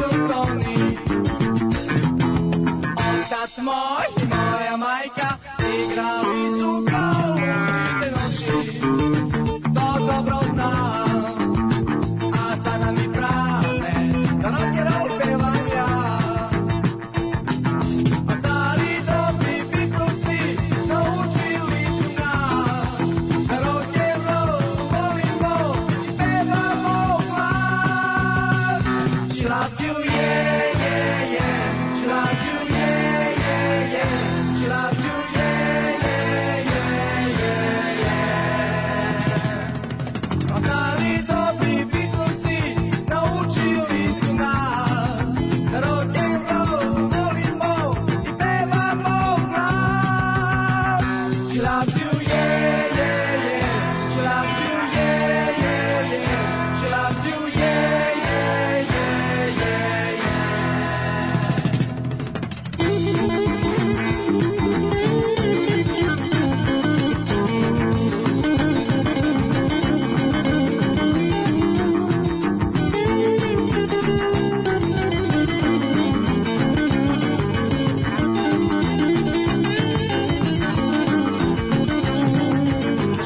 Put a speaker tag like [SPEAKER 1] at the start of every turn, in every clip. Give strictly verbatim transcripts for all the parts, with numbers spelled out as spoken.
[SPEAKER 1] little Tony. Otac moj i moja majka igrali su kao lutite noći. To dobro znam, a sada mi brane da rock and roll pevam ja. A stari dobri Beatlesi naučili su nas da rock and roll volimo i pevamo glas. She loves you, yeah, yeah, yeah. She loves you, yeah, yeah, yeah. She loves you, yeah, yeah, yeah, yeah, yeah. A stari dobri Beatlesi naučili su nas da rock and roll volimo i pevamo glas. She loves you, yeah, yeah, yeah. She loves you, yeah, yeah, yeah. She loves you, yeah, yeah, yeah, yeah, yeah.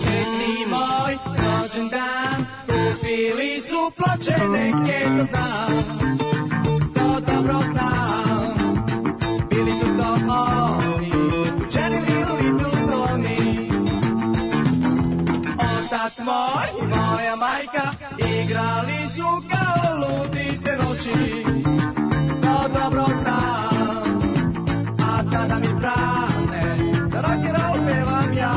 [SPEAKER 1] Šesti moj rođendan, kupili su ploče neke, to znam, to dobro znam. Bili su to oni, Jenny Little Little Tony. Otac moj i moja majka igrali su kao ludite noći. To dobro znam, a sada mi brane da rock and roll pevam ja.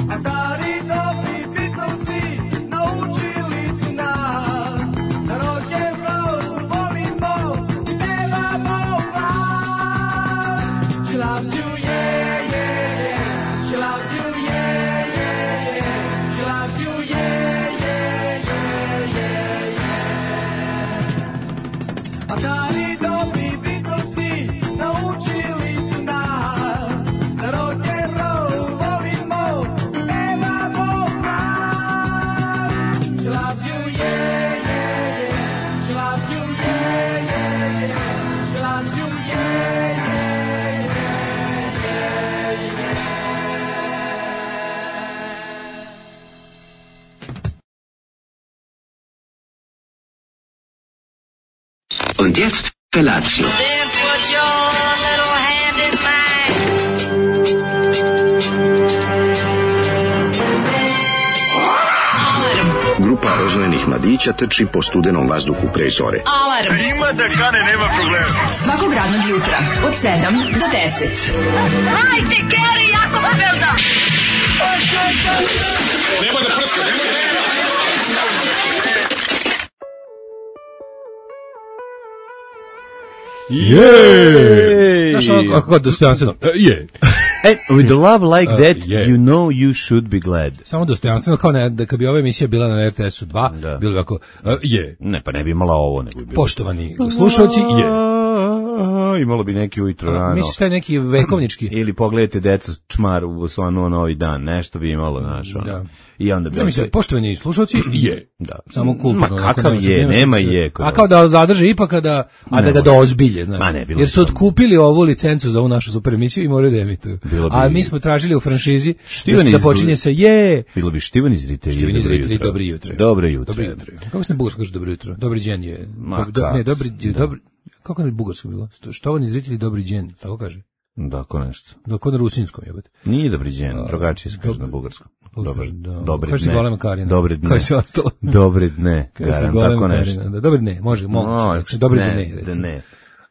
[SPEAKER 1] A stari dobri Beatlesi naučili su nas da rock and roll volimo i pevamo glas. She loves you, yeah, yeah, yeah. She loves you, yeah, yeah, yeah. She loves you, yeah, yeah, yeah, yeah, yeah. A stari dobri Beatlesi naučili su nas da rock and roll volimo i pevamo glas. She loves you, yeah, yeah, yeah. She loves you, yeah, yeah, yeah. She loves you, yeah, yeah, yeah, yeah, yeah.
[SPEAKER 2] Und jetzt Felatio.
[SPEAKER 3] Then put your little hand in mine.
[SPEAKER 4] Grupa rozvojenih mladića trči po studenom vazduhu pre zore.
[SPEAKER 5] Alarm.
[SPEAKER 6] Ima da kane, nema problema.
[SPEAKER 5] Svakog radnog jutra od sedam do deset.
[SPEAKER 3] Hajde, Geri, jako se velda.
[SPEAKER 6] Nemoj da prska, nemoj da prska.
[SPEAKER 7] Jej!
[SPEAKER 8] Znaš ono kako dostojanstveno, e, je.
[SPEAKER 7] E, with a love like
[SPEAKER 8] Uh,
[SPEAKER 7] that,
[SPEAKER 8] yeah.
[SPEAKER 7] you know you should be glad.
[SPEAKER 8] Samo dostojanstveno, kao ne, da kad bi ova emisija bila na R T S-u dva,
[SPEAKER 7] Da.
[SPEAKER 8] bilo bi ovako, e, je.
[SPEAKER 7] Ne, pa ne bi imala ovo, nego bi bilo.
[SPEAKER 8] Poštovani slušalci, je.
[SPEAKER 7] Imalo bi neki ujutro rano.
[SPEAKER 8] Misliš taj neki vekovnički?
[SPEAKER 7] Ili pogledajte decu čmar u slanu novi dan, nešto bi imalo, znaš, ono.
[SPEAKER 8] Da.
[SPEAKER 7] I onda bi...
[SPEAKER 8] Ja mislim, poštovani slušalci, je.
[SPEAKER 7] Da.
[SPEAKER 8] Samo kulturno.
[SPEAKER 7] Ma
[SPEAKER 8] onako,
[SPEAKER 7] kakav
[SPEAKER 8] nema-
[SPEAKER 7] je,
[SPEAKER 8] nema
[SPEAKER 7] nema
[SPEAKER 8] smisla.
[SPEAKER 7] je kod
[SPEAKER 8] A kao da zadrže ipak, a da, a da
[SPEAKER 7] Ne
[SPEAKER 8] ga
[SPEAKER 7] može.
[SPEAKER 8] dozbilje, znaš.
[SPEAKER 7] Ma ne, bilo
[SPEAKER 8] Jer
[SPEAKER 7] bi
[SPEAKER 8] su
[SPEAKER 7] samo-
[SPEAKER 8] otkupili ovu licencu za ovu našu super emisiju i moraju da emituju.
[SPEAKER 7] Bilo bi-
[SPEAKER 8] A mi smo tražili u franšizi
[SPEAKER 7] Štivani
[SPEAKER 8] da
[SPEAKER 7] iz-
[SPEAKER 8] počinje se je.
[SPEAKER 7] Bilo bi štivani zritelji.
[SPEAKER 8] Štivani
[SPEAKER 7] dobro
[SPEAKER 8] zritelji,
[SPEAKER 7] jutro.
[SPEAKER 8] dobro jutro.
[SPEAKER 7] Dobro jutro.
[SPEAKER 8] Dobro jutro. Kako se na bugarskom kaže dobro jutro? Dobri đen je.
[SPEAKER 7] Ma
[SPEAKER 8] Dob- do-
[SPEAKER 7] kako
[SPEAKER 8] ne, dobri,
[SPEAKER 7] se- da.
[SPEAKER 8] dobri, kako na bugarskom bilo? Štovani zritelji, dobri đen, tako kaže.
[SPEAKER 7] Da, ko nešto.
[SPEAKER 8] Dok na rusinskom jebote.
[SPEAKER 7] Nije dobri đen, drugačije se kaže
[SPEAKER 8] dob-
[SPEAKER 7] na bugarskom.
[SPEAKER 8] kako se
[SPEAKER 7] Dobar,
[SPEAKER 8] kaže, da.
[SPEAKER 7] dobre
[SPEAKER 8] Kaže se
[SPEAKER 7] dne.
[SPEAKER 8] golema Karina.
[SPEAKER 7] Dobre dne.
[SPEAKER 8] Kaže se ostalo.
[SPEAKER 7] Dobre dne,
[SPEAKER 8] Kaže se
[SPEAKER 7] garam,
[SPEAKER 8] golema
[SPEAKER 7] tako
[SPEAKER 8] Karina,
[SPEAKER 7] nešto.
[SPEAKER 8] Da, dobar ne, može, moguće.
[SPEAKER 7] No,
[SPEAKER 8] Znači, dobar
[SPEAKER 7] ne,
[SPEAKER 8] ne,
[SPEAKER 7] da
[SPEAKER 8] recimo.
[SPEAKER 7] ne.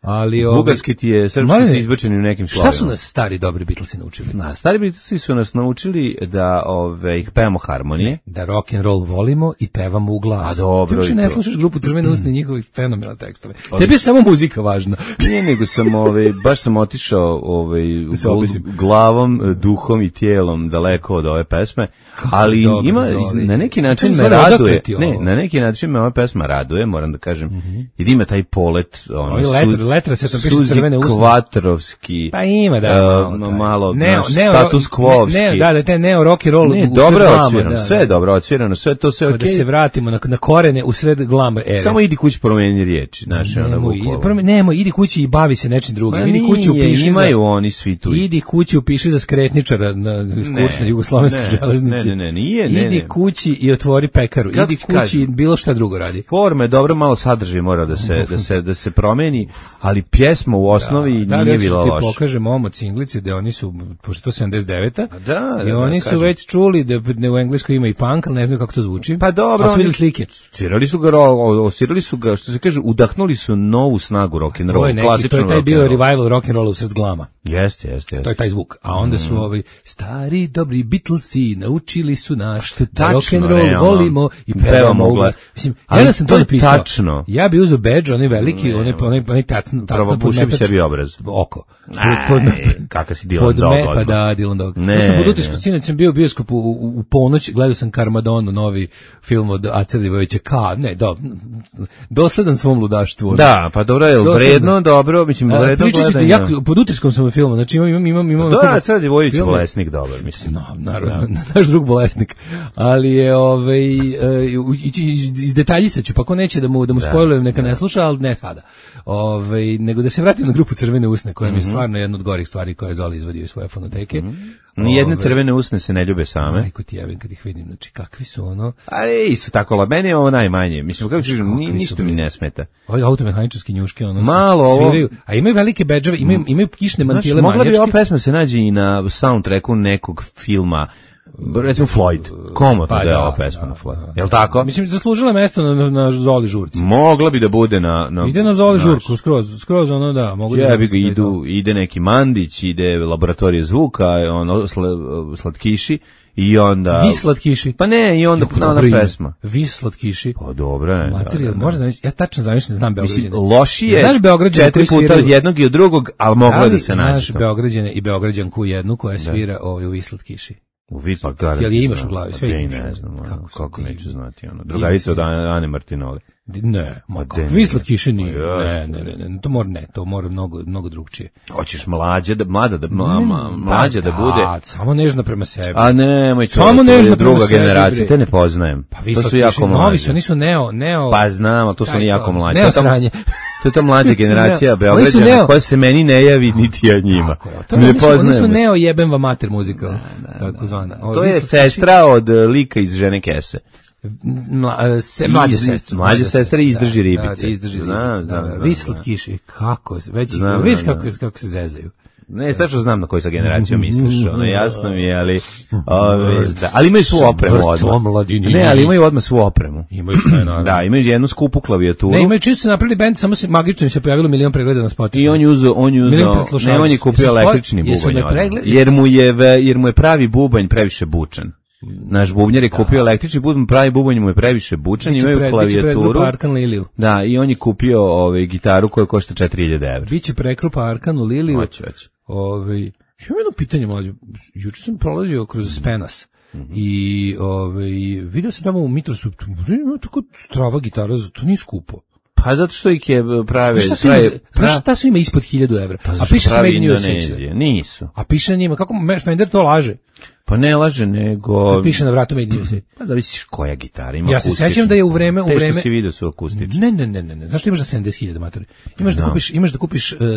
[SPEAKER 8] Ali ovaj-
[SPEAKER 7] Bugarski ti je, srpski
[SPEAKER 8] Mladene,
[SPEAKER 7] su izbačeni u nekim slovima.
[SPEAKER 8] Šta su nas stari dobri Beatlesi naučili?
[SPEAKER 7] Na, stari Beatlesi su nas naučili da ove, ih pevamo harmonije.
[SPEAKER 8] Da rock and roll volimo i pevamo u glas.
[SPEAKER 7] A dobro,
[SPEAKER 8] Ti uopšte
[SPEAKER 7] i
[SPEAKER 8] ne
[SPEAKER 7] to.
[SPEAKER 8] slušaš grupu Crvene usne i njihovih fenomenalne tekstove. Tebi je samo muzika važna.
[SPEAKER 7] Nije, nego sam, ovaj, baš sam otišao ovaj,
[SPEAKER 8] Da se
[SPEAKER 7] gl-
[SPEAKER 8] obisim.
[SPEAKER 7] glavom, duhom i tijelom daleko od ove pesme, ali
[SPEAKER 8] dobro
[SPEAKER 7] ima,
[SPEAKER 8] zove.
[SPEAKER 7] na neki način
[SPEAKER 8] Kako
[SPEAKER 7] me
[SPEAKER 8] zove, odakle
[SPEAKER 7] raduje,
[SPEAKER 8] ti
[SPEAKER 7] ne,
[SPEAKER 8] ovo?
[SPEAKER 7] na neki način me ova pesma raduje, moram da kažem, jer ima taj polet, ono,
[SPEAKER 8] Ovi
[SPEAKER 7] su-
[SPEAKER 8] letter, letrasetom piše
[SPEAKER 7] Suzi
[SPEAKER 8] crvene usne.
[SPEAKER 7] Kvatrovski.
[SPEAKER 8] Pa ima, da.
[SPEAKER 7] Uh,
[SPEAKER 8] malo,
[SPEAKER 7] malo
[SPEAKER 8] neo,
[SPEAKER 7] naš
[SPEAKER 8] neo,
[SPEAKER 7] status quo-ovski.
[SPEAKER 8] Ne, da, da, te neo rock and roll.
[SPEAKER 7] Ne,
[SPEAKER 8] u
[SPEAKER 7] dobro
[SPEAKER 8] sred
[SPEAKER 7] je
[SPEAKER 8] glama,
[SPEAKER 7] odsvirano,
[SPEAKER 8] da,
[SPEAKER 7] sve je
[SPEAKER 8] da.
[SPEAKER 7] dobro odsvirano, sve to sve
[SPEAKER 8] Kao
[SPEAKER 7] okej.
[SPEAKER 8] Da se vratimo na, na korene u sred glama ere.
[SPEAKER 7] Samo idi kući promeni riječi, znaš, ona
[SPEAKER 8] Nemo,
[SPEAKER 7] bukvalno.
[SPEAKER 8] idi, prvo, nemo, idi kući i bavi se nečim drugim.
[SPEAKER 7] Ma
[SPEAKER 8] Idi kući
[SPEAKER 7] nije,
[SPEAKER 8] upiši
[SPEAKER 7] imaju
[SPEAKER 8] za,
[SPEAKER 7] oni svi tu.
[SPEAKER 8] idi kući upiši za skretničara na kurs na jugoslovenskoj
[SPEAKER 7] ne,
[SPEAKER 8] železnici.
[SPEAKER 7] ne, ne, ne, nije, ne,
[SPEAKER 8] Idi
[SPEAKER 7] ne.
[SPEAKER 8] kući i otvori pekaru.
[SPEAKER 7] Kako
[SPEAKER 8] idi
[SPEAKER 7] ti
[SPEAKER 8] kući
[SPEAKER 7] kažem?
[SPEAKER 8] i bilo šta drugo radi.
[SPEAKER 7] Forma je dobro, malo sadržaj mora da se da se da se promeni, ali pjesma u osnovi
[SPEAKER 8] Da li
[SPEAKER 7] nije
[SPEAKER 8] hoćeš
[SPEAKER 7] bila
[SPEAKER 8] ti
[SPEAKER 7] loša.
[SPEAKER 8] pokažem ovom od singlici da oni su, pošto to sedamdeset deveta
[SPEAKER 7] A da, da,
[SPEAKER 8] i oni
[SPEAKER 7] da,
[SPEAKER 8] su
[SPEAKER 7] kažem.
[SPEAKER 8] već čuli da, da u Engleskoj ima i punk, ali ne znaju kako to zvuči.
[SPEAKER 7] Pa dobro,
[SPEAKER 8] A su
[SPEAKER 7] oni-
[SPEAKER 8] vidjeli slike.
[SPEAKER 7] Svirali su ga, ro- osvirali su ga, što se kaže, udahnuli su novu snagu rock and
[SPEAKER 8] To
[SPEAKER 7] roll,
[SPEAKER 8] je neki,
[SPEAKER 7] klasičan
[SPEAKER 8] to je taj
[SPEAKER 7] rock
[SPEAKER 8] bio
[SPEAKER 7] and roll.
[SPEAKER 8] revival rock and rolla u sred glama.
[SPEAKER 7] Jeste, jeste,
[SPEAKER 8] To je
[SPEAKER 7] jeste.
[SPEAKER 8] taj zvuk. A onda su ovi stari dobri Beatlesi naučili su nas
[SPEAKER 7] Što je
[SPEAKER 8] da rock
[SPEAKER 7] tačno,
[SPEAKER 8] and roll
[SPEAKER 7] realno.
[SPEAKER 8] volimo i
[SPEAKER 7] Pevamo
[SPEAKER 8] pevamo
[SPEAKER 7] u
[SPEAKER 8] u
[SPEAKER 7] glas.
[SPEAKER 8] glas. Mislim,
[SPEAKER 7] Ali
[SPEAKER 8] ja da sam
[SPEAKER 7] to
[SPEAKER 8] to
[SPEAKER 7] je
[SPEAKER 8] napisao.
[SPEAKER 7] tačno.
[SPEAKER 8] Ja bi uzeo bedž, onaj veliki, onaj onaj onaj tacn, tacn
[SPEAKER 7] Prvo pušio bi sebi obraz.
[SPEAKER 8] oko.
[SPEAKER 7] Aj, kakav si Dylan
[SPEAKER 8] Pod
[SPEAKER 7] Dog
[SPEAKER 8] me, pa
[SPEAKER 7] odmah.
[SPEAKER 8] da, Dylan Dog.
[SPEAKER 7] Ne,
[SPEAKER 8] Ja sam pod utiskom,
[SPEAKER 7] ne.
[SPEAKER 8] sinoć sam bio u bioskopu u, u, u ponoć, gledao sam Karmadonu, novi film od Ace Livovića, ka, ne, do, dosledan svom ludaštvu.
[SPEAKER 7] Da, pa dobro je,
[SPEAKER 8] Dosledno.
[SPEAKER 7] vredno, dobro, mislim,
[SPEAKER 8] A,
[SPEAKER 7] vredno
[SPEAKER 8] pričat ću ti,
[SPEAKER 7] gledanje.
[SPEAKER 8] jako, pod utiskom sam u filmu, znači imam, imam, imam, imam
[SPEAKER 7] Da,
[SPEAKER 8] onako-
[SPEAKER 7] sad je Vojić
[SPEAKER 8] film-
[SPEAKER 7] bolesnik dobar, mislim.
[SPEAKER 8] No, naravno, naš drug bolesnik. Ali je, ovaj, e, u- ići iz, iz detaljisat ću, pa ko neće da mu, da mu spojlujem, neka ne sluša, ali ne sada. Ovaj, nego da se vratim na grupu Crvene usne, koja mi je stvarno jedna od gorih stvari koje je Zoli izvadio iz svoje fonoteke.
[SPEAKER 7] Nijedne
[SPEAKER 8] Ovaj,
[SPEAKER 7] crvene usne se ne ljube same.
[SPEAKER 8] Majko ti jebim kad ih vidim, znači kakvi su ono,
[SPEAKER 7] Ali isto tako, la, meni je ovo najmanje. Mislim, kako ću kažem, ni-
[SPEAKER 8] Kakvi su
[SPEAKER 7] ništa mi
[SPEAKER 8] bili.
[SPEAKER 7] ne smeta.
[SPEAKER 8] ovi automehaničarski njuške, ono,
[SPEAKER 7] Malo ovo-
[SPEAKER 8] sviraju, a imaju velike bedžave, imaju, imaju kišne
[SPEAKER 7] Znaš,
[SPEAKER 8] mantile
[SPEAKER 7] mogla bi ova
[SPEAKER 8] manjačke.
[SPEAKER 7] pesma se nađe i na soundtracku nekog filma, recimo Floyd. Komotno
[SPEAKER 8] Pa
[SPEAKER 7] da je
[SPEAKER 8] da,
[SPEAKER 7] ova pesma
[SPEAKER 8] da,
[SPEAKER 7] na Floyd.
[SPEAKER 8] da.
[SPEAKER 7] Jel tako?
[SPEAKER 8] Mislim, zaslužila je mesto na, na, na Zoli žurci.
[SPEAKER 7] Mogla bi da bude na... na
[SPEAKER 8] Ide na Zoli
[SPEAKER 7] znaš,
[SPEAKER 8] žurku, skroz, skroz ono da, mogu da...
[SPEAKER 7] Ja bi ga
[SPEAKER 8] zamislim da je
[SPEAKER 7] idu,
[SPEAKER 8] to.
[SPEAKER 7] ide neki Mandić, ide laboratorije zvuka, ono, sl, slatkiši, i onda...
[SPEAKER 8] Vi slatkiši.
[SPEAKER 7] Pa ne, i onda
[SPEAKER 8] Jako
[SPEAKER 7] na
[SPEAKER 8] dobro ime.
[SPEAKER 7] pesma.
[SPEAKER 8] Vi slatkiši.
[SPEAKER 7] Pa dobro je.
[SPEAKER 8] Materijal,
[SPEAKER 7] da, da.
[SPEAKER 8] možda zamislim, ja tačno zamislim, znam
[SPEAKER 7] Mislim,
[SPEAKER 8] Beograđane.
[SPEAKER 7] lošije
[SPEAKER 8] Znaš Beograđane
[SPEAKER 7] četiri
[SPEAKER 8] koji
[SPEAKER 7] puta
[SPEAKER 8] sviraju?
[SPEAKER 7] od jednog i od drugog, ali moglo je
[SPEAKER 8] Da
[SPEAKER 7] da
[SPEAKER 8] li
[SPEAKER 7] se
[SPEAKER 8] znaš
[SPEAKER 7] naći. to.
[SPEAKER 8] Beograđane i Beograđanku jednu koja svira ovaj u Vi slatkiši?
[SPEAKER 7] U Vi pa garant.
[SPEAKER 8] Jel je imaš
[SPEAKER 7] znam.
[SPEAKER 8] u glavi?
[SPEAKER 7] Pa
[SPEAKER 8] Sve
[SPEAKER 7] de,
[SPEAKER 8] imaš.
[SPEAKER 7] ne znam, ono,
[SPEAKER 8] Kako su
[SPEAKER 7] kako
[SPEAKER 8] divni.
[SPEAKER 7] neću znati. Ono. Drugarica od Ane Ane Martinoli.
[SPEAKER 8] Ne, ma
[SPEAKER 7] Ma
[SPEAKER 8] kako?
[SPEAKER 7] de,
[SPEAKER 8] Vi slatkiši nije.
[SPEAKER 7] Pa
[SPEAKER 8] Ne,
[SPEAKER 7] jeste.
[SPEAKER 8] ne, ne, ne, to mora ne, to mora mnogo mnogo drugčije.
[SPEAKER 7] Hoćeš mlađe da, mlada da, ma, ma, mlađe da bude.
[SPEAKER 8] Samo nežna prema sebi.
[SPEAKER 7] A nemoj to,
[SPEAKER 8] Samo
[SPEAKER 7] to je
[SPEAKER 8] nežno prema
[SPEAKER 7] druga
[SPEAKER 8] sebi,
[SPEAKER 7] generacija,
[SPEAKER 8] bre.
[SPEAKER 7] te ne poznajem.
[SPEAKER 8] Pa vi
[SPEAKER 7] to su
[SPEAKER 8] slatkiši,
[SPEAKER 7] jako
[SPEAKER 8] novi
[SPEAKER 7] mlađi.
[SPEAKER 8] su, oni su neo, neo.
[SPEAKER 7] Pa znam, ali to su
[SPEAKER 8] Taj
[SPEAKER 7] oni jako
[SPEAKER 8] to,
[SPEAKER 7] mlađi.
[SPEAKER 8] neo
[SPEAKER 7] To je ta-
[SPEAKER 8] sranje.
[SPEAKER 7] To je ta mlađa generacija
[SPEAKER 8] neo- oni su
[SPEAKER 7] Beograđana
[SPEAKER 8] neo-
[SPEAKER 7] koja se meni ne javi niti ja njima.
[SPEAKER 8] Tako je, to
[SPEAKER 7] Ne
[SPEAKER 8] oni su, oni su
[SPEAKER 7] poznajemo se.
[SPEAKER 8] neo jebem va mater muzika, tako zvana. Ovo,
[SPEAKER 7] To
[SPEAKER 8] vi
[SPEAKER 7] je
[SPEAKER 8] slatkiši-
[SPEAKER 7] sestra od e, lika iz Žene Kese.
[SPEAKER 8] Mla, se, mlađe
[SPEAKER 7] Iz-
[SPEAKER 8] sestre.
[SPEAKER 7] mlađe sestre
[SPEAKER 8] da,
[SPEAKER 7] izdrži
[SPEAKER 8] da,
[SPEAKER 7] ribice.
[SPEAKER 8] Da, izdrži ribice.
[SPEAKER 7] Znam, znam,
[SPEAKER 8] da, da.
[SPEAKER 7] znam,
[SPEAKER 8] Vi
[SPEAKER 7] znam.
[SPEAKER 8] slatkiši, kako, već,
[SPEAKER 7] Znam,
[SPEAKER 8] vidiš
[SPEAKER 7] znam,
[SPEAKER 8] kako,
[SPEAKER 7] znam.
[SPEAKER 8] kako se zezaju.
[SPEAKER 7] Ne, strašno znam na koju sa generaciju misliš, ono, jasno mi je, ali, ove, da, ali imaju svu opremu
[SPEAKER 8] Mrtvo
[SPEAKER 7] odmah.
[SPEAKER 8] mladini.
[SPEAKER 7] Ne, ali imaju odmah svu opremu.
[SPEAKER 8] Imaju sve, naravno.
[SPEAKER 7] Da, imaju jednu skupu klavijaturu.
[SPEAKER 8] Ne, imaju čisto se napravili bend, samo se magično im se pojavilo milion pregleda na Spotify.
[SPEAKER 7] I on je uzeo, on je
[SPEAKER 8] Milion
[SPEAKER 7] uzeo,
[SPEAKER 8] preslušavaca.
[SPEAKER 7] ne, on je kupio
[SPEAKER 8] Jesu spoj-
[SPEAKER 7] električni
[SPEAKER 8] jesu
[SPEAKER 7] bubanj
[SPEAKER 8] me
[SPEAKER 7] odmah.
[SPEAKER 8] pregled-
[SPEAKER 7] Jer mu je, ve- jer mu je pravi bubanj previše bučan. Naš bubnjar je kupio električni bubanj, pravi bubanj mu je previše bučan,
[SPEAKER 8] Biće
[SPEAKER 7] imaju
[SPEAKER 8] pre- biće pregrupa
[SPEAKER 7] klavijaturu.
[SPEAKER 8] Arkan Liliju.
[SPEAKER 7] Da, i on je kupio ovaj gitaru koja košta četiri hiljade evra.
[SPEAKER 8] Biće prekrupa Arkanu Liliju.
[SPEAKER 7] Hoće, hoće.
[SPEAKER 8] Ovaj, imam jedno pitanje, mlađe. Juče sam prolazio kroz Spenas. I ovaj, vidio sam tamo u Mitrosu, ima tako strava gitara, to nije skupo.
[SPEAKER 7] Pa zato što ih je prave...
[SPEAKER 8] Znaš šta sve ima,
[SPEAKER 7] prave-
[SPEAKER 8] znaš šta sve ima ispod hiljadu evra?
[SPEAKER 7] Pa
[SPEAKER 8] A
[SPEAKER 7] zašto
[SPEAKER 8] piše se
[SPEAKER 7] pravi
[SPEAKER 8] Made in U S A.
[SPEAKER 7] Indonezije? Nisu.
[SPEAKER 8] A piše na njima, kako Fender to laže?
[SPEAKER 7] Pa ne laže, nego...
[SPEAKER 8] Piše na vratu Made in U S A.
[SPEAKER 7] Pa zavisiš koja gitara ima
[SPEAKER 8] Ja se
[SPEAKER 7] akustičnu.
[SPEAKER 8] sećam da je u vreme- u
[SPEAKER 7] Te
[SPEAKER 8] vreme-
[SPEAKER 7] što si vidio su akustične.
[SPEAKER 8] Ne, ne, ne, ne, ne. Znaš što imaš za sedamdeset hiljada matori? Imaš da kupiš, imaš da kupiš uh, uh,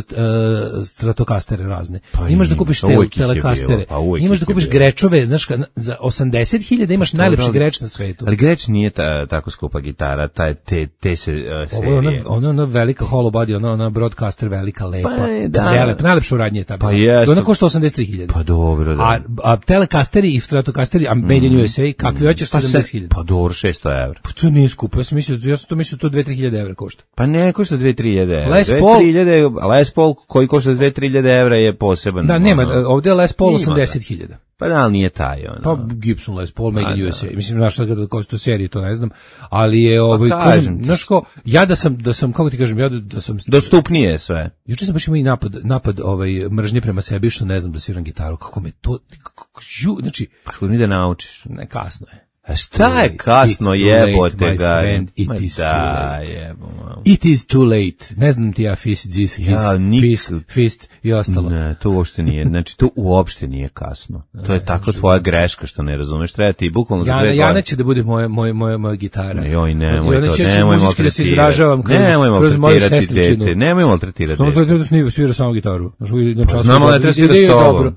[SPEAKER 8] stratokastere razne.
[SPEAKER 7] Pa
[SPEAKER 8] imaš da
[SPEAKER 7] ima,
[SPEAKER 8] kupiš
[SPEAKER 7] pa
[SPEAKER 8] tel,
[SPEAKER 7] uvijek ih je
[SPEAKER 8] telekastere.
[SPEAKER 7] bilo, pa uvijek
[SPEAKER 8] Imaš
[SPEAKER 7] ih
[SPEAKER 8] da
[SPEAKER 7] je
[SPEAKER 8] kupiš
[SPEAKER 7] bilo.
[SPEAKER 8] grečove, znaš ka, za osamdeset hiljada imaš najlepši
[SPEAKER 7] ali-
[SPEAKER 8] greč na svetu.
[SPEAKER 7] Ali Greč nije ta, tako skupa gitara, ta, te, te se uh,
[SPEAKER 8] Ovo je ona,
[SPEAKER 7] serije.
[SPEAKER 8] ona, ona velika hollow body, ona, ona broadcaster velika, lepa.
[SPEAKER 7] Pa je, da.
[SPEAKER 8] Prelepa, najlepša u radnje je ta.
[SPEAKER 7] Pa
[SPEAKER 8] bila.
[SPEAKER 7] jeste.
[SPEAKER 8] Ona košta osamdeset tri hiljade.
[SPEAKER 7] Pa dobro, da.
[SPEAKER 8] A, a telekasteri i stratokasteri, a Made in U S A, kakvi hoćeš
[SPEAKER 7] pa,
[SPEAKER 8] sedamdeset
[SPEAKER 7] se,
[SPEAKER 8] hiljada?
[SPEAKER 7] pa dobro, šesto evra.
[SPEAKER 8] Pa to nije skupo, ja sam mislio, ja sam to mislio to dve do tri hiljade evra košta.
[SPEAKER 7] Pa ne, košta dve do tri hiljade evra.
[SPEAKER 8] Les
[SPEAKER 7] dve do
[SPEAKER 8] Paul-
[SPEAKER 7] tri hiljade, Les Paul koji košta dve do tri hiljade evra je poseban.
[SPEAKER 8] Da, nema,
[SPEAKER 7] ono.
[SPEAKER 8] ovdje je Les Paul
[SPEAKER 7] Ima,
[SPEAKER 8] osamdeset hiljada.
[SPEAKER 7] Pa da, ali nije taj, ono.
[SPEAKER 8] Pa Gibson Les Paul, Made
[SPEAKER 7] A,
[SPEAKER 8] in
[SPEAKER 7] da.
[SPEAKER 8] U S A. Mislim, znaš šta kada košta serije, to ne znam. Ali je, ovaj,
[SPEAKER 7] kažem
[SPEAKER 8] kažem,
[SPEAKER 7] ti.
[SPEAKER 8] znaš ko, ja da sam, da sam, kako ti kažem, ja da, da sam...
[SPEAKER 7] Dostupnije je sve.
[SPEAKER 8] Juče sam baš imao i napad, napad ovaj, mržnje prema sebi, što ne znam da sviram gitaru. Kako me to... Kako, ju, znači,
[SPEAKER 7] Pa što mi da naučiš?
[SPEAKER 8] ne, kasno je.
[SPEAKER 7] A šta je kasno, jebote ga?
[SPEAKER 8] It
[SPEAKER 7] Ma
[SPEAKER 8] is too
[SPEAKER 7] da,
[SPEAKER 8] late.
[SPEAKER 7] jebo.
[SPEAKER 8] It is too late. Ne znam ti ja fist, this, his,
[SPEAKER 7] Ja, nik-
[SPEAKER 8] fist, fist i ostalo.
[SPEAKER 7] Ne, to uopšte nije. Znači, to uopšte nije kasno. To je tako tvoja greška što ne razumeš. Treba ti bukvalno za
[SPEAKER 8] Jana,
[SPEAKER 7] dve godine.
[SPEAKER 8] Jana će da bude moja, moja, moja, moja gitara.
[SPEAKER 7] Joj, nemoj
[SPEAKER 8] I ona
[SPEAKER 7] to,
[SPEAKER 8] će
[SPEAKER 7] nemoj
[SPEAKER 8] muzički da se
[SPEAKER 7] maltretirati.
[SPEAKER 8] izražavam kroz,
[SPEAKER 7] Nemoj
[SPEAKER 8] kroz moju
[SPEAKER 7] maltretirati
[SPEAKER 8] sestričinu.
[SPEAKER 7] dete, nemoj maltretirati
[SPEAKER 8] Samo
[SPEAKER 7] dete.
[SPEAKER 8] to da snima, svira samo gitaru. Znaš, na času
[SPEAKER 7] Znamo da treba svira
[SPEAKER 8] ide
[SPEAKER 7] s
[SPEAKER 8] je
[SPEAKER 7] tobom.
[SPEAKER 8] dobro.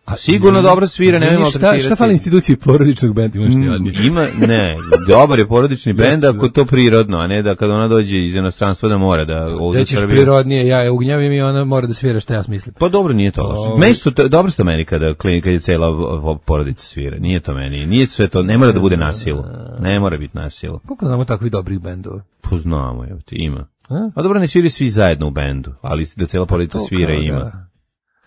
[SPEAKER 7] A sigurno dobro svira, nemoj
[SPEAKER 8] Izvini,
[SPEAKER 7] maltretirati.
[SPEAKER 8] Šta, šta fali instituciji porodičnog benda, imaš ti jadnije?
[SPEAKER 7] Mm, Ima, ne, dobar je porodični bend ako to prirodno, a ne da kad ona dođe iz inostranstva da mora da ovdje
[SPEAKER 8] Da
[SPEAKER 7] u
[SPEAKER 8] ćeš
[SPEAKER 7] Srbiji.
[SPEAKER 8] prirodnije, ja je ugnjavim i ona mora da svira šta ja smislim.
[SPEAKER 7] Pa dobro, nije to loše.
[SPEAKER 8] Ovo-
[SPEAKER 7] Meni su to, dobro ste meni kada, klin- kad je cela v- v- porodica svira. Nije to meni. Nije sve to, ne mora da bude na silu. Ne mora biti na silu.
[SPEAKER 8] Koliko znamo takvih dobrih bendova?
[SPEAKER 7] Poznamo, evo ti, ima.
[SPEAKER 8] A?
[SPEAKER 7] A dobro, ne sviri svi zajedno u bendu, ali da cela porodica
[SPEAKER 8] To
[SPEAKER 7] svira
[SPEAKER 8] kao
[SPEAKER 7] ima.
[SPEAKER 8] da.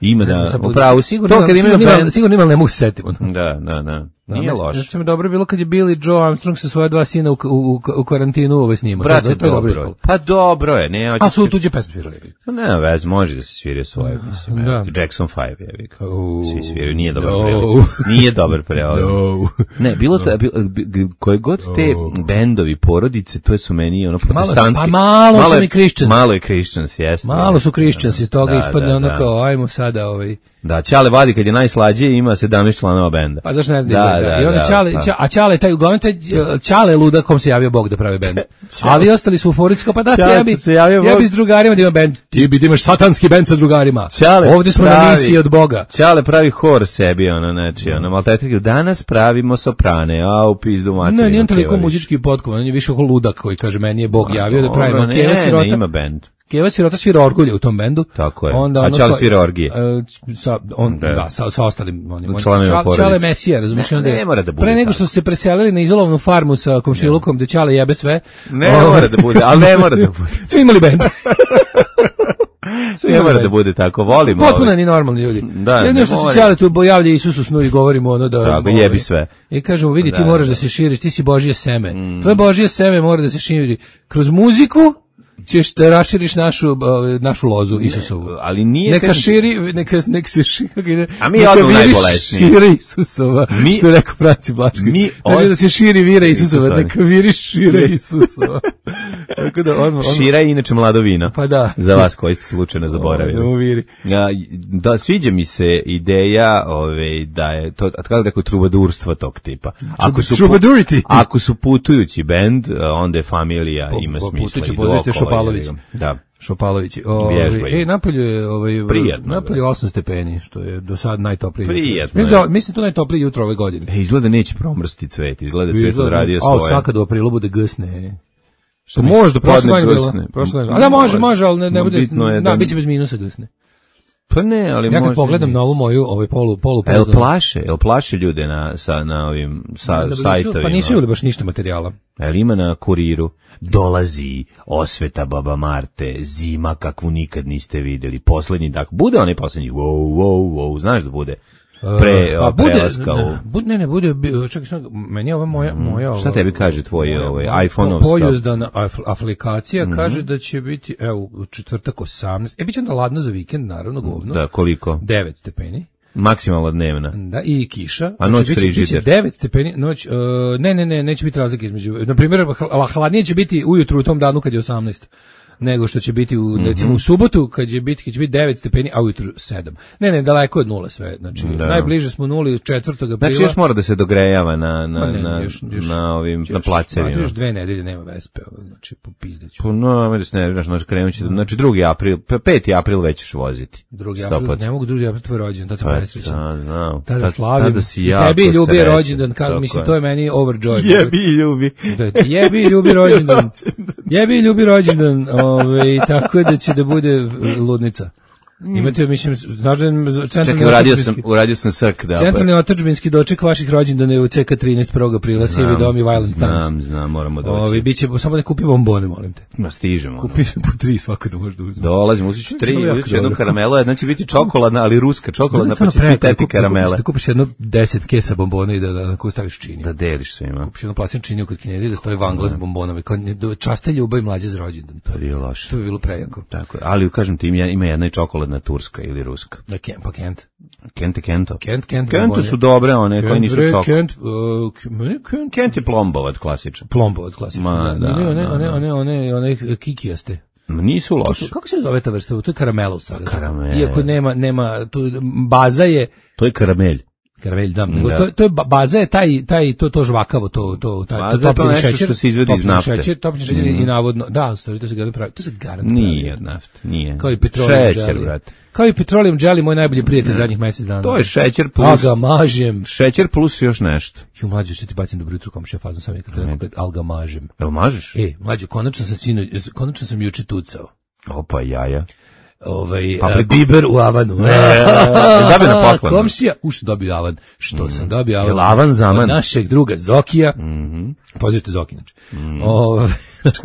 [SPEAKER 7] Ima
[SPEAKER 8] Ne znam,
[SPEAKER 7] da,
[SPEAKER 8] sad budu-
[SPEAKER 7] upravo si.
[SPEAKER 8] sigurno
[SPEAKER 7] To kad
[SPEAKER 8] imam-
[SPEAKER 7] imaju
[SPEAKER 8] sigurno imam-
[SPEAKER 7] bend,
[SPEAKER 8] Sigurno imam, ne mogu se setiti. ono.
[SPEAKER 7] da, da, da. Nije loše.
[SPEAKER 8] Recimo, dobro je bilo kad je Billy Joe Armstrong sa svoje dva sina u, u, u karantinu ovo snima.
[SPEAKER 7] Brate,
[SPEAKER 8] to, to je dobro
[SPEAKER 7] dobro je.
[SPEAKER 8] ispalo.
[SPEAKER 7] Pa dobro je, ne,
[SPEAKER 8] A
[SPEAKER 7] hoćeš
[SPEAKER 8] su tuđe pesme svirali.
[SPEAKER 7] Pa ne, vez, može da se svira svoje, mislim.
[SPEAKER 8] Da.
[SPEAKER 7] evo ti, Jackson five, jevi ga.
[SPEAKER 8] Oh,
[SPEAKER 7] Svi sviraju, nije dobar
[SPEAKER 8] no.
[SPEAKER 7] prevod. Nije dobar prevod.
[SPEAKER 8] No.
[SPEAKER 7] Ne, bilo to, bil- bi- koje god te bendovi, porodice, to su meni ono protestantski.
[SPEAKER 8] pa malo su
[SPEAKER 7] je-
[SPEAKER 8] mi Christians.
[SPEAKER 7] Malo je Christians, jeste.
[SPEAKER 8] Malo su Christians, iz toga
[SPEAKER 7] Da,
[SPEAKER 8] ispadne
[SPEAKER 7] da,
[SPEAKER 8] ono
[SPEAKER 7] da.
[SPEAKER 8] kao, ajmo sada ovaj...
[SPEAKER 7] Da, Ćale vadi kad je najslađije, ima sedamnaest članova benda.
[SPEAKER 8] Pa zašto ne znam
[SPEAKER 7] Da,
[SPEAKER 8] da, izgleda?
[SPEAKER 7] da,
[SPEAKER 8] I onda
[SPEAKER 7] da,
[SPEAKER 8] Ćale,
[SPEAKER 7] pa.
[SPEAKER 8] Ća- a Ćale, taj, uglavnom taj uh, Ćale luda kom se javio Bog da pravi bend. A vi ostali su u forici kao, pa da,
[SPEAKER 7] Ćale
[SPEAKER 8] ja bi,
[SPEAKER 7] se javio
[SPEAKER 8] ja
[SPEAKER 7] Bog.
[SPEAKER 8] bi s drugarima da imam bend. Ti bi da imaš satanski bend sa drugarima.
[SPEAKER 7] Ćale
[SPEAKER 8] Ovdje smo na
[SPEAKER 7] pravi-
[SPEAKER 8] misiji od Boga.
[SPEAKER 7] Ćale pravi hor sebi, ono, znači, ono, malo taj danas pravimo soprane, a u pizdu materinu.
[SPEAKER 8] Ne, nije on toliko
[SPEAKER 7] pjevali.
[SPEAKER 8] muzički potkovan, on je više oko ludak koji kaže, meni je Bog
[SPEAKER 7] Ma,
[SPEAKER 8] javio da
[SPEAKER 7] dobro,
[SPEAKER 8] pravimo.
[SPEAKER 7] ne,
[SPEAKER 8] Keva
[SPEAKER 7] ne,
[SPEAKER 8] Sirota,
[SPEAKER 7] ima bend.
[SPEAKER 8] Keva Sirota svira orgulje u tom bendu.
[SPEAKER 7] Tako je.
[SPEAKER 8] Onda
[SPEAKER 7] A
[SPEAKER 8] ono
[SPEAKER 7] Ćale
[SPEAKER 8] kao-
[SPEAKER 7] svira orgije.
[SPEAKER 8] e, sa, on,
[SPEAKER 7] Da.
[SPEAKER 8] da, sa, sa ostalim onim. on-
[SPEAKER 7] članovima
[SPEAKER 8] Čale-
[SPEAKER 7] porodice.
[SPEAKER 8] Čale Mesija, razumiješ?
[SPEAKER 7] Ne,
[SPEAKER 8] onda je-
[SPEAKER 7] ne mora da bude
[SPEAKER 8] Pre nego
[SPEAKER 7] tako.
[SPEAKER 8] što su se preselili na izolovnu farmu sa komšilukom, gde Čale jebe sve.
[SPEAKER 7] Ne
[SPEAKER 8] ovaj,
[SPEAKER 7] mora da bude, ali ne mora da bude.
[SPEAKER 8] su imali bend. Su
[SPEAKER 7] Ne
[SPEAKER 8] imali
[SPEAKER 7] mora
[SPEAKER 8] bend.
[SPEAKER 7] da bude tako, volimo.
[SPEAKER 8] Potpuno
[SPEAKER 7] ove.
[SPEAKER 8] ni normalni ljudi.
[SPEAKER 7] Da,
[SPEAKER 8] Jedino
[SPEAKER 7] ne
[SPEAKER 8] što se
[SPEAKER 7] mora.
[SPEAKER 8] Ćale tu bojavlja Isusu snu i govorimo ono da...
[SPEAKER 7] Tako,
[SPEAKER 8] ovaj,
[SPEAKER 7] jebi sve.
[SPEAKER 8] I kažemo, vidi, ti
[SPEAKER 7] Da,
[SPEAKER 8] moraš da
[SPEAKER 7] da.
[SPEAKER 8] se širiš, ti si Božje seme. Tvoje Božje seme mora da se širi. Kroz muziku ćeš da raširiš našu, ovaj, našu lozu Isusovu.
[SPEAKER 7] Ali nije...
[SPEAKER 8] Neka
[SPEAKER 7] kažem ti-
[SPEAKER 8] širi, neka, nek se širi, kako ide,
[SPEAKER 7] A mi
[SPEAKER 8] neka
[SPEAKER 7] odmah
[SPEAKER 8] viri
[SPEAKER 7] najbolesnije.
[SPEAKER 8] šire Isusova,
[SPEAKER 7] Mi-
[SPEAKER 8] što je rekao Franci Blašković.
[SPEAKER 7] Mi
[SPEAKER 8] Znači
[SPEAKER 7] od-
[SPEAKER 8] da se širi vira Isusova,
[SPEAKER 7] Isusova.
[SPEAKER 8] neka viri šire Isusova. Tako da, odmah, odmah.
[SPEAKER 7] Šira je inače mlado vino.
[SPEAKER 8] Pa da.
[SPEAKER 7] Za vas koji ste slučajno zaboravili.
[SPEAKER 8] Da mu viri.
[SPEAKER 7] Ja, da, sviđa mi se ideja ove, da je to, a kako rekao, trubadurstva tog tipa. Ako su, pu-
[SPEAKER 8] Trubadurity.
[SPEAKER 7] ako su putujući bend, onda je familija,
[SPEAKER 8] Po-
[SPEAKER 7] ima
[SPEAKER 8] po-
[SPEAKER 7] smisla.
[SPEAKER 8] putujući
[SPEAKER 7] i
[SPEAKER 8] pozorište
[SPEAKER 7] okolo,
[SPEAKER 8] Šopalović.
[SPEAKER 7] jebi ga. Da.
[SPEAKER 8] Šopalović.
[SPEAKER 7] Vježbaju.
[SPEAKER 8] Ovaj, ej, napolju je ovaj
[SPEAKER 7] Prijatno,
[SPEAKER 8] napolju osam stepeni, što je do sad najtoplije. jutro.
[SPEAKER 7] Prijatno
[SPEAKER 8] Mislim
[SPEAKER 7] je.
[SPEAKER 8] da mislim to najtoplije jutro ove godine.
[SPEAKER 7] E, izgleda neće promrsti cvet, izgleda cvet odradio
[SPEAKER 8] A
[SPEAKER 7] svoje.
[SPEAKER 8] sad kad u aprilu bude gsne.
[SPEAKER 7] Pa može da
[SPEAKER 8] Prošle
[SPEAKER 7] padne
[SPEAKER 8] godine bilo,
[SPEAKER 7] gsne.
[SPEAKER 8] prošle godine. A da može, može, ali ne, ne
[SPEAKER 7] No,
[SPEAKER 8] bude.
[SPEAKER 7] bitno je
[SPEAKER 8] da,
[SPEAKER 7] da-
[SPEAKER 8] biće bez minusa gsne.
[SPEAKER 7] Pa ne, ali
[SPEAKER 8] Ja kad
[SPEAKER 7] možda
[SPEAKER 8] pogledam
[SPEAKER 7] i-
[SPEAKER 8] na ovu moju ovaj polu polu
[SPEAKER 7] A jel
[SPEAKER 8] pozornu-
[SPEAKER 7] plaše, jel plaše ljude na, sa, na ovim sa,
[SPEAKER 8] Da bi nisu-
[SPEAKER 7] sajtovima?
[SPEAKER 8] Pa nisu imali baš ništa materijala.
[SPEAKER 7] Jel ima na kuriru? Dolazi osveta Baba Marte, zima kakvu nikad niste videli, poslednji tak, bude onaj poslednji, wow, wow, wow, znaš da bude pre,
[SPEAKER 8] Pa
[SPEAKER 7] o, prelaska u...
[SPEAKER 8] ne, bude, ne, ne, bude, bi- čekaj, samo, meni je ova moja, moja
[SPEAKER 7] Šta
[SPEAKER 8] ova-
[SPEAKER 7] tebi kaže tvoj,
[SPEAKER 8] moja-
[SPEAKER 7] ovaj,
[SPEAKER 8] moja
[SPEAKER 7] iPhone-ovska?
[SPEAKER 8] pojuzdana af- aplikacija kaže da će biti, evo, u četvrtak osamnaest, e, bit će onda ladno za vikend, naravno, govno,
[SPEAKER 7] Da, koliko?
[SPEAKER 8] devet stepeni,
[SPEAKER 7] Maksimalna dnevna.
[SPEAKER 8] da, i kiša,
[SPEAKER 7] A noć
[SPEAKER 8] biće,
[SPEAKER 7] frižider?
[SPEAKER 8] biće devet stepeni, noć, uh, ne, ne, ne, neće biti razlike između, na primjer, hl- hladnije će biti ujutru u tom danu kad je osamnaest, nego što će biti u, recimo, u subotu kad će biti, kad će biti devet stepeni, a ujutru sedam. Ne, ne, daleko od nule sve, znači,
[SPEAKER 7] Da.
[SPEAKER 8] najbliže smo nuli četvrtog aprila.
[SPEAKER 7] Znači još mora da se dogrejava na, na,
[SPEAKER 8] Ma ne,
[SPEAKER 7] na,
[SPEAKER 8] još- još-
[SPEAKER 7] na ovim,
[SPEAKER 8] još-
[SPEAKER 7] na placevima.
[SPEAKER 8] Još dve nedelje nema vespe, ovo, znači, popizdeću.
[SPEAKER 7] Pa no, ajde se ne, znaš, znači krenut će, znači drugi april, pa peti april već ćeš voziti.
[SPEAKER 8] Drugi
[SPEAKER 7] Sto
[SPEAKER 8] april,
[SPEAKER 7] put.
[SPEAKER 8] ne mogu drugi april tvoj rođendan, tad sam
[SPEAKER 7] Pa,
[SPEAKER 8] presrećan.
[SPEAKER 7] da, znam.
[SPEAKER 8] Tada
[SPEAKER 7] Tad-
[SPEAKER 8] slavim.
[SPEAKER 7] tada si
[SPEAKER 8] I
[SPEAKER 7] jako
[SPEAKER 8] tebi ljubi
[SPEAKER 7] srećan.
[SPEAKER 8] rođendan, kako,
[SPEAKER 7] Tako
[SPEAKER 8] mislim,
[SPEAKER 7] je.
[SPEAKER 8] to je meni overjoy.
[SPEAKER 7] Jebi ljubi.
[SPEAKER 8] Da, jebi ljubi rođendan. Jebi ljubi rođendan, ovaj, tako da će da bude ludnica. Imate, mislim, znaš da je centralni
[SPEAKER 7] Čekaj, uradio sam,
[SPEAKER 8] otadžbinski-
[SPEAKER 7] uradio sam srk, da.
[SPEAKER 8] centralni otadžbinski doček vaših rođendana je u C K trinaest prvog aprila, Sivi dom i Violent Times.
[SPEAKER 7] Znam, znam, moramo doći.
[SPEAKER 8] Ovi, biće, samo da kupi bombone, molim te.
[SPEAKER 7] Ma stižemo. ono.
[SPEAKER 8] Kupi po tri svako da možda uzme.
[SPEAKER 7] Dolazim, uzet ću tri,
[SPEAKER 8] To je jako
[SPEAKER 7] uzet ću jednu
[SPEAKER 8] dobro.
[SPEAKER 7] karamelu, jedna će biti čokoladna, ali ruska čokoladna, pa će svi teti karamele.
[SPEAKER 8] Da kupiš jedno deset kesa bombona i da, da, da staviš čini.
[SPEAKER 7] Da deliš svima.
[SPEAKER 8] Kupiš jednu plastičnu činiju kod Kineza i da stoji vangla s bombonama. Kao časte ljubav i mlađe za rođendan.
[SPEAKER 7] To je loše.
[SPEAKER 8] To bi bilo prejako.
[SPEAKER 7] Tako je, ali kažem ti, ima ima jedna i čokoladna zapadna turska ili ruska.
[SPEAKER 8] Da, Kent, pa Kent.
[SPEAKER 7] Kent i Kento.
[SPEAKER 8] Kent, Kent.
[SPEAKER 7] Kentu su dobre, one koje nisu čok.
[SPEAKER 8] Kent, uh, meni Kent.
[SPEAKER 7] Kent je plombovac klasičan.
[SPEAKER 8] Plombovac klasičan.
[SPEAKER 7] Ma, da,
[SPEAKER 8] one, one,
[SPEAKER 7] da,
[SPEAKER 8] one,
[SPEAKER 7] da.
[SPEAKER 8] one, one, one kikijaste.
[SPEAKER 7] Nisu loše.
[SPEAKER 8] Kako se zove ta vrsta? To je karamela u stvari.
[SPEAKER 7] Karamel.
[SPEAKER 8] Iako nema, nema, tu, baza je,
[SPEAKER 7] To je karamelj.
[SPEAKER 8] Karamelj, da, nego
[SPEAKER 7] Da.
[SPEAKER 8] to, to je ba- baza je taj taj to to žvakavo, to to taj
[SPEAKER 7] Baza je to
[SPEAKER 8] topljeni
[SPEAKER 7] nešto što se izvadi iz
[SPEAKER 8] topljeni
[SPEAKER 7] nafte.
[SPEAKER 8] Šećer, topljeni šećer
[SPEAKER 7] Mm.
[SPEAKER 8] i navodno, da, stvari to se garant pravi. To se garant pravi.
[SPEAKER 7] Nije od nafte, nije.
[SPEAKER 8] Kao i petroleum
[SPEAKER 7] Šećer,
[SPEAKER 8] jelly.
[SPEAKER 7] brate.
[SPEAKER 8] Kao i petroleum jelly, moj najbolji prijatelj zadnjih mjesec dana.
[SPEAKER 7] To je šećer
[SPEAKER 8] A
[SPEAKER 7] plus...
[SPEAKER 8] ga mažem.
[SPEAKER 7] Šećer plus još nešto.
[SPEAKER 8] Ju mlađe, što ti bacim dobro jutro komšija fazom sam kad sam rekao kad al ga mažem.
[SPEAKER 7] Jel mažeš?
[SPEAKER 8] E, mlađe, konačno sam sino, konačno sam juče tucao.
[SPEAKER 7] Opa, jaja.
[SPEAKER 8] Ovaj
[SPEAKER 7] Papriku.
[SPEAKER 8] uh, biber u avanu.
[SPEAKER 7] E, dobio na poklon.
[SPEAKER 8] Komšija, uš dobio avan. Što sam dobio avan?
[SPEAKER 7] Jel avan zaman?
[SPEAKER 8] Od našeg druga Zokija.
[SPEAKER 7] Mhm.
[SPEAKER 8] Pozivite Zoki, znači. Ovaj,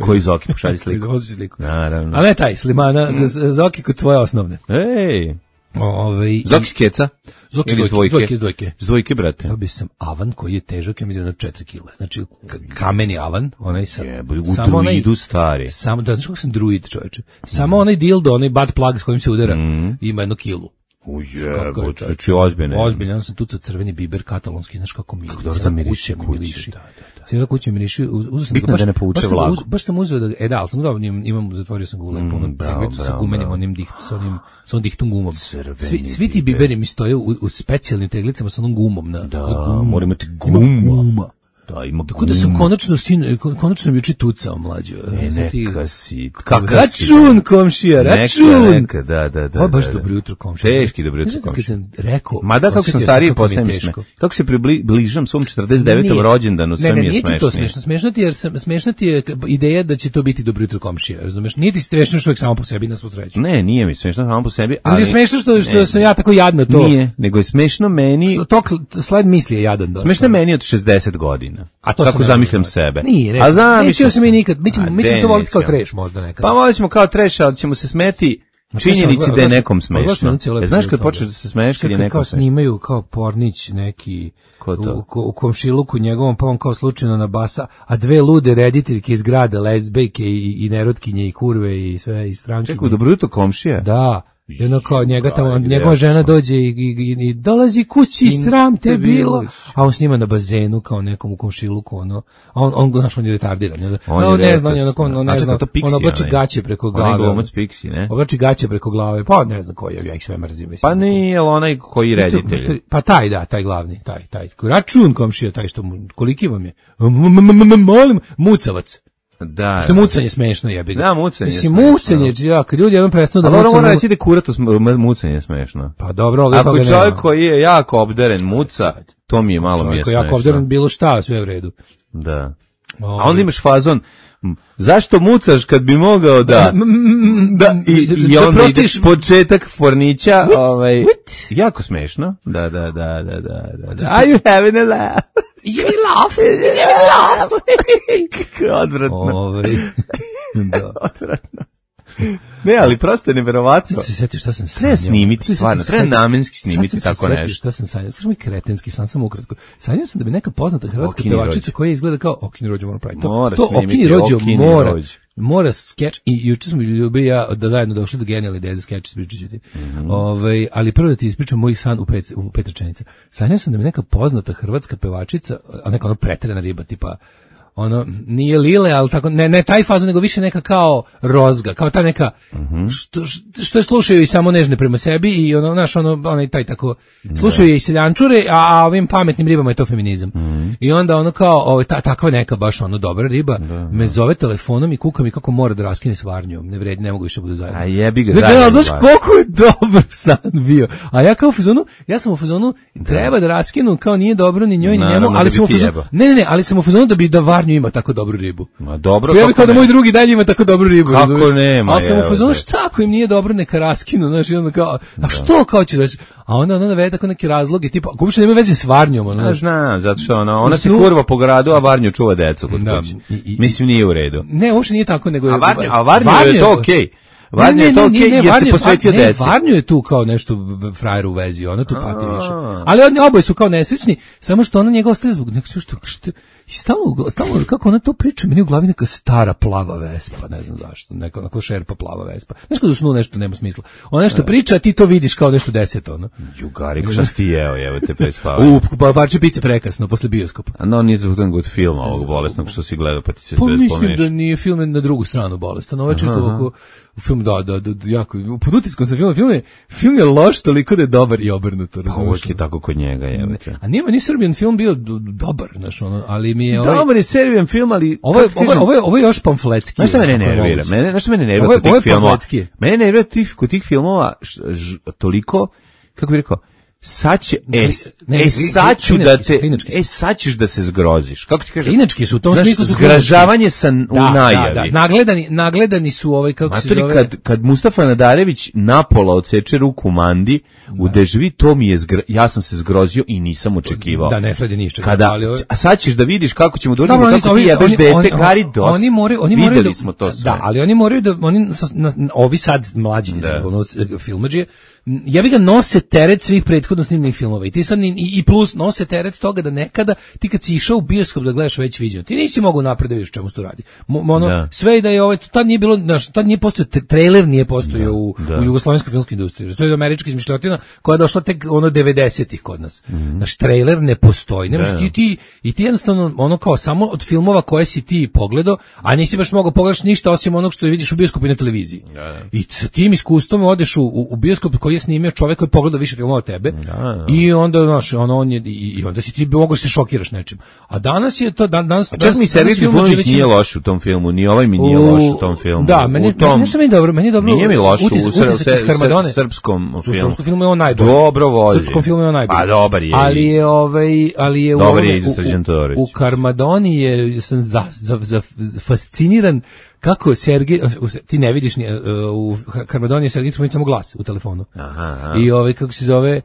[SPEAKER 7] Koji Zoki, pošalji sliku.
[SPEAKER 8] Pozivite sliku.
[SPEAKER 7] Naravno.
[SPEAKER 8] A ne taj, Slimana, Zoki kod tvoje osnovne.
[SPEAKER 7] Ej,
[SPEAKER 8] Ovaj
[SPEAKER 7] Zoki s keca?
[SPEAKER 8] Zoki
[SPEAKER 7] Ili
[SPEAKER 8] s
[SPEAKER 7] s dvojke?
[SPEAKER 8] dvojke, s dvojke.
[SPEAKER 7] S dvojke, brate.
[SPEAKER 8] Dobio sam avan koji je težak, ja mislim na četiri kile. Znači, k- kameni avan, onaj sa...
[SPEAKER 7] Jebe, u druidu stari.
[SPEAKER 8] Samo, da, znaš kako sam druid, čoveče. Samo onaj dildo, onaj butt plug s kojim se udara,
[SPEAKER 7] Mm.
[SPEAKER 8] ima jednu kilu. Kako je,
[SPEAKER 7] Ujebo, znači ozbiljne.
[SPEAKER 8] Ozbiljno, ja sam tucao crveni biber katalonski, znaš kako mi.
[SPEAKER 7] dobro da miriši
[SPEAKER 8] kuće mi
[SPEAKER 7] kuće,
[SPEAKER 8] miriši.
[SPEAKER 7] da, da, da.
[SPEAKER 8] Cijela kuća miriši, uz, uzeo sam
[SPEAKER 7] Bitno
[SPEAKER 8] ga, baš,
[SPEAKER 7] da ne povuče
[SPEAKER 8] baš sam ga
[SPEAKER 7] vlagu.
[SPEAKER 8] uz- baš sam uzeo da, e da, ali sam ga imam, imam, zatvorio sam ga u lepo, onom
[SPEAKER 7] bravo,
[SPEAKER 8] pregledu sa
[SPEAKER 7] bravo,
[SPEAKER 8] gumenim,
[SPEAKER 7] bravo.
[SPEAKER 8] onim diht, sa onim, sa onim dihtom gumom.
[SPEAKER 7] Crveni
[SPEAKER 8] Svi, svi ti
[SPEAKER 7] biber.
[SPEAKER 8] biberi mi stoje u, u specijalnim teglicama sa onom gumom na.
[SPEAKER 7] Da,
[SPEAKER 8] s gumom.
[SPEAKER 7] mora imati
[SPEAKER 8] Ima
[SPEAKER 7] gumu.
[SPEAKER 8] guma.
[SPEAKER 7] Da, ima
[SPEAKER 8] Tako da sam
[SPEAKER 7] gumu.
[SPEAKER 8] konačno sin, konačno sam juče tucao mlađo.
[SPEAKER 7] E,
[SPEAKER 8] Sad ti-
[SPEAKER 7] neka si. Kakav si.
[SPEAKER 8] Račun, komšija, račun.
[SPEAKER 7] Neka, neka, da, da, da.
[SPEAKER 8] Ovo je baš
[SPEAKER 7] da, da.
[SPEAKER 8] dobro jutro, komšija.
[SPEAKER 7] Teški dobro jutro,
[SPEAKER 8] Znaš kad
[SPEAKER 7] komšija.
[SPEAKER 8] sam rekao,
[SPEAKER 7] Mada kako sam
[SPEAKER 8] osjetio
[SPEAKER 7] stariji
[SPEAKER 8] kako mi je
[SPEAKER 7] postajem
[SPEAKER 8] teško.
[SPEAKER 7] smešno. Kako se približam svom četrdeset devetom
[SPEAKER 8] Nije.
[SPEAKER 7] rođendanu, sve
[SPEAKER 8] ne, ne,
[SPEAKER 7] mi je
[SPEAKER 8] nije ti to
[SPEAKER 7] smešnije.
[SPEAKER 8] smešno. Smešno ti, jer sam, smešno ti je ideja da će to biti dobro jutro komšija, razumeš? Nije ti smešno što uvijek samo po sebi nas posreću.
[SPEAKER 7] Ne, nije mi smešno samo po sebi,
[SPEAKER 8] Ali
[SPEAKER 7] ali...
[SPEAKER 8] je smešno što, što
[SPEAKER 7] Ne,
[SPEAKER 8] sam ja tako jadno to.
[SPEAKER 7] Nije, nego je smešno meni...
[SPEAKER 8] Što To kl- sled misli je jadan dosta.
[SPEAKER 7] Smešno je meni od šezdeset godina.
[SPEAKER 8] A to
[SPEAKER 7] Kako
[SPEAKER 8] sam
[SPEAKER 7] zamišljam
[SPEAKER 8] ja
[SPEAKER 7] sebe.
[SPEAKER 8] Nije,
[SPEAKER 7] A
[SPEAKER 8] ne.
[SPEAKER 7] zamišljam
[SPEAKER 8] Nećemo se mi nikad, mi
[SPEAKER 7] A
[SPEAKER 8] ćemo, mi ćemo
[SPEAKER 7] de,
[SPEAKER 8] to voliti kao
[SPEAKER 7] nećemo.
[SPEAKER 8] treš možda nekad.
[SPEAKER 7] Pa molit ćemo kao treš, ali ćemo se smeti činjenici da je nekom smešno. E, znaš kad počneš da se smeješ kad je
[SPEAKER 8] Čekaj,
[SPEAKER 7] nekom
[SPEAKER 8] kao
[SPEAKER 7] smešno?
[SPEAKER 8] snimaju kao pornić neki
[SPEAKER 7] Ko to?
[SPEAKER 8] u, ko- u komšiluku njegovom, pa on kao slučajno na basa, a dve lude rediteljke iz grada, lezbejke i, i nerotkinje i kurve i sve i strankinje.
[SPEAKER 7] Čekaj, dobro jutro komšija.
[SPEAKER 8] Da, jedno kao njega tamo,
[SPEAKER 7] Brate,
[SPEAKER 8] njegova
[SPEAKER 7] ja
[SPEAKER 8] žena
[SPEAKER 7] sam.
[SPEAKER 8] dođe i, i, i, i dolazi kući, sram te bilo, a on snima na bazenu kao nekom u komšiluku, ono, a on, on, znaš, on je retardiran, on,
[SPEAKER 7] On
[SPEAKER 8] on,
[SPEAKER 7] je
[SPEAKER 8] ne zna, on je
[SPEAKER 7] retas,
[SPEAKER 8] onako, on, on
[SPEAKER 7] da. A
[SPEAKER 8] ne
[SPEAKER 7] čekaj,
[SPEAKER 8] zna,
[SPEAKER 7] to Pixi,
[SPEAKER 8] on oblači
[SPEAKER 7] onaj.
[SPEAKER 8] gaće preko
[SPEAKER 7] Onaj
[SPEAKER 8] glave,
[SPEAKER 7] glumac Pixi, ne?
[SPEAKER 8] oblači gaće preko glave, pa ne znam koji je, ja ih sve mrzim, mislim.
[SPEAKER 7] Pa nije li onaj koji reditelj?
[SPEAKER 8] Pa taj, da, taj glavni, taj, taj, račun komšija, taj što mu, koliki vam je? M- m- m- m- Molim, mucavac.
[SPEAKER 7] Da.
[SPEAKER 8] Što je mucanje smešno, jebi ga.
[SPEAKER 7] Da, mucanje je
[SPEAKER 8] Mislim,
[SPEAKER 7] smešno.
[SPEAKER 8] mucanje, ja, kad ljudi jednom prestanu da
[SPEAKER 7] Ali ono
[SPEAKER 8] mucaju,
[SPEAKER 7] mora reći da je kurato sm- m- mucanje smešno.
[SPEAKER 8] pa dobro, ovdje
[SPEAKER 7] Ako
[SPEAKER 8] toga
[SPEAKER 7] je čovjek
[SPEAKER 8] nema.
[SPEAKER 7] koji je jako obdaren muca, to mi je malo mi je
[SPEAKER 8] Čovjek koji jako
[SPEAKER 7] smešno.
[SPEAKER 8] obdaran bilo šta, sve u redu.
[SPEAKER 7] Da. A
[SPEAKER 8] Ovaj.
[SPEAKER 7] onda imaš fazon, m, zašto mucaš kad bi mogao da... Da, i, i
[SPEAKER 8] Da
[SPEAKER 7] onda ide
[SPEAKER 8] prostiš-
[SPEAKER 7] početak fornića, ovaj, jako smešno. Da, da, da, da, da, da, da. Are you having a laugh?
[SPEAKER 8] Je mi laugh,
[SPEAKER 7] Je mi laugh? Kako odvratno.
[SPEAKER 8] Ovaj, da.
[SPEAKER 7] Odvratno. Ne, ali prosto je neverovatno.
[SPEAKER 8] Se setiš šta sam sanjao.
[SPEAKER 7] Treba snimiti,
[SPEAKER 8] Sad sam
[SPEAKER 7] stvarno,
[SPEAKER 8] se
[SPEAKER 7] treba
[SPEAKER 8] setio-
[SPEAKER 7] namenski
[SPEAKER 8] sad
[SPEAKER 7] snimiti
[SPEAKER 8] sam se
[SPEAKER 7] tako
[SPEAKER 8] setio
[SPEAKER 7] nešto.
[SPEAKER 8] Šta sam sanjao? Slušaj mi kretenski san, samo ukratko. Sanjao sam da bi neka poznata hrvatska
[SPEAKER 7] Okini
[SPEAKER 8] pevačica
[SPEAKER 7] rođe.
[SPEAKER 8] koja izgleda kao Okini rođe, moram praviti. To,
[SPEAKER 7] Mora
[SPEAKER 8] to
[SPEAKER 7] snimiti
[SPEAKER 8] Okini rođe
[SPEAKER 7] Okini
[SPEAKER 8] mora.
[SPEAKER 7] rođe.
[SPEAKER 8] Mora skeč i juče smo ljubili ja da zajedno došli do genijalne ideje za skeč, ispričat ću ti.
[SPEAKER 7] Mhm.
[SPEAKER 8] Ovaj, ali prvo da ti ispričam moj san u pet, u pet rečenica. Sanjao sam da mi neka poznata hrvatska pevačica, a neka ono preterana riba, tipa ono, nije Lile, ali tako, ne, ne taj fazon, nego više neka kao rozga, kao ta neka, što, što je slušaju i samo nežne prema sebi i ono, znaš, ono, onaj taj tako, slušaju je i seljančure, a, a ovim pametnim ribama je to feminizam. I onda ono kao, ovo, ta, takva neka baš ono dobra riba, me zove telefonom i kuka mi kako mora da raskine s varnjom, ne vredi, ne mogu više budu zajedno.
[SPEAKER 7] A jebi ga,
[SPEAKER 8] Dakle,
[SPEAKER 7] zajedno
[SPEAKER 8] ali znaš
[SPEAKER 7] izvadi.
[SPEAKER 8] koliko je dobar san bio. A ja kao u fazonu, ja sam u fazonu, treba da raskinu, kao nije dobro ni njoj ni
[SPEAKER 7] Naravno,
[SPEAKER 8] njemu,
[SPEAKER 7] da
[SPEAKER 8] ali
[SPEAKER 7] bi
[SPEAKER 8] sam u
[SPEAKER 7] ti
[SPEAKER 8] fazonu,
[SPEAKER 7] jebao.
[SPEAKER 8] ne, ne, ne, ali sam u fazonu da bi da Varnju ima tako dobru ribu.
[SPEAKER 7] Ma dobro,
[SPEAKER 8] Pa ja bih
[SPEAKER 7] kako
[SPEAKER 8] kao da
[SPEAKER 7] ne?
[SPEAKER 8] moj drugi dalje ima tako dobru ribu.
[SPEAKER 7] Kako
[SPEAKER 8] razumeš?
[SPEAKER 7] nema,
[SPEAKER 8] Ali sam u
[SPEAKER 7] evo
[SPEAKER 8] fazonu,
[SPEAKER 7] te.
[SPEAKER 8] šta ako im nije dobro, neka raskinu, znaš, i onda kao, a što kao će reći? A onda ona navede tako neki razloge, tipa, ako uopšte nema veze s Varnjom, ono,
[SPEAKER 7] Ja
[SPEAKER 8] znaš.
[SPEAKER 7] znam, zato što ona, ona
[SPEAKER 8] U
[SPEAKER 7] se
[SPEAKER 8] snu-
[SPEAKER 7] kurva po gradu, a Varnju čuva decu kod
[SPEAKER 8] Da,
[SPEAKER 7] kuće.
[SPEAKER 8] i- i-
[SPEAKER 7] Mislim, nije u redu.
[SPEAKER 8] Ne, uopšte nije tako, nego je...
[SPEAKER 7] A Varnju, a Varnju je to okej.
[SPEAKER 8] Ne,
[SPEAKER 7] Varnju
[SPEAKER 8] ne,
[SPEAKER 7] je to
[SPEAKER 8] ne,
[SPEAKER 7] okej
[SPEAKER 8] ne,
[SPEAKER 7] jer se
[SPEAKER 8] Varnju-
[SPEAKER 7] posvetio
[SPEAKER 8] ne,
[SPEAKER 7] deci.
[SPEAKER 8] Varnju je tu kao nešto v- frajer u vezi, ona tu pati više. Ali oni oboje su kao nesrećni, samo što ona njega ostaje zbog nekog što, što I stalno, stalno, kako ona to priča, meni u glavi neka stara plava Vespa, ne znam zašto, neka onako šerpa plava Vespa. Znaš kada u snu nešto nema smisla. Ona nešto priča, a ti to vidiš kao nešto deseto, ono.
[SPEAKER 7] Jugari, šta si ti jeo, evo te prespavaju.
[SPEAKER 8] U, pa parče pice prekasno, posle bioskopa.
[SPEAKER 7] A no, nije za good film ovog bolesnog što si gledao, pa ti se
[SPEAKER 8] Pa
[SPEAKER 7] sve
[SPEAKER 8] mislim
[SPEAKER 7] spomeniš.
[SPEAKER 8] da nije film na drugu stranu bolestan. Ovo je čisto ovako, film, da, da, da, da, jako, pod utiskom sam film, film je, film je loš toliko da je dobar i obrnuto.
[SPEAKER 7] Pa uvijek je tako kod njega, evo te.
[SPEAKER 8] A nije meni Srbijan film bio d- dobar, znaš, ono, ali mi je ovaj...
[SPEAKER 7] Dobar je Serbijan film, ali...
[SPEAKER 8] Ovo je,
[SPEAKER 7] kako
[SPEAKER 8] ovo, je-
[SPEAKER 7] kažem,
[SPEAKER 8] ovo, je, ovo je još pamfletski.
[SPEAKER 7] Znaš šta mene
[SPEAKER 8] ako je
[SPEAKER 7] nervira?
[SPEAKER 8] moguće.
[SPEAKER 7] Mene, znaš šta mene nervira
[SPEAKER 8] Ovo je-
[SPEAKER 7] kod
[SPEAKER 8] ovo je
[SPEAKER 7] tih filmova?
[SPEAKER 8] pamfletski.
[SPEAKER 7] Mene nervira tih, kod tih filmova š, ž, toliko, kako bih rekao, sad će, e, s-
[SPEAKER 8] Ne,
[SPEAKER 7] e,
[SPEAKER 8] ne,
[SPEAKER 7] sad ću da
[SPEAKER 8] klinački su,
[SPEAKER 7] te,
[SPEAKER 8] klinački su.
[SPEAKER 7] e, sad ćeš da se zgroziš. Kako ti kažem?
[SPEAKER 8] Klinački su, u tom
[SPEAKER 7] Znaš,
[SPEAKER 8] smislu su
[SPEAKER 7] zgražavanje sa, u
[SPEAKER 8] Da,
[SPEAKER 7] najavi.
[SPEAKER 8] da, da, nagledani, nagledani su ovaj, kako se
[SPEAKER 7] Matori,
[SPEAKER 8] zove...
[SPEAKER 7] kad, kad Mustafa Nadarević napola odseče ruku Mandi, u dežvi, to mi je, zgra, ja sam se zgrozio i nisam očekivao.
[SPEAKER 8] Da, ne sledi ništa.
[SPEAKER 7] Kada,
[SPEAKER 8] ali ovo-
[SPEAKER 7] a sad ćeš da vidiš kako ćemo doći,
[SPEAKER 8] Dobro, oni-
[SPEAKER 7] kako ti
[SPEAKER 8] oni-
[SPEAKER 7] jebeš
[SPEAKER 8] oni-
[SPEAKER 7] dete,
[SPEAKER 8] oni-
[SPEAKER 7] Gari, dosta.
[SPEAKER 8] Oni moraju, oni moraju
[SPEAKER 7] Videli
[SPEAKER 8] da,
[SPEAKER 7] smo to sve.
[SPEAKER 8] Da, ali oni moraju da, oni, sa- na- ovi sad mlađi,
[SPEAKER 7] Da.
[SPEAKER 8] ono, filmadžije, ja bi ga nose teret svih prethodno snimljenih filmova i ti sad, i, i plus nose teret toga da nekada, ti kad si išao u bioskop da gledaš već viđeno, ti nisi mogao napred da vidiš čemu se to radi. Mo, ono,
[SPEAKER 7] Da.
[SPEAKER 8] sve i da je ovaj, tad nije bilo, znaš, tad nije postojao, tre- trailer nije postojao u,
[SPEAKER 7] da.
[SPEAKER 8] u jugoslovenskoj filmskoj industriji. To je američka izmišljotina koja je došla tek ono devedesetih kod nas. Naš trailer ne postoji. Ne možeš
[SPEAKER 7] Da.
[SPEAKER 8] ti, ti, i ti jednostavno ono kao samo od filmova koje si ti pogledao, a nisi baš mogao pogledaš ništa osim onog što vidiš u bioskopu i na televiziji. I sa tim iskustvom odeš u, u, u bioskop koji je snimio čovjek koji je pogledao više filmova od tebe. I onda znaš, ono on je i, i onda si ti mogu se šokiraš nečim. A danas je to dan, danas
[SPEAKER 7] A čak
[SPEAKER 8] danas-
[SPEAKER 7] mi
[SPEAKER 8] danas
[SPEAKER 7] Sergej
[SPEAKER 8] film
[SPEAKER 7] Trifunović
[SPEAKER 8] Đilić
[SPEAKER 7] nije
[SPEAKER 8] ima-
[SPEAKER 7] loš u tom filmu, ni ovaj mi nije loš u tom filmu.
[SPEAKER 8] Da, meni,
[SPEAKER 7] u tom,
[SPEAKER 8] meni, nešto meni dobro, meni je dobro.
[SPEAKER 7] Nije mi loš u
[SPEAKER 8] utis-
[SPEAKER 7] sr-
[SPEAKER 8] utisak iz
[SPEAKER 7] sr-
[SPEAKER 8] Harmadone.
[SPEAKER 7] srpskom
[SPEAKER 8] U
[SPEAKER 7] filmu.
[SPEAKER 8] srpskom filmu je on najbolji.
[SPEAKER 7] Dobro volji.
[SPEAKER 8] U srpskom filmu je on najbolji.
[SPEAKER 7] Pa dobar je.
[SPEAKER 8] Ali je ovaj, ali je u
[SPEAKER 7] Dobar
[SPEAKER 8] ovome-
[SPEAKER 7] je i za
[SPEAKER 8] u-
[SPEAKER 7] Srđan Todorović.
[SPEAKER 8] U, u Karmadoni je sam za, za, za, za fasciniran kako Sergej, u- ti ne vidiš ni, uh, u Karmadoni je Sergej Trifunović samo glas u telefonu.
[SPEAKER 7] Aha, aha.
[SPEAKER 8] I ovaj kako se zove,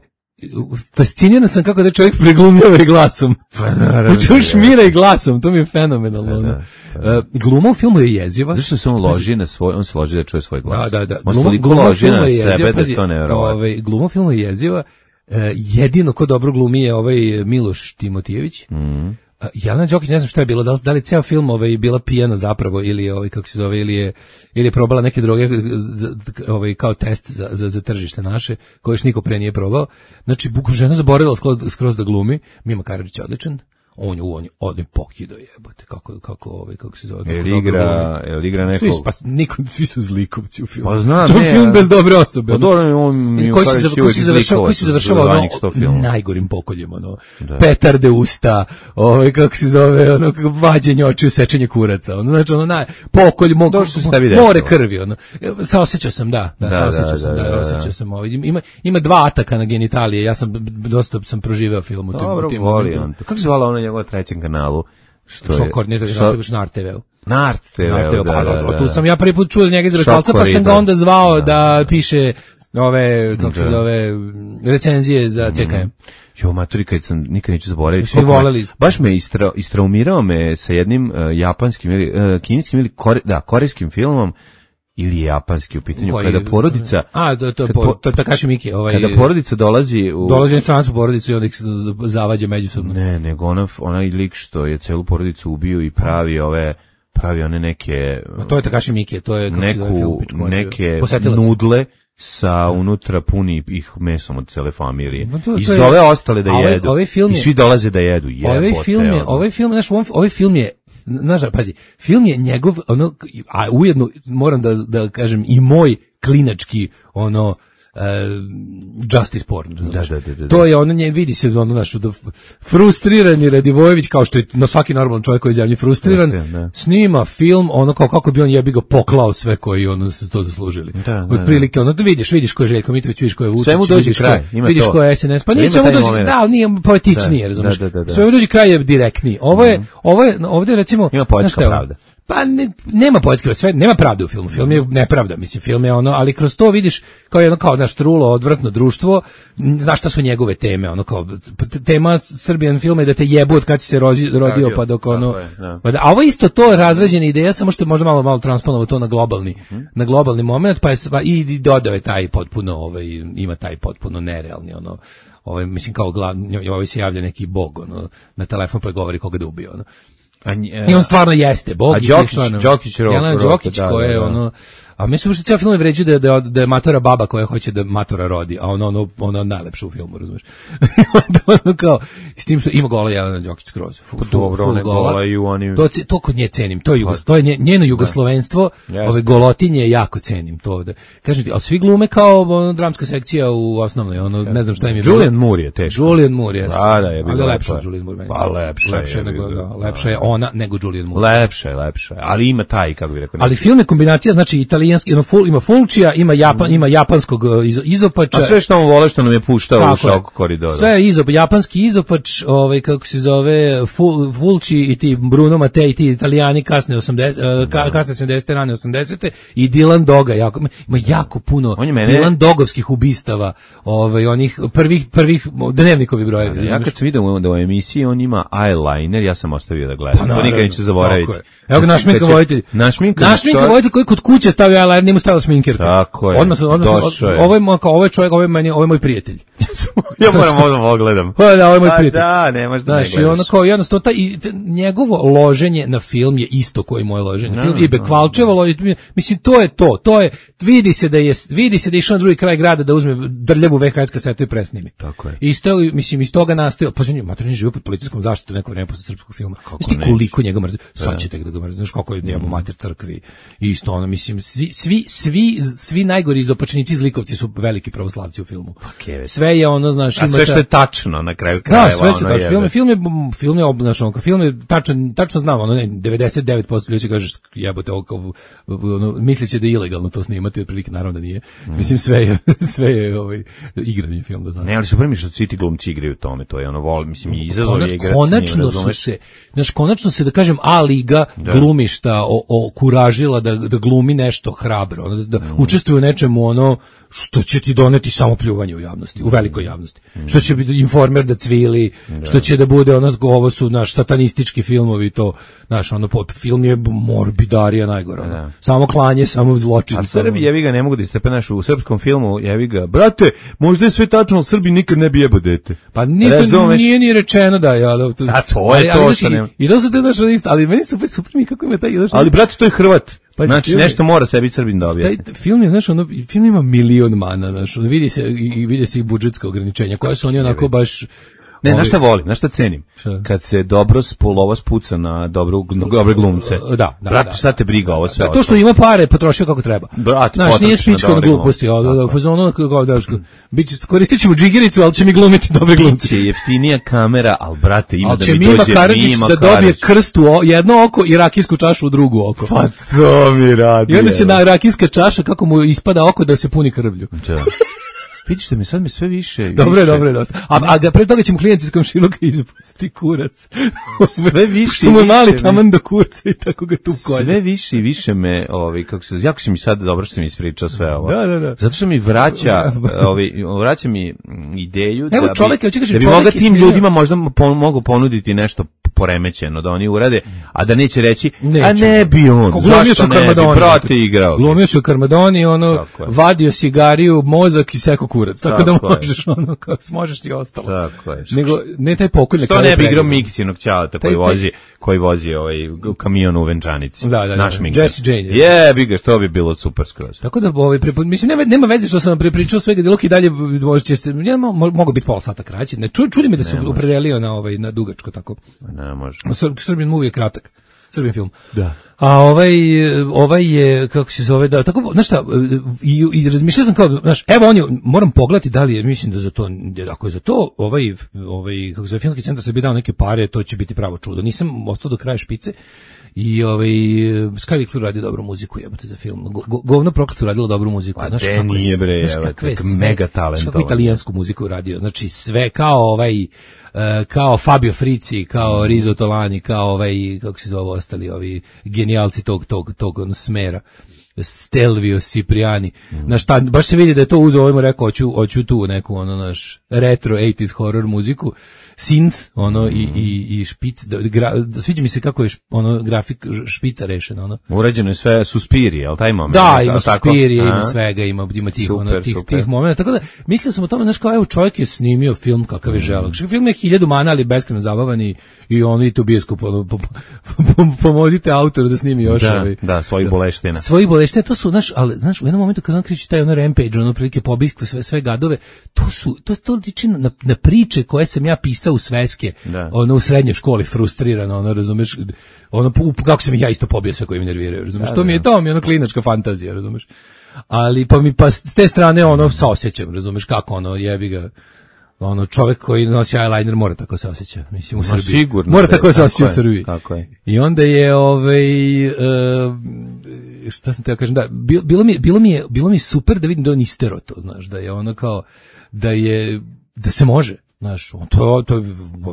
[SPEAKER 8] fasciniran sam kako da čovjek preglumljava i glasom.
[SPEAKER 7] Pa naravno.
[SPEAKER 8] Znači on šmira i glasom, to mi je fenomenalno. ono. Uh, gluma u filmu je jeziva.
[SPEAKER 7] Zašto se on loži na svoj, on se loži da čuje svoj glas.
[SPEAKER 8] Da, da, da.
[SPEAKER 7] On se
[SPEAKER 8] Gluma-
[SPEAKER 7] toliko
[SPEAKER 8] gluma
[SPEAKER 7] loži
[SPEAKER 8] filma
[SPEAKER 7] na
[SPEAKER 8] je jeziva,
[SPEAKER 7] sebe da
[SPEAKER 8] pazi,
[SPEAKER 7] je to nevjerovatno.
[SPEAKER 8] Ovaj, gluma filma je jeziva. E, jedino ko dobro glumi je ovaj Miloš Timotijević.
[SPEAKER 7] Mhm.
[SPEAKER 8] A, Jelena Đokić, ne znam šta je bilo, da li, da li ceo film ovaj, bila pijana zapravo ili je, ovaj, kako se zove, ili je, ili je probala neke droge z- ovaj, kao test za, za, za tržište naše, koje još niko pre nije probao. Znači, bukom žena zaboravila skroz, skroz da glumi. Mima Karadžić je odličan. On je, on je, on je pokido jebote, kako, kako, ovaj, kako se zove. kako
[SPEAKER 7] Jel
[SPEAKER 8] dobro
[SPEAKER 7] igra,
[SPEAKER 8] glumi.
[SPEAKER 7] jel igra neko...
[SPEAKER 8] Svi su, pa, niko, svi su zlikovci u filmu.
[SPEAKER 7] Pa znam,
[SPEAKER 8] To je
[SPEAKER 7] ne,
[SPEAKER 8] film
[SPEAKER 7] a-
[SPEAKER 8] bez dobre osobe.
[SPEAKER 7] Pa dobro, on
[SPEAKER 8] I
[SPEAKER 7] Mimo
[SPEAKER 8] koji se,
[SPEAKER 7] Karadžić
[SPEAKER 8] zav- koji
[SPEAKER 7] uvijek
[SPEAKER 8] se završava, koji se
[SPEAKER 7] izlikovac
[SPEAKER 8] završava
[SPEAKER 7] za zadnjih sto
[SPEAKER 8] ono,
[SPEAKER 7] filmova.
[SPEAKER 8] najgorim pokoljem, ono, petarde usta, ovaj, kako se zove, ono, kako vađenje očiju, sečenje kuraca, ono, znači, ono, naj, pokolj, mo,
[SPEAKER 7] To što se tebi desilo.
[SPEAKER 8] more krvi, ono, saosećao sam, da, da,
[SPEAKER 7] Da,
[SPEAKER 8] saosećao
[SPEAKER 7] da,
[SPEAKER 8] sam,
[SPEAKER 7] da,
[SPEAKER 8] da,
[SPEAKER 7] da, da.
[SPEAKER 8] osjećao sam, ovaj, ima, ima dva ataka na genitalije, ja sam, b- b- dosta sam proživeo film u tim,
[SPEAKER 7] Dobro,
[SPEAKER 8] u tim
[SPEAKER 7] voli
[SPEAKER 8] momentima.
[SPEAKER 7] on to. Kako se zvala ono na njegovom trećem kanalu? Što je?
[SPEAKER 8] Šokor, ne da
[SPEAKER 7] Šo-
[SPEAKER 8] na R T V-u.
[SPEAKER 7] Nart te
[SPEAKER 8] Na R T V-u,
[SPEAKER 7] da,
[SPEAKER 8] pa
[SPEAKER 7] da,
[SPEAKER 8] dobro,
[SPEAKER 7] da.
[SPEAKER 8] tu sam ja prvi put čuo za njega iz Rekalca, pa
[SPEAKER 7] Šokor,
[SPEAKER 8] sam ga
[SPEAKER 7] da.
[SPEAKER 8] onda zvao da piše ove, kako se
[SPEAKER 7] Da.
[SPEAKER 8] zove, recenzije za C K M.
[SPEAKER 7] Jo, maturi, kad sam, nikad neću zaboraviti.
[SPEAKER 8] Svi
[SPEAKER 7] koliko me-
[SPEAKER 8] voleli.
[SPEAKER 7] Baš me istra, istraumirao me sa jednim uh, japanskim, ili, uh, kineskim ili kore, da, korejskim filmom, ili je japanski u pitanju,
[SPEAKER 8] Koji-
[SPEAKER 7] kada porodica...
[SPEAKER 8] A, to, to,
[SPEAKER 7] kad
[SPEAKER 8] po,
[SPEAKER 7] po-
[SPEAKER 8] to je Takashi Miike. Ovaj,
[SPEAKER 7] Kada porodica dolazi u...
[SPEAKER 8] dolazi na stranačku porodicu i onda ih se z- zavađa međusobno.
[SPEAKER 7] Ne, nego ona, onaj lik što je celu porodicu ubio i pravi ove, pravi one neke...
[SPEAKER 8] A to je Takashi Miike, to je kako se zove film,
[SPEAKER 7] neku,
[SPEAKER 8] pičku materiju.
[SPEAKER 7] neke
[SPEAKER 8] Posetilac.
[SPEAKER 7] nudle sa unutra puni ih mesom od cele familije.
[SPEAKER 8] Ma to-
[SPEAKER 7] I
[SPEAKER 8] to je-
[SPEAKER 7] zove ostale da
[SPEAKER 8] A ovaj-
[SPEAKER 7] jedu.
[SPEAKER 8] ovaj film
[SPEAKER 7] I
[SPEAKER 8] je-
[SPEAKER 7] svi dolaze da jedu. Jebote,
[SPEAKER 8] Ovaj film je,
[SPEAKER 7] ono.
[SPEAKER 8] ovaj film, znaš, ovaj, ovaj film je, znaš, pazi, film je njegov, ono, a ujedno moram da, da kažem i moj klinački, ono, Uh, justice porn, znaš.
[SPEAKER 7] Da, da, da, da.
[SPEAKER 8] To je ono, nje vidi se ono naš da frustrirani Radivojević, kao što je na svaki normalan čovjek koji je zemlji frustriran,
[SPEAKER 7] Frustriran, da.
[SPEAKER 8] snima film ono kao kako bi on jebi ga poklao sve koji ono su to zaslužili.
[SPEAKER 7] Da, da,
[SPEAKER 8] Otprilike ono da vidiš, vidiš ko je Željko Mitrović, vidiš ko je Vučić,
[SPEAKER 7] Sve mu dođe
[SPEAKER 8] vidiš ko,
[SPEAKER 7] kraj, ima
[SPEAKER 8] vidiš
[SPEAKER 7] to.
[SPEAKER 8] ko je S N S, pa
[SPEAKER 7] Ima
[SPEAKER 8] nije sve mu
[SPEAKER 7] taj
[SPEAKER 8] dođe,
[SPEAKER 7] moment.
[SPEAKER 8] da, ali nije poetičnije,
[SPEAKER 7] Da,
[SPEAKER 8] razumeš?
[SPEAKER 7] da, da, da.
[SPEAKER 8] Sve mu dođe kraj je direktniji. Ovo je, ovo je, ovdje recimo
[SPEAKER 7] Ima poetska
[SPEAKER 8] znaš šta je ovo?
[SPEAKER 7] pravda.
[SPEAKER 8] Pa ne, nema poetske, sve nema pravde u filmu. Film je nepravda, mislim, film je ono, ali kroz to vidiš kao jedno kao naš trulo, odvratno društvo, m, znaš šta su njegove teme, ono kao t- tema Srbijan filma je da te jebu od kad si se rozi, rodio
[SPEAKER 7] Rodio,
[SPEAKER 8] pa dok ono.
[SPEAKER 7] tako je, da.
[SPEAKER 8] Pa da, a ovo je isto to razrađena ideja, samo što je možda malo malo transponovao to na globalni, na globalni moment, pa je sva, i, i dodao je taj potpuno ovaj ima taj potpuno nerealni ono ovaj mislim kao glavni, ovaj se javlja neki bog, ono, na telefon pa govori koga da ubio, ono.
[SPEAKER 7] A nje,
[SPEAKER 8] I on stvarno jeste bog.
[SPEAKER 7] A Đokić, Đokić rok,
[SPEAKER 8] Jelena Đokić koja je ono, a mislim što cijel film vređa da, da, da je matora baba koja hoće da matora rodi, a ono ono ono najlepše u filmu, razumeš? Ono kao s tim što ima gola Jelena Đokić skroz.
[SPEAKER 7] Dobro, one gola i u onim.
[SPEAKER 8] To to kod nje cenim, to je jugos, to je njeno jugoslovenstvo, ove golotinje jako cenim to da. Kažete, al svi glume kao ono, dramska sekcija u osnovnoj, ono ne znam šta im je.
[SPEAKER 7] Julian Moore je teško.
[SPEAKER 8] Julian Moore je.
[SPEAKER 7] Da, da, je bilo
[SPEAKER 8] lepše od Julian Moore.
[SPEAKER 7] Pa lepše,
[SPEAKER 8] lepše nego lepše je ona nego Julian Moore.
[SPEAKER 7] Lepše, lepše, ali ima taj, kako bih rekao.
[SPEAKER 8] Ali film je kombinacija, znači italijanski, ima full, ima Fulčija, ima Japan, mm. ima japanskog iz, izopača.
[SPEAKER 7] A sve što on vole što nam je puštao u šok koridoru.
[SPEAKER 8] Sve je izop, japanski izopač, ovaj kako se zove, Ful, Fulči i ti Bruno Mattei i ti Italijani kasne osamdesete, uh, ka, kasne sedamdesete rane osamdesete i Dylan Doga, jako ima jako puno
[SPEAKER 7] mene...
[SPEAKER 8] Dylan Dogovskih ubistava, ovaj onih prvih prvih dnevnikovi brojevi.
[SPEAKER 7] Ja kad sam video da u emisiji on ima eyeliner, ja sam ostavio da gledam. Pa, to nikad neću zaboraviti.
[SPEAKER 8] Evo ga naš Minka Vojtelj.
[SPEAKER 7] Naš Minka
[SPEAKER 8] Vojtelj koji kod kuće stavio eyeliner, njemu stavio sminkerka.
[SPEAKER 7] Tako je.
[SPEAKER 8] Odmah, odmah, ovo je kao ovaj čovjek, ovo je meni, ovo je moj prijatelj.
[SPEAKER 7] Ja moram ovo pogledam.
[SPEAKER 8] Pa da, ovo je moj prijatelj.
[SPEAKER 7] Da, nemaš da ne gledaš.
[SPEAKER 8] Znaš, i ono kao jednostavno taj i njegovo loženje na film je isto koji moje loženje na film. I Bekvalčevo, mislim to je to, to je vidi se da je vidi se da je išao na drugi kraj grada da uzme drljavu V H S kasetu i presnimi.
[SPEAKER 7] Tako je.
[SPEAKER 8] Isto mislim iz toga nastao, pa znači matorni život pod policijskom zaštitom neko vreme posle srpskog filma. Znači koliko njega mrzi. Sad ćete da ga mrzi. Znaš kako je njemu mater crkvi. Isto ono mislim svi svi svi svi najgori izopačenici zlikovci su veliki pravoslavci u filmu.
[SPEAKER 7] Okay,
[SPEAKER 8] sve je ono znaš
[SPEAKER 7] ima sve što je tačno na kraju krajeva.
[SPEAKER 8] Da, sve što je film, film je film je obnašao, film je tačan tačno znam, ono ne devedeset devet posto ljudi kaže jebote ovo ono misliće da je ilegalno to snimati, otprilike naravno da nije. Mm. Mislim sve je sve je ovaj igrani film da znam.
[SPEAKER 7] Ne, ali su prvi što svi ti glumci igraju u tome, to je ono vol, mislim i izazov je igrati.
[SPEAKER 8] Konačno su se, znaš, konačno se da kažem A liga da. Glumišta o, o kuražila da da glumi nešto hrabro, ono, da mm. učestvuje u nečemu ono što će ti doneti samo pljuvanje u javnosti, u velikoj javnosti. Mm. Što će biti Informer da cvili, da. Što će da bude ono, ovo su naš satanistički filmovi, to, naš ono, film je morbidarija najgora. Da. Samo klanje, samo zločin.
[SPEAKER 7] A Srbi, jevi ga, ne mogu da istepe naš u srpskom filmu, jevi ga, brate, možda je sve tačno, ali Srbi nikad ne bi jebo dete.
[SPEAKER 8] Pa nije, nije ni rečeno da, ja. To,
[SPEAKER 7] a to je
[SPEAKER 8] ali,
[SPEAKER 7] to što nema.
[SPEAKER 8] I to su te naš isto, ali meni su super mi kako ima taj. Znaš,
[SPEAKER 7] ali brate, to je Hrvat. Pa znači film, nešto mora sebi Srbin da objasni.
[SPEAKER 8] Taj film je, znaš, ono, film ima milion mana, znaš, ono, vidi se i vidi se i budžetska ograničenja koja su oni onako baš.
[SPEAKER 7] Ne, znaš šta volim, znaš šta cenim? Šta? Kad se dobro spolova spuca na dobru, dobre glumce.
[SPEAKER 8] Da, da.
[SPEAKER 7] Brate,
[SPEAKER 8] da,
[SPEAKER 7] šta te briga ovo sve?
[SPEAKER 8] Da, to što ima pare, potrošio kako treba.
[SPEAKER 7] Brate,
[SPEAKER 8] znaš, nije spičko na gluposti, ali ono kako da biće koristićemo džigericu, al će mi glumiti dobre glumce.
[SPEAKER 7] Će jeftinija kamera, al brate, ima da mi
[SPEAKER 8] dođe Karadžić da dobije krst u jedno oko i rakijsku čašu u drugo oko.
[SPEAKER 7] Pa to mi radi.
[SPEAKER 8] I onda će na rakijska čaša kako mu ispada oko da se puni krvlju.
[SPEAKER 7] Vidiš da mi sad mi sve više...
[SPEAKER 8] Dobro je, dobro je, dosta. A, a ga pre toga ćemo klijenti iz komšiluka izpusti kurac.
[SPEAKER 7] Sve više
[SPEAKER 8] što mu je mali taman do kurca i tako ga tu kolje.
[SPEAKER 7] Sve više i više me, ovi, kako se, jako si mi sad dobro što si mi ispričao sve ovo.
[SPEAKER 8] Da, da, da.
[SPEAKER 7] Zato što mi vraća, ovi, vraća mi ideju
[SPEAKER 8] Evo,
[SPEAKER 7] da
[SPEAKER 8] čovjek,
[SPEAKER 7] bi,
[SPEAKER 8] kažem,
[SPEAKER 7] da bi mogla tim ljudima možda po, mogu ponuditi nešto poremećeno da oni urade, a da neće reći, neće. A ne bi on, zašto ne bi, brate igrao.
[SPEAKER 8] Glumio su u Karmadoni, ono, vadio cigariju, mozak i seko kurac, tako, tako da možeš, je. Ono, kao možeš ti ostalo.
[SPEAKER 7] Tako je.
[SPEAKER 8] Nego, ne taj pokolj.
[SPEAKER 7] Što ne bi igrao Mikcinog ćalata koji vozi, koji vozi ovaj kamion u venčanici.
[SPEAKER 8] Da, da,
[SPEAKER 7] naš
[SPEAKER 8] da,
[SPEAKER 7] Minka.
[SPEAKER 8] Jesse Jane.
[SPEAKER 7] Je, bi ga, što bi bilo super skroz.
[SPEAKER 8] Tako da, ovaj, prepo, mislim, nema, nema veze što sam vam prepričao svega, dok i dalje možete, ja, mogu biti pola sata kraće. Ne, ču, čudi me da se opredelio na, ovaj, na dugačko, tako.
[SPEAKER 7] Ne, može.
[SPEAKER 8] Srbin movie je kratak. Srbin film.
[SPEAKER 7] Da.
[SPEAKER 8] A ovaj ovaj je kako se zove da tako znaš šta i, i razmišljao sam kao znaš evo on je moram pogledati da li je mislim da za to ako je za to ovaj ovaj kako se zove filmski centar se bi dao neke pare to će biti pravo čudo. Nisam ostao do kraja špice. I ovaj Skyvik radi dobru muziku, jebote za film. Go, govno prokleto radilo dobru muziku,
[SPEAKER 7] pa znaš kako je, bre, mega talent.
[SPEAKER 8] Kako italijansku muziku radio. Znači sve kao ovaj uh, kao Fabio Frizzi, kao Rizzo Tolani, kao ovaj kako se zove ostali ovi genijalci tog tog tog ono, smera. Stelvio Cipriani. Mm. Naš, ta, baš se vidi da je to uzeo, ovaj mu rekao, hoću, hoću tu neku, ono, naš, retro osamdesetih horror muziku, synth, ono, mm. i, i, i špic, da, gra, da, sviđa mi se kako je, š, ono, grafik špica rešena, ono.
[SPEAKER 7] Urađeno je sve Suspirije, ali taj moment?
[SPEAKER 8] Da, ima Suspirije, ima svega, ima, ima tih,
[SPEAKER 7] super,
[SPEAKER 8] ono, tih,
[SPEAKER 7] super.
[SPEAKER 8] tih momenta, tako da, mislio sam o tome, znaš, kao, evo, čovjek je snimio film kakav je želak. Mm. Film je hiljadu mana, ali beskreno zabavan i, i ono, i tu bioskop, ono, po, po, po, pomozite autoru da snimi još.
[SPEAKER 7] Da,
[SPEAKER 8] ovaj,
[SPEAKER 7] da, svojih boleština.
[SPEAKER 8] Svojih boleština, to su, znaš, ali, znaš, u jednom momentu kad on kriči taj ono rampage, ono, prilike pobih sve, sve gadove, to su, to to liči na, na priče koje sam ja pisao u sveske, da. Ono, u srednjoj školi, frustrirano, ono, razumeš, ono, kako sam ih ja isto pobio sve koji mi nerviraju, razumeš, da, to mi je, to mi je ono klinačka fantazija, razumeš, ali, pa mi, pa s te strane, ono, saosjećam, razumeš, kako, ono, jebi ga, ono, čovjek koji nosi eyeliner mora tako se osjeća, mislim, u Srbiji.
[SPEAKER 7] Sigurno.
[SPEAKER 8] Mora tako se osjeća u Srbiji.
[SPEAKER 7] Tako je.
[SPEAKER 8] I onda je, ovaj, uh, šta sam teo kažem, da, bilo mi, bilo mi je, bilo mi super da vidim da on istero to, znaš, da je ono kao, da je, da se može, znaš, on to, to je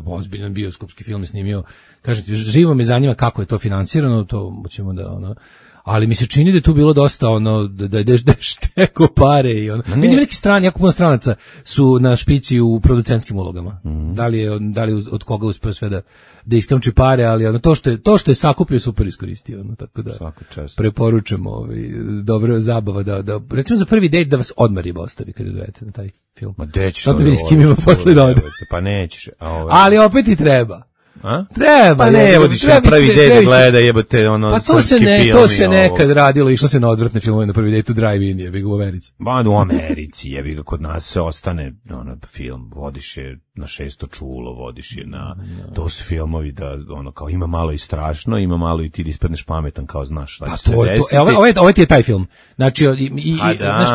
[SPEAKER 8] ozbiljan bioskopski film je snimio, kažem ti, živo me zanima kako je to finansirano, to ćemo da, ono, ali mi se čini da je tu bilo dosta ono da da da, da šteko pare i ono. Vidim neki strani, jako puno stranaca su na špici u producentskim ulogama. Mm. Da li je da li od koga uspeo sve da da iskamči pare, ali ono to što je to što je sakupio super iskoristio, ono, tako da preporučujem ovaj dobra zabava da da recimo za prvi dejt da vas odmah riba ostavi kad idete na taj film.
[SPEAKER 7] Ma deći.
[SPEAKER 8] Sad vidiš s kim ima posle da ode.
[SPEAKER 7] Pa nećeš. A ovaj.
[SPEAKER 8] Ali opet i treba.
[SPEAKER 7] A?
[SPEAKER 8] Treba,
[SPEAKER 7] pa ne, evo ti
[SPEAKER 8] treba,
[SPEAKER 7] prvi
[SPEAKER 8] treba,
[SPEAKER 7] dejt gleda, jebote, ono,
[SPEAKER 8] pa to se ne, to se nekad radilo, išlo se na odvratne filmove na prvi dejt u drive-in, jebi ga u Americi.
[SPEAKER 7] Ba, u Americi, jebi ga, kod nas se ostane, ono, film, vodiš je na šesto čulo, vodiš je na, no. To su filmovi da, ono, kao ima malo i strašno, ima malo i ti da ispadneš pametan, kao znaš šta će se
[SPEAKER 8] to,
[SPEAKER 7] desiti.
[SPEAKER 8] To, ovo, ovo ti je taj film. Znači, i, i,
[SPEAKER 7] A da,
[SPEAKER 8] znaš,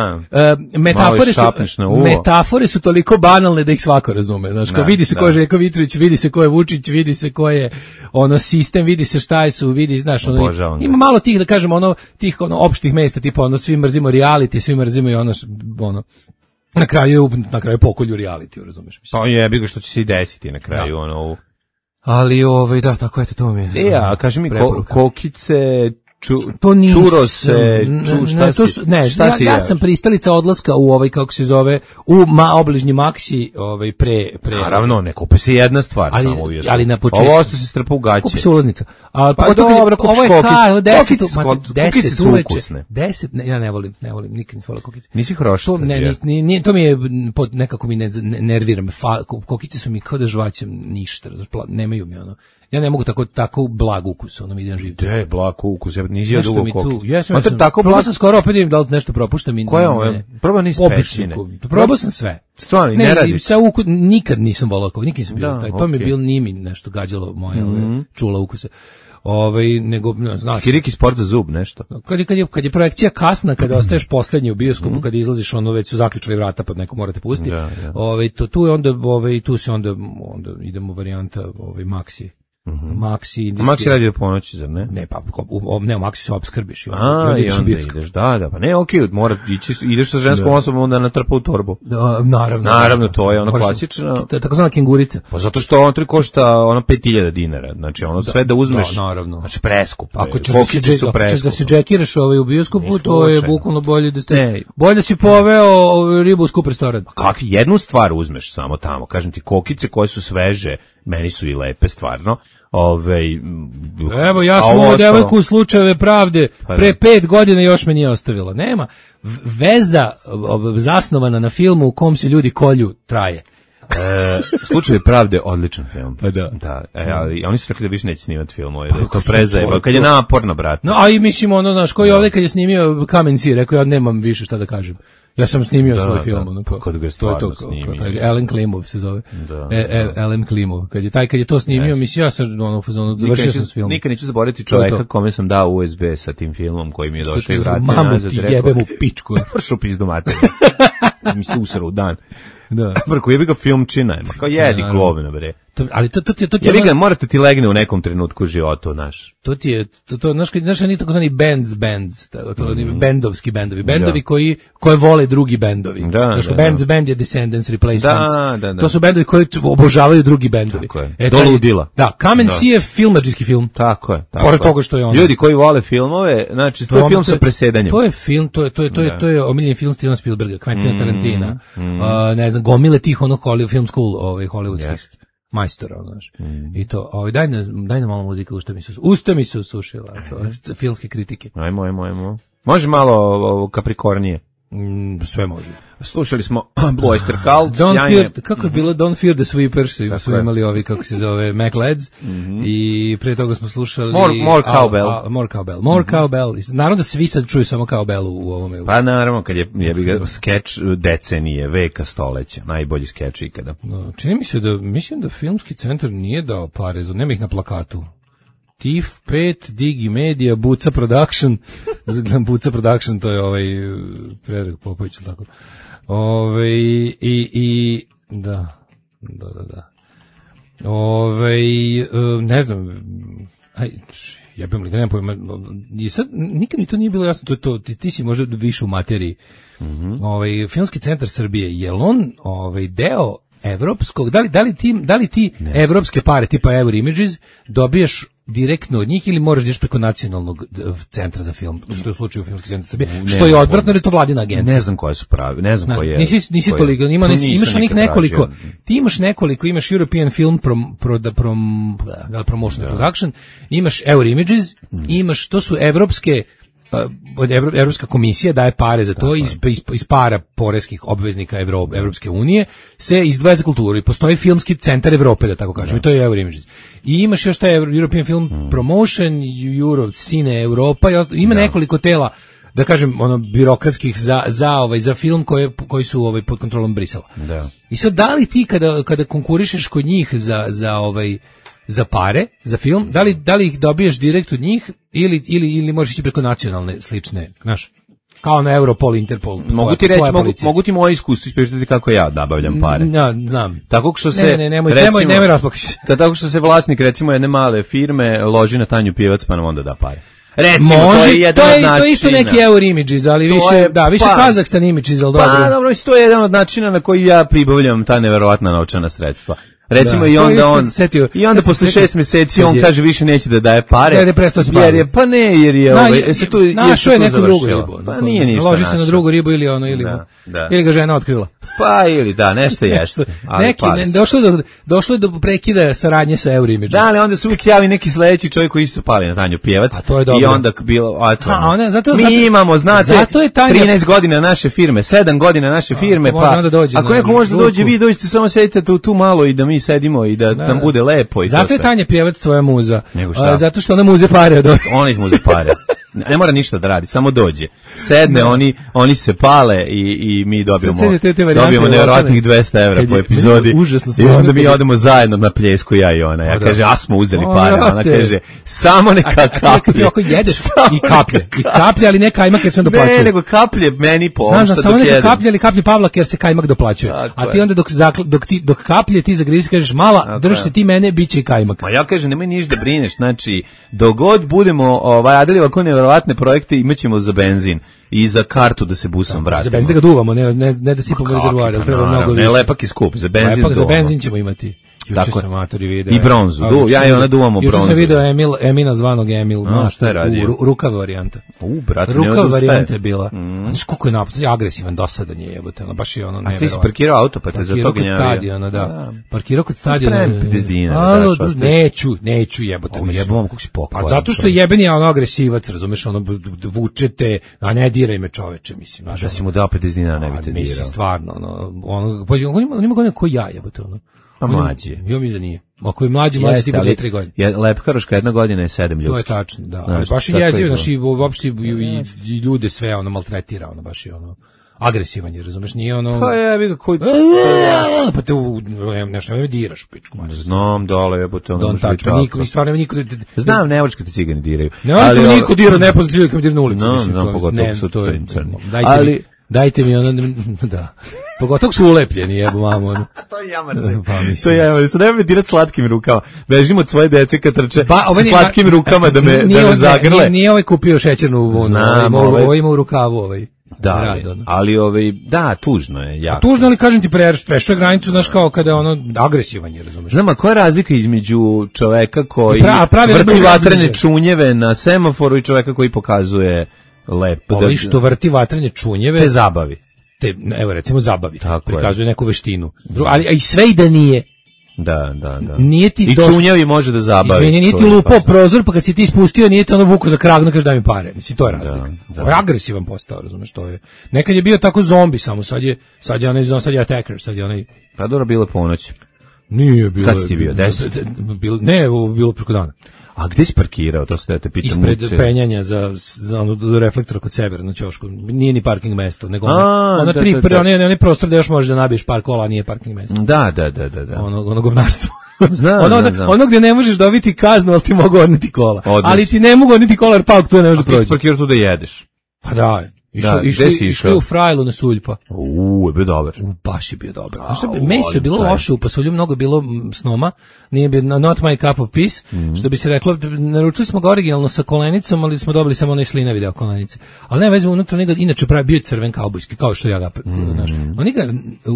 [SPEAKER 8] uh, metafore, su, metafore su toliko banalne da ih svako razume. Znaš, kao vidi se ko je Željko Mitrović, vidi se ko je Vučić, vidi se ko je ono sistem, vidi se šta su, vidi, znaš, ono, ima malo tih, da kažemo, ono, tih ono, opštih mesta, tipa, ono, svi mrzimo reality, svi mrzimo i ono, ono, na kraju, na kraju pokolju reality, razumeš?
[SPEAKER 7] Pa jebi ga što će se i desiti na kraju, da. Ono...
[SPEAKER 8] Ali, ovaj, da, tako, eto, to mi je...
[SPEAKER 7] E, a kaži mi, ko, kokice... Ču,
[SPEAKER 8] to nisu,
[SPEAKER 7] čuro se, ču, šta
[SPEAKER 8] ne, to su, ne,
[SPEAKER 7] šta
[SPEAKER 8] ja,
[SPEAKER 7] si
[SPEAKER 8] ja sam pristalica odlaska u ovaj, kako se zove, u ma, obližnji Maxi, ovaj, pre, pre.
[SPEAKER 7] Naravno, ne kupi se jedna stvar,
[SPEAKER 8] ali,
[SPEAKER 7] samo uvijek.
[SPEAKER 8] Ali na početku.
[SPEAKER 7] Ovo osto se strpa u gaće.
[SPEAKER 8] Kupi se ulaznica. A,
[SPEAKER 7] pa dobro, kupiš kokice.
[SPEAKER 8] Kokice su ukusne. Deset, ne, ja ne volim, ne volim, nikad nisam volio kokice.
[SPEAKER 7] Nisi hrošta.
[SPEAKER 8] To, ne, ni, ni, to mi je, pod, nekako mi ne, ne, nerviram. Fa, kokice su mi kao da žvaćem ništa, nemaju mi ono. Ja ne mogu tako tako blag ukus, ono mi idem živiti.
[SPEAKER 7] De, blag ukus, ja nisam dugo kokice.
[SPEAKER 8] Ja sam, sam tako blag, sam skoro opet vidim da li nešto propuštam i.
[SPEAKER 7] Koja je? Prvo nisi pećine.
[SPEAKER 8] Probao sam sve.
[SPEAKER 7] Stvarno, ne, ne radi.
[SPEAKER 8] Sa ukus nikad nisam volao kokice, nikad nisam bio da, taj. To okay. Mi je bilo nimi nešto gađalo moje, mm -hmm. ove, čula ukuse. Ovaj nego znaš
[SPEAKER 7] Kiriki sport za zub nešto.
[SPEAKER 8] Kad je kad je kad je projekcija kasna, kada ostaješ poslednji u bioskopu, mm. kad izlaziš ono već su zaključali vrata pa neko morate pustiti. Da, da. Ovaj to tu je onda ovaj tu se onda onda idemo varijanta ovaj Maxi. Mhm. Maxi,
[SPEAKER 7] Maxi radi do ponoći, zar ne?
[SPEAKER 8] Ne, pa u, ne, u Maxi se obskrbiš i
[SPEAKER 7] onda, A, i onda ideš, da, da, pa ne, okej, okay, mora ići, ideš sa ženskom da. Osobom onda natrpa u torbu.
[SPEAKER 8] Da, naravno.
[SPEAKER 7] Naravno, to je ono klasično.
[SPEAKER 8] Takozvana kengurica.
[SPEAKER 7] Pa zato što on tri košta ono pet hiljada dinara, znači ono da, sve da uzmeš.
[SPEAKER 8] Da, naravno.
[SPEAKER 7] Znači preskupo.
[SPEAKER 8] Ako ćeš da se, ćeš da se džekiraš ovaj u bioskopu, to je bukvalno bolje da ste, ne. Bolje da si poveo ribu u skup restoran.
[SPEAKER 7] Kakvi jednu stvar uzmeš samo tamo, kažem ti, kokice koje su sveže, meni su i lepe stvarno. Ove,
[SPEAKER 8] evo ja sam ovu devojku u Slučajeve pravde pre pet godina još me nije ostavila. Nema veza zasnovana na filmu u kom se ljudi kolju traje.
[SPEAKER 7] E, Slučaj pravde, odličan film.
[SPEAKER 8] Pa da.
[SPEAKER 7] Da, e, ali oni su rekli da više neće snimati filmove, da je to prezajeba, kad je naporno, brate.
[SPEAKER 8] No, a i mislim ono, znaš, koji ovdje kad je snimio Kamen Si, rekao ja nemam više šta da kažem. Ja sam snimio
[SPEAKER 7] da,
[SPEAKER 8] svoj
[SPEAKER 7] da,
[SPEAKER 8] film, ono kao.
[SPEAKER 7] Kad ga je stvarno snimio.
[SPEAKER 8] Ellen Klimov se zove.
[SPEAKER 7] Da,
[SPEAKER 8] e, e, Ellen Klimov. Kad je taj kad je to snimio, yes. Mislim ja sam ono fazonu završio sam s filmom.
[SPEAKER 7] Nikad neću zaboraviti čoveka kome sam dao U S B sa tim filmom koji mi je došao i vratio
[SPEAKER 8] nazad. Mamu ti jebem u pičku.
[SPEAKER 7] Pršu pizdu materiju. mi se usra u dan.
[SPEAKER 8] Da.
[SPEAKER 7] Brko, jebi ga filmčina, ma kao jedi
[SPEAKER 8] naravno.
[SPEAKER 7] govna, bre.
[SPEAKER 8] To, ali to, to, ti je- to ti je
[SPEAKER 7] Jebi
[SPEAKER 8] ono-
[SPEAKER 7] ga, morate ti legne u nekom trenutku u životu, znaš.
[SPEAKER 8] To ti je, to, to, znaš, kad- znaš, oni takozvani bands, bands, to, to oni bendovski bendovi, bendovi
[SPEAKER 7] Da.
[SPEAKER 8] koji, koje vole drugi bendovi.
[SPEAKER 7] Da,
[SPEAKER 8] Znaš,
[SPEAKER 7] da,
[SPEAKER 8] bands,
[SPEAKER 7] da.
[SPEAKER 8] band je Descendants, Replacements.
[SPEAKER 7] Da, da, da.
[SPEAKER 8] To su bendovi koji č- obožavaju drugi bendovi.
[SPEAKER 7] Tako je.
[SPEAKER 8] E,
[SPEAKER 7] Do
[SPEAKER 8] taj-
[SPEAKER 7] ludila.
[SPEAKER 8] Da, Kamen
[SPEAKER 7] Da.
[SPEAKER 8] Si je filmadžijski film.
[SPEAKER 7] Tako je. Tako
[SPEAKER 8] Pored
[SPEAKER 7] je.
[SPEAKER 8] toga što je ono.
[SPEAKER 7] Ljudi koji vole filmove, znači, to je film sa presedanjem.
[SPEAKER 8] To je film, to je to je to je
[SPEAKER 7] Da.
[SPEAKER 8] to je omiljeni film Stevena Spielberga, Quentina Tarantina. A, ne znam, gomile tih onog Hollywood film school, ovaj hollywoodskih
[SPEAKER 7] Jest.
[SPEAKER 8] majstora, znaš. I to, ovaj daj nam daj nam malo muzike, usta mi se usta mi se usušila, to filmske kritike.
[SPEAKER 7] Ajmo, ajmo, ajmo. Može malo ovo Capricornije.
[SPEAKER 8] Mm, sve može.
[SPEAKER 7] Slušali smo Blue Oyster Cult,
[SPEAKER 8] Don't
[SPEAKER 7] sjajne.
[SPEAKER 8] fear, kako je bilo Don't Fear the Sweepers, su, su
[SPEAKER 7] je.
[SPEAKER 8] imali ovi, kako se zove, Mac Lads, i pre toga smo slušali...
[SPEAKER 7] More- more
[SPEAKER 8] a-
[SPEAKER 7] cowbell.
[SPEAKER 8] a- More Cowbell. More Cowbell. Naravno da svi sad čuju samo Cowbellu u ovome.
[SPEAKER 7] Pa naravno, kad je, je bi ga skeč decenije, veka, stoleća, najbolji skeč ikada.
[SPEAKER 8] No, čini mi se da, mislim da filmski centar nije dao pare, za nema ih na plakatu. T I F pet, Digi Media, Buca Production, Zagledam Buca Production, to je ovaj Predrag Popović, ili tako. Ove, i, i, da, da, da, da. Ove, ne znam, aj, jebem li, ga nemam pojma, i sad, nikad mi to nije bilo jasno, to je to, ti, ti si možda više u materiji. Ovaj, Filmski centar Srbije, je li on ovaj, deo evropskog, da li, da li ti, da li ti evropske pare tipa Euro Images dobijaš direktno od njih ili moraš da ideš preko nacionalnog d- centra za film, što je u slučaju Filmski centar Srbije, što je odvratno jer je to vladina agencija.
[SPEAKER 7] Ne znam koje su pravi, ne znam
[SPEAKER 8] Znaš,
[SPEAKER 7] koje je.
[SPEAKER 8] nisi nisi
[SPEAKER 7] koje-
[SPEAKER 8] toliko, ima
[SPEAKER 7] Pa
[SPEAKER 8] nisi,
[SPEAKER 7] nisam
[SPEAKER 8] imaš onih
[SPEAKER 7] nikad
[SPEAKER 8] nekoliko.
[SPEAKER 7] tražio.
[SPEAKER 8] Ti imaš nekoliko, imaš European Film prom, pro, da, prom, da, li promotion production, imaš Euro Images, imaš, to su evropske uh, od Evro- Evropska komisija daje pare za to iz, iz, iz para poreskih obveznika Evro, Evropske unije se izdvaja za kulturu i postoji filmski centar Evrope, da tako kažem, i to je Euro Images. I imaš još taj European Film Promotion, Euro, Cine Europa, i osta- ima nekoliko tela, da kažem, ono birokratskih za za ovaj za film koje koji su ovaj pod kontrolom Brisela.
[SPEAKER 7] Da.
[SPEAKER 8] I sad da li ti kada kada konkurišeš kod njih za za ovaj za pare, za film, da li da li ih dobiješ direkt od njih ili ili ili možeš ići preko nacionalne slične, znaš? Kao na Europol, Interpol.
[SPEAKER 7] Mogu
[SPEAKER 8] tvoja-
[SPEAKER 7] ti reći,
[SPEAKER 8] tvoja
[SPEAKER 7] mogu,
[SPEAKER 8] policija.
[SPEAKER 7] mogu ti moje iskustvo ispričati kako ja nabavljam pare.
[SPEAKER 8] Ja, znam.
[SPEAKER 7] Tako što se,
[SPEAKER 8] Ne, ne, nemoj,
[SPEAKER 7] recimo,
[SPEAKER 8] nemoj, nemoj rasplakaš.
[SPEAKER 7] da tako što se vlasnik, recimo, jedne male firme loži na Tanju Pijevac, pa nam onda da pare. Recimo,
[SPEAKER 8] Može,
[SPEAKER 7] to je jedan
[SPEAKER 8] to je,
[SPEAKER 7] od načina.
[SPEAKER 8] to je isto neki Euro Images, ali
[SPEAKER 7] To
[SPEAKER 8] više,
[SPEAKER 7] je,
[SPEAKER 8] da, više
[SPEAKER 7] pa-
[SPEAKER 8] Kazahstan Images, ali
[SPEAKER 7] Pa,
[SPEAKER 8] dobro.
[SPEAKER 7] dobro, mislim, to je jedan od načina na koji ja pribavljam ta neverovatna novčana sredstva. Recimo
[SPEAKER 8] Da.
[SPEAKER 7] i
[SPEAKER 8] To
[SPEAKER 7] onda
[SPEAKER 8] isto
[SPEAKER 7] on
[SPEAKER 8] se setio-
[SPEAKER 7] i onda
[SPEAKER 8] sad se
[SPEAKER 7] posle
[SPEAKER 8] setio
[SPEAKER 7] šest mjeseci
[SPEAKER 8] kad
[SPEAKER 7] on
[SPEAKER 8] je-
[SPEAKER 7] kaže više neće da daje pare.
[SPEAKER 8] Jer je prestao se
[SPEAKER 7] Jer
[SPEAKER 8] baviti.
[SPEAKER 7] je pa ne, jer je
[SPEAKER 8] Na,
[SPEAKER 7] ovaj
[SPEAKER 8] je-
[SPEAKER 7] se tu je
[SPEAKER 8] našao
[SPEAKER 7] se
[SPEAKER 8] je
[SPEAKER 7] tu
[SPEAKER 8] neku drugu
[SPEAKER 7] završilo.
[SPEAKER 8] ribu.
[SPEAKER 7] Pa nije ništa.
[SPEAKER 8] Loži se na
[SPEAKER 7] našao.
[SPEAKER 8] drugu ribu ili ono ili
[SPEAKER 7] Da, da.
[SPEAKER 8] ili ga žena otkrila.
[SPEAKER 7] Pa ili da, nešto jeste. Ali
[SPEAKER 8] Neki
[SPEAKER 7] pare
[SPEAKER 8] ne,
[SPEAKER 7] su.
[SPEAKER 8] došlo je do došlo je do prekida saradnje sa Euro Images.
[SPEAKER 7] Da, ali onda se uvijek javi neki sledeći čovjek koji se pali na Tanju Pijevac.
[SPEAKER 8] A to je dobro.
[SPEAKER 7] I onda bilo, a to.
[SPEAKER 8] A, ona- zato-
[SPEAKER 7] mi
[SPEAKER 8] zato-
[SPEAKER 7] imamo, znate,
[SPEAKER 8] zato je Tanja-
[SPEAKER 7] trinaest godina naše firme, sedam godina naše firme,
[SPEAKER 8] ako može
[SPEAKER 7] pa
[SPEAKER 8] onda dođe
[SPEAKER 7] ako
[SPEAKER 8] na
[SPEAKER 7] neko može da dođe,
[SPEAKER 8] ruku.
[SPEAKER 7] vi dođete, samo sedite tu, tu malo i da mi sedimo i da, nam bude lepo i to
[SPEAKER 8] Zato je
[SPEAKER 7] sve.
[SPEAKER 8] Tanja Pjevac tvoja muza.
[SPEAKER 7] Nego šta?
[SPEAKER 8] A, zato što ona muze pare od ovih.
[SPEAKER 7] Ona ih mu za pare. Ne mora ništa da radi, samo dođe. Sedne, oni, oni se pale i, i mi dobijemo,
[SPEAKER 8] Sad te- te varijante
[SPEAKER 7] dobijemo nevjerojatnih
[SPEAKER 8] lokalne.
[SPEAKER 7] dvesta evra
[SPEAKER 8] Kad
[SPEAKER 7] po
[SPEAKER 8] je-
[SPEAKER 7] epizodi.
[SPEAKER 8] meni je užasno
[SPEAKER 7] I onda
[SPEAKER 8] smiješno
[SPEAKER 7] mi
[SPEAKER 8] kad je-
[SPEAKER 7] odemo zajedno na pljesku, ja i ona. Ja
[SPEAKER 8] O, da.
[SPEAKER 7] kaže, a smo uzeli
[SPEAKER 8] O,
[SPEAKER 7] pare. Ona
[SPEAKER 8] brate.
[SPEAKER 7] kaže, samo neka
[SPEAKER 8] A ti
[SPEAKER 7] kaplje.
[SPEAKER 8] ako jedeš
[SPEAKER 7] Samo
[SPEAKER 8] i kaplje, i kaplje, ali ne kajmak jer se on doplaćuje.
[SPEAKER 7] Ne, nego kaplje meni po
[SPEAKER 8] Znam
[SPEAKER 7] ovom
[SPEAKER 8] da
[SPEAKER 7] što
[SPEAKER 8] samo
[SPEAKER 7] dok
[SPEAKER 8] neka
[SPEAKER 7] jedem.
[SPEAKER 8] kaplje ili kaplje Pavlak jer se kajmak doplaćuje.
[SPEAKER 7] Tako
[SPEAKER 8] A ti
[SPEAKER 7] je.
[SPEAKER 8] onda dok, zakl- dok, ti, dok kaplje ti zagrizi kažeš mala,
[SPEAKER 7] Tako
[SPEAKER 8] drž
[SPEAKER 7] je.
[SPEAKER 8] se ti mene, bit će i kajmak.
[SPEAKER 7] Ma ja kažem, nemoj ništa da brineš, znači, dogod budemo ovaj, radili ovako nevjerovatne projekte, imaćemo za benzin i za kartu da se busom vratimo.
[SPEAKER 8] Za benzin da ga duvamo, ne, ne, ne da sipamo
[SPEAKER 7] Kako,
[SPEAKER 8] rezervoar, jer
[SPEAKER 7] pa
[SPEAKER 8] treba
[SPEAKER 7] naravno,
[SPEAKER 8] mnogo
[SPEAKER 7] ne,
[SPEAKER 8] više.
[SPEAKER 7] lepak je skup, za benzin
[SPEAKER 8] Lepak za
[SPEAKER 7] duvamo.
[SPEAKER 8] benzin ćemo imati. Juče
[SPEAKER 7] Tako je.
[SPEAKER 8] sam matori video.
[SPEAKER 7] I bronzu,
[SPEAKER 8] A,
[SPEAKER 7] du,
[SPEAKER 8] juče
[SPEAKER 7] ja
[SPEAKER 8] sam
[SPEAKER 7] i ona
[SPEAKER 8] vidio-
[SPEAKER 7] duvamo
[SPEAKER 8] Juče
[SPEAKER 7] bronzu.
[SPEAKER 8] sam video Emil, Emina zvanog Emil.
[SPEAKER 7] A,
[SPEAKER 8] znaš,
[SPEAKER 7] šta je
[SPEAKER 8] u-
[SPEAKER 7] radio?
[SPEAKER 8] ru- Rukav varijanta.
[SPEAKER 7] U, brate, ne
[SPEAKER 8] Rukav
[SPEAKER 7] odustaje.
[SPEAKER 8] varijanta je bila. Znaš koliko je napucan, agresivan, dosadan je jebote, ono, baš je ono
[SPEAKER 7] A ti si
[SPEAKER 8] neverovatno.
[SPEAKER 7] parkirao auto, pa te za to
[SPEAKER 8] Parkirao kod
[SPEAKER 7] gnjavio.
[SPEAKER 8] stadiona, da. Parkirao kod stadiona.
[SPEAKER 7] Spremim pedeset dinara,
[SPEAKER 8] Alo,
[SPEAKER 7] daš,
[SPEAKER 8] da,
[SPEAKER 7] ostaviš.
[SPEAKER 8] neću, neću jebote.
[SPEAKER 7] O,
[SPEAKER 8] mislim.
[SPEAKER 7] jebom, kako si
[SPEAKER 8] Pa
[SPEAKER 7] pokvaran.
[SPEAKER 8] zato što je jebeni ono agresivac, razumeš, ono b- b- vučete, a ne diraj me čoveče, mislim. znaš,
[SPEAKER 7] Da
[SPEAKER 8] ono.
[SPEAKER 7] si mu dao pedeset dinara, ne
[SPEAKER 8] A,
[SPEAKER 7] bi te
[SPEAKER 8] mislim,
[SPEAKER 7] dirao.
[SPEAKER 8] stvarno, ono, ono, pa, on ima, on ima godine ko ja, jebote, ono.
[SPEAKER 7] Pa
[SPEAKER 8] On ima-
[SPEAKER 7] mlađi je.
[SPEAKER 8] Ja mislim da nije. Ako je mlađi, mlađi
[SPEAKER 7] Jeste,
[SPEAKER 8] tipa
[SPEAKER 7] ali
[SPEAKER 8] dve tri godine.
[SPEAKER 7] je lepkaroška jedna godina je sedam
[SPEAKER 8] To je
[SPEAKER 7] ljudskih.
[SPEAKER 8] tačno, da.
[SPEAKER 7] Znaš,
[SPEAKER 8] Ali baš je
[SPEAKER 7] tako
[SPEAKER 8] jezivo,
[SPEAKER 7] izgleda.
[SPEAKER 8] znači, i uopšte i, i, i ljude sve, ono, maltretira, ono, baš je, ono, agresivan je, razumeš, nije ono...
[SPEAKER 7] Pa jebi ga koji...
[SPEAKER 8] Pa te u, nešto me diraš u pičku, mađu.
[SPEAKER 7] Znam, dole jebote, ono
[SPEAKER 8] Don't
[SPEAKER 7] može biti
[SPEAKER 8] touch me, niko,
[SPEAKER 7] tako.
[SPEAKER 8] stvarno niko...
[SPEAKER 7] Znam, Nemačka te cigani diraju.
[SPEAKER 8] Ne,
[SPEAKER 7] Ali
[SPEAKER 8] ali
[SPEAKER 7] ovo-
[SPEAKER 8] niko dira nepoznat ljudi kad mi dira na ulici,
[SPEAKER 7] No,
[SPEAKER 8] mislim.
[SPEAKER 7] no,
[SPEAKER 8] to-
[SPEAKER 7] pogotovo
[SPEAKER 8] ne,
[SPEAKER 7] su
[SPEAKER 8] to je-
[SPEAKER 7] crni, crni.
[SPEAKER 8] Dajte
[SPEAKER 7] Ali-
[SPEAKER 8] mi, Dajte mi ono, da. Pogotovo su ulepljeni, jebo mamo. Ono.
[SPEAKER 7] To je jamar.
[SPEAKER 8] Pa,
[SPEAKER 7] To je jamar. Sad nema me dirati slatkim rukama. Bežim od svoje dece kad trče
[SPEAKER 8] Pa,
[SPEAKER 7] sa slatkim rukama da me,
[SPEAKER 8] nije,
[SPEAKER 7] da me
[SPEAKER 8] ovaj-
[SPEAKER 7] zagrle.
[SPEAKER 8] Nije, nije ovaj kupio šećernu vunu,
[SPEAKER 7] Znam,
[SPEAKER 8] ovaj,
[SPEAKER 7] ovaj-
[SPEAKER 8] ovaj ima u rukavu ovaj.
[SPEAKER 7] Da,
[SPEAKER 8] rad, ono.
[SPEAKER 7] ali ovaj, da, tužno je, jako.
[SPEAKER 8] Tužno, ali kažem ti, prešao je granicu, znaš, kao kada je ono agresivan je, razumeš?
[SPEAKER 7] Znam, a koja je razlika između čoveka koji
[SPEAKER 8] Pra- pravi
[SPEAKER 7] vrti
[SPEAKER 8] vrti
[SPEAKER 7] vatrene
[SPEAKER 8] vatrene
[SPEAKER 7] čunjeve na semaforu i čoveka koji pokazuje lepo?
[SPEAKER 8] Ovi što vrti vatrene čunjeve,
[SPEAKER 7] te zabavi.
[SPEAKER 8] te, evo recimo zabavi,
[SPEAKER 7] Tako je.
[SPEAKER 8] prikazuje neku veštinu. Dru- ali a i sve i da nije.
[SPEAKER 7] Da, da, da.
[SPEAKER 8] Nije ti
[SPEAKER 7] I
[SPEAKER 8] došlo-
[SPEAKER 7] čunjevi može da zabavi.
[SPEAKER 8] Izvini, nije
[SPEAKER 7] to
[SPEAKER 8] ti
[SPEAKER 7] je
[SPEAKER 8] lupao
[SPEAKER 7] opasno.
[SPEAKER 8] prozor, pa kad si ti spustio, nije te ono vuko za krag, ne kaže daj mi pare. Mislim, to je razlika.
[SPEAKER 7] Da, da.
[SPEAKER 8] Ovo je agresivan postao, razumeš, to je. Nekad je bio tako zombi samo, sad je, sad je onaj, sad je attacker, sad je onaj,
[SPEAKER 7] Pa dobro, bilo je ponoć.
[SPEAKER 8] nije bilo.
[SPEAKER 7] Kad si ti bio, deset?
[SPEAKER 8] Bilo, ne, ovo bilo preko dana.
[SPEAKER 7] A gde si parkirao, to se da te pitam.
[SPEAKER 8] Ispred
[SPEAKER 7] uopće.
[SPEAKER 8] penjanja za, za ono do reflektora kod sebe na ćošku. Nije ni parking mesto, nego ono,
[SPEAKER 7] A,
[SPEAKER 8] ono
[SPEAKER 7] da,
[SPEAKER 8] tri,
[SPEAKER 7] da,
[SPEAKER 8] pre,
[SPEAKER 7] da.
[SPEAKER 8] onaj, onaj prostor da još možeš da nabiješ par kola, a nije parking mesto.
[SPEAKER 7] Da, da, da, da, da.
[SPEAKER 8] Ono, ono govnarstvo.
[SPEAKER 7] Znam,
[SPEAKER 8] ono,
[SPEAKER 7] znam, znam.
[SPEAKER 8] ono gdje ne možeš dobiti kaznu, ali ti mogu odneti kola.
[SPEAKER 7] Odlično.
[SPEAKER 8] Ali ti ne mogu odneti kola, jer pauk tu ne može da
[SPEAKER 7] Ti si
[SPEAKER 8] prođe.
[SPEAKER 7] parkirao tu da jedeš.
[SPEAKER 8] Pa da, išao,
[SPEAKER 7] Da,
[SPEAKER 8] išao,
[SPEAKER 7] gde si
[SPEAKER 8] išao
[SPEAKER 7] išao?
[SPEAKER 8] u Frajlu na Suljpa.
[SPEAKER 7] Uuu, je bio dobar.
[SPEAKER 8] Baš je bio dobro.
[SPEAKER 7] A,
[SPEAKER 8] Znaš šta,
[SPEAKER 7] volim
[SPEAKER 8] mesi je bilo
[SPEAKER 7] taj.
[SPEAKER 8] loše u Pasulju, mnogo je bilo mm, snoma, nije bilo not my cup of peace,
[SPEAKER 7] Mhm.
[SPEAKER 8] što bi se reklo, naručili smo ga originalno sa kolenicom, ali smo dobili samo onaj slinavi deo kolenice. Ali ne veze, unutra njega, inače pravi bio je crven kaubojski, kao što ja ga, znaš. Oni ga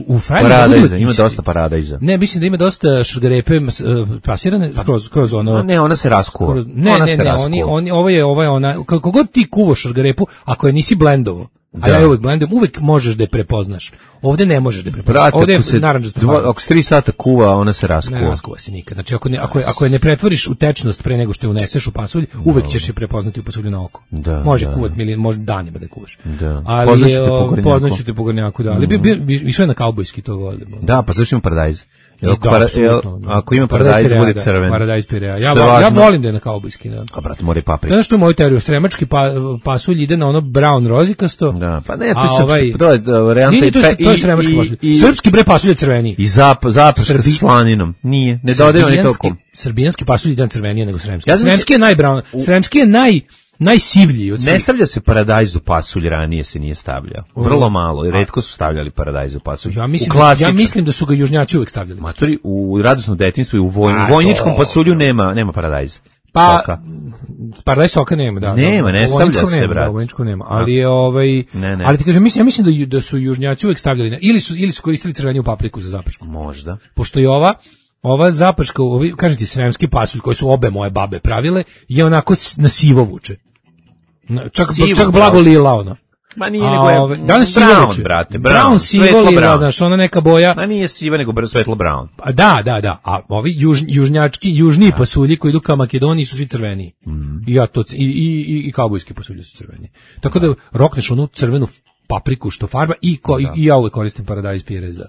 [SPEAKER 8] u Frajlu...
[SPEAKER 7] Paradajza, ima dosta paradajza.
[SPEAKER 8] Ne, mislim da ima dosta šargarepe mas- e, pasirane, kroz, kroz ono...
[SPEAKER 7] A ne, ona se raskuva.
[SPEAKER 8] kroz- ne,
[SPEAKER 7] ona
[SPEAKER 8] ne,
[SPEAKER 7] se
[SPEAKER 8] ne,
[SPEAKER 7] raskuva.
[SPEAKER 8] oni, oni, ovo je, ovo je ona, kako god ti kuvaš šargarepu, ako je nisi blendovo, a
[SPEAKER 7] Da.
[SPEAKER 8] ja je uvek blendom, uvek možeš da je prepoznaš. Ovde ne možeš da je prepoznaš.
[SPEAKER 7] Brate,
[SPEAKER 8] Ovde je
[SPEAKER 7] ako se,
[SPEAKER 8] narandžasta
[SPEAKER 7] dva,
[SPEAKER 8] farba.
[SPEAKER 7] ako se tri sata kuva, ona se
[SPEAKER 8] Ne
[SPEAKER 7] raskuva.
[SPEAKER 8] raskuva se nikad. Znači, ako, ne, ako, je, ako je ne pretvoriš u tečnost pre nego što je uneseš u pasulj, uvek ćeš je prepoznati u pasulju na oko.
[SPEAKER 7] Da,
[SPEAKER 8] može
[SPEAKER 7] da.
[SPEAKER 8] kuvat milion, može danima da je kuvaš.
[SPEAKER 7] Da.
[SPEAKER 8] Ali
[SPEAKER 7] Poznaću
[SPEAKER 8] je,
[SPEAKER 7] te po
[SPEAKER 8] o,
[SPEAKER 7] Gornjaku.
[SPEAKER 8] poznaću te po Gornjaku, da. Ali bi, bi, bi, išao je na kaubojski, to volimo.
[SPEAKER 7] Da, pa zašto ima paradajz? Jel,
[SPEAKER 8] I
[SPEAKER 7] ako,
[SPEAKER 8] da,
[SPEAKER 7] para,
[SPEAKER 8] apsolutno,
[SPEAKER 7] jel,
[SPEAKER 8] da.
[SPEAKER 7] ako ima
[SPEAKER 8] Paradajz
[SPEAKER 7] paradajz,
[SPEAKER 8] Pirea,
[SPEAKER 7] bude
[SPEAKER 8] da,
[SPEAKER 7] crven.
[SPEAKER 8] Paradajz Pirea. Ja,
[SPEAKER 7] Što je
[SPEAKER 8] vo- ja
[SPEAKER 7] važno.
[SPEAKER 8] volim da je na kaubojski, da.
[SPEAKER 7] A brate, mora i paprika.
[SPEAKER 8] Znaš što je moju teoriju? Sremački pa, pasulj ide na ono brown rozikasto.
[SPEAKER 7] Da, pa ne, to
[SPEAKER 8] a
[SPEAKER 7] je srpski,
[SPEAKER 8] ovaj-
[SPEAKER 7] to je da, varijanta
[SPEAKER 8] Nije, nije, to je,
[SPEAKER 7] i-
[SPEAKER 8] to je
[SPEAKER 7] i-
[SPEAKER 8] sremački
[SPEAKER 7] i-
[SPEAKER 8] pasulj.
[SPEAKER 7] i-
[SPEAKER 8] Srpski bre pasulj je crveniji.
[SPEAKER 7] I zap, zaprška
[SPEAKER 8] Srbi-
[SPEAKER 7] sa slaninom. Nije, ne dodaje oni
[SPEAKER 8] Srbijanski-
[SPEAKER 7] tokom.
[SPEAKER 8] Srbijanski pasulj ide crvenije nego sremski.
[SPEAKER 7] Ja znam
[SPEAKER 8] Sremski je najbrown, sremski je naj najsivlji od
[SPEAKER 7] Ne
[SPEAKER 8] svih.
[SPEAKER 7] stavlja se paradajz u pasulj, ranije se nije stavljao. Vrlo malo, i retko su stavljali paradajz u pasulj.
[SPEAKER 8] Ja mislim,
[SPEAKER 7] u
[SPEAKER 8] da, ja
[SPEAKER 7] klasičan-
[SPEAKER 8] mislim da su ga južnjaci uvek stavljali.
[SPEAKER 7] Matori, u radosnom detinjstvu i u, voj,
[SPEAKER 8] A,
[SPEAKER 7] u vojničkom
[SPEAKER 8] to-
[SPEAKER 7] pasulju nema, nema paradajza.
[SPEAKER 8] Pa,
[SPEAKER 7] Soka.
[SPEAKER 8] paradajz soka nema, da.
[SPEAKER 7] Nema,
[SPEAKER 8] da,
[SPEAKER 7] ne
[SPEAKER 8] u
[SPEAKER 7] stavlja
[SPEAKER 8] vojničkom
[SPEAKER 7] se,
[SPEAKER 8] nema,
[SPEAKER 7] brate.
[SPEAKER 8] da, u vojničkom nema, ali je ovaj,
[SPEAKER 7] Ne, ne.
[SPEAKER 8] ali ti kažem, mislim, ja mislim da, ju- da su južnjaci uvek stavljali, na, ili su, ili su koristili crveniju papriku za zapršku.
[SPEAKER 7] Možda.
[SPEAKER 8] Pošto je ova, ova zaprška, ovi, kažem ti, sremski pasulj koji su obe moje babe pravile, je onako s- na sivo vuče. Na- Čak,
[SPEAKER 7] Sivo,
[SPEAKER 8] čak blago
[SPEAKER 7] bravo.
[SPEAKER 8] lila ona.
[SPEAKER 7] Ma nije
[SPEAKER 8] A,
[SPEAKER 7] nego je
[SPEAKER 8] ove, danas sivo
[SPEAKER 7] brown,
[SPEAKER 8] vuče.
[SPEAKER 7] brate,
[SPEAKER 8] brown,
[SPEAKER 7] brown,
[SPEAKER 8] sivo
[SPEAKER 7] svetlo
[SPEAKER 8] lila,
[SPEAKER 7] brown.
[SPEAKER 8] znaš, ona neka boja.
[SPEAKER 7] Ma nije siva, nego brzo svetlo brown.
[SPEAKER 8] A da, da, da. A ovi juž, južnjački, južni pasulji koji idu ka Makedoniji su svi crveni. I ja to c- i i i, i kaubojski pasulji su crveni. Tako da rokneš onu crvenu papriku što farba i ko, i, i ja uvek koristim paradajz pire za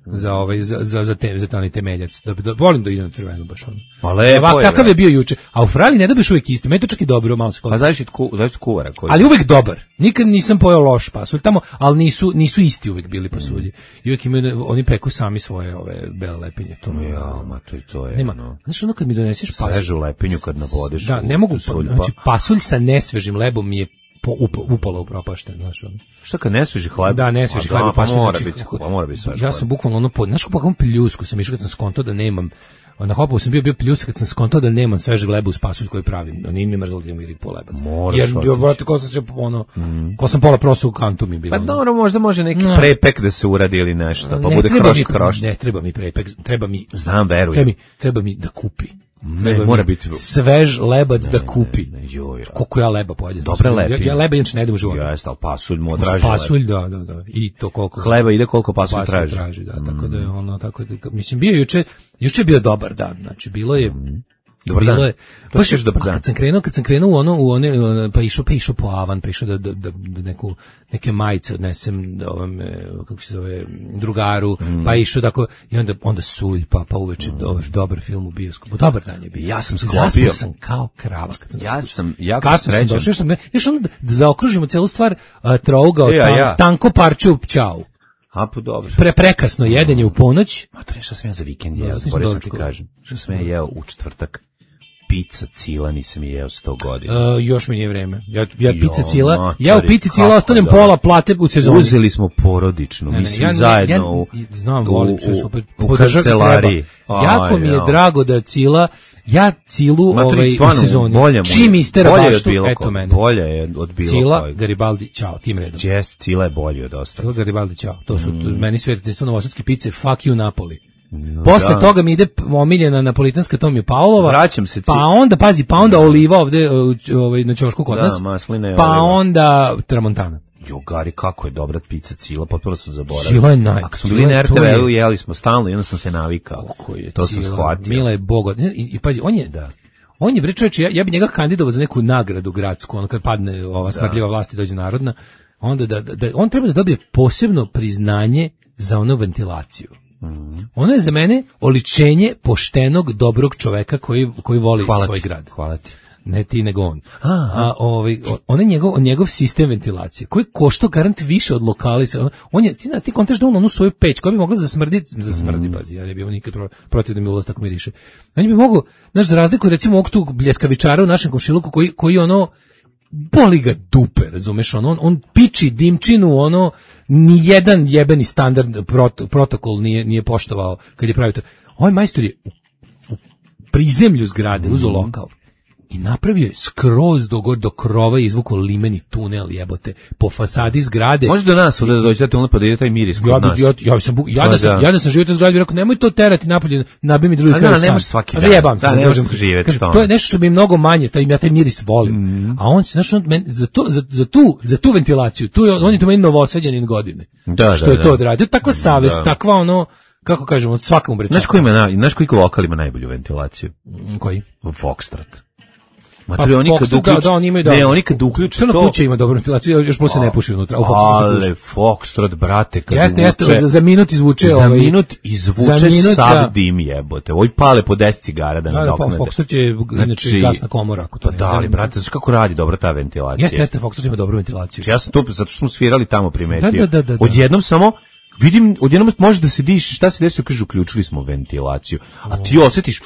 [SPEAKER 8] za ovaj za za za te za taj temeljac. Da, da volim da idem crveno baš ono.
[SPEAKER 7] Pa lepo
[SPEAKER 8] Ovak,
[SPEAKER 7] je,
[SPEAKER 8] kakav
[SPEAKER 7] brate.
[SPEAKER 8] je bio juče. A u Frali ne dobiješ uvek isto. Meni je to čak i dobro, malo se
[SPEAKER 7] Pa
[SPEAKER 8] kod.
[SPEAKER 7] zavisi od ku, zavisi od kuvara koji.
[SPEAKER 8] Ali uvek dobar. Nikad nisam pojeo loš pasulj tamo, ali nisu nisu isti uvek bili pasulji. I uvek imaju oni peku sami svoje ove bele lepinje. To mi je
[SPEAKER 7] Ja, ma to, to je.
[SPEAKER 8] nema.
[SPEAKER 7] ono,
[SPEAKER 8] Znaš, ono kad mi doneseš pasulj,
[SPEAKER 7] svežu lepinju kad nabodeš.
[SPEAKER 8] da,
[SPEAKER 7] u
[SPEAKER 8] ne mogu, pa,
[SPEAKER 7] suljba.
[SPEAKER 8] znači pasulj sa nesvežim lebom mi je po, up, upalo upropašten, znaš, ono.
[SPEAKER 7] Šta kad ne sveži hleb?
[SPEAKER 8] Da, nesveži
[SPEAKER 7] A da,
[SPEAKER 8] hleb,
[SPEAKER 7] pa
[SPEAKER 8] pasulj,
[SPEAKER 7] mora
[SPEAKER 8] znači,
[SPEAKER 7] biti, pa mora biti svež
[SPEAKER 8] ja
[SPEAKER 7] hleb.
[SPEAKER 8] sam bukvalno ono, pod, znaš kako kakvom pljusku sam išao kad sam skontao da nemam, na Hopovu sam bio bio pljus kad sam skontao da nemam svežeg leba uz pasulj koji pravim, no nije mi mrzalo da imam ili po lebac.
[SPEAKER 7] Moraš
[SPEAKER 8] Jer,
[SPEAKER 7] otići.
[SPEAKER 8] jo, brate, ko sam se, ono, ko sam pola prosto u kantu mi je bilo.
[SPEAKER 7] Pa
[SPEAKER 8] ono.
[SPEAKER 7] dobro, možda može neki
[SPEAKER 8] Ne.
[SPEAKER 7] prepek da se uradi ili nešto, pa
[SPEAKER 8] Ne
[SPEAKER 7] bude
[SPEAKER 8] treba
[SPEAKER 7] kroš
[SPEAKER 8] mi-
[SPEAKER 7] kroš.
[SPEAKER 8] Ne, treba mi prepek, treba mi,
[SPEAKER 7] Znam, verujem.
[SPEAKER 8] treba mi, treba mi da kupi.
[SPEAKER 7] Ne,
[SPEAKER 8] Treba
[SPEAKER 7] mora
[SPEAKER 8] mi
[SPEAKER 7] biti-
[SPEAKER 8] svež lebac da kupi.
[SPEAKER 7] Ne, joj,
[SPEAKER 8] Koliko ja leba pojedem.
[SPEAKER 7] Dobre
[SPEAKER 8] ja,
[SPEAKER 7] lepinje.
[SPEAKER 8] ja leba inače ne idem u životu.
[SPEAKER 7] Jeste, ali pasulj mu
[SPEAKER 8] Uz
[SPEAKER 7] odraži.
[SPEAKER 8] pasulj, da, da, da. I to koliko
[SPEAKER 7] Hleba ide koliko pasulj traži.
[SPEAKER 8] traži, da, tako da je ono tako da mislim bio je juče, juče je bio dobar dan. Znači bilo je
[SPEAKER 7] Dobar
[SPEAKER 8] bilo
[SPEAKER 7] dan.
[SPEAKER 8] je
[SPEAKER 7] To
[SPEAKER 8] baš
[SPEAKER 7] si još dobar
[SPEAKER 8] a
[SPEAKER 7] dan.
[SPEAKER 8] Kad sam krenuo, kad sam krenuo u ono u one ono, pa išao pa išao po avan, pa išao da da da, da neku neke majice odnesem da ovom e, kako se zove drugaru,
[SPEAKER 7] Mm.
[SPEAKER 8] pa išao tako i onda onda sulj pa pa uveče dobar dobar film u bioskopu. Dobar dan je bio.
[SPEAKER 7] Ja sam
[SPEAKER 8] Zaspao
[SPEAKER 7] sklopio.
[SPEAKER 8] sam kao krava kad sam
[SPEAKER 7] Ja sam jako
[SPEAKER 8] kasno sam
[SPEAKER 7] srećan.
[SPEAKER 8] došao, još sam, još ono da, da zaokružimo celu stvar uh, trougao
[SPEAKER 7] E, a
[SPEAKER 8] tan,
[SPEAKER 7] ja?
[SPEAKER 8] tanko parče u pćau.
[SPEAKER 7] A, pa dobro.
[SPEAKER 8] Pre prekasno jedenje u ponoć.
[SPEAKER 7] Ma to je šta sam ja za vikend jeo,
[SPEAKER 8] Da,
[SPEAKER 7] zaboravio sam ti
[SPEAKER 8] dočekao.
[SPEAKER 7] kažem. Šta sam ja jeo u četvrtak? pizza cila nisam jeo sto godina.
[SPEAKER 8] Uh, još mi nije vreme. Ja, ja
[SPEAKER 7] Jo,
[SPEAKER 8] pizza cila,
[SPEAKER 7] matori,
[SPEAKER 8] ja u pizzi cila
[SPEAKER 7] kako
[SPEAKER 8] ostavljam
[SPEAKER 7] da.
[SPEAKER 8] pola plate u sezoni.
[SPEAKER 7] Uzeli smo porodičnu,
[SPEAKER 8] Ne, ne,
[SPEAKER 7] mislim,
[SPEAKER 8] ja ne-
[SPEAKER 7] zajedno
[SPEAKER 8] ja-
[SPEAKER 7] u,
[SPEAKER 8] znam,
[SPEAKER 7] u,
[SPEAKER 8] volim sve
[SPEAKER 7] u,
[SPEAKER 8] super.
[SPEAKER 7] u
[SPEAKER 8] Podržati
[SPEAKER 7] kancelariji.
[SPEAKER 8] treba. Jako mi je
[SPEAKER 7] Aj,
[SPEAKER 8] drago da cila, ja cilu
[SPEAKER 7] Matori,
[SPEAKER 8] ovaj, u
[SPEAKER 7] stvarno,
[SPEAKER 8] sezoni.
[SPEAKER 7] bolje mu je.
[SPEAKER 8] Čim istera
[SPEAKER 7] Bolje je od
[SPEAKER 8] baštu,
[SPEAKER 7] bilo
[SPEAKER 8] eto
[SPEAKER 7] kog.
[SPEAKER 8] mene.
[SPEAKER 7] Bolje je od bilo
[SPEAKER 8] Cila,
[SPEAKER 7] kojeg.
[SPEAKER 8] Garibaldi, čao, tim redom.
[SPEAKER 7] Jeste, cila je bolje od ostalih.
[SPEAKER 8] Cila, Garibaldi, čao. To su to, meni sve to novosadske pice, fuck you Napoli. Posle
[SPEAKER 7] da.
[SPEAKER 8] toga mi ide p- omiljena napolitanska, to mi je Paolova.
[SPEAKER 7] Vraćam se, ci-
[SPEAKER 8] Pa onda, pazi, pa onda oliva ovde uh, ovaj, na ćošku kod
[SPEAKER 7] Da,
[SPEAKER 8] nas.
[SPEAKER 7] masline i
[SPEAKER 8] Pa
[SPEAKER 7] oliva.
[SPEAKER 8] onda Tramontana.
[SPEAKER 7] Jo, Gari, kako je dobra pizza cila, potpuno sam zaboravio.
[SPEAKER 8] Cila je naj-
[SPEAKER 7] Ako smo
[SPEAKER 8] cila
[SPEAKER 7] bili na
[SPEAKER 8] je-
[SPEAKER 7] R
[SPEAKER 8] to
[SPEAKER 7] T V-u,
[SPEAKER 8] je-
[SPEAKER 7] jeli smo stalno i onda sam se navikao.
[SPEAKER 8] Kako je
[SPEAKER 7] To sam
[SPEAKER 8] Cila,
[SPEAKER 7] shvatio.
[SPEAKER 8] Mila je bogo. I, i pazi, on je,
[SPEAKER 7] Da.
[SPEAKER 8] on je bre čoveče, ja, ja bi njega kandidovao za neku nagradu gradsku, ono kad padne ova smrdljiva vlast i dođe narodna, onda da, da, da- on treba da dobije posebno priznanje za onu ventilaciju. Ono je za mene oličenje poštenog, dobrog čoveka koji, koji voli
[SPEAKER 7] Hvala
[SPEAKER 8] svoj
[SPEAKER 7] ti,
[SPEAKER 8] grad.
[SPEAKER 7] hvala ti.
[SPEAKER 8] Ne ti nego on. A, ovaj, on je njegov, njegov sistem ventilacije, koji košta garant više od lokali. On, on je, ti, ti kontaš da on onu svoju peć, koja bi mogla zasmrditi, zasmrdi, pazi, ja ne bi imao nikad pro, protiv da mi ulaz tako miriše. On bi mogao, znaš, za razliku recimo ovog tu bljeskavičara u našem komšiluku, koji, koji ono, boli ga dupe, razumeš, on, on, on piči dimčinu, ono, ni jedan jebeni standard prot, protokol nije, nije poštovao kad je pravio to. Ovaj majstor je u, u prizemlju zgrade uzeo lokal i napravio je skroz do, do krova i izvukao limeni tunel, jebote, po fasadi zgrade.
[SPEAKER 7] Može do nas ovdje da dođete onda pa da ide taj miris kod
[SPEAKER 8] Ja,
[SPEAKER 7] nas.
[SPEAKER 8] bi, ja, ja, sam, bu- ja,
[SPEAKER 7] Pa
[SPEAKER 8] da sam,
[SPEAKER 7] da.
[SPEAKER 8] ja da sam živio u toj zgradi, bi rekao, nemoj to terati napolje, nabij mi drugi
[SPEAKER 7] A
[SPEAKER 8] kraj
[SPEAKER 7] da,
[SPEAKER 8] stan.
[SPEAKER 7] ne možeš svaki
[SPEAKER 8] A
[SPEAKER 7] dan.
[SPEAKER 8] zajebam se,
[SPEAKER 7] Da,
[SPEAKER 8] ne
[SPEAKER 7] ne
[SPEAKER 8] možem.
[SPEAKER 7] možeš živjeti
[SPEAKER 8] Kažem,
[SPEAKER 7] tamo.
[SPEAKER 8] to je nešto što mi je mnogo manje, taj, ja taj miris volim.
[SPEAKER 7] Mhm.
[SPEAKER 8] A on, znaš, on, men, za, to, za, za, tu, za tu ventilaciju, tu je, on je to meni novosađanin godine.
[SPEAKER 7] Da,
[SPEAKER 8] što
[SPEAKER 7] da,
[SPEAKER 8] je
[SPEAKER 7] da.
[SPEAKER 8] to odradio, takva savest,
[SPEAKER 7] Da.
[SPEAKER 8] takva ono, kako kažemo, svakamu bre.
[SPEAKER 7] Znaš koji ima, na, znaš koji lokal ima najbolju ventilaciju?
[SPEAKER 8] Koji?
[SPEAKER 7] Foxtrot.
[SPEAKER 8] Pa
[SPEAKER 7] Matori, oni kad
[SPEAKER 8] Foxtrot, da,
[SPEAKER 7] uključ...
[SPEAKER 8] da, oni imaju
[SPEAKER 7] Ne,
[SPEAKER 8] dobro.
[SPEAKER 7] oni kad uključe
[SPEAKER 8] Crna
[SPEAKER 7] to...
[SPEAKER 8] kuća ima dobru ventilaciju, još plus se ne puši unutra. U Foxtrotu se
[SPEAKER 7] Ale,
[SPEAKER 8] puši.
[SPEAKER 7] Foxtrot, brate, kad
[SPEAKER 8] Jeste, jeste,
[SPEAKER 7] uvuče-
[SPEAKER 8] za, za minut izvuče
[SPEAKER 7] za
[SPEAKER 8] ovaj,
[SPEAKER 7] minut izvuče
[SPEAKER 8] za minut,
[SPEAKER 7] sav
[SPEAKER 8] da.
[SPEAKER 7] dim jebote. Ovi pale po deset cigara da
[SPEAKER 8] Da, da,
[SPEAKER 7] nadoknade.
[SPEAKER 8] Foxtrot je inače gasna komora, ako to
[SPEAKER 7] Pa
[SPEAKER 8] ne
[SPEAKER 7] da, ali
[SPEAKER 8] znam.
[SPEAKER 7] brate, znaš kako radi dobro ta ventilacija?
[SPEAKER 8] Jeste, jeste, Foxtrot ima dobru ventilaciju.
[SPEAKER 7] Znači, ja sam to, zato što smo svirali tamo primetio.
[SPEAKER 8] Da, da, da, da, da.
[SPEAKER 7] Odjednom samo, vidim, odjednom može da se diše, šta se desio, kaže, uključili smo ventilaciju. A ti osjetiš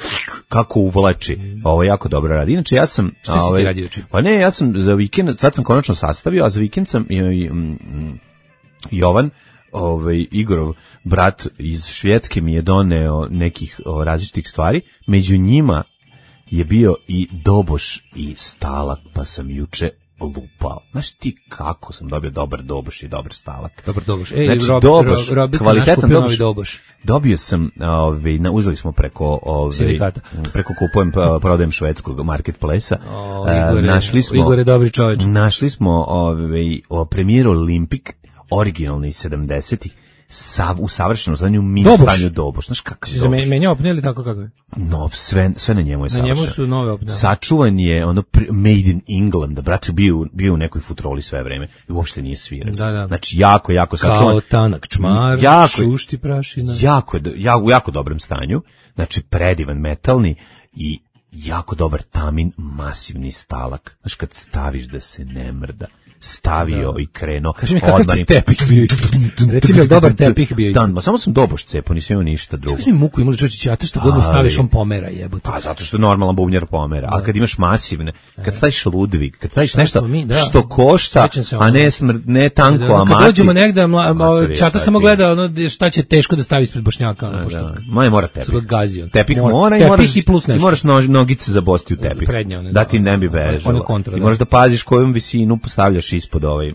[SPEAKER 7] kako uvlači. Ovo jako dobro radi. Inače, ja sam...
[SPEAKER 8] Šta si ti
[SPEAKER 7] ovaj,
[SPEAKER 8] radio juče?
[SPEAKER 7] Pa ne, ja sam za vikend, sad sam konačno sastavio, a za vikend sam i, i, mm, Jovan, ovaj, Igorov brat iz Švedske mi je doneo nekih o, različitih stvari. Među njima je bio i doboš i stalak, pa sam juče lupao. Znaš ti kako sam dobio dobar doboš i dobar stalak?
[SPEAKER 8] Dobar doboš. Ej,
[SPEAKER 7] Znači,
[SPEAKER 8] Rob,
[SPEAKER 7] doboš,
[SPEAKER 8] Rob, Robika naš
[SPEAKER 7] kvalitetan
[SPEAKER 8] kupio
[SPEAKER 7] doboš.
[SPEAKER 8] novi doboš.
[SPEAKER 7] Dobio sam, ovaj, na, uzeli smo preko, ovaj,
[SPEAKER 8] Sindikata.
[SPEAKER 7] preko kupujem, pa, prodajem švedskog marketplacea.
[SPEAKER 8] O,
[SPEAKER 7] E,
[SPEAKER 8] Igore,
[SPEAKER 7] našli smo,
[SPEAKER 8] Igor je dobri čovječ.
[SPEAKER 7] našli smo ovaj, o premijeru Olimpik, originalni iz sedamdesetih, sav, u savršenom stanju, mi
[SPEAKER 8] Doboš.
[SPEAKER 7] stanju doboš. Znaš kakav
[SPEAKER 8] Si za
[SPEAKER 7] doboš?
[SPEAKER 8] me, menja opne ili tako kako je?
[SPEAKER 7] Nov, sve, sve na njemu je
[SPEAKER 8] Na
[SPEAKER 7] savršeno.
[SPEAKER 8] njemu su nove opne.
[SPEAKER 7] Sačuvan je ono pri- made in England, brate, bio, bio u nekoj futroli sve vreme i uopšte nije sviran.
[SPEAKER 8] Da, da.
[SPEAKER 7] Znači, jako, jako sačuvan.
[SPEAKER 8] Kao tanak čmar,
[SPEAKER 7] Jako-
[SPEAKER 8] šušti prašina.
[SPEAKER 7] Jako, je do- ja, u jako dobrom stanju, znači predivan metalni i jako dobar tamin, masivni stalak. Znaš, kad staviš da se ne mrda, stavio i krenuo.
[SPEAKER 8] Kaži mi kakav
[SPEAKER 7] odmah
[SPEAKER 8] ti
[SPEAKER 7] im-
[SPEAKER 8] tepih bio. Reci mi, je li dobar tepih bio?
[SPEAKER 7] Dan, ma samo sam doboš cepao, nisam imao ništa drugo.
[SPEAKER 8] Kako si mi muku imali čovječe, ćata što god mu
[SPEAKER 7] Ali-
[SPEAKER 8] staviš, on pomera jebote.
[SPEAKER 7] Pa zato što normalan bubnjar pomera, ali kad imaš masivne, kad staviš Ludvig, kad staviš
[SPEAKER 8] Šta
[SPEAKER 7] nešto
[SPEAKER 8] smo mi, da.
[SPEAKER 7] što košta,
[SPEAKER 8] Sećam se
[SPEAKER 7] a
[SPEAKER 8] ono.
[SPEAKER 7] ne smr, ne tanko, a
[SPEAKER 8] Kad
[SPEAKER 7] mati.
[SPEAKER 8] dođemo negde, mla,
[SPEAKER 7] Matori,
[SPEAKER 8] čata
[SPEAKER 7] šta
[SPEAKER 8] samo
[SPEAKER 7] ti?
[SPEAKER 8] gleda ono gdje- šta će teško da stavi ispred Bošnjaka, ono, pošto
[SPEAKER 7] Da, moj mora tepih.
[SPEAKER 8] su ga gazio.
[SPEAKER 7] Tepih
[SPEAKER 8] Mora-
[SPEAKER 7] mora, i
[SPEAKER 8] tepih
[SPEAKER 7] moraš,
[SPEAKER 8] i plus
[SPEAKER 7] i
[SPEAKER 8] nešto.
[SPEAKER 7] moraš nož, nogice zabosti u tepih.
[SPEAKER 8] Prednje one,
[SPEAKER 7] da ti ne bi
[SPEAKER 8] one- one
[SPEAKER 7] bežalo.
[SPEAKER 8] kontra,
[SPEAKER 7] I
[SPEAKER 8] da.
[SPEAKER 7] moraš da paziš kojom visinu postavljaš ispod ovaj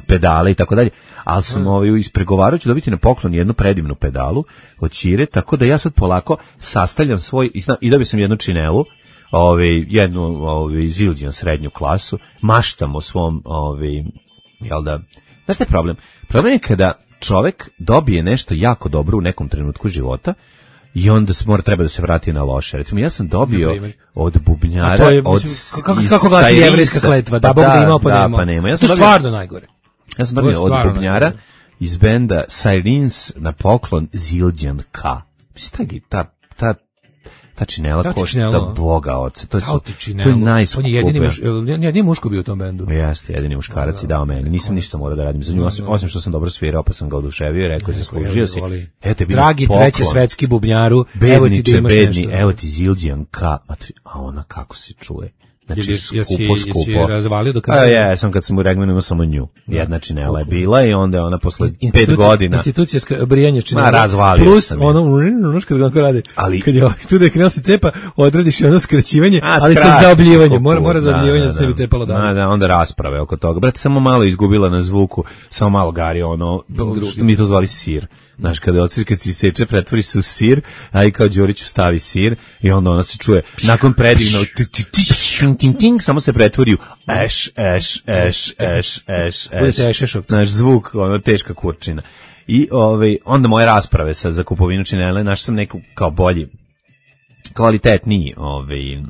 [SPEAKER 7] pedale i tako dalje. Ali sam ovaj ispregovarao ću dobiti na poklon jednu predivnu pedalu od Ćire, tako da ja sad polako sastavljam svoj i, zna, i dobio sam jednu činelu, ovaj jednu ovaj zilđan srednju klasu, maštam o svom ovaj jel da. Znaš šta je problem? Problem je kada čovek dobije nešto jako dobro u nekom trenutku života i onda se mora treba da se vrati na loše. Recimo ja sam dobio
[SPEAKER 8] Na primjer?
[SPEAKER 7] od bubnjara,
[SPEAKER 8] A to je,
[SPEAKER 7] od
[SPEAKER 8] mislim, kako,
[SPEAKER 7] iz
[SPEAKER 8] kako glasi
[SPEAKER 7] Sairisa.
[SPEAKER 8] jevrejska kletva, da
[SPEAKER 7] Pa
[SPEAKER 8] Bog da imao pa
[SPEAKER 7] da,
[SPEAKER 8] nema.
[SPEAKER 7] pa nema. Ja
[SPEAKER 8] To
[SPEAKER 7] sam
[SPEAKER 8] je
[SPEAKER 7] dobio,
[SPEAKER 8] stvarno najgore.
[SPEAKER 7] ja sam
[SPEAKER 8] To je
[SPEAKER 7] dobio od
[SPEAKER 8] stvarno
[SPEAKER 7] bubnjara
[SPEAKER 8] najgore.
[SPEAKER 7] iz benda Sirens na poklon Zildjian K. Mislim, ta, ta, ta Ta činela
[SPEAKER 8] Ta
[SPEAKER 7] košta
[SPEAKER 8] činela.
[SPEAKER 7] Boga oca. To je,
[SPEAKER 8] Kao ti
[SPEAKER 7] to
[SPEAKER 8] činelo.
[SPEAKER 7] je
[SPEAKER 8] On je
[SPEAKER 7] najskuplje.
[SPEAKER 8] jedini, muš, jedini muško bio u tom bendu.
[SPEAKER 7] Jeste, jedini muškarac i dao meni. Nisam ništa morao da radim za nju, osim, osim što sam dobro svirao, pa sam ga oduševio i rekao, zaslužio si. Evo te bilo
[SPEAKER 8] Dragi
[SPEAKER 7] poklon.
[SPEAKER 8] treći svetski bubnjaru, evo ti da
[SPEAKER 7] Bedniče,
[SPEAKER 8] imaš
[SPEAKER 7] bedni,
[SPEAKER 8] nešto.
[SPEAKER 7] evo ti Zildjian K. A ona kako se čuje. Znači,
[SPEAKER 8] Jesi- jesi-
[SPEAKER 7] skupo,
[SPEAKER 8] jesi
[SPEAKER 7] skupo.
[SPEAKER 8] je razvalio do
[SPEAKER 7] A
[SPEAKER 8] kraja?
[SPEAKER 7] ja sam kad sam u Regmanu imao samo nju. Jedna činela je bila i onda je ona posle pet
[SPEAKER 8] Institucija-
[SPEAKER 7] godina.
[SPEAKER 8] Institucija ska- brijanja činela.
[SPEAKER 7] Ma, razvalio
[SPEAKER 8] Plus
[SPEAKER 7] sam je.
[SPEAKER 8] ono, ono što kako radi.
[SPEAKER 7] Ali-
[SPEAKER 8] Kad je ovaj, tu da je krenuo se cepa, odradiš i ono skraćivanje,
[SPEAKER 7] A,
[SPEAKER 8] ali sa
[SPEAKER 7] skratiš
[SPEAKER 8] zaobljivanjem.
[SPEAKER 7] koliko
[SPEAKER 8] Mora, mora
[SPEAKER 7] put,
[SPEAKER 8] zaobljivanje
[SPEAKER 7] da,
[SPEAKER 8] da se ne bi
[SPEAKER 7] da.
[SPEAKER 8] cepalo
[SPEAKER 7] Da,
[SPEAKER 8] dalje.
[SPEAKER 7] da, onda rasprave oko toga. Brate, samo malo izgubila na zvuku, samo malo gari ono, što mi to zvali sir. Znaš, kada odsviš, kad si seče, pretvori se u sir, a i kao Đuriću stavi sir i onda ona se čuje, nakon predivno, ting, samo se pretvori u eš, eš, eš, eš, eš,
[SPEAKER 8] Budete
[SPEAKER 7] eš.
[SPEAKER 8] ešešovci.
[SPEAKER 7] Znaš, zvuk, ono, teška kurčina. I ovaj, onda moje rasprave sa za kupovinu činele, našao sam neku kao bolji, kvalitetniji ovaj, m,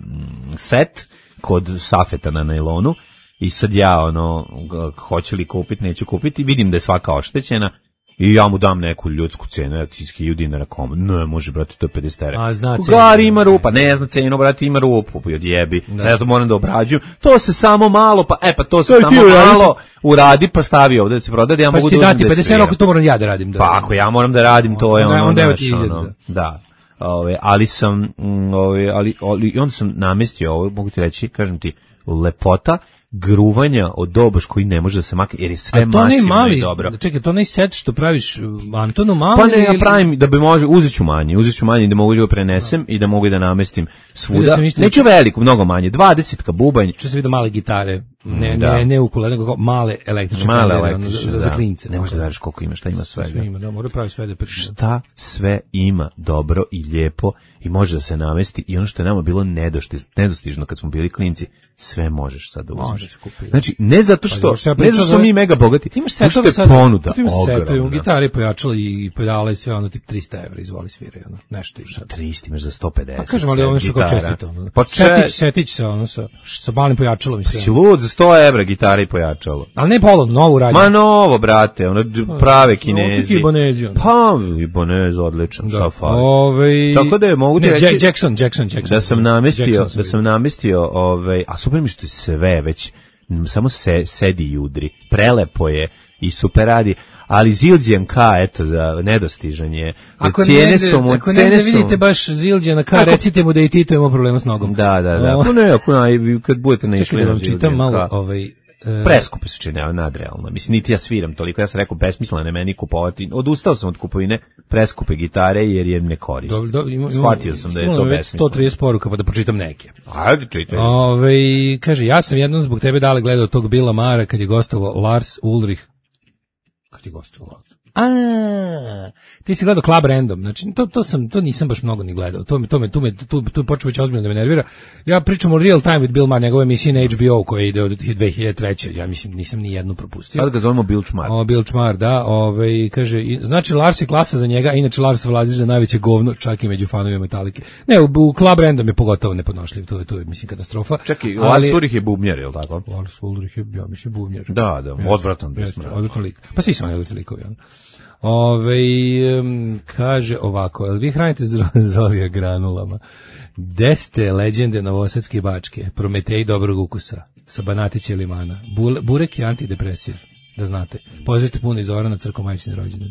[SPEAKER 7] set kod Safeta na najlonu i sad ja ono, g- hoću li kupiti, neću kupiti, vidim da je svaka oštećena i ja mu dam neku ljudsku cenu, ja ti hiljadu dinara kom, ne, može, brate, to je pedeset evra.
[SPEAKER 8] A, zna
[SPEAKER 7] Gari
[SPEAKER 8] cenu.
[SPEAKER 7] ima rupa, ne zna cenu, brate, ima rupu, pa odjebi, sad ja to moram da obrađujem, to se samo malo, pa, e, pa to se
[SPEAKER 8] To je
[SPEAKER 7] samo
[SPEAKER 8] ti uradi.
[SPEAKER 7] malo uradi, pa stavi ovde da se proda, da ja
[SPEAKER 8] Pa
[SPEAKER 7] mogu
[SPEAKER 8] ću ti
[SPEAKER 7] da uzmem
[SPEAKER 8] dati
[SPEAKER 7] da
[SPEAKER 8] pedeset evra,
[SPEAKER 7] sviram.
[SPEAKER 8] ako to moram ja da radim. Da.
[SPEAKER 7] Pa ako ja moram da radim, to je
[SPEAKER 8] Onda-
[SPEAKER 7] ono,
[SPEAKER 8] onda evo
[SPEAKER 7] znaš,
[SPEAKER 8] ti hiljadu,
[SPEAKER 7] ono,
[SPEAKER 8] da.
[SPEAKER 7] da. Ove, ali sam, mm, ove, ali, ali, i onda sam namestio ovo, mogu ti reći, kažem ti, lepota gruvanja od doboš koji ne može da se makne, jer je sve
[SPEAKER 8] A to ne
[SPEAKER 7] masivno
[SPEAKER 8] mali,
[SPEAKER 7] i dobro.
[SPEAKER 8] čekaj, to ne set što praviš uh, Antonu malo
[SPEAKER 7] Pa ne, ja
[SPEAKER 8] ili-
[SPEAKER 7] pravim da bi može, uzet ću manje, uzet ću manje da mogu da ga prenesem i da mogu da namestim
[SPEAKER 8] Vidio
[SPEAKER 7] svuda.
[SPEAKER 8] sam isto-
[SPEAKER 7] Neću veliko, mnogo manje, dvadesetka bubanj,
[SPEAKER 8] Če se vidi male gitare, ne,
[SPEAKER 7] Da.
[SPEAKER 8] ne, ne ukule, nego kao male električne
[SPEAKER 7] male
[SPEAKER 8] fendere, ono,
[SPEAKER 7] električne,
[SPEAKER 8] za, za
[SPEAKER 7] da.
[SPEAKER 8] klince.
[SPEAKER 7] Ne možeš da veriš koliko ima, šta ima svega.
[SPEAKER 8] Sve ima, da, mora pravi sve da priča.
[SPEAKER 7] Šta sve ima dobro i lijepo i može da se namesti i ono što je nama bilo nedostiž, nedostižno kad smo bili klinci, sve možeš sad da uzmeš.
[SPEAKER 8] Može se kupiti.
[SPEAKER 7] Znači, ne zato
[SPEAKER 8] Pa,
[SPEAKER 7] što,
[SPEAKER 8] još ja
[SPEAKER 7] ne
[SPEAKER 8] pričam
[SPEAKER 7] zato što
[SPEAKER 8] za-
[SPEAKER 7] smo mi mega bogati,
[SPEAKER 8] Ti imaš
[SPEAKER 7] nego što
[SPEAKER 8] setove
[SPEAKER 7] je
[SPEAKER 8] sad,
[SPEAKER 7] ponuda
[SPEAKER 8] ti imaš setove,
[SPEAKER 7] ogromna.
[SPEAKER 8] gitare, pojačala i pedale i sve, ono, tip trista evra, izvoli sviraj, ono, nešto ima.
[SPEAKER 7] tristo imaš za sto pedeset.
[SPEAKER 8] Pa kažem, ali
[SPEAKER 7] sve
[SPEAKER 8] ovo nešto kao
[SPEAKER 7] gitara.
[SPEAKER 8] čestito, ono.
[SPEAKER 7] Pa če,
[SPEAKER 8] Setić, setić se, ono, sa, sa malim pojačalom i sve.
[SPEAKER 7] si lud za sto evra gitara i pojačalo.
[SPEAKER 8] Ali ne polovno, novu radnju.
[SPEAKER 7] Ma novo, brate, ono d- prave kinezi.
[SPEAKER 8] Ovo su Ibonezi, ono.
[SPEAKER 7] Pa, Ibonez, odličan, šta fali.
[SPEAKER 8] Ovaj,
[SPEAKER 7] Tako da je, mogu ti
[SPEAKER 8] ne,
[SPEAKER 7] reći-
[SPEAKER 8] Jack- Jackson, Jackson, Jackson.
[SPEAKER 7] Da sam namestio,
[SPEAKER 8] Jackson
[SPEAKER 7] da sam namestio, ovaj, a super mi što je sve već, m, samo se sedi i udri. Prelepo je i super radi, ali Zildjian K, eto, za nedostižan je.
[SPEAKER 8] Ako
[SPEAKER 7] Cijene
[SPEAKER 8] ne,
[SPEAKER 7] su mu,
[SPEAKER 8] ako ne,
[SPEAKER 7] cene
[SPEAKER 8] ne
[SPEAKER 7] su
[SPEAKER 8] vidite baš Zildjana K,
[SPEAKER 7] Ako-
[SPEAKER 8] recite mu da i Tito ima problema s nogom.
[SPEAKER 7] Da, da, da.
[SPEAKER 8] O,
[SPEAKER 7] Ako ne, ako ne, kad budete naišli
[SPEAKER 8] Čekaj da
[SPEAKER 7] na
[SPEAKER 8] vam čitam
[SPEAKER 7] Zildjian
[SPEAKER 8] malo,
[SPEAKER 7] K.
[SPEAKER 8] ovaj, e,
[SPEAKER 7] Preskupe su čine, nadrealno. Mislim, niti ja sviram toliko, ja sam rekao, besmisleno je meni kupovati. Odustao sam od kupovine preskupe gitare, jer je ne koristim.
[SPEAKER 8] dobro, dobro, ima- ima-
[SPEAKER 7] Shvatio sam da je to
[SPEAKER 8] stiglo nam već
[SPEAKER 7] besmisleno.
[SPEAKER 8] sto trideset poruka, pa da pročitam neke.
[SPEAKER 7] Ajde, čitaj.
[SPEAKER 8] Ove, kaže, ja sam jednom zbog tebe dale gledao tog Bila Mara kad je gostovao Lars Ulrich. Kad je gostovao Lars? A, ti si gledao Club Random, znači to, to, sam, to nisam baš mnogo ni gledao, to me, to me, tu me, tu, tu počeo već ozbiljno da me nervira. Ja pričam o Real Time with Bill Maher, njegove emisije na H B O koje ide od dve hiljade treće. Ja mislim, nisam ni jednu propustio.
[SPEAKER 7] Sad ga zovemo Bill Čmar.
[SPEAKER 8] O, Bill Čmar, da, ovaj, kaže, i- znači Lars je klasa za njega, a inače Lars Vlazić za najveće govno, čak i među fanovima Metalike. Ne, u, u Club Random je pogotovo nepodnošljiv, to je, to je, mislim, katastrofa.
[SPEAKER 7] Čekaj,
[SPEAKER 8] ali-
[SPEAKER 7] Lars Ulrich je bubnjar, je li tako?
[SPEAKER 8] Lars Ulrich je, ja mislim, bubnjar.
[SPEAKER 7] Da, da, odvratan bio
[SPEAKER 8] Jeste,
[SPEAKER 7] smrad.
[SPEAKER 8] odvratan lik. Pa svi su oni odvratan likovi, ono. Ove, um, kaže ovako, jel vi hranite zro- zolija granulama? Deste leđende novosadske bačke, Prometej dobrog ukusa, sa Banatića i limana. Bule- burek je antidepresiv, da znate. Pozdravite puno iz Zorana Crko majčini rođendan.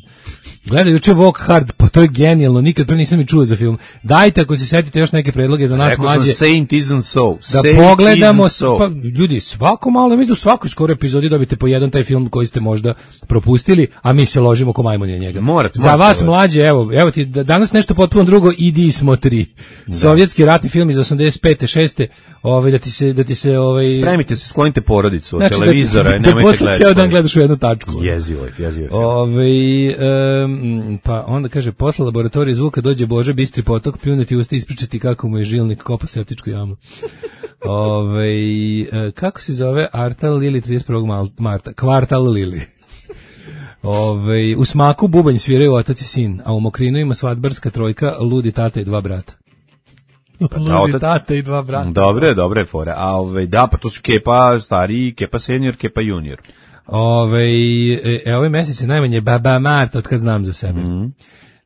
[SPEAKER 8] Gledaj juče Walk Hard, pa to je genijalno, nikad pre nisam ni čuo za film. Dajte ako se setite još neke predloge za nas
[SPEAKER 7] Rekao sam
[SPEAKER 8] mlađe.
[SPEAKER 7] Saint isn't so.
[SPEAKER 8] Da
[SPEAKER 7] Saint
[SPEAKER 8] pogledamo,
[SPEAKER 7] isn't so.
[SPEAKER 8] pa, ljudi, svako malo, mislim da u svakoj skoro epizodi dobite po jedan taj film koji ste možda propustili, a mi se ložimo ko majmuni na njega.
[SPEAKER 7] Morate,
[SPEAKER 8] Za
[SPEAKER 7] morate,
[SPEAKER 8] vas
[SPEAKER 7] ovo.
[SPEAKER 8] mlađe, evo, evo ti da- danas nešto potpuno drugo, idi smo tri. Sovjetski ratni film iz osamdeset pete šeste ovaj da ti se da ti se ovaj
[SPEAKER 7] Spremite se, sklonite porodicu od
[SPEAKER 8] znači,
[SPEAKER 7] televizora
[SPEAKER 8] da,
[SPEAKER 7] i
[SPEAKER 8] da,
[SPEAKER 7] nemojte
[SPEAKER 8] posle
[SPEAKER 7] gledati.
[SPEAKER 8] ceo dan gledaš u jednu tačku.
[SPEAKER 7] Jezivo je, jezivo je.
[SPEAKER 8] Ovaj em, pa onda kaže posle laboratorije zvuka dođe Bože bistri potok pljunuti usta i ispričati kako mu je žilnik kopa septičku jamu. Ovaj e, kako se zove Artal Lili trideset prvog mal- marta? Kvartal Lili. Ovaj u smaku bubanj sviraju otac i sin, a u Mokrinu ima svadbarska trojka, ludi tata i dva brata. Ludi
[SPEAKER 7] otac-
[SPEAKER 8] tata i dva brata.
[SPEAKER 7] Dobre, dobre fore. A ovaj da, pa to su Kepa stariji, Kepa senior, Kepa junior.
[SPEAKER 8] Ove, e, e, ovaj mesec je najmanje Baba Marta od kad znam za sebe.
[SPEAKER 7] Mhm.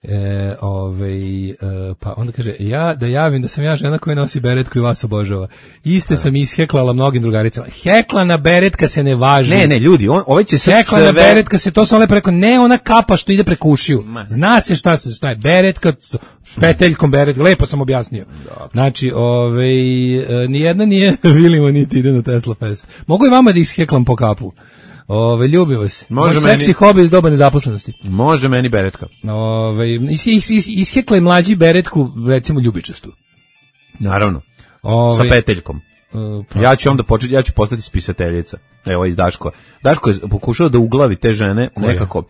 [SPEAKER 8] E, ovaj, e, pa onda kaže, ja da javim da sam ja žena koja nosi beretku i vas obožava. Iste sam isheklala mnogim drugaricama. Heklana beretka se ne važi.
[SPEAKER 7] Ne, ne, ljudi, on, ovaj će sad
[SPEAKER 8] Heklana
[SPEAKER 7] sve...
[SPEAKER 8] beretka se, to sam le preko, ne ona kapa što ide preko ušiju. Zna se šta se, šta je beretka, s peteljkom beretka, lepo sam objasnio. Znači, ovaj, e, nijedna nije Vilimo niti ide na Tesla Fest. Mogu i vama da isheklam po kapu. Ove, ljubim vas.
[SPEAKER 7] Može
[SPEAKER 8] Moj
[SPEAKER 7] meni-
[SPEAKER 8] seksi hobi iz doba nezaposlenosti.
[SPEAKER 7] Može meni beretka.
[SPEAKER 8] Ove, is, is, is, ishekla je mlađi beretku, recimo ljubičastu.
[SPEAKER 7] Naravno.
[SPEAKER 8] Ove,
[SPEAKER 7] Sa peteljkom.
[SPEAKER 8] e, pa-
[SPEAKER 7] Ja ću onda početi, ja ću postati spisateljica. Evo iz Daško. Daško je pokušao da uglavi te žene
[SPEAKER 8] Koje?
[SPEAKER 7] nekako,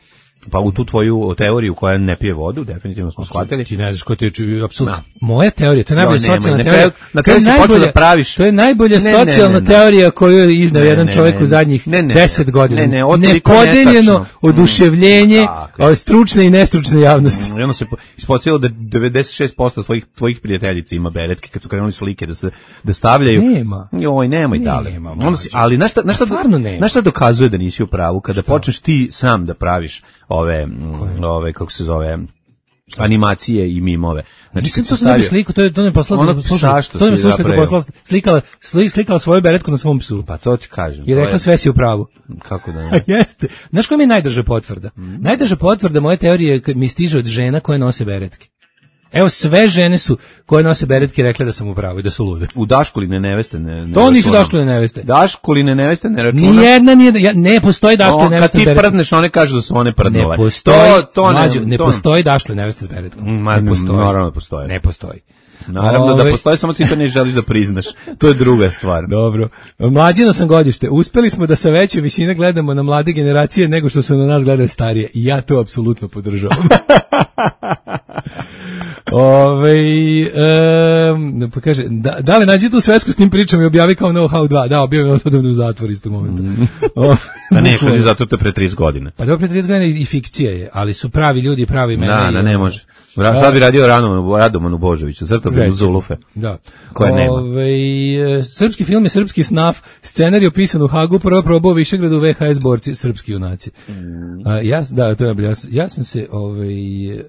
[SPEAKER 7] pa u tu tvoju teoriju koja ne pije vodu, definitivno smo shvatili.
[SPEAKER 8] Ti ne znaš ko ti je apsolutno.
[SPEAKER 7] Da.
[SPEAKER 8] Moja teorija, to je najbolja
[SPEAKER 7] Joj, nemoj,
[SPEAKER 8] socijalna
[SPEAKER 7] na
[SPEAKER 8] teorija.
[SPEAKER 7] kraju- na
[SPEAKER 8] To je
[SPEAKER 7] kraju si počeo
[SPEAKER 8] najbolja-
[SPEAKER 7] da praviš-
[SPEAKER 8] To je najbolja
[SPEAKER 7] Ne, ne, ne,
[SPEAKER 8] socijalna
[SPEAKER 7] ne.
[SPEAKER 8] teorija koju je izneo
[SPEAKER 7] Ne,
[SPEAKER 8] jedan
[SPEAKER 7] ne,
[SPEAKER 8] čovjek
[SPEAKER 7] ne,
[SPEAKER 8] u zadnjih
[SPEAKER 7] ne, ne,
[SPEAKER 8] deset
[SPEAKER 7] ne.
[SPEAKER 8] godina.
[SPEAKER 7] Ne, ne, ovo toliko
[SPEAKER 8] Nepodeljeno
[SPEAKER 7] netačno.
[SPEAKER 8] oduševljenje
[SPEAKER 7] Mm, tako je.
[SPEAKER 8] o, stručne i nestručne javnosti.
[SPEAKER 7] I onda se po- ispostavilo da devedeset šest posto tvojih tvojih prijateljica ima beretke kad su krenuli slike da se da stavljaju.
[SPEAKER 8] Nema.
[SPEAKER 7] Joj, nemoj dale.
[SPEAKER 8] Nema,
[SPEAKER 7] Onda si,
[SPEAKER 8] mlađe.
[SPEAKER 7] ali na šta na šta
[SPEAKER 8] Stvarno nema.
[SPEAKER 7] na šta dokazuje da nisi u pravu kada počneš ti sam da praviš ove mm, ove kako se zove animacije i mimove. Znači
[SPEAKER 8] Mislim
[SPEAKER 7] kad
[SPEAKER 8] to
[SPEAKER 7] se
[SPEAKER 8] sam ne bi
[SPEAKER 7] stavio
[SPEAKER 8] sliku, to je to ne poslala.
[SPEAKER 7] Onog psa što
[SPEAKER 8] to ne
[SPEAKER 7] si
[SPEAKER 8] slušala
[SPEAKER 7] napravio.
[SPEAKER 8] poslala, slikala, sli- slikala svoju beretku na svom psu.
[SPEAKER 7] pa to ti kažem.
[SPEAKER 8] I
[SPEAKER 7] to
[SPEAKER 8] rekla
[SPEAKER 7] je-
[SPEAKER 8] sve si u pravu.
[SPEAKER 7] kako da
[SPEAKER 8] A
[SPEAKER 7] ne.
[SPEAKER 8] jeste. Znaš koja mi je najdrža potvrda? Najdrža potvrda moje teorije je kad mi stiže od žena koje nose beretke. Evo, sve žene su koje nose beretke rekle da sam u pravu i da su lude.
[SPEAKER 7] U Daškoline neveste ne, ne
[SPEAKER 8] To nisu
[SPEAKER 7] računam.
[SPEAKER 8] Daškoline neveste.
[SPEAKER 7] Daškoline neveste ne računam.
[SPEAKER 8] Nijedna nije, ja, ne postoji Daškoline
[SPEAKER 7] O,
[SPEAKER 8] neveste
[SPEAKER 7] kad
[SPEAKER 8] s
[SPEAKER 7] ti
[SPEAKER 8] beretkom.
[SPEAKER 7] prdneš, one kažu da su one
[SPEAKER 8] Ne
[SPEAKER 7] prdnule.
[SPEAKER 8] postoji,
[SPEAKER 7] to, to
[SPEAKER 8] mlađo, ne
[SPEAKER 7] to-
[SPEAKER 8] postoji Daškoline neveste s beretkom.
[SPEAKER 7] Ma,
[SPEAKER 8] ne postoji.
[SPEAKER 7] naravno da postoji.
[SPEAKER 8] Ne postoji.
[SPEAKER 7] Naravno da
[SPEAKER 8] Ove-
[SPEAKER 7] postoji, samo ti to ne želiš da priznaš. To je druga stvar.
[SPEAKER 8] Dobro. Mlađino sam godište. Uspeli smo da sa veće visine gledamo na mlade generacije nego što su na nas gledali starije. I ja to apsolutno podržavam. Ove, um, pa kaže, da, da li nađi tu svesku s tim pričom i objavi kao Know-how dva? Da, objavim odavno u zatvor istog momenta. O,
[SPEAKER 7] A ne, što ti zato te pre trideset godina.
[SPEAKER 8] Pa dobro, pre trideset godina i fikcija je, ali su pravi ljudi i pravi imena.
[SPEAKER 7] Da,
[SPEAKER 8] i-
[SPEAKER 7] da, ne može. Ra- Sad bi radio Radomanu, Radomanu Božoviću, crto bi u
[SPEAKER 8] Recimo.
[SPEAKER 7] Zulufe.
[SPEAKER 8] Da.
[SPEAKER 7] Koje nema.
[SPEAKER 8] Ovaj, e, srpski film je srpski snaf, scenarij pisan u Hagu, prvo probao Višegradu V H S borci, srpski junaci.
[SPEAKER 7] Mm.
[SPEAKER 8] A, ja, da, to je najbolje. ja, sam- ja sam se ovaj, e,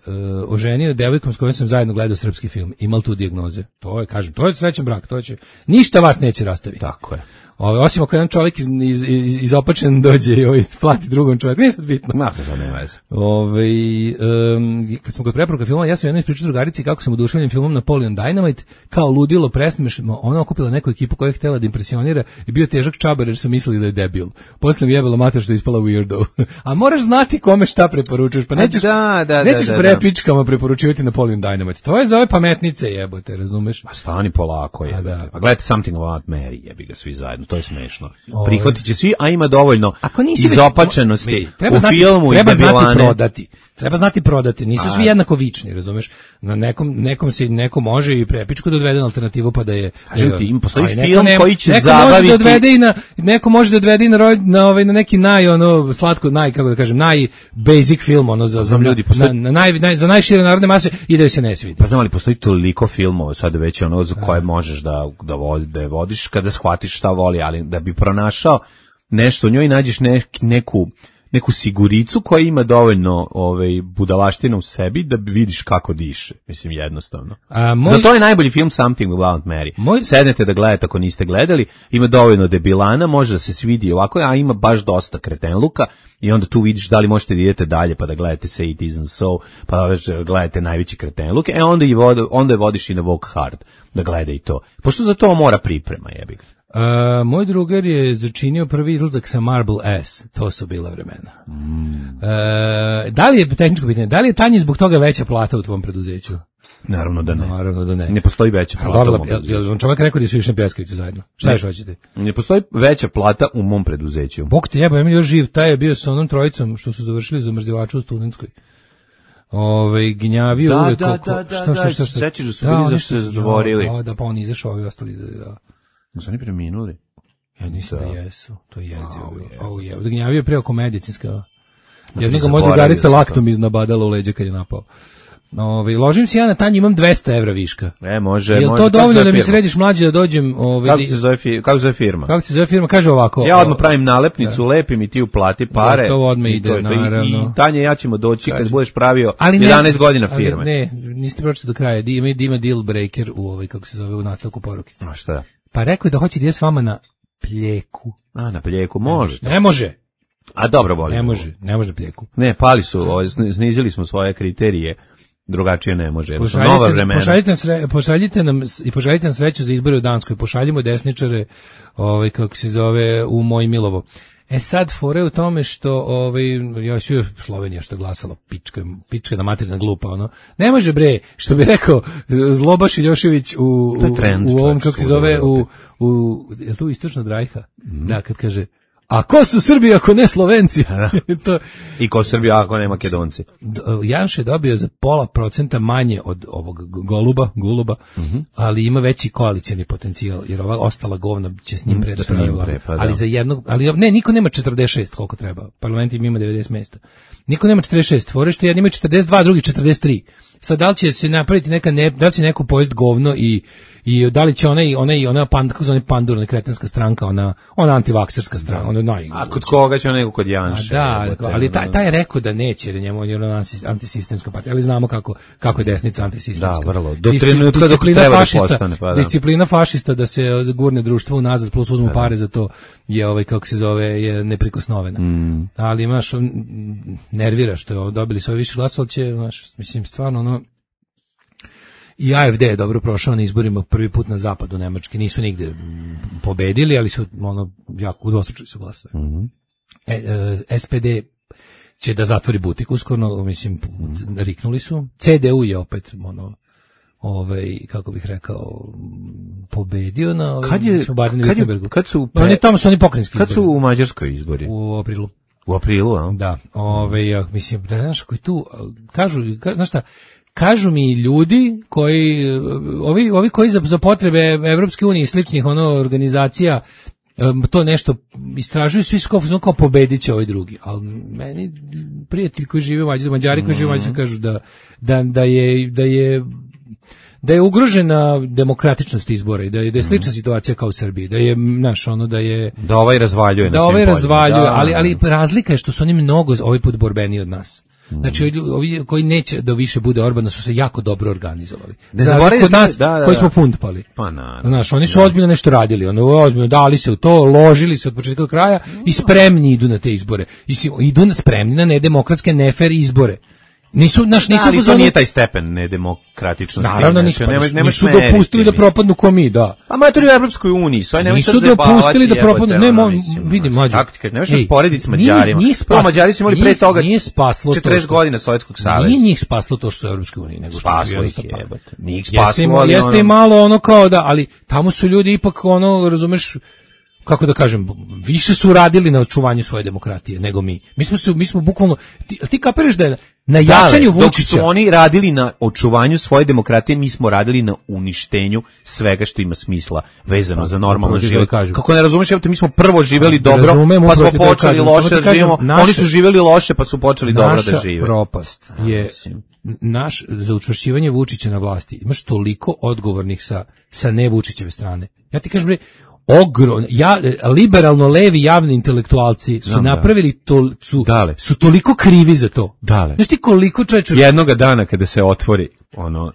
[SPEAKER 8] oženio devojkom s kojom sam zajedno gledao srpski film. Imal tu dijagnoze. To je, kažem, to je srećan brak, to će, ništa vas neće rastaviti.
[SPEAKER 7] Tako je.
[SPEAKER 8] Ove, osim ako jedan čovjek iz, iz, iz, izopačen dođe i ovaj, plati drugom čovjeku, nije sad bitno.
[SPEAKER 7] Ma, to nema veze.
[SPEAKER 8] Ove, um, kad smo kod preporuka filma, ja sam jedno ispričao drugarici kako sam oduševljen filmom Napoleon Dynamite, kao ludilo presmešno, ona okupila neku ekipu koja je htjela da impresionira i bio težak čabar jer su mislili da je debil. Posle mi jebalo mater što je ispala weirdo. A moraš znati kome šta preporučuješ, pa nećeš,
[SPEAKER 7] da, da,
[SPEAKER 8] nećeš
[SPEAKER 7] da, da, da.
[SPEAKER 8] prepičkama preporučivati Napoleon Dynamite. To je za ove pametnice jebote, razumeš?
[SPEAKER 7] Pa stani polako, je.
[SPEAKER 8] da.
[SPEAKER 7] Pa gledajte Something About Mary, jebi ga svi zajedno, to je smešno.
[SPEAKER 8] Ovo.
[SPEAKER 7] Prihvatit će svi, a ima dovoljno
[SPEAKER 8] Ako nisi već-
[SPEAKER 7] izopačenosti
[SPEAKER 8] vidi, treba
[SPEAKER 7] u
[SPEAKER 8] znati,
[SPEAKER 7] filmu
[SPEAKER 8] treba
[SPEAKER 7] i
[SPEAKER 8] znati
[SPEAKER 7] debilane.
[SPEAKER 8] prodati. Treba znati prodati. Nisu svi jednako vični, razumeš? Na nekom nekom se neko može i prepičku da odvede na alternativu pa da je.
[SPEAKER 7] Kažem ti, ima postoji
[SPEAKER 8] ali neko
[SPEAKER 7] film
[SPEAKER 8] nema-
[SPEAKER 7] koji će
[SPEAKER 8] neko
[SPEAKER 7] zabaviti-
[SPEAKER 8] može da odvede i na neko može da odvede i na, roj- na ovaj na neki naj ono slatko naj kako da kažem naj basic film ono za za
[SPEAKER 7] Znam, ljudi,
[SPEAKER 8] na,
[SPEAKER 7] postoji-
[SPEAKER 8] na, naj, naj, za najšire narodne mase i da joj se ne svidi.
[SPEAKER 7] Pa znam li, postoji toliko filmova sad već ono za koje možeš da, da, vodi, da je vodiš kada shvatiš šta voli, ali da bi pronašao nešto u njoj nađeš nek, neku neku siguricu koja ima dovoljno ovaj budalaština u sebi da vidiš kako diše. Mislim, jednostavno.
[SPEAKER 8] A moj-
[SPEAKER 7] Zato je najbolji film Something About Mary.
[SPEAKER 8] Moj-
[SPEAKER 7] Sednete da gledate ako niste gledali, ima dovoljno debilana, može da se svidi ovako, a ima baš dosta kretenluka i onda tu vidiš da li možete da idete dalje pa da gledate Say It Isn't So, pa da već gledate najveći kretenluk, e onda, i vod, onda je vodiš i na Walk Hard da gleda i to. Pošto za to mora priprema, jebi ga.
[SPEAKER 8] A, moj drugar je začinio prvi izlazak sa Marble S. To su bila vremena.
[SPEAKER 7] Mm.
[SPEAKER 8] E, da li je, tehničko pitanje, da li je Tanji zbog toga veća plata u tvom preduzeću?
[SPEAKER 7] Naravno da ne.
[SPEAKER 8] Naravno da ne.
[SPEAKER 7] Ne postoji veća
[SPEAKER 8] A
[SPEAKER 7] plata u
[SPEAKER 8] dobro,
[SPEAKER 7] mom
[SPEAKER 8] jel,
[SPEAKER 7] preduzeću.
[SPEAKER 8] jel vam čovjek rekao da su išli na pljeskavicu zajedno? Šta
[SPEAKER 7] Ne.
[SPEAKER 8] još hoćete?
[SPEAKER 7] Ne postoji veća plata u mom preduzeću.
[SPEAKER 8] Bog te jeba, ja mi još živ, taj je bio sa onom trojicom što su završili za mrzivaču u Studentskoj. Ove, gnjavio
[SPEAKER 7] Da,
[SPEAKER 8] uvek
[SPEAKER 7] da,
[SPEAKER 8] oko-
[SPEAKER 7] da, da,
[SPEAKER 8] šta, šta,
[SPEAKER 7] da,
[SPEAKER 8] šta, šta?
[SPEAKER 7] sećaš da su bili
[SPEAKER 8] oni
[SPEAKER 7] zašto se
[SPEAKER 8] su-
[SPEAKER 7] zadvorili.
[SPEAKER 8] Da, da, pa oni izašao, ovi ostali, da, da.
[SPEAKER 7] Su oni preminuli?
[SPEAKER 8] Ja mislim da,
[SPEAKER 7] Da.
[SPEAKER 8] jesu, to je jezio.
[SPEAKER 7] Au, je.
[SPEAKER 8] Au, je. Gnjavio je pre oko medicinska.
[SPEAKER 7] ti
[SPEAKER 8] Jednog moja
[SPEAKER 7] zaboravio
[SPEAKER 8] drugarica
[SPEAKER 7] sam to.
[SPEAKER 8] laktom iznabadala u leđa kad je napao. Ovaj ložim se ja na tanji, imam dvesta evra viška.
[SPEAKER 7] E, može,
[SPEAKER 8] Jel
[SPEAKER 7] može.
[SPEAKER 8] to
[SPEAKER 7] Kako
[SPEAKER 8] dovoljno
[SPEAKER 7] zove
[SPEAKER 8] da mi
[SPEAKER 7] firma?
[SPEAKER 8] središ mlađe da dođem, ovaj
[SPEAKER 7] Kako se zove firma? Kako se zove firma?
[SPEAKER 8] Kako se zove firma? Kaže ovako.
[SPEAKER 7] Ja odmah pravim nalepnicu, lepim i ti uplati pare.
[SPEAKER 8] Da, to odmah
[SPEAKER 7] I
[SPEAKER 8] ide,
[SPEAKER 7] to je to. I-
[SPEAKER 8] naravno.
[SPEAKER 7] I Tanja i ja ćemo doći kad budeš pravio
[SPEAKER 8] Ali ne-
[SPEAKER 7] jedanaest godina
[SPEAKER 8] ali
[SPEAKER 7] firme.
[SPEAKER 8] Ne, niste pročitali do kraja. Di ima, di ima deal breaker u ovaj, kako se zove, u nastavku poruke.
[SPEAKER 7] A šta?
[SPEAKER 8] Pa rekao je da hoće da ide s vama na Pljeku.
[SPEAKER 7] A, na Pljeku, može.
[SPEAKER 8] Ne može.
[SPEAKER 7] A dobro, boli.
[SPEAKER 8] Ne može, ne može na Pljeku.
[SPEAKER 7] Ne, pali su, ovaj, sni- snizili smo svoje kriterije, drugačije ne može. Jer su nova
[SPEAKER 8] Pošaljite,
[SPEAKER 7] vremena.
[SPEAKER 8] pošaljite, nam sre, pošaljite nam s- i pošaljite nam sreću za izbore u Danskoj. Pošaljimo desničare, ovaj kako se zove, u Moj Milovo. E sad fore u tome što ovaj ja ću Slovenija što glasala pička pička na materina glupa ono. Ne može bre, što bi rekao Zlobaš Iljošević u
[SPEAKER 7] To je
[SPEAKER 8] u,
[SPEAKER 7] trend,
[SPEAKER 8] u ovom
[SPEAKER 7] čovječe,
[SPEAKER 8] kako se
[SPEAKER 7] svuda u
[SPEAKER 8] zove u
[SPEAKER 7] Evropi.
[SPEAKER 8] u je to istočna Drajha. Da, kad kaže a ko su Srbi ako ne Slovenci? to
[SPEAKER 7] I ko Srbija, ako ne Makedonci.
[SPEAKER 8] D- Janš je dobio za pola procenta manje od ovog g- Goluba, Guluba, ali ima veći koalicioni potencijal, jer ova ostala govna će s njim pre da
[SPEAKER 7] s njim
[SPEAKER 8] pravi
[SPEAKER 7] pre,
[SPEAKER 8] vladu.
[SPEAKER 7] pa da.
[SPEAKER 8] Ali za jednog, ali ne, niko nema četrdeset šest koliko treba. Parlament im ima devedeset mesta. Niko nema četrdeset šest, fore što jedni imaju četrdeset dva, drugi četrdeset tri. Sad da li će se napraviti neka ne, da li će neko pojest govno i i da li će ona i ona i ona pand kako zove pandur, ona kretenska stranka, ona ona antivakserska stranka, ona naj.
[SPEAKER 7] A kod koga će on nego kod
[SPEAKER 8] A
[SPEAKER 7] Janša?
[SPEAKER 8] da,
[SPEAKER 7] jebote,
[SPEAKER 8] ali
[SPEAKER 7] ono.
[SPEAKER 8] taj, taj je rekao da neće, jer je njemu on je ona antisistemska partija, ali znamo kako, kako je desnica antisistemska.
[SPEAKER 7] Da, vrlo. Do
[SPEAKER 8] Disci-
[SPEAKER 7] trenutka dok
[SPEAKER 8] disciplina
[SPEAKER 7] treba da
[SPEAKER 8] fašista,
[SPEAKER 7] postane, pa da.
[SPEAKER 8] disciplina fašista da se gurne društvo unazad plus uzmu pare za to je ovaj kako se zove je neprikosnovena.
[SPEAKER 7] Mm.
[SPEAKER 8] Ali imaš on, m, nervira što je dobili svoje više glasova, ali će, znaš, mislim stvarno ono i A F D je dobro prošao na izborima prvi put na zapadu Nemačke, nisu nigde m, pobedili, ali su ono jako udvostručili su glasove.
[SPEAKER 7] Mhm.
[SPEAKER 8] E, e, S P D će da zatvori butik uskoro, mislim, riknuli su. C D U je opet, ono, ovaj, kako bih rekao, pobedio na ovim,
[SPEAKER 7] Kad je-
[SPEAKER 8] mislim, u Badenu
[SPEAKER 7] kad je-
[SPEAKER 8] Württembergu.
[SPEAKER 7] kad su
[SPEAKER 8] Pa oni
[SPEAKER 7] pre-
[SPEAKER 8] tamo su oni pokrenjski
[SPEAKER 7] Kad su
[SPEAKER 8] izbori.
[SPEAKER 7] u Mađarskoj izbori?
[SPEAKER 8] U aprilu.
[SPEAKER 7] U aprilu, a?
[SPEAKER 8] Da, ovaj, ja, mislim, da znaš, koji tu, kažu, ka, znaš šta, kažu mi ljudi koji, ovi, ovi koji za, za potrebe Evropske unije i sličnih ono organizacija em, to nešto istražuju, svi su kao, su kao pobedit će ovaj drugi, ali meni prijatelji koji žive u Mađarskoj, Mađari koji žive u Mađarskoj kažu da, da, da je, da je da je ugrožena demokratičnost izbora i da je, da je slična situacija kao u Srbiji, da je, znaš, ono, da je
[SPEAKER 7] Da ovaj razvaljuje na
[SPEAKER 8] da
[SPEAKER 7] svim
[SPEAKER 8] ovaj
[SPEAKER 7] poljima.
[SPEAKER 8] razvaljuje,
[SPEAKER 7] Da,
[SPEAKER 8] ali
[SPEAKER 7] da.
[SPEAKER 8] ali razlika je što su oni mnogo ovaj put borbeniji od nas. Znači ovi, ovi koji neće da više bude Orbana su se jako dobro organizovali.
[SPEAKER 7] Ne
[SPEAKER 8] Za
[SPEAKER 7] zaboravite
[SPEAKER 8] razliku od nas
[SPEAKER 7] da, da,
[SPEAKER 8] koji
[SPEAKER 7] da.
[SPEAKER 8] smo punt pali.
[SPEAKER 7] Pa naravno.
[SPEAKER 8] Znaš, oni su ozbiljno nešto radili, ono ozbiljno dali se u to, ložili se od početka do kraja i spremni idu na te izbore. I si- idu na spremni na nedemokratske, nefer izbore. Nisu, naš,
[SPEAKER 7] Da,
[SPEAKER 8] nisu
[SPEAKER 7] ali
[SPEAKER 8] u
[SPEAKER 7] to
[SPEAKER 8] fazonu-
[SPEAKER 7] nije taj stepen nedemokratičnosti.
[SPEAKER 8] Naravno,
[SPEAKER 7] znači,
[SPEAKER 8] nisu, pa
[SPEAKER 7] nemoj-
[SPEAKER 8] nisu,
[SPEAKER 7] nemoj
[SPEAKER 8] nisu
[SPEAKER 7] smetiti,
[SPEAKER 8] dopustili da
[SPEAKER 7] mislim.
[SPEAKER 8] propadnu ko mi, da.
[SPEAKER 7] A matori u Evropskoj uniji, sve nemoj sad
[SPEAKER 8] Nisu
[SPEAKER 7] zajebavati,
[SPEAKER 8] dopustili da
[SPEAKER 7] jebote,
[SPEAKER 8] propadnu, ne,
[SPEAKER 7] ono,
[SPEAKER 8] mo,
[SPEAKER 7] mislim,
[SPEAKER 8] vidi,
[SPEAKER 7] ono,
[SPEAKER 8] mlađo.
[SPEAKER 7] taktika, ne možeš
[SPEAKER 8] Ej,
[SPEAKER 7] sporediti s
[SPEAKER 8] nije-
[SPEAKER 7] Mađarima.
[SPEAKER 8] nije
[SPEAKER 7] Prvo,
[SPEAKER 8] spas-
[SPEAKER 7] Mađari su imali
[SPEAKER 8] nije-
[SPEAKER 7] pre toga
[SPEAKER 8] nije spaslo to
[SPEAKER 7] četrdeset
[SPEAKER 8] što-
[SPEAKER 7] godina Sovjetskog saveza.
[SPEAKER 8] Nije njih spaslo to što su u Evropskoj uniji, nego što su
[SPEAKER 7] Spaslo ih
[SPEAKER 8] jednostavno
[SPEAKER 7] je,
[SPEAKER 8] tako.
[SPEAKER 7] jebote. Nije ih
[SPEAKER 8] Jeste im,
[SPEAKER 7] spaslo, ali
[SPEAKER 8] jeste
[SPEAKER 7] ono-
[SPEAKER 8] im malo ono kao da, ali tamo su ljudi ipak ono, razumeš, kako da kažem, više su radili na očuvanju svoje demokratije nego mi. Mi smo se, mi smo bukvalno, ti, ti kapiraš da je na jačanju
[SPEAKER 7] Dale, dok
[SPEAKER 8] Vučića.
[SPEAKER 7] su oni radili na očuvanju svoje demokratije, mi smo radili na uništenju svega što ima smisla vezano za normalno
[SPEAKER 8] upravo ti to
[SPEAKER 7] život.
[SPEAKER 8] kažem.
[SPEAKER 7] Kako ne razumeš, evo te, mi smo prvo živeli dobro,
[SPEAKER 8] Razumem,
[SPEAKER 7] pa smo
[SPEAKER 8] upravo ti to
[SPEAKER 7] počeli
[SPEAKER 8] kažem. Samo
[SPEAKER 7] loše
[SPEAKER 8] ti
[SPEAKER 7] da
[SPEAKER 8] kažem,
[SPEAKER 7] živimo,
[SPEAKER 8] naše-
[SPEAKER 7] oni su živeli loše pa su počeli dobro
[SPEAKER 8] Naša
[SPEAKER 7] da žive.
[SPEAKER 8] propast je
[SPEAKER 7] mislim.
[SPEAKER 8] naš za učvršćivanje Vučića na vlasti. Imaš toliko odgovornih sa sa ne Vučićeve strane. Ja ti kažem bre, ogrom, ja, liberalno levi javni intelektualci su
[SPEAKER 7] Znam, da.
[SPEAKER 8] napravili to, su,
[SPEAKER 7] Dale.
[SPEAKER 8] su toliko krivi za to.
[SPEAKER 7] Dale.
[SPEAKER 8] Znaš ti koliko čovječe
[SPEAKER 7] Jednoga dana kada se otvori ono,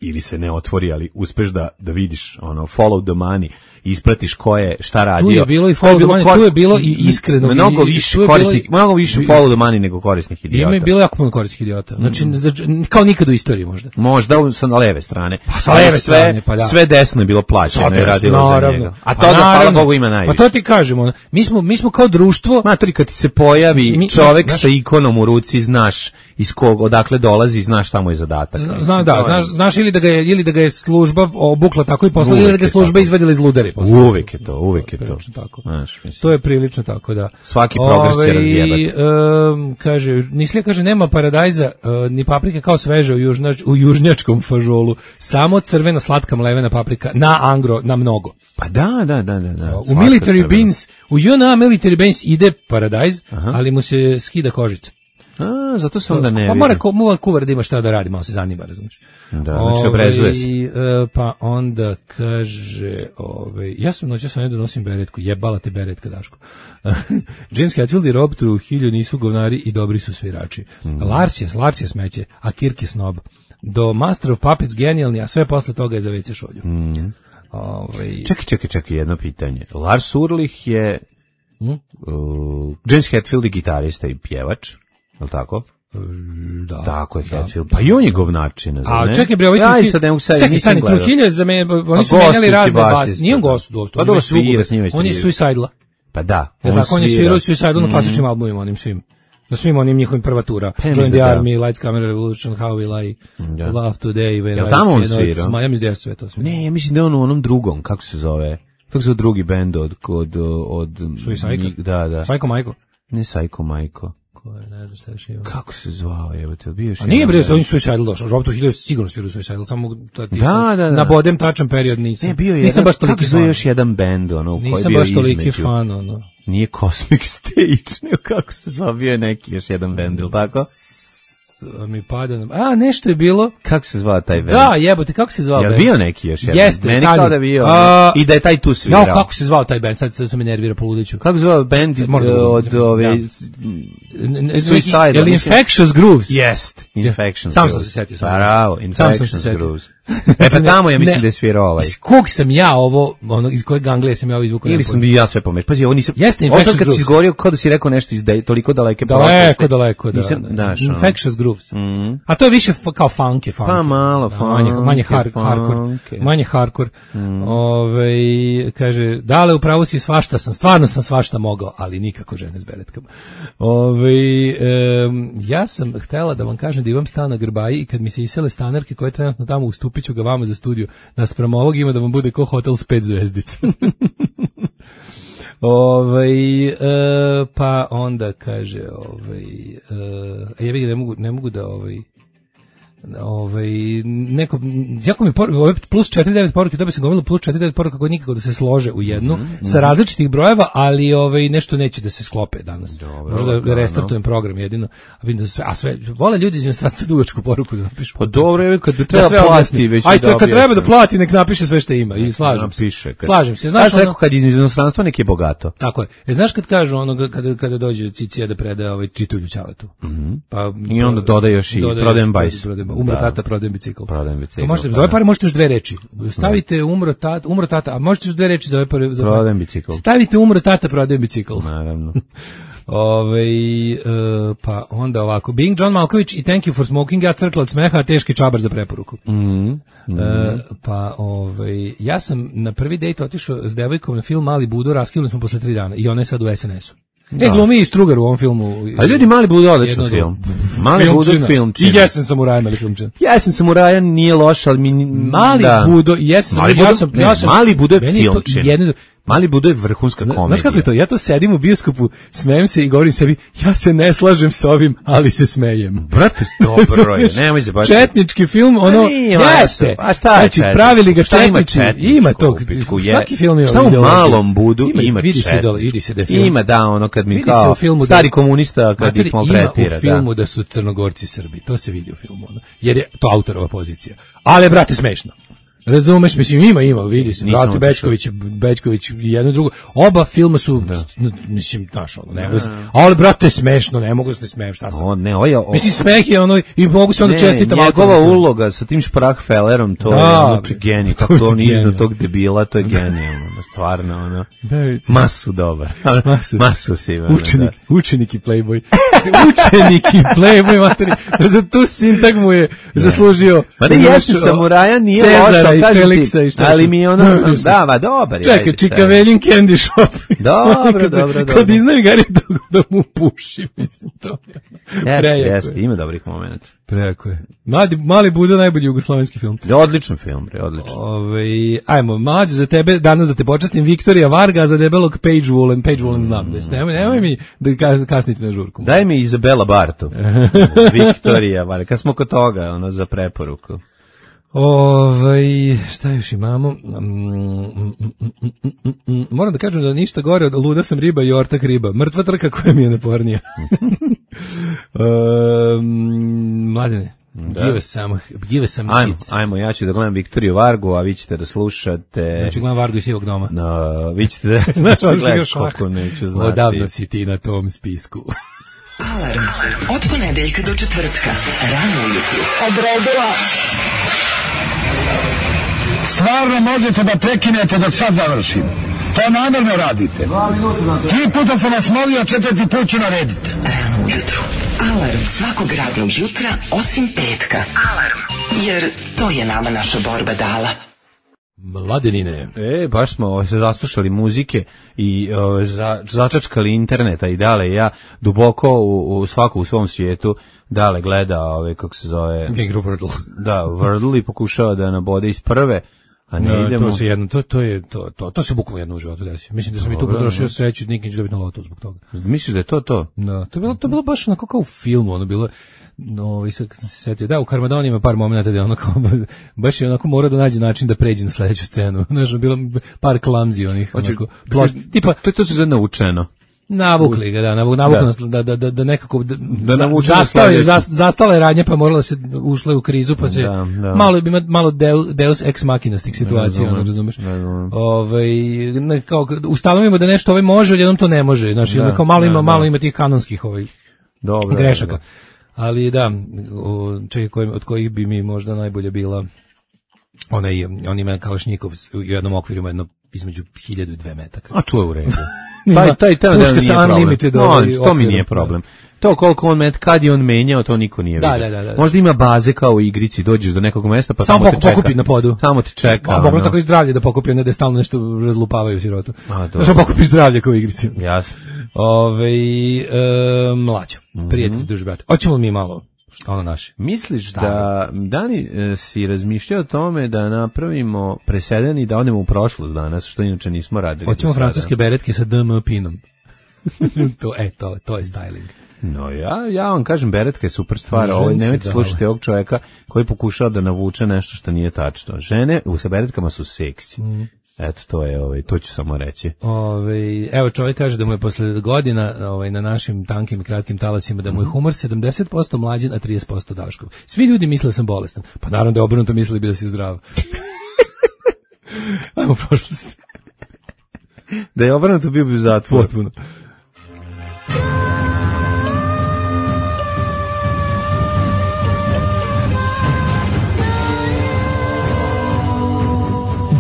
[SPEAKER 7] ili se ne otvori, ali uspeš da, da vidiš ono, follow the money, ispratiš ko je, šta radio.
[SPEAKER 8] Tu je bilo i
[SPEAKER 7] To je
[SPEAKER 8] follow the money,
[SPEAKER 7] kor-
[SPEAKER 8] tu je bilo i iskrenog
[SPEAKER 7] Mnogo
[SPEAKER 8] i-
[SPEAKER 7] više
[SPEAKER 8] tu je bilo
[SPEAKER 7] korisnih,
[SPEAKER 8] i-
[SPEAKER 7] mnogo više follow the money nego korisnih idiota.
[SPEAKER 8] ima je bilo jako puno korisnih idiota. Znači, za- kao nikad u istoriji možda.
[SPEAKER 7] Možda u- sa leve strane.
[SPEAKER 8] Pa sa
[SPEAKER 7] Ali
[SPEAKER 8] leve
[SPEAKER 7] sve,
[SPEAKER 8] strane, pa da.
[SPEAKER 7] sve desno je bilo plaćeno i radilo za njega. A
[SPEAKER 8] Pa
[SPEAKER 7] to da, hvala
[SPEAKER 8] naravno.
[SPEAKER 7] Bogu, ima najviše.
[SPEAKER 8] Pa to ti kažemo, mi smo, mi smo kao društvo,
[SPEAKER 7] Matori, kad ti se pojavi
[SPEAKER 8] Mi-
[SPEAKER 7] čovek
[SPEAKER 8] znaš-
[SPEAKER 7] sa ikonom u ruci, znaš iz kog, odakle dolazi, znaš šta mu je zadatak.
[SPEAKER 8] Zna,
[SPEAKER 7] mislim.
[SPEAKER 8] da,
[SPEAKER 7] To je-
[SPEAKER 8] znaš, znaš ili da ga je ili da ga je služba obukla tako i poslala, ili
[SPEAKER 7] Uvek
[SPEAKER 8] da ga je
[SPEAKER 7] je
[SPEAKER 8] služba
[SPEAKER 7] tako.
[SPEAKER 8] izvadila iz ludari. poslala.
[SPEAKER 7] Uvek je to, uvek je to.
[SPEAKER 8] Prilično tako.
[SPEAKER 7] Znaš, mislim.
[SPEAKER 8] To je prilično tako, da.
[SPEAKER 7] Svaki progres će
[SPEAKER 8] Ovaj,
[SPEAKER 7] razjebati.
[SPEAKER 8] em, kaže, Nislija kaže, nema paradajza, e, ni paprike kao sveže u, južnač, u južnjačkom fažolu, samo crvena slatka mlevena paprika, na angro, na mnogo.
[SPEAKER 7] Pa da, da, da, da. da.
[SPEAKER 8] U
[SPEAKER 7] Svaka
[SPEAKER 8] military
[SPEAKER 7] crvena.
[SPEAKER 8] beans, u J N A military beans ide paradajz, ali mu se skida kožica.
[SPEAKER 7] A, zato se onda ne
[SPEAKER 8] Pa
[SPEAKER 7] vidi.
[SPEAKER 8] mora ko, mora kuvar da ima šta da radi, malo se zanima, razumiješ.
[SPEAKER 7] Da, znači obrezuje se.
[SPEAKER 8] Ovaj, e, pa onda kaže, ovaj, ja sam noća sam ne donosim beretku, jebala te beretka, Daško. James Hetfield i Rob Trujillo nisu govnari i dobri su svirači. Mm. Lars je, Lars je smeće, a Kirk je snob. Do Master of Puppets genijalni, a sve posle toga je za ve ce šolju.
[SPEAKER 7] Mm.
[SPEAKER 8] Ovaj,
[SPEAKER 7] Čekaj, čekaj, čekaj, jedno pitanje. Lars Ulrich je
[SPEAKER 8] mm?
[SPEAKER 7] uh, James Hetfield je gitarista i pjevač, je li tako?
[SPEAKER 8] Da.
[SPEAKER 7] Tako je
[SPEAKER 8] da,
[SPEAKER 7] Hetfield.
[SPEAKER 8] da.
[SPEAKER 7] Pa i on je govnačina, zar ne?
[SPEAKER 8] A čekaj bre, ovaj
[SPEAKER 7] ja
[SPEAKER 8] Trujillo-
[SPEAKER 7] i sad ne mogu sad,
[SPEAKER 8] čekaj,
[SPEAKER 7] nisam
[SPEAKER 8] stani,
[SPEAKER 7] gledao.
[SPEAKER 8] Trujillo je za mene, oni
[SPEAKER 7] Pa
[SPEAKER 8] su menjali
[SPEAKER 7] gostujući
[SPEAKER 8] razne
[SPEAKER 7] basista,
[SPEAKER 8] bas. Nije on
[SPEAKER 7] da.
[SPEAKER 8] gost, dosta.
[SPEAKER 7] Pa dobro, svira, s njima
[SPEAKER 8] On je
[SPEAKER 7] sviraju.
[SPEAKER 8] Suicidala.
[SPEAKER 7] Pa da,
[SPEAKER 8] Ja tako, on je svirao Suicidal na klasičnim albumima, onim svim. Na svim onim njihovim prva tura.
[SPEAKER 7] Pa ja
[SPEAKER 8] Join
[SPEAKER 7] mislim
[SPEAKER 8] the
[SPEAKER 7] da da.
[SPEAKER 8] Army, Lights, Camera, Revolution, How We Lie,
[SPEAKER 7] Da.
[SPEAKER 8] Love Today, When
[SPEAKER 7] Jel
[SPEAKER 8] I
[SPEAKER 7] tamo on
[SPEAKER 8] Cannot
[SPEAKER 7] svirao?
[SPEAKER 8] Smile. Ja mislim da je sve to svirao.
[SPEAKER 7] Ne, ja mislim da je on u onom drugom, kako se zove? Kako se zove drugi bend od... od, od
[SPEAKER 8] Suicide?
[SPEAKER 7] Da, da.
[SPEAKER 8] Psycho Majko.
[SPEAKER 7] Ne Psycho Majko.
[SPEAKER 8] Ko je, ne znam šta još ima.
[SPEAKER 7] Kako se zvao, jebote, bio još
[SPEAKER 8] A nije
[SPEAKER 7] jedan
[SPEAKER 8] bre,
[SPEAKER 7] bend.
[SPEAKER 8] on je Suicidal došao. Rob Trujillo je sigurno svirao Suicidal, samo da ti
[SPEAKER 7] Da,
[SPEAKER 8] sam
[SPEAKER 7] da, da.
[SPEAKER 8] na bodem tačan period nisam.
[SPEAKER 7] Ne, bio je
[SPEAKER 8] nisam
[SPEAKER 7] jedan,
[SPEAKER 8] baš
[SPEAKER 7] kako
[SPEAKER 8] toliki
[SPEAKER 7] se zove
[SPEAKER 8] fan.
[SPEAKER 7] još jedan bend, ono, u koji je
[SPEAKER 8] Nisam
[SPEAKER 7] bio
[SPEAKER 8] baš toliki
[SPEAKER 7] između.
[SPEAKER 8] fan, ono.
[SPEAKER 7] Nije Cosmic Stage, nego kako se zvao, bio je neki još jedan bend, ili tako?
[SPEAKER 8] Mi pada na... A, nešto je bilo.
[SPEAKER 7] Kako se zvao taj bend?
[SPEAKER 8] Da, jebote, kako se zvao
[SPEAKER 7] Jel
[SPEAKER 8] bend?
[SPEAKER 7] bio neki još jedan?
[SPEAKER 8] Jeste,
[SPEAKER 7] Meni
[SPEAKER 8] stani.
[SPEAKER 7] kao da je bio,
[SPEAKER 8] A,
[SPEAKER 7] i da je taj tu svirao.
[SPEAKER 8] Ja, kako se zvao taj bend? Sad, sad se me nervira po ludiću.
[SPEAKER 7] Kako se zvao bend
[SPEAKER 8] Moram da
[SPEAKER 7] od
[SPEAKER 8] govorim.
[SPEAKER 7] ove...
[SPEAKER 8] Da.
[SPEAKER 7] Suicidal,
[SPEAKER 8] Je li
[SPEAKER 7] mislim-
[SPEAKER 8] Infectious Grooves?
[SPEAKER 7] Jest, Infections
[SPEAKER 8] Sam sam
[SPEAKER 7] Grooves.
[SPEAKER 8] se setio, sam
[SPEAKER 7] Pa,
[SPEAKER 8] sam.
[SPEAKER 7] bravo,
[SPEAKER 8] Sam sam se
[SPEAKER 7] Infections
[SPEAKER 8] setio.
[SPEAKER 7] Grooves. E pa tamo ja mislim
[SPEAKER 8] Ne.
[SPEAKER 7] da je svirao ovaj.
[SPEAKER 8] Iz kog sam ja ovo, ono, iz kojeg Anglije sam ja ovo izvukao?
[SPEAKER 7] Ili sam i ja sve pomeš. Pazi, ovo nisam...
[SPEAKER 8] Jeste,
[SPEAKER 7] Ovo sam
[SPEAKER 8] Infectious
[SPEAKER 7] kad si
[SPEAKER 8] Grooves.
[SPEAKER 7] izgovorio, kao da si rekao nešto iz de, toliko daleke
[SPEAKER 8] Daleko,
[SPEAKER 7] prošlosti.
[SPEAKER 8] daleko, da.
[SPEAKER 7] Nisam,
[SPEAKER 8] da.
[SPEAKER 7] znaš, ono.
[SPEAKER 8] Infectious Grooves.
[SPEAKER 7] Mhm.
[SPEAKER 8] A to je više f- kao funk je funk.
[SPEAKER 7] Pa malo
[SPEAKER 8] da, manje, manje
[SPEAKER 7] funk je,
[SPEAKER 8] har, hardcore.
[SPEAKER 7] funk je.
[SPEAKER 8] Manje hardcore. Ove, kaže, dale, upravo si svašta sam, stvarno sam svašta mogao, ali nikako žene s beretkama. Ove, em, ja sam htela da vam kažem da imam stan na Grbaji i kad mi se isele stanarke koje trenutno tamo ustupit ću ga vama za studiju. Naspram ovog ima da vam bude ko hotel s pet zvezdica. Ovaj e, pa onda kaže ovaj e, ja vidim ne mogu ne mogu da ovaj ovaj neko jako mi por, ovaj plus četiri devet poruke, to bi se gomilo plus četiri devet poruka koje nikako da se slože u jednu mm-hmm. sa različitih brojeva, ali ovaj nešto neće da se sklope danas.
[SPEAKER 7] Dobro,
[SPEAKER 8] Možda
[SPEAKER 7] dobro,
[SPEAKER 8] restartujem program jedino, a vidim da sve a sve vole ljudi iz inostranstva dugačku poruku da napišu.
[SPEAKER 7] Pa dobro, je kad bi
[SPEAKER 8] Da
[SPEAKER 7] treba
[SPEAKER 8] sve
[SPEAKER 7] platiti
[SPEAKER 8] objasni.
[SPEAKER 7] već.
[SPEAKER 8] Aj,
[SPEAKER 7] i
[SPEAKER 8] to kad
[SPEAKER 7] dobije
[SPEAKER 8] treba
[SPEAKER 7] se.
[SPEAKER 8] da plati, nek napiše sve što ima i slažem se.
[SPEAKER 7] Napiše, kad-
[SPEAKER 8] Slažem se.
[SPEAKER 7] Ja
[SPEAKER 8] Znaš,
[SPEAKER 7] sam
[SPEAKER 8] ono,
[SPEAKER 7] rekao kad iz inostranstva nek je bogato.
[SPEAKER 8] tako je. E, znaš kad kažu ono kada kada dođe Cicija da predaje ovaj čitulju ćaletu.
[SPEAKER 7] Mm-hmm.
[SPEAKER 8] Pa
[SPEAKER 7] I onda dodaje još i
[SPEAKER 8] dodaje
[SPEAKER 7] prodajem
[SPEAKER 8] još-
[SPEAKER 7] bajs.
[SPEAKER 8] prodajem- Umro
[SPEAKER 7] Da.
[SPEAKER 8] tata, prodajem bicikl.
[SPEAKER 7] Prodajem bicikl,
[SPEAKER 8] To možete
[SPEAKER 7] pa
[SPEAKER 8] za ove
[SPEAKER 7] da.
[SPEAKER 8] pare možete još dve reči. Stavite umro tata, umro tata, a možete još dve reči za ove pare za
[SPEAKER 7] Prodajem bicikl.
[SPEAKER 8] Stavite umro tata, prodajem bicikl.
[SPEAKER 7] Naravno.
[SPEAKER 8] Ove, e, pa onda ovako, Being John Malković i Thank you for smoking, ja crkla od smeha, a teški čabar za preporuku.
[SPEAKER 7] Mhm.
[SPEAKER 8] E, pa ovaj ja sam na prvi dejt otišao s devojkom na film Mali Budo, raskinuli smo posle tri dana i ona je sad u es en esu. E, glumi i Strugar u ovom filmu.
[SPEAKER 7] A ljudi, Mali Budo je odličan
[SPEAKER 8] Jedno od-
[SPEAKER 7] film. Mali Budo
[SPEAKER 8] Filmčina.
[SPEAKER 7] filmčina.
[SPEAKER 8] I Jesen samuraj, Mali filmčina.
[SPEAKER 7] Jesen samuraja nije loš, ali mi...
[SPEAKER 8] Mali
[SPEAKER 7] da.
[SPEAKER 8] Budo, Jesen
[SPEAKER 7] Mali
[SPEAKER 8] samuraj, ja
[SPEAKER 7] Budo-
[SPEAKER 8] sam,
[SPEAKER 7] ne,
[SPEAKER 8] ja sam,
[SPEAKER 7] Mali Budo je
[SPEAKER 8] meni to
[SPEAKER 7] filmčina.
[SPEAKER 8] jedno-
[SPEAKER 7] Mali Budo je vrhunska komedija.
[SPEAKER 8] Znaš kako je to? Ja to sedim u bioskopu, smejem se i govorim sebi, ja se ne slažem s ovim, ali se smejem.
[SPEAKER 7] Brate, dobro je, nemoj se baš...
[SPEAKER 8] Četnički film, ono,
[SPEAKER 7] A nije,
[SPEAKER 8] jeste.
[SPEAKER 7] a šta je
[SPEAKER 8] Znači,
[SPEAKER 7] četničko?
[SPEAKER 8] pravili ga
[SPEAKER 7] Šta ima
[SPEAKER 8] četnici.
[SPEAKER 7] četničko
[SPEAKER 8] Ima tog,
[SPEAKER 7] u pičku? Je-
[SPEAKER 8] svaki film ima
[SPEAKER 7] Šta u
[SPEAKER 8] ideologiju.
[SPEAKER 7] Malom Budu ima
[SPEAKER 8] vidi se
[SPEAKER 7] četničko?
[SPEAKER 8] dole, vidi se da je film.
[SPEAKER 7] Ima, da, ono kad mi
[SPEAKER 8] Vidi se
[SPEAKER 7] kao
[SPEAKER 8] u filmu da-
[SPEAKER 7] stari komunista kad
[SPEAKER 8] Mater,
[SPEAKER 7] ih maltretira.
[SPEAKER 8] ima u filmu da. su Crnogorci Srbi, to se vidi u filmu, ono, jer je to autorova pozicija. Ali, brate, smešno. Razumeš, mislim, ima, ima, vidi se,
[SPEAKER 7] Nisam
[SPEAKER 8] brate,
[SPEAKER 7] otišao.
[SPEAKER 8] Bečković, Bečković i jedno i drugo, oba filma su, n- mislim, znaš, ono, ne mogu se, ali, brate, smešno, ne mogu se ne smejem, šta sam.
[SPEAKER 7] O, ne, ovo je... o-
[SPEAKER 8] Mislim, smeh je ono, i mogu se onda
[SPEAKER 7] ne,
[SPEAKER 8] čestitam.
[SPEAKER 7] njegova
[SPEAKER 8] autorima.
[SPEAKER 7] uloga sa tim Sprachfellerom, to
[SPEAKER 8] Da,
[SPEAKER 7] je ono
[SPEAKER 8] bre,
[SPEAKER 7] genij,
[SPEAKER 8] to
[SPEAKER 7] kako
[SPEAKER 8] je
[SPEAKER 7] to on izno
[SPEAKER 8] genijalno.
[SPEAKER 7] tog debila, to je genijalno, ono, stvarno, ono.
[SPEAKER 8] Da, vidi.
[SPEAKER 7] Masu dobar.
[SPEAKER 8] Masu.
[SPEAKER 7] Masu si, ono,
[SPEAKER 8] Učenik,
[SPEAKER 7] da.
[SPEAKER 8] učenik i playboy. Učenik i playboy, materi. Za tu sintagmu je zaslužio.
[SPEAKER 7] Ma ne, jeste samuraja, nije
[SPEAKER 8] Cezara
[SPEAKER 7] loša,
[SPEAKER 8] i
[SPEAKER 7] kažem ti,
[SPEAKER 8] Feliksa i šta
[SPEAKER 7] ali
[SPEAKER 8] še.
[SPEAKER 7] mi je ono, da, ma dobar je.
[SPEAKER 8] Čekaj,
[SPEAKER 7] ajde,
[SPEAKER 8] Čikavelin Candy Shop.
[SPEAKER 7] Dobro,
[SPEAKER 8] Kad se-
[SPEAKER 7] dobro, dobro.
[SPEAKER 8] Kad iznam Gari da, da mu puši, mislim, to je.
[SPEAKER 7] Jeste,
[SPEAKER 8] Prejako
[SPEAKER 7] jeste,
[SPEAKER 8] je.
[SPEAKER 7] ima dobrih momenata.
[SPEAKER 8] Prejako je. Mali, mali Budo, najbolji jugoslovenski film.
[SPEAKER 7] Odličan film, bre, odličan.
[SPEAKER 8] Ove, ajmo, mlađe za tebe, danas da te počastim, Viktorija Varga, za debelog Page Woolen, Page Woolen znam, znači, nemoj, nemoj mi da kas- kasnite na žurku.
[SPEAKER 7] Daj mi Izabela Bartu. Viktorija, vale, kad smo kod toga, ono, za preporuku.
[SPEAKER 8] Ovaj, šta još imamo? Mm, mm, mm, mm, mm, mm. Moram da kažem da ništa gore od luda sam riba i ortak riba. Mrtva trka koja mi je napornija. Um, Mladene, give us some, give us some
[SPEAKER 7] Ajmo,
[SPEAKER 8] hits.
[SPEAKER 7] ajmo, ja ću da gledam Viktoriju Vargu, a vi ćete da slušate...
[SPEAKER 8] Ja ću gledam Vargu iz Sivog doma.
[SPEAKER 7] No, vi ćete da...
[SPEAKER 8] Znači, ono što
[SPEAKER 7] gledati
[SPEAKER 8] igraš ovako.
[SPEAKER 7] kako neću znati.
[SPEAKER 8] Odavno si ti na tom spisku.
[SPEAKER 9] Alarm od ponedeljka do četvrtka, rano ujutru. Odredila.
[SPEAKER 10] Stvarno možete da prekinete dok sad završim. To namjerno radite. Tri puta sam vas molio, četvrti put ću narediti.
[SPEAKER 9] Rano ujutru. Alarm svakog radnog jutra, osim petka. Alarm. Jer to je nama naša borba dala.
[SPEAKER 8] Mladenine.
[SPEAKER 7] E, baš smo se zaslušali muzike i o, za, začačkali interneta i Dale ja duboko u, u svaku u svom svijetu Dale gleda ove, kako se zove...
[SPEAKER 8] Igru Wordle.
[SPEAKER 7] Da, Wordle i pokušava da nabode iz prve, a ne
[SPEAKER 8] no,
[SPEAKER 7] idemo...
[SPEAKER 8] To se jedno, to, to je, to, to, to se bukvalno jedno u životu desio. Mislim da sam i tu potrošio sreću, nikad neću dobiti na lotu zbog toga.
[SPEAKER 7] Misliš da je to to?
[SPEAKER 8] Da, to je bilo, to je bilo baš onako kao u filmu, ono bilo... No, i sad kad sam se setio, da, u Karmadoni ima par momenta da je ono kao, baš je onako morao da nađe način da pređe na sledeću scenu. Znaš, bilo par klamzi onih,
[SPEAKER 7] Hoćeš,
[SPEAKER 8] onako, ploš, tipa,
[SPEAKER 7] to, to se zove naučeno.
[SPEAKER 8] Navukli ga, da, navuk, navukli nas da, da, da, da nekako, da,
[SPEAKER 7] da
[SPEAKER 8] za, zastao je, za, zastala je radnja, pa morala se, ušla u krizu, pa se,
[SPEAKER 7] da, da.
[SPEAKER 8] malo ima malo deus, deus ex machina s tih situacija, ono, razumeš? Ovaj, ne, kao, ustanovimo da nešto ovaj može, odjednom to ne može, znači, da, kao malo ima, da, malo ima tih kanonskih ovaj,
[SPEAKER 7] dobro,
[SPEAKER 8] grešaka.
[SPEAKER 7] Dobro.
[SPEAKER 8] Ali da, čekaj, od kojih bi mi možda najbolje bila onaj, on ima Kalašnjikov u jednom okviru, ima jedno između hiljadu i dve metaka.
[SPEAKER 7] A to je u redu. taj, taj, taj,
[SPEAKER 8] Puška sa unlimited
[SPEAKER 7] no,
[SPEAKER 8] ovaj
[SPEAKER 7] to mi nije problem. To koliko on met, kad je on menjao, to niko nije
[SPEAKER 8] da,
[SPEAKER 7] vidio.
[SPEAKER 8] da, da, da.
[SPEAKER 7] Možda ima baze kao u igrici, dođeš do nekog mesta, pa
[SPEAKER 8] samo
[SPEAKER 7] tamo te čeka.
[SPEAKER 8] pokupi na podu.
[SPEAKER 7] Samo ti čeka.
[SPEAKER 8] A moglo tako i zdravlje da pokupi, ne da stalno nešto razlupavaju sirotu.
[SPEAKER 7] A,
[SPEAKER 8] dobro. Znaš, pokupi zdravlje kao u igrici.
[SPEAKER 7] Jasno.
[SPEAKER 8] Ove, e, mlađo, prijatelj, duži brate. Hoćemo mi malo ono naše.
[SPEAKER 7] Misliš da, Dani, si razmišljao o tome da napravimo presedan i da odemo u prošlost danas, što inače nismo radili.
[SPEAKER 8] Hoćemo francuske beretke sa D M pinom. to, e, to, to je styling.
[SPEAKER 7] No, ja, ja vam kažem, beretka je super stvar. Ovo, nemojte slušati ovog čovjeka koji pokušava da navuče nešto što nije tačno. Žene u sa beretkama su seksi. Mm. Eto, to je, ovaj, to ću samo reći.
[SPEAKER 8] Ove, evo, čovjek kaže da mu je posle godina ovaj, na našim tankim i kratkim talasima da mu je humor sedamdeset posto mlađen, a trideset posto Daškov. Svi ljudi misle da sam bolestan. Pa naravno da je obrnuto mislili bi da si zdrav. Ajmo prošlost.
[SPEAKER 7] Da je obrnuto bio bi u zatvoru.
[SPEAKER 8] Potpuno.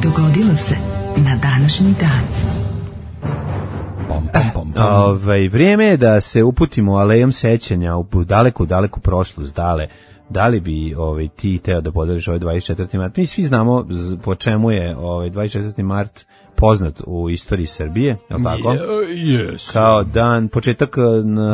[SPEAKER 5] Dogodilo se na današnji dan.
[SPEAKER 8] Pom, pom, pom, pom.
[SPEAKER 7] Ove, vrijeme je da se uputimo alejom sećanja u daleku, daleku prošlost, dale. Da li bi ovaj, ti teo da podeliš ovaj dvadeset četvrti mart? Mi svi znamo po čemu je ovaj dvadeset četvrti mart poznat u istoriji Srbije, je li tako?
[SPEAKER 8] Yes.
[SPEAKER 7] Kao dan, početak...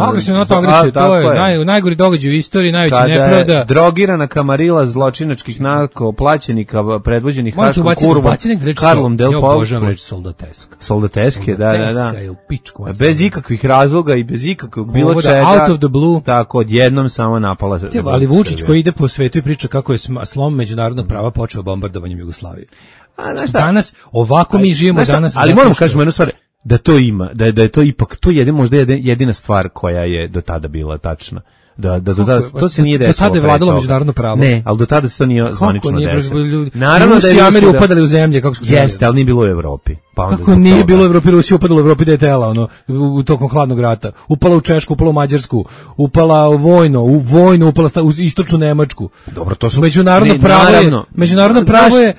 [SPEAKER 8] Agresivno NATO agresije, to je, je. Naj, najgori događaj u istoriji, najveći nepravda.
[SPEAKER 7] Kada je drogirana kamarila zločinačkih narko plaćenika predvođenih Haškom kurvom Karlom Del Pau.
[SPEAKER 8] Ja obožavam reći soldateska.
[SPEAKER 7] Soldateske, da, da, da.
[SPEAKER 8] Je u pičku,
[SPEAKER 7] bez ikakvih razloga i bez ikakvog bilo
[SPEAKER 8] Ovo
[SPEAKER 7] čega.
[SPEAKER 8] Out of the blue.
[SPEAKER 7] Tako, odjednom samo napala.
[SPEAKER 8] Tjeba, ali Vučić koji ide po svetu i priča kako je slom međunarodnog prava počeo bombardovanjem Jugoslavije.
[SPEAKER 7] A, znaš šta?
[SPEAKER 8] Danas, ovako mi živimo danas.
[SPEAKER 7] Ali moramo kažemo jednu stvar, da to ima, da je, da je to ipak, to je možda jedina stvar koja je do tada bila tačna. Da, da, do tada, to se nije desilo.
[SPEAKER 8] Do tada je vladalo međunarodno pravo.
[SPEAKER 7] Ne, ali do tada se to nije zvanično desilo.
[SPEAKER 8] Naravno da je Rusija upadali u zemlje, kako smo
[SPEAKER 7] jeste, ali nije bilo u Evropi.
[SPEAKER 8] Pa kako nije bilo u Evropi, Rusija upadala u Evropi da je tela, ono, u tokom hladnog rata. Upala u Češku, upala u Mađarsku, upala u vojno, u vojnu, upala u istočnu Nemačku.
[SPEAKER 7] Dobro, to su...
[SPEAKER 8] Međunarodno pravo je, međunarodno pravo je,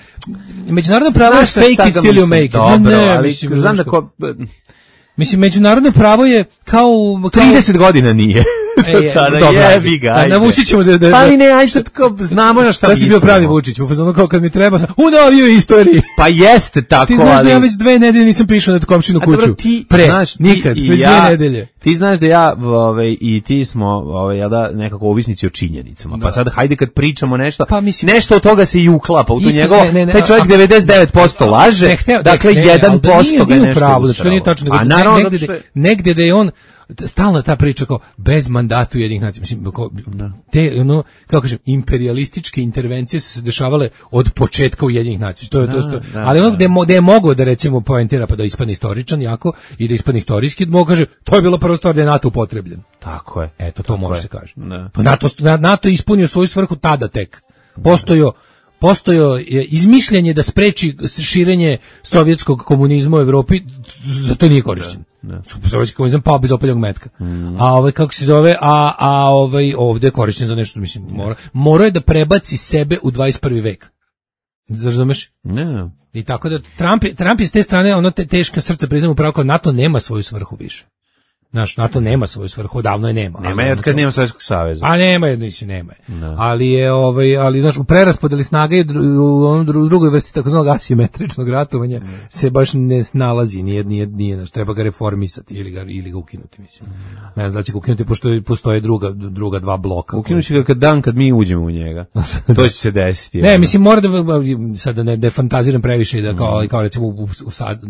[SPEAKER 8] međunarodno pravo je fake it till you make it.
[SPEAKER 7] Dobro, ali znam da ko...
[SPEAKER 8] Mislim, međunarodno pravo je kao...
[SPEAKER 7] trideset godina nije.
[SPEAKER 8] E, tada jebi ga. Navusit ćemo da... da
[SPEAKER 7] pa ali ne, ajde sad kao znamo na šta
[SPEAKER 8] mislimo. Sad si bio pravi Vučić, u fazonu kao kad mi treba, u novijoj istoriji.
[SPEAKER 7] Pa jeste tako,
[SPEAKER 8] ti znaš ali... da ja već dve nedelje nisam prišao na komšinu kuću. Dobro, ti pre, znaš, nikad, ti već ja, dve nedelje.
[SPEAKER 7] Ti znaš da ja ove, i ti smo ove, ja da, nekako ovisnici o činjenicama. Da. Pa sad hajde kad pričamo nešto, pa, mislim, nešto od toga se i uklapa. U to njegovo, ne, ne, ne, taj čovjek a, devedeset devet posto laže, ne, hteo, dakle ne, jedan posto ga nešto
[SPEAKER 8] pravo, znači to nije tačno. A naravno negdje da je on stalna ta priča kao bez mandata Ujedinjenih nacija, mislim, kao, te, ono, kako kažem, imperialističke intervencije su se dešavale od početka Ujedinjenih nacija, to je, to, to, ali ono gde, gde je mogao da recimo poentira pa da ispadne istoričan jako i da ispadne istorijski, mogu kaže, to je bila prva stvar da je NATO upotrebljen.
[SPEAKER 7] Tako je.
[SPEAKER 8] Eto, to može
[SPEAKER 7] je.
[SPEAKER 8] se kaže.
[SPEAKER 7] Ne.
[SPEAKER 8] Pa NATO, NATO je ispunio svoju svrhu tada tek. Postojo Postojo je izmišljanje da spreči širenje sovjetskog komunizma u Evropi, za to nije korišćen. Sovjetski komunizam pao bez opaljenog metka. Mm. A ovaj kako se zove, a a ovaj ovde je korišćen za nešto, mislim, mora mora je da prebaci sebe u dvadeset prvi vek. Razumeš?
[SPEAKER 7] Ne.
[SPEAKER 8] I tako da Trump Trump je s te strane ono te, teška srca priznamo upravo kao NATO nema svoju svrhu više. Naš NATO nema svoju svrhu, davno je nema.
[SPEAKER 7] Nema je od kad nema Sovjetskog saveza.
[SPEAKER 8] A nema je, nisi nema je. No. Ali je ovaj ali znaš u preraspodeli snage u onom drugoj vrsti takozvanog asimetričnog ratovanja mm. se baš ne snalazi, nije nije nije, znaš, treba ga reformisati ili ga ili ga ukinuti, mislim. Mm. Ne znam da će ga ukinuti pošto postoje druga druga dva bloka.
[SPEAKER 7] Ukinuće ga kad dan kad mi uđemo u njega. To će se desiti.
[SPEAKER 8] Ne, mislim mora da sad da ne da fantaziram previše da kao mm. kao recimo u, u sad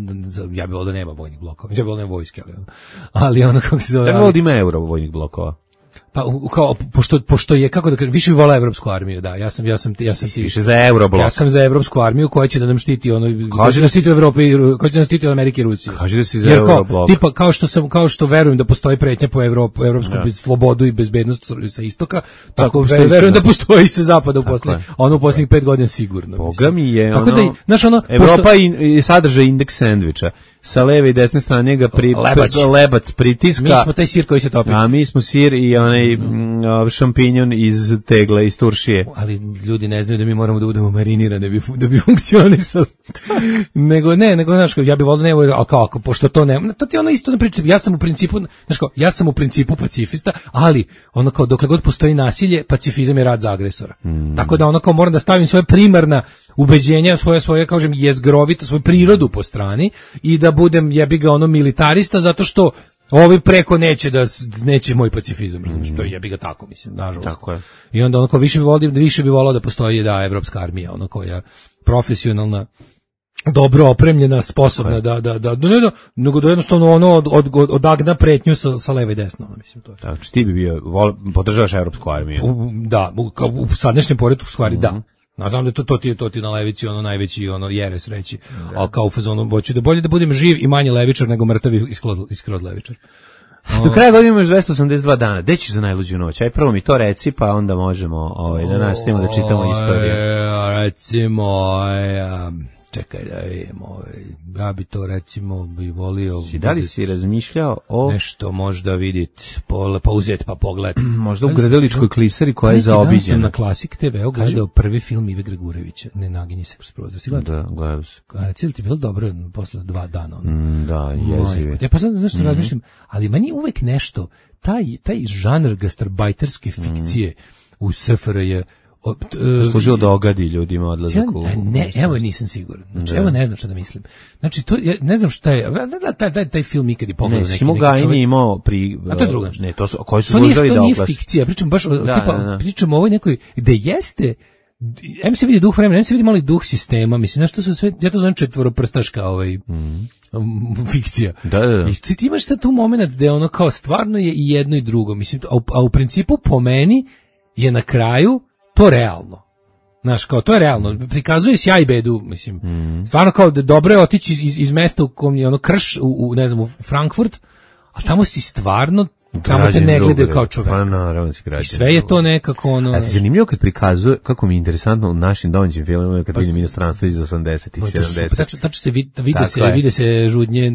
[SPEAKER 8] ja bih voleo da nema vojnih blokova. Ja bih voleo da nema vojske, ali ali ono kako se zove.
[SPEAKER 7] Ja volim euro vojnih blokova.
[SPEAKER 8] Pa kao pošto pošto je kako da kažem više bi voleo evropsku armiju, da. Ja sam ja sam ja sam
[SPEAKER 7] si više za euroblok.
[SPEAKER 8] Ja sam za evropsku armiju koja će da nam štiti ono kaže da štiti Evropu i koja će da štiti od Amerike i Rusije.
[SPEAKER 7] Kaže da si za euroblok.
[SPEAKER 8] Tipa kao što sam kao što verujem da postoji pretnja po Evropu, evropsku ja. slobodu i bezbednost sa istoka, tako, tako verujem da postoji sa zapada u poslednjih ono u poslednjih pet godina sigurno.
[SPEAKER 7] Boga mi je
[SPEAKER 8] tako
[SPEAKER 7] ono.
[SPEAKER 8] Da, znaš ono
[SPEAKER 7] Evropa pošto, i, i sadržaj indeks sendviča. Sa leve i desne strane ga pri, lebac. lebac pritiska.
[SPEAKER 8] Mi smo taj sir koji se topi.
[SPEAKER 7] A mi smo sir i onaj mm. šampinjon iz tegle, iz turšije.
[SPEAKER 8] Ali ljudi ne znaju da mi moramo da budemo marinirani da bi, da bi funkcionisali. nego ne, nego znaš, ja bih volio nevo, a kako, pošto to ne, to ti ono isto ne pričam. Ja sam u principu, znaš kao, ja sam u principu pacifista, ali ono kao dokle god postoji nasilje, pacifizam je rad za agresora. Mm. Tako da ono kao moram da stavim svoje primarna ubeđenja, svoje svoje kažem jezgrovita, svoju prirodu po strani i da budem jebi ga ono militarista zato što ovi preko neće da neće moj pacifizam, razumiješ, to jebi ga tako mislim, nažalost.
[SPEAKER 7] Tako je.
[SPEAKER 8] I onda onako više bi volio, više bi voleo da postoji da evropska armija, ona koja profesionalna, dobro opremljena, sposobna da da da ne da nego da jednostavno ono od, od, odagna pretnju sa sa leve i desno, mislim to je.
[SPEAKER 7] Znači ti bi bio vol, podržavaš evropsku armiju.
[SPEAKER 8] U, da, u, kao u sadašnjem poretku stvari mm-hmm. da. Ja znam da to, to, ti, to ti na levici ono najveći ono jeres reći, ali kao u fazonu hoću da bolje da budem živ i manje levičar nego mrtav i skroz levičar.
[SPEAKER 7] Do kraja godine imaš dvesta osamdeset dva dana. Gde ćeš za najluđu noć? Aj prvo mi to reci, pa onda možemo ovaj, da nastavimo da čitamo istoriju.
[SPEAKER 8] Recimo, ja, čekaj da vidim, ovaj, ja bi to recimo bi volio...
[SPEAKER 7] Si, da li si razmišljao o...
[SPEAKER 8] Nešto možda vidit, pa uzeti pa pogled.
[SPEAKER 7] Možda u Grdeličkoj klisari koja je zaobiđena.
[SPEAKER 8] Sam na Klasik te ve gledao prvi film Ive Gregurevića, Ne naginji se kroz prozor. Si gledao?
[SPEAKER 7] Da, gledao sam.
[SPEAKER 8] Reci ti bilo dobro posle dva dana? Ono?
[SPEAKER 7] Mm, da, jezivi.
[SPEAKER 8] Ja pa sad znaš što mm-hmm. razmišljam, ali meni uvek nešto, taj, taj žanr gastarbajterske fikcije mm. u S F R J
[SPEAKER 7] Uh, služio da ogadi ljudima odlazak u...
[SPEAKER 8] Ja, ne, evo nisam siguran. Znači, evo ne znam šta da mislim. Znači, to, ja ne znam šta je... Taj, taj, taj film ikad je pogledao neki...
[SPEAKER 7] Ne, Simo Gajni imao pri...
[SPEAKER 8] A to je druga.
[SPEAKER 7] Ne, to su, koji su služili da
[SPEAKER 8] oglas.
[SPEAKER 7] To
[SPEAKER 8] nije fikcija, pričam baš... Da, tipa, da, da. Pričam o ovoj nekoj... Gde jeste... Em se vidi duh vremena, em se vidi mali duh sistema. Mislim, znaš, to su sve... Ja to zovem četvoroprstaška ovaj... Mm. fikcija.
[SPEAKER 7] Da, da, da.
[SPEAKER 8] I ti imaš sad tu moment gde ono kao stvarno je i jedno i drugo. Mislim, a u, a u principu po meni je na kraju to realno. Znaš, kao, to je realno. Prikazuje sjaj bedu, mislim. Mm. Stvarno kao da dobro je otići iz, iz mesta u kom je ono krš, u, u ne znam, u Frankfurt, a tamo si stvarno, tamo te ne gledaju kao čovek.
[SPEAKER 7] Pa naravno si građan.
[SPEAKER 8] I sve je to nekako ono...
[SPEAKER 7] A ti zanimljivo kad prikazuje, kako mi je interesantno u našim domaćim filmima, kad pa, vidim inostranstvo iz osamdesetih i sedamdesetih.
[SPEAKER 8] Tačno, tačno se vidi, vide se, je. vide se žudnje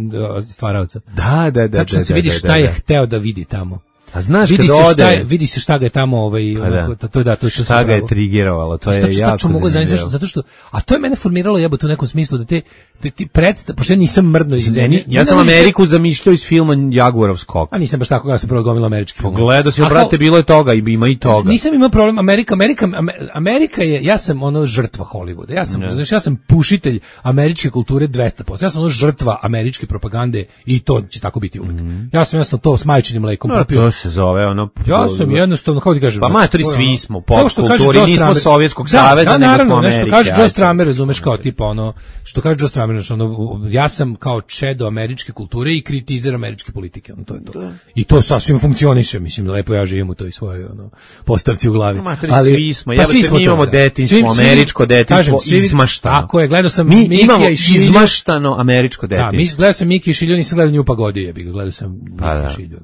[SPEAKER 8] stvaraoca.
[SPEAKER 7] Da, da, da.
[SPEAKER 8] Tačno
[SPEAKER 7] da,
[SPEAKER 8] se
[SPEAKER 7] da,
[SPEAKER 8] vidi
[SPEAKER 7] da,
[SPEAKER 8] šta
[SPEAKER 7] da, da.
[SPEAKER 8] je hteo da vidi tamo.
[SPEAKER 7] A znaš
[SPEAKER 8] vidi
[SPEAKER 7] kad
[SPEAKER 8] se
[SPEAKER 7] ode,
[SPEAKER 8] šta je, vidi se šta ga je tamo ovaj
[SPEAKER 7] pa da.
[SPEAKER 8] to, to da to što
[SPEAKER 7] šta ga je trigerovalo, to je
[SPEAKER 8] tačno,
[SPEAKER 7] jako
[SPEAKER 8] tačno mogu zanimljivo zato što a to je mene formiralo jebote u nekom smislu da te te ti predstav pošto ja nisam mrdno iz zemlje.
[SPEAKER 7] Ja sam Ameriku zamišljao iz filma Jaguarov skok.
[SPEAKER 8] A nisam baš tako, ja sam prvo gomila američki film.
[SPEAKER 7] Pogledao si, brate, bilo je toga i ima i toga.
[SPEAKER 8] Nisam imao problem, Amerika, Amerika, Amerika je, ja sam ono žrtva Hollywooda. Ja sam, znači ja sam pušitelj američke kulture dvesta posto. Ja sam ono žrtva američke propagande i to će tako biti uvijek. Mm. Ja sam jasno to s majčinim mlekom
[SPEAKER 7] no,
[SPEAKER 8] popio.
[SPEAKER 7] se zove, ono...
[SPEAKER 8] Ja sam jednostavno, kako ti kažem...
[SPEAKER 7] Pa matori,
[SPEAKER 8] znači,
[SPEAKER 7] svi smo, pop
[SPEAKER 8] kao što kaže
[SPEAKER 7] kulturi,
[SPEAKER 8] Joe
[SPEAKER 7] nismo
[SPEAKER 8] Stramer.
[SPEAKER 7] Sovjetskog
[SPEAKER 8] Da,
[SPEAKER 7] saveza,
[SPEAKER 8] da,
[SPEAKER 7] nego smo
[SPEAKER 8] naravno,
[SPEAKER 7] Amerike.
[SPEAKER 8] nešto kaže Joe
[SPEAKER 7] ajde.
[SPEAKER 8] Stramer, razumeš, kao tipa ono, što kaže Joe Stramer, znači ono, ja sam kao čedo američke kulture i kritizer američke politike, ono, to je to. I to sasvim funkcioniše, mislim, lepo ja živim u toj svojoj, ono, postavci u glavi.
[SPEAKER 7] Matori,
[SPEAKER 8] Ali,
[SPEAKER 7] svi smo,
[SPEAKER 8] pa
[SPEAKER 7] jebate,
[SPEAKER 8] svi smo
[SPEAKER 7] mi
[SPEAKER 8] to,
[SPEAKER 7] imamo
[SPEAKER 8] da.
[SPEAKER 7] detinjstvo,
[SPEAKER 8] Svi- svi-
[SPEAKER 7] američko detinjstvo,
[SPEAKER 8] kažem, svi-
[SPEAKER 7] izmaštano.
[SPEAKER 8] Tako je, gledao sam
[SPEAKER 7] Mi
[SPEAKER 8] Mikija
[SPEAKER 7] imamo
[SPEAKER 8] i Šilju.
[SPEAKER 7] izmaštano američko
[SPEAKER 8] Da,
[SPEAKER 7] detinjstvo.
[SPEAKER 8] mi gledao sam Miki i Šilju, nisam gledao Nju Pagodi, jebi ga, gledao sam
[SPEAKER 7] Pa
[SPEAKER 8] Miki
[SPEAKER 7] da.
[SPEAKER 8] i Šilju.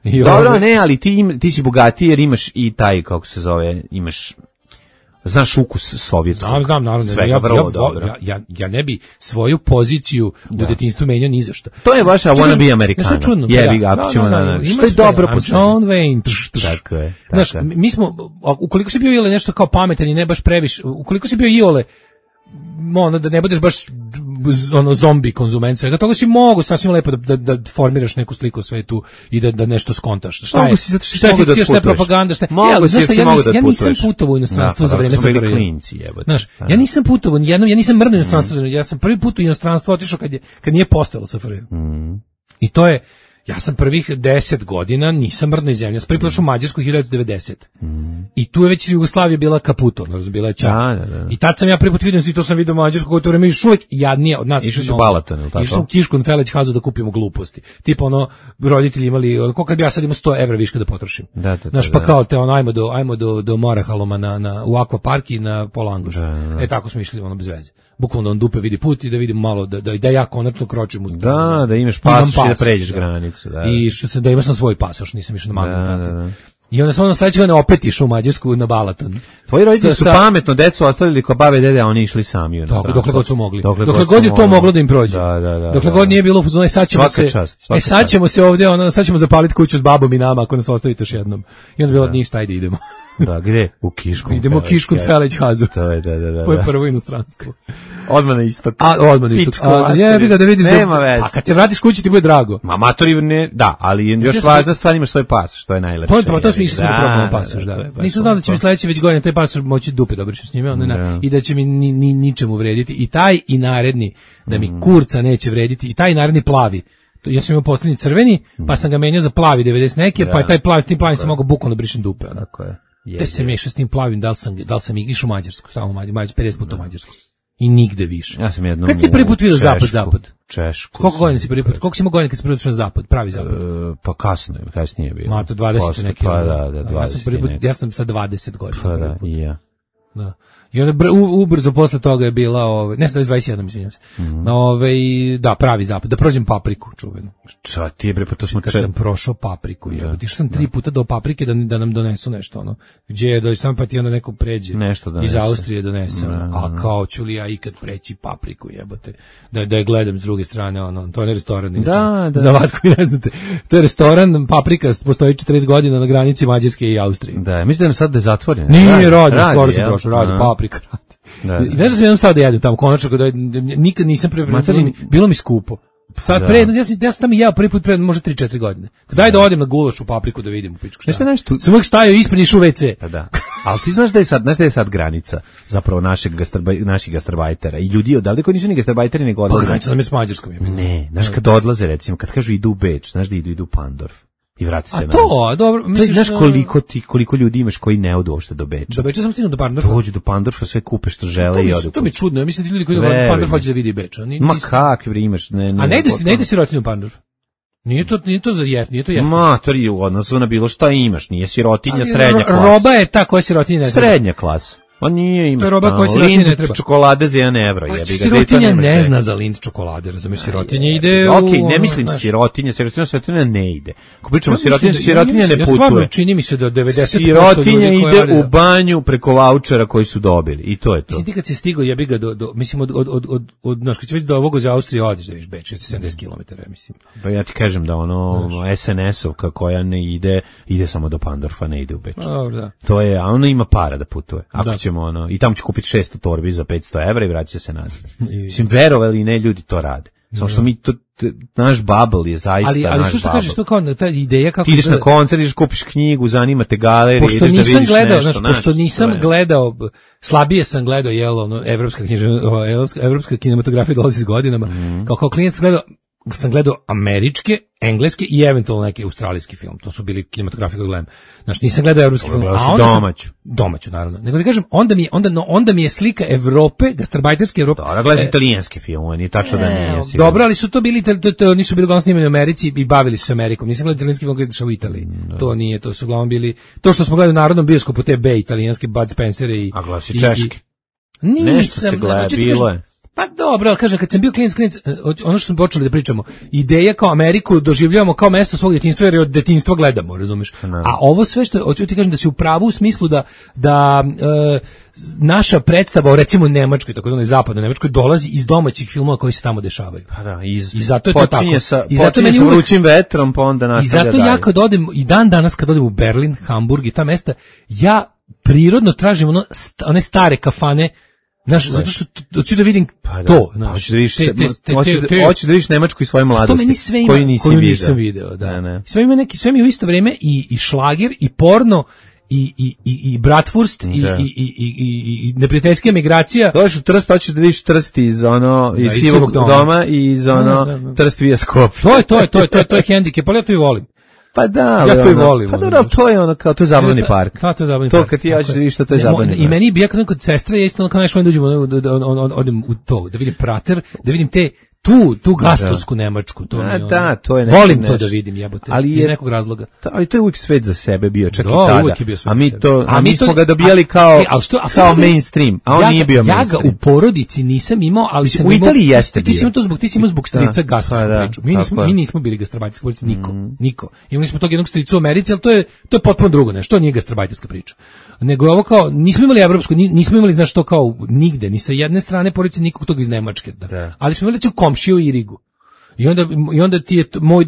[SPEAKER 8] I
[SPEAKER 7] Dobro,
[SPEAKER 8] ovaj-
[SPEAKER 7] ne, ali ti, im, ti si bogatiji jer imaš i taj, kako se zove, imaš, znaš ukus sovjetskog.
[SPEAKER 8] Znam, znam, naravno.
[SPEAKER 7] Svega
[SPEAKER 8] ja,
[SPEAKER 7] vrlo
[SPEAKER 8] ja,
[SPEAKER 7] dobro.
[SPEAKER 8] Ja, ja, ja ne bi svoju poziciju u detinjstvu menjao ni za šta.
[SPEAKER 7] To je vaša
[SPEAKER 8] Čekaj,
[SPEAKER 7] wanna be
[SPEAKER 8] nešto
[SPEAKER 7] Americana.
[SPEAKER 8] čudno, pa
[SPEAKER 7] Jebi
[SPEAKER 8] da.
[SPEAKER 7] ga,
[SPEAKER 8] Da,
[SPEAKER 7] ako ćemo
[SPEAKER 8] da, da,
[SPEAKER 7] na...
[SPEAKER 8] ima
[SPEAKER 7] Što je
[SPEAKER 8] sve,
[SPEAKER 7] dobro
[SPEAKER 8] I'm
[SPEAKER 7] po
[SPEAKER 8] John Wayne. Trš, trš.
[SPEAKER 7] Tako je,
[SPEAKER 8] Znaš,
[SPEAKER 7] tako je.
[SPEAKER 8] mi smo, ukoliko si bio ili nešto kao pametan i ne baš previše, ukoliko si bio iole, ono, da ne budeš baš ono zombi konzument svega toga, si mogu sasvim lepo da, da, da formiraš neku sliku o svetu i da, da nešto skontaš. Šta
[SPEAKER 7] Mogu
[SPEAKER 8] je,
[SPEAKER 7] si, zato što si
[SPEAKER 8] šta je
[SPEAKER 7] mogu da
[SPEAKER 8] fikcija, šta je
[SPEAKER 7] putuješ.
[SPEAKER 8] propaganda, šta je...
[SPEAKER 7] Mogu
[SPEAKER 8] E, ali
[SPEAKER 7] si,
[SPEAKER 8] znaš
[SPEAKER 7] jer
[SPEAKER 8] šta,
[SPEAKER 7] si
[SPEAKER 8] ja,
[SPEAKER 7] mogu
[SPEAKER 8] nis,
[SPEAKER 7] da
[SPEAKER 8] ja nisam
[SPEAKER 7] putuješ.
[SPEAKER 8] putovao u inostranstvo
[SPEAKER 7] Da,
[SPEAKER 8] za vreme
[SPEAKER 7] pa smo bili
[SPEAKER 8] S F R J.
[SPEAKER 7] klinci, jebote.
[SPEAKER 8] Znaš,
[SPEAKER 7] Da.
[SPEAKER 8] ja nisam putovao, nijednom, ja nisam mrno u inostranstvo, ja sam prvi put u inostranstvo otišao kad, je, kad nije postojalo S F R J. I to je, ja sam prvih deset godina nisam mrdno iz zemlje. Ja sam prvi put došao u Mađarsku hiljadu devedeset. I tu je već Jugoslavija bila kaputo, znači bila je čak.
[SPEAKER 7] Da, da, da.
[SPEAKER 8] I tad sam ja prvi put vidio, i to sam vidio u Mađarsku, koje to vreme još uvijek jadnije od nas.
[SPEAKER 7] Išao si u
[SPEAKER 8] No,
[SPEAKER 7] Balaton, ili tako?
[SPEAKER 8] Išao sam u Kiškon Feleć Hazu da kupimo gluposti. Tipa ono, roditelji imali, ono, koliko bi ja sad imao sto evra viška da potrošim.
[SPEAKER 7] Da, da, da,
[SPEAKER 8] Znaš, pa
[SPEAKER 7] da.
[SPEAKER 8] kao te ono, ajmo do, ajmo do, do Morahaloma na, na, u Akvapark i na Polangoš. E, tako smo išli, ono, bez veze. Bukvalno on dupe vidi put i da vidim malo, da, da, da ja konačno kročim u...
[SPEAKER 7] Da, da imaš
[SPEAKER 8] Imam
[SPEAKER 7] pasoš i da
[SPEAKER 8] pasoš,
[SPEAKER 7] pređeš
[SPEAKER 8] da.
[SPEAKER 7] granicu. Da.
[SPEAKER 8] I što sam da imao sam svoj pasoš, nisam išao na mamu.
[SPEAKER 7] Da, da, da.
[SPEAKER 8] I onda sam ono sledeće godine opet išao u Mađarsku na Balaton.
[SPEAKER 7] Tvoji roditelji
[SPEAKER 8] Sa-
[SPEAKER 7] su
[SPEAKER 8] sa-
[SPEAKER 7] pametno decu ostavili kod babe i dede, a oni išli sami. u
[SPEAKER 8] Dokle,
[SPEAKER 7] inostranstvo.
[SPEAKER 8] dokle god su mogli.
[SPEAKER 7] Dokle,
[SPEAKER 8] Dokle,
[SPEAKER 7] god
[SPEAKER 8] god
[SPEAKER 7] su
[SPEAKER 8] je to
[SPEAKER 7] mogli.
[SPEAKER 8] moglo da im prođe.
[SPEAKER 7] Da, da, da.
[SPEAKER 8] Dokle
[SPEAKER 7] da,
[SPEAKER 8] god
[SPEAKER 7] da.
[SPEAKER 8] nije bilo u fazonu, e sad ćemo
[SPEAKER 7] Svaka
[SPEAKER 8] se,
[SPEAKER 7] čast, svaka
[SPEAKER 8] e sad
[SPEAKER 7] čast.
[SPEAKER 8] ćemo se ovdje, ono, sad ćemo zapaliti kuću s babom i nama ako nas ostavite još jednom. I onda je bilo ništa, ajde idemo.
[SPEAKER 7] Da, gde? U Kišku.
[SPEAKER 8] Idemo u Kiškun Feleć Hazu.
[SPEAKER 7] To je, da, da, da.
[SPEAKER 8] To je
[SPEAKER 7] da.
[SPEAKER 8] prvo inostranstvo.
[SPEAKER 7] Odmah na istok.
[SPEAKER 8] A, odmah isto.
[SPEAKER 7] Pičku
[SPEAKER 8] A,
[SPEAKER 7] materinu.
[SPEAKER 8] jebi ga da vidiš
[SPEAKER 7] Nema
[SPEAKER 8] da...
[SPEAKER 7] veze.
[SPEAKER 8] A kad se vratiš kući ti bude drago.
[SPEAKER 7] Ma matori ne, da, ali još
[SPEAKER 8] Ja sam-
[SPEAKER 7] važna stvar, imaš svoj pas, što je najlepše.
[SPEAKER 8] To je pa to smo
[SPEAKER 7] jebi
[SPEAKER 8] išli
[SPEAKER 7] ga.
[SPEAKER 8] da
[SPEAKER 7] Da,
[SPEAKER 8] probamo
[SPEAKER 7] da,
[SPEAKER 8] pasoš,
[SPEAKER 7] da,
[SPEAKER 8] da.
[SPEAKER 7] to je baš
[SPEAKER 8] Nisam znao da će mi
[SPEAKER 7] lepo.
[SPEAKER 8] sledeće već godine taj pasoš moći dupe dobro s njime, onda ne,
[SPEAKER 7] Da.
[SPEAKER 8] i da će mi ni, ni, ničemu vrediti. I taj i naredni, da mi kurca neće vrediti, i taj naredni plavi. To- Ja sam imao posljednji crveni, pa sam ga menjao za plavi devedeset neke, pa je taj plavi, s tim plavim sam mogao bukvalno da brišem dupe. Ono.
[SPEAKER 7] Tako je.
[SPEAKER 8] Gde se mešao s tim plavim, da li sam, da li sam išao u Mađarsku, samo u Mađarsku, Mađarsku, pedeset puta u Mađarsku. I nigde više.
[SPEAKER 7] Ja sam jednom
[SPEAKER 8] Kad si prvi put
[SPEAKER 7] u
[SPEAKER 8] vidio zapad,
[SPEAKER 7] Češku.
[SPEAKER 8] zapad?
[SPEAKER 7] Češku.
[SPEAKER 8] Koliko
[SPEAKER 7] sam
[SPEAKER 8] godina si prvi put? Koliko si imao godina kad si prvi put išao na zapad, pravi zapad?
[SPEAKER 7] E, pa kasno je, kasnije je bilo.
[SPEAKER 8] Ma, to dvadeset
[SPEAKER 7] Posle,
[SPEAKER 8] neki.
[SPEAKER 7] Pa
[SPEAKER 8] ono.
[SPEAKER 7] da, da,
[SPEAKER 8] ja sam
[SPEAKER 7] dvadeset
[SPEAKER 8] prvi put,
[SPEAKER 7] neki.
[SPEAKER 8] ja sam sa dvadeset godina.
[SPEAKER 7] Pa
[SPEAKER 8] prvi
[SPEAKER 7] da,
[SPEAKER 8] put.
[SPEAKER 7] i ja.
[SPEAKER 8] Da. I onda br, u, ubrzo posle toga je bila, ove, ne znam, dvadeset jedan, mislim se.
[SPEAKER 7] Mhm.
[SPEAKER 8] Ove, da, pravi zapad, da prođem Papriku, čuvenu.
[SPEAKER 7] Ča, ti je bre, pa to smo
[SPEAKER 8] Kad
[SPEAKER 7] če...
[SPEAKER 8] sam prošao Papriku, jebote, išao sam tri puta do Paprike da, da nam donesu nešto, ono. Gdje je, da sam pa ti onda neko pređe.
[SPEAKER 7] Nešto
[SPEAKER 8] Iz
[SPEAKER 7] donese.
[SPEAKER 8] Austrije donese, ono. A kao ću li ja ikad preći Papriku, jebote. Da, da je gledam s druge strane, ono, to je restoran. inače.
[SPEAKER 7] Da, da.
[SPEAKER 8] Za vas koji ne znate. To je restoran, Paprika, postoji četrdeset godina na granici Mađarske i Austrije.
[SPEAKER 7] Da, mislim da je sad da je zatvoren.
[SPEAKER 8] Nije radi, skoro sam
[SPEAKER 7] jel?
[SPEAKER 8] prošao, radi,
[SPEAKER 7] A.
[SPEAKER 8] Paprika radi.
[SPEAKER 7] Da, da.
[SPEAKER 8] I znaš da sam jednom stao da jedem tamo, konačno, kada nikad nisam pre,
[SPEAKER 7] Ma, to
[SPEAKER 8] bilo,
[SPEAKER 7] mi-
[SPEAKER 8] mi, bilo mi skupo. Sad
[SPEAKER 7] Da.
[SPEAKER 8] pre, ja sam, ja sam tamo jeo prvi put pre možda tri četiri godine. Daj da odem na gulaš u Papriku da vidim u pičku šta.
[SPEAKER 7] Znaš šta je nešto-
[SPEAKER 8] Sam uvijek stajao ispred išao u ve ce.
[SPEAKER 7] Pa da. Ali ti znaš da je sad, znaš da je sad granica zapravo našeg gastrobaj, naših gastarbajtera i ljudi odavde koji nisu ni gastarbajteri nego
[SPEAKER 8] Pa
[SPEAKER 7] odlaze.
[SPEAKER 8] granica nam je s Mađarskom. Je.
[SPEAKER 7] Ne, znaš kad odlaze recimo, kad kažu idu u Beč, znaš da idu idu u Pandorf i vrati se
[SPEAKER 8] A
[SPEAKER 7] nazad.
[SPEAKER 8] to, a dobro,
[SPEAKER 7] To je,
[SPEAKER 8] misliš...
[SPEAKER 7] znaš
[SPEAKER 8] da-
[SPEAKER 7] koliko ti koliko ljudi imaš koji ne odu uopšte do Beča.
[SPEAKER 8] Do Beča sam stignuo do Pandorfa.
[SPEAKER 7] Dođu do Pandorfa, sve kupe što
[SPEAKER 8] To
[SPEAKER 7] žele
[SPEAKER 8] mi,
[SPEAKER 7] i odu.
[SPEAKER 8] to mi je čudno, ja mislim da ti ljudi koji do
[SPEAKER 7] Veruj
[SPEAKER 8] Pandorfa
[SPEAKER 7] mi.
[SPEAKER 8] hoće da vidi Beč. a ni-
[SPEAKER 7] Ma
[SPEAKER 8] nisu-
[SPEAKER 7] kakvi bre imaš, ne, ne.
[SPEAKER 8] A ne ide si, ne ide
[SPEAKER 7] potpuno-
[SPEAKER 8] sirotinju u Pandorf. Nije to, nije to za jeft, nije to jeftino.
[SPEAKER 7] Matori, u odnosu na bilo šta imaš, nije sirotinja,
[SPEAKER 8] Ali
[SPEAKER 7] srednja
[SPEAKER 8] ro-
[SPEAKER 7] klasa.
[SPEAKER 8] Roba je ta koja sirotinja ne treba.
[SPEAKER 7] Srednja klasa. On nije, imaš
[SPEAKER 8] To je roba
[SPEAKER 7] tamo
[SPEAKER 8] koja sirotinji ne
[SPEAKER 7] Lindt
[SPEAKER 8] treba.
[SPEAKER 7] čokolade za jedan evro.
[SPEAKER 8] Pa
[SPEAKER 7] jebi ga, gde to
[SPEAKER 8] sirotinja
[SPEAKER 7] nemaš
[SPEAKER 8] ne
[SPEAKER 7] gde.
[SPEAKER 8] zna za Lindt čokolade, razumiješ, sirotinja ide u...
[SPEAKER 7] Okej, ne
[SPEAKER 8] ono,
[SPEAKER 7] mislim
[SPEAKER 8] znaš,
[SPEAKER 7] sirotinja, sirotinja, sirotinja ne ide. Ako pričamo
[SPEAKER 8] ja mislim
[SPEAKER 7] sirotinja,
[SPEAKER 8] da- ja
[SPEAKER 7] sirotinja
[SPEAKER 8] mislim-
[SPEAKER 7] ne
[SPEAKER 8] ja stvarno
[SPEAKER 7] putuje.
[SPEAKER 8] čini mi se da devedeset posto
[SPEAKER 7] Sirotinja
[SPEAKER 8] ljudi koji
[SPEAKER 7] ide
[SPEAKER 8] rade
[SPEAKER 7] u
[SPEAKER 8] da-
[SPEAKER 7] banju preko vaučera koji su dobili. I to je to.
[SPEAKER 8] Mislim, ti kad si stigao, jebi ga do, do mislim, od, od, od, od, od znaš, kad će vidjeti do ovog za Austrije, odiš da vidiš Beč, sedamdeset kilometara, mislim.
[SPEAKER 7] Pa ja ti kažem da ono es en es-ovka koja ne ide, ide samo do Pandorfa, ne ide u Beč.
[SPEAKER 8] Dobro, da.
[SPEAKER 7] To je, a ono ima para da putuje. Ako
[SPEAKER 8] Da.
[SPEAKER 7] ćemo ono, i tamo će kupiti šesto torbi za petsto evra i vraća se nazad. Mislim, verovali ne, ljudi to rade. Samo što mi to, t- naš bubble je zaista
[SPEAKER 8] Ali, ali
[SPEAKER 7] naš
[SPEAKER 8] što što
[SPEAKER 7] bubble.
[SPEAKER 8] kažeš, to kao ta ideja kako...
[SPEAKER 7] Ti ideš na
[SPEAKER 8] izgleda-
[SPEAKER 7] koncert, ideš kupiš knjigu, zanima te galerija,
[SPEAKER 8] Pošto
[SPEAKER 7] ideš da
[SPEAKER 8] nisam
[SPEAKER 7] vidiš
[SPEAKER 8] gledao,
[SPEAKER 7] nešto,
[SPEAKER 8] znaš, pošto
[SPEAKER 7] znaš,
[SPEAKER 8] nisam
[SPEAKER 7] to je.
[SPEAKER 8] gledao, slabije sam gledao, jel, ono, evropska književnost, ova, evropska, evropska kinematografija dolazi s godinama,
[SPEAKER 7] Mhm.
[SPEAKER 8] kao, kao klijent sam gledao, sam gledao američke, engleske i eventualno neki australijski film. To su bili kinematografije koje gledam. Znači, nisam gledao evropski film.
[SPEAKER 7] A onda domaću.
[SPEAKER 8] Domaću, naravno. Nego da kažem, onda mi, onda, no, onda mi je slika Evrope, gastarbajterske Evrope.
[SPEAKER 7] Da, gledam e, italijanske filmove, nije tačno da nije.
[SPEAKER 8] E, dobro, ali su to bili, to, to, to nisu bili uglavnom snimani u Americi i bavili su se Amerikom. Nisam gledao italijanski film koji se dešava u Italiji. No. To nije, to su uglavnom bili, to što smo gledali u Narodnom bioskopu, te B, italijanske Bud Spencer i...
[SPEAKER 7] A glasi češki.
[SPEAKER 8] Nisam,
[SPEAKER 7] se gleda, bilo je.
[SPEAKER 8] Pa dobro, ali kažem, kad sam bio klinac, klinac, ono što smo počeli da pričamo, ideja kao Ameriku doživljavamo kao mesto svog djetinjstva jer je od djetinjstva gledamo, razumeš? No. A ovo sve što, hoću ti kažem da si u pravu u smislu da, da e, naša predstava o recimo Nemačkoj, takozvanoj zapadnoj Nemačkoj, dolazi iz domaćih filmova koji se tamo dešavaju.
[SPEAKER 7] Pa da, iz,
[SPEAKER 8] I zato je to tako.
[SPEAKER 7] Sa,
[SPEAKER 8] I zato
[SPEAKER 7] počinje sa vrućim vetrom, pa onda nastavlja dalje.
[SPEAKER 8] I zato ja kad odem, i dan danas kad odem u Berlin, Hamburg i ta mesta, ja prirodno tražim ono, st, one stare kafane. Znaš, zato što hoću da vidim
[SPEAKER 7] pa da,
[SPEAKER 8] to.
[SPEAKER 7] Hoćeš da vidiš, hoćeš da vidiš Nemačku iz svoje mladosti.
[SPEAKER 8] To meni sve ima,
[SPEAKER 7] koju nisi
[SPEAKER 8] koju
[SPEAKER 7] video.
[SPEAKER 8] nisam video, da.
[SPEAKER 7] Ne, ne.
[SPEAKER 8] Sve ima neki, sve mi u isto vrijeme i, i šlager, i porno, i, i, i, i bratwurst, i, i, i, i, i neprijateljska migracija.
[SPEAKER 7] Dođeš u Trst, hoćeš da vidiš Trst iz ono, iz
[SPEAKER 8] da,
[SPEAKER 7] Sivog doma. doma i iz ono, da, da, da. Trst via Skopje.
[SPEAKER 8] To je, to je, to je, to je, to je hendikep, ali ja to i volim.
[SPEAKER 7] Pa da, ali
[SPEAKER 8] ja to i
[SPEAKER 7] ono,
[SPEAKER 8] volim.
[SPEAKER 7] Pa da, to je ono kao, to je zabavni park.
[SPEAKER 8] Da, to je zabavni
[SPEAKER 7] to
[SPEAKER 8] park.
[SPEAKER 7] To kad ti hoćeš da vidiš što to je zabavni park.
[SPEAKER 8] I meni bi ja kad kod sestre, ja isto ono kao nešto dođemo, odem u to, da vidim Prater, da vidim te, tu, tu gastovsku da. Nemačku. To
[SPEAKER 7] da,
[SPEAKER 8] mi,
[SPEAKER 7] da, to je
[SPEAKER 8] volim
[SPEAKER 7] nešto.
[SPEAKER 8] to da vidim, jebote,
[SPEAKER 7] ali je,
[SPEAKER 8] iz nekog razloga.
[SPEAKER 7] Ta, ali to je uvijek svet za sebe bio, čak
[SPEAKER 8] da,
[SPEAKER 7] i tada.
[SPEAKER 8] Uvijek je bio svet
[SPEAKER 7] a mi to, a,
[SPEAKER 8] a
[SPEAKER 7] mi
[SPEAKER 8] to,
[SPEAKER 7] smo ga dobijali kao,
[SPEAKER 8] a, što, a
[SPEAKER 7] kao mainstream, a on
[SPEAKER 8] ja,
[SPEAKER 7] nije bio
[SPEAKER 8] ja
[SPEAKER 7] mainstream.
[SPEAKER 8] Ja ga u porodici nisam imao, ali sam
[SPEAKER 7] u Italiji
[SPEAKER 8] imao,
[SPEAKER 7] jeste
[SPEAKER 8] ti si imao to zbog, ti si imao zbog strica
[SPEAKER 7] da,
[SPEAKER 8] gastovsku
[SPEAKER 7] pa da,
[SPEAKER 8] priču. Mi nismo, mi nismo bili gastarbajterska porodica, niko,
[SPEAKER 7] mm.
[SPEAKER 8] niko. Imali smo tog jednog strica u Americi, ali to je, to je potpuno drugo nešto, to nije gastarbajterska priča. Nego je ovo kao, nismo imali evropsku, nismo imali, znaš, to kao nigde, ni sa jedne strane porodice nikog toga iz Nemačke. Da. Da. Ali smo imali komšiju i Rigu. I onda, i onda ti je moj,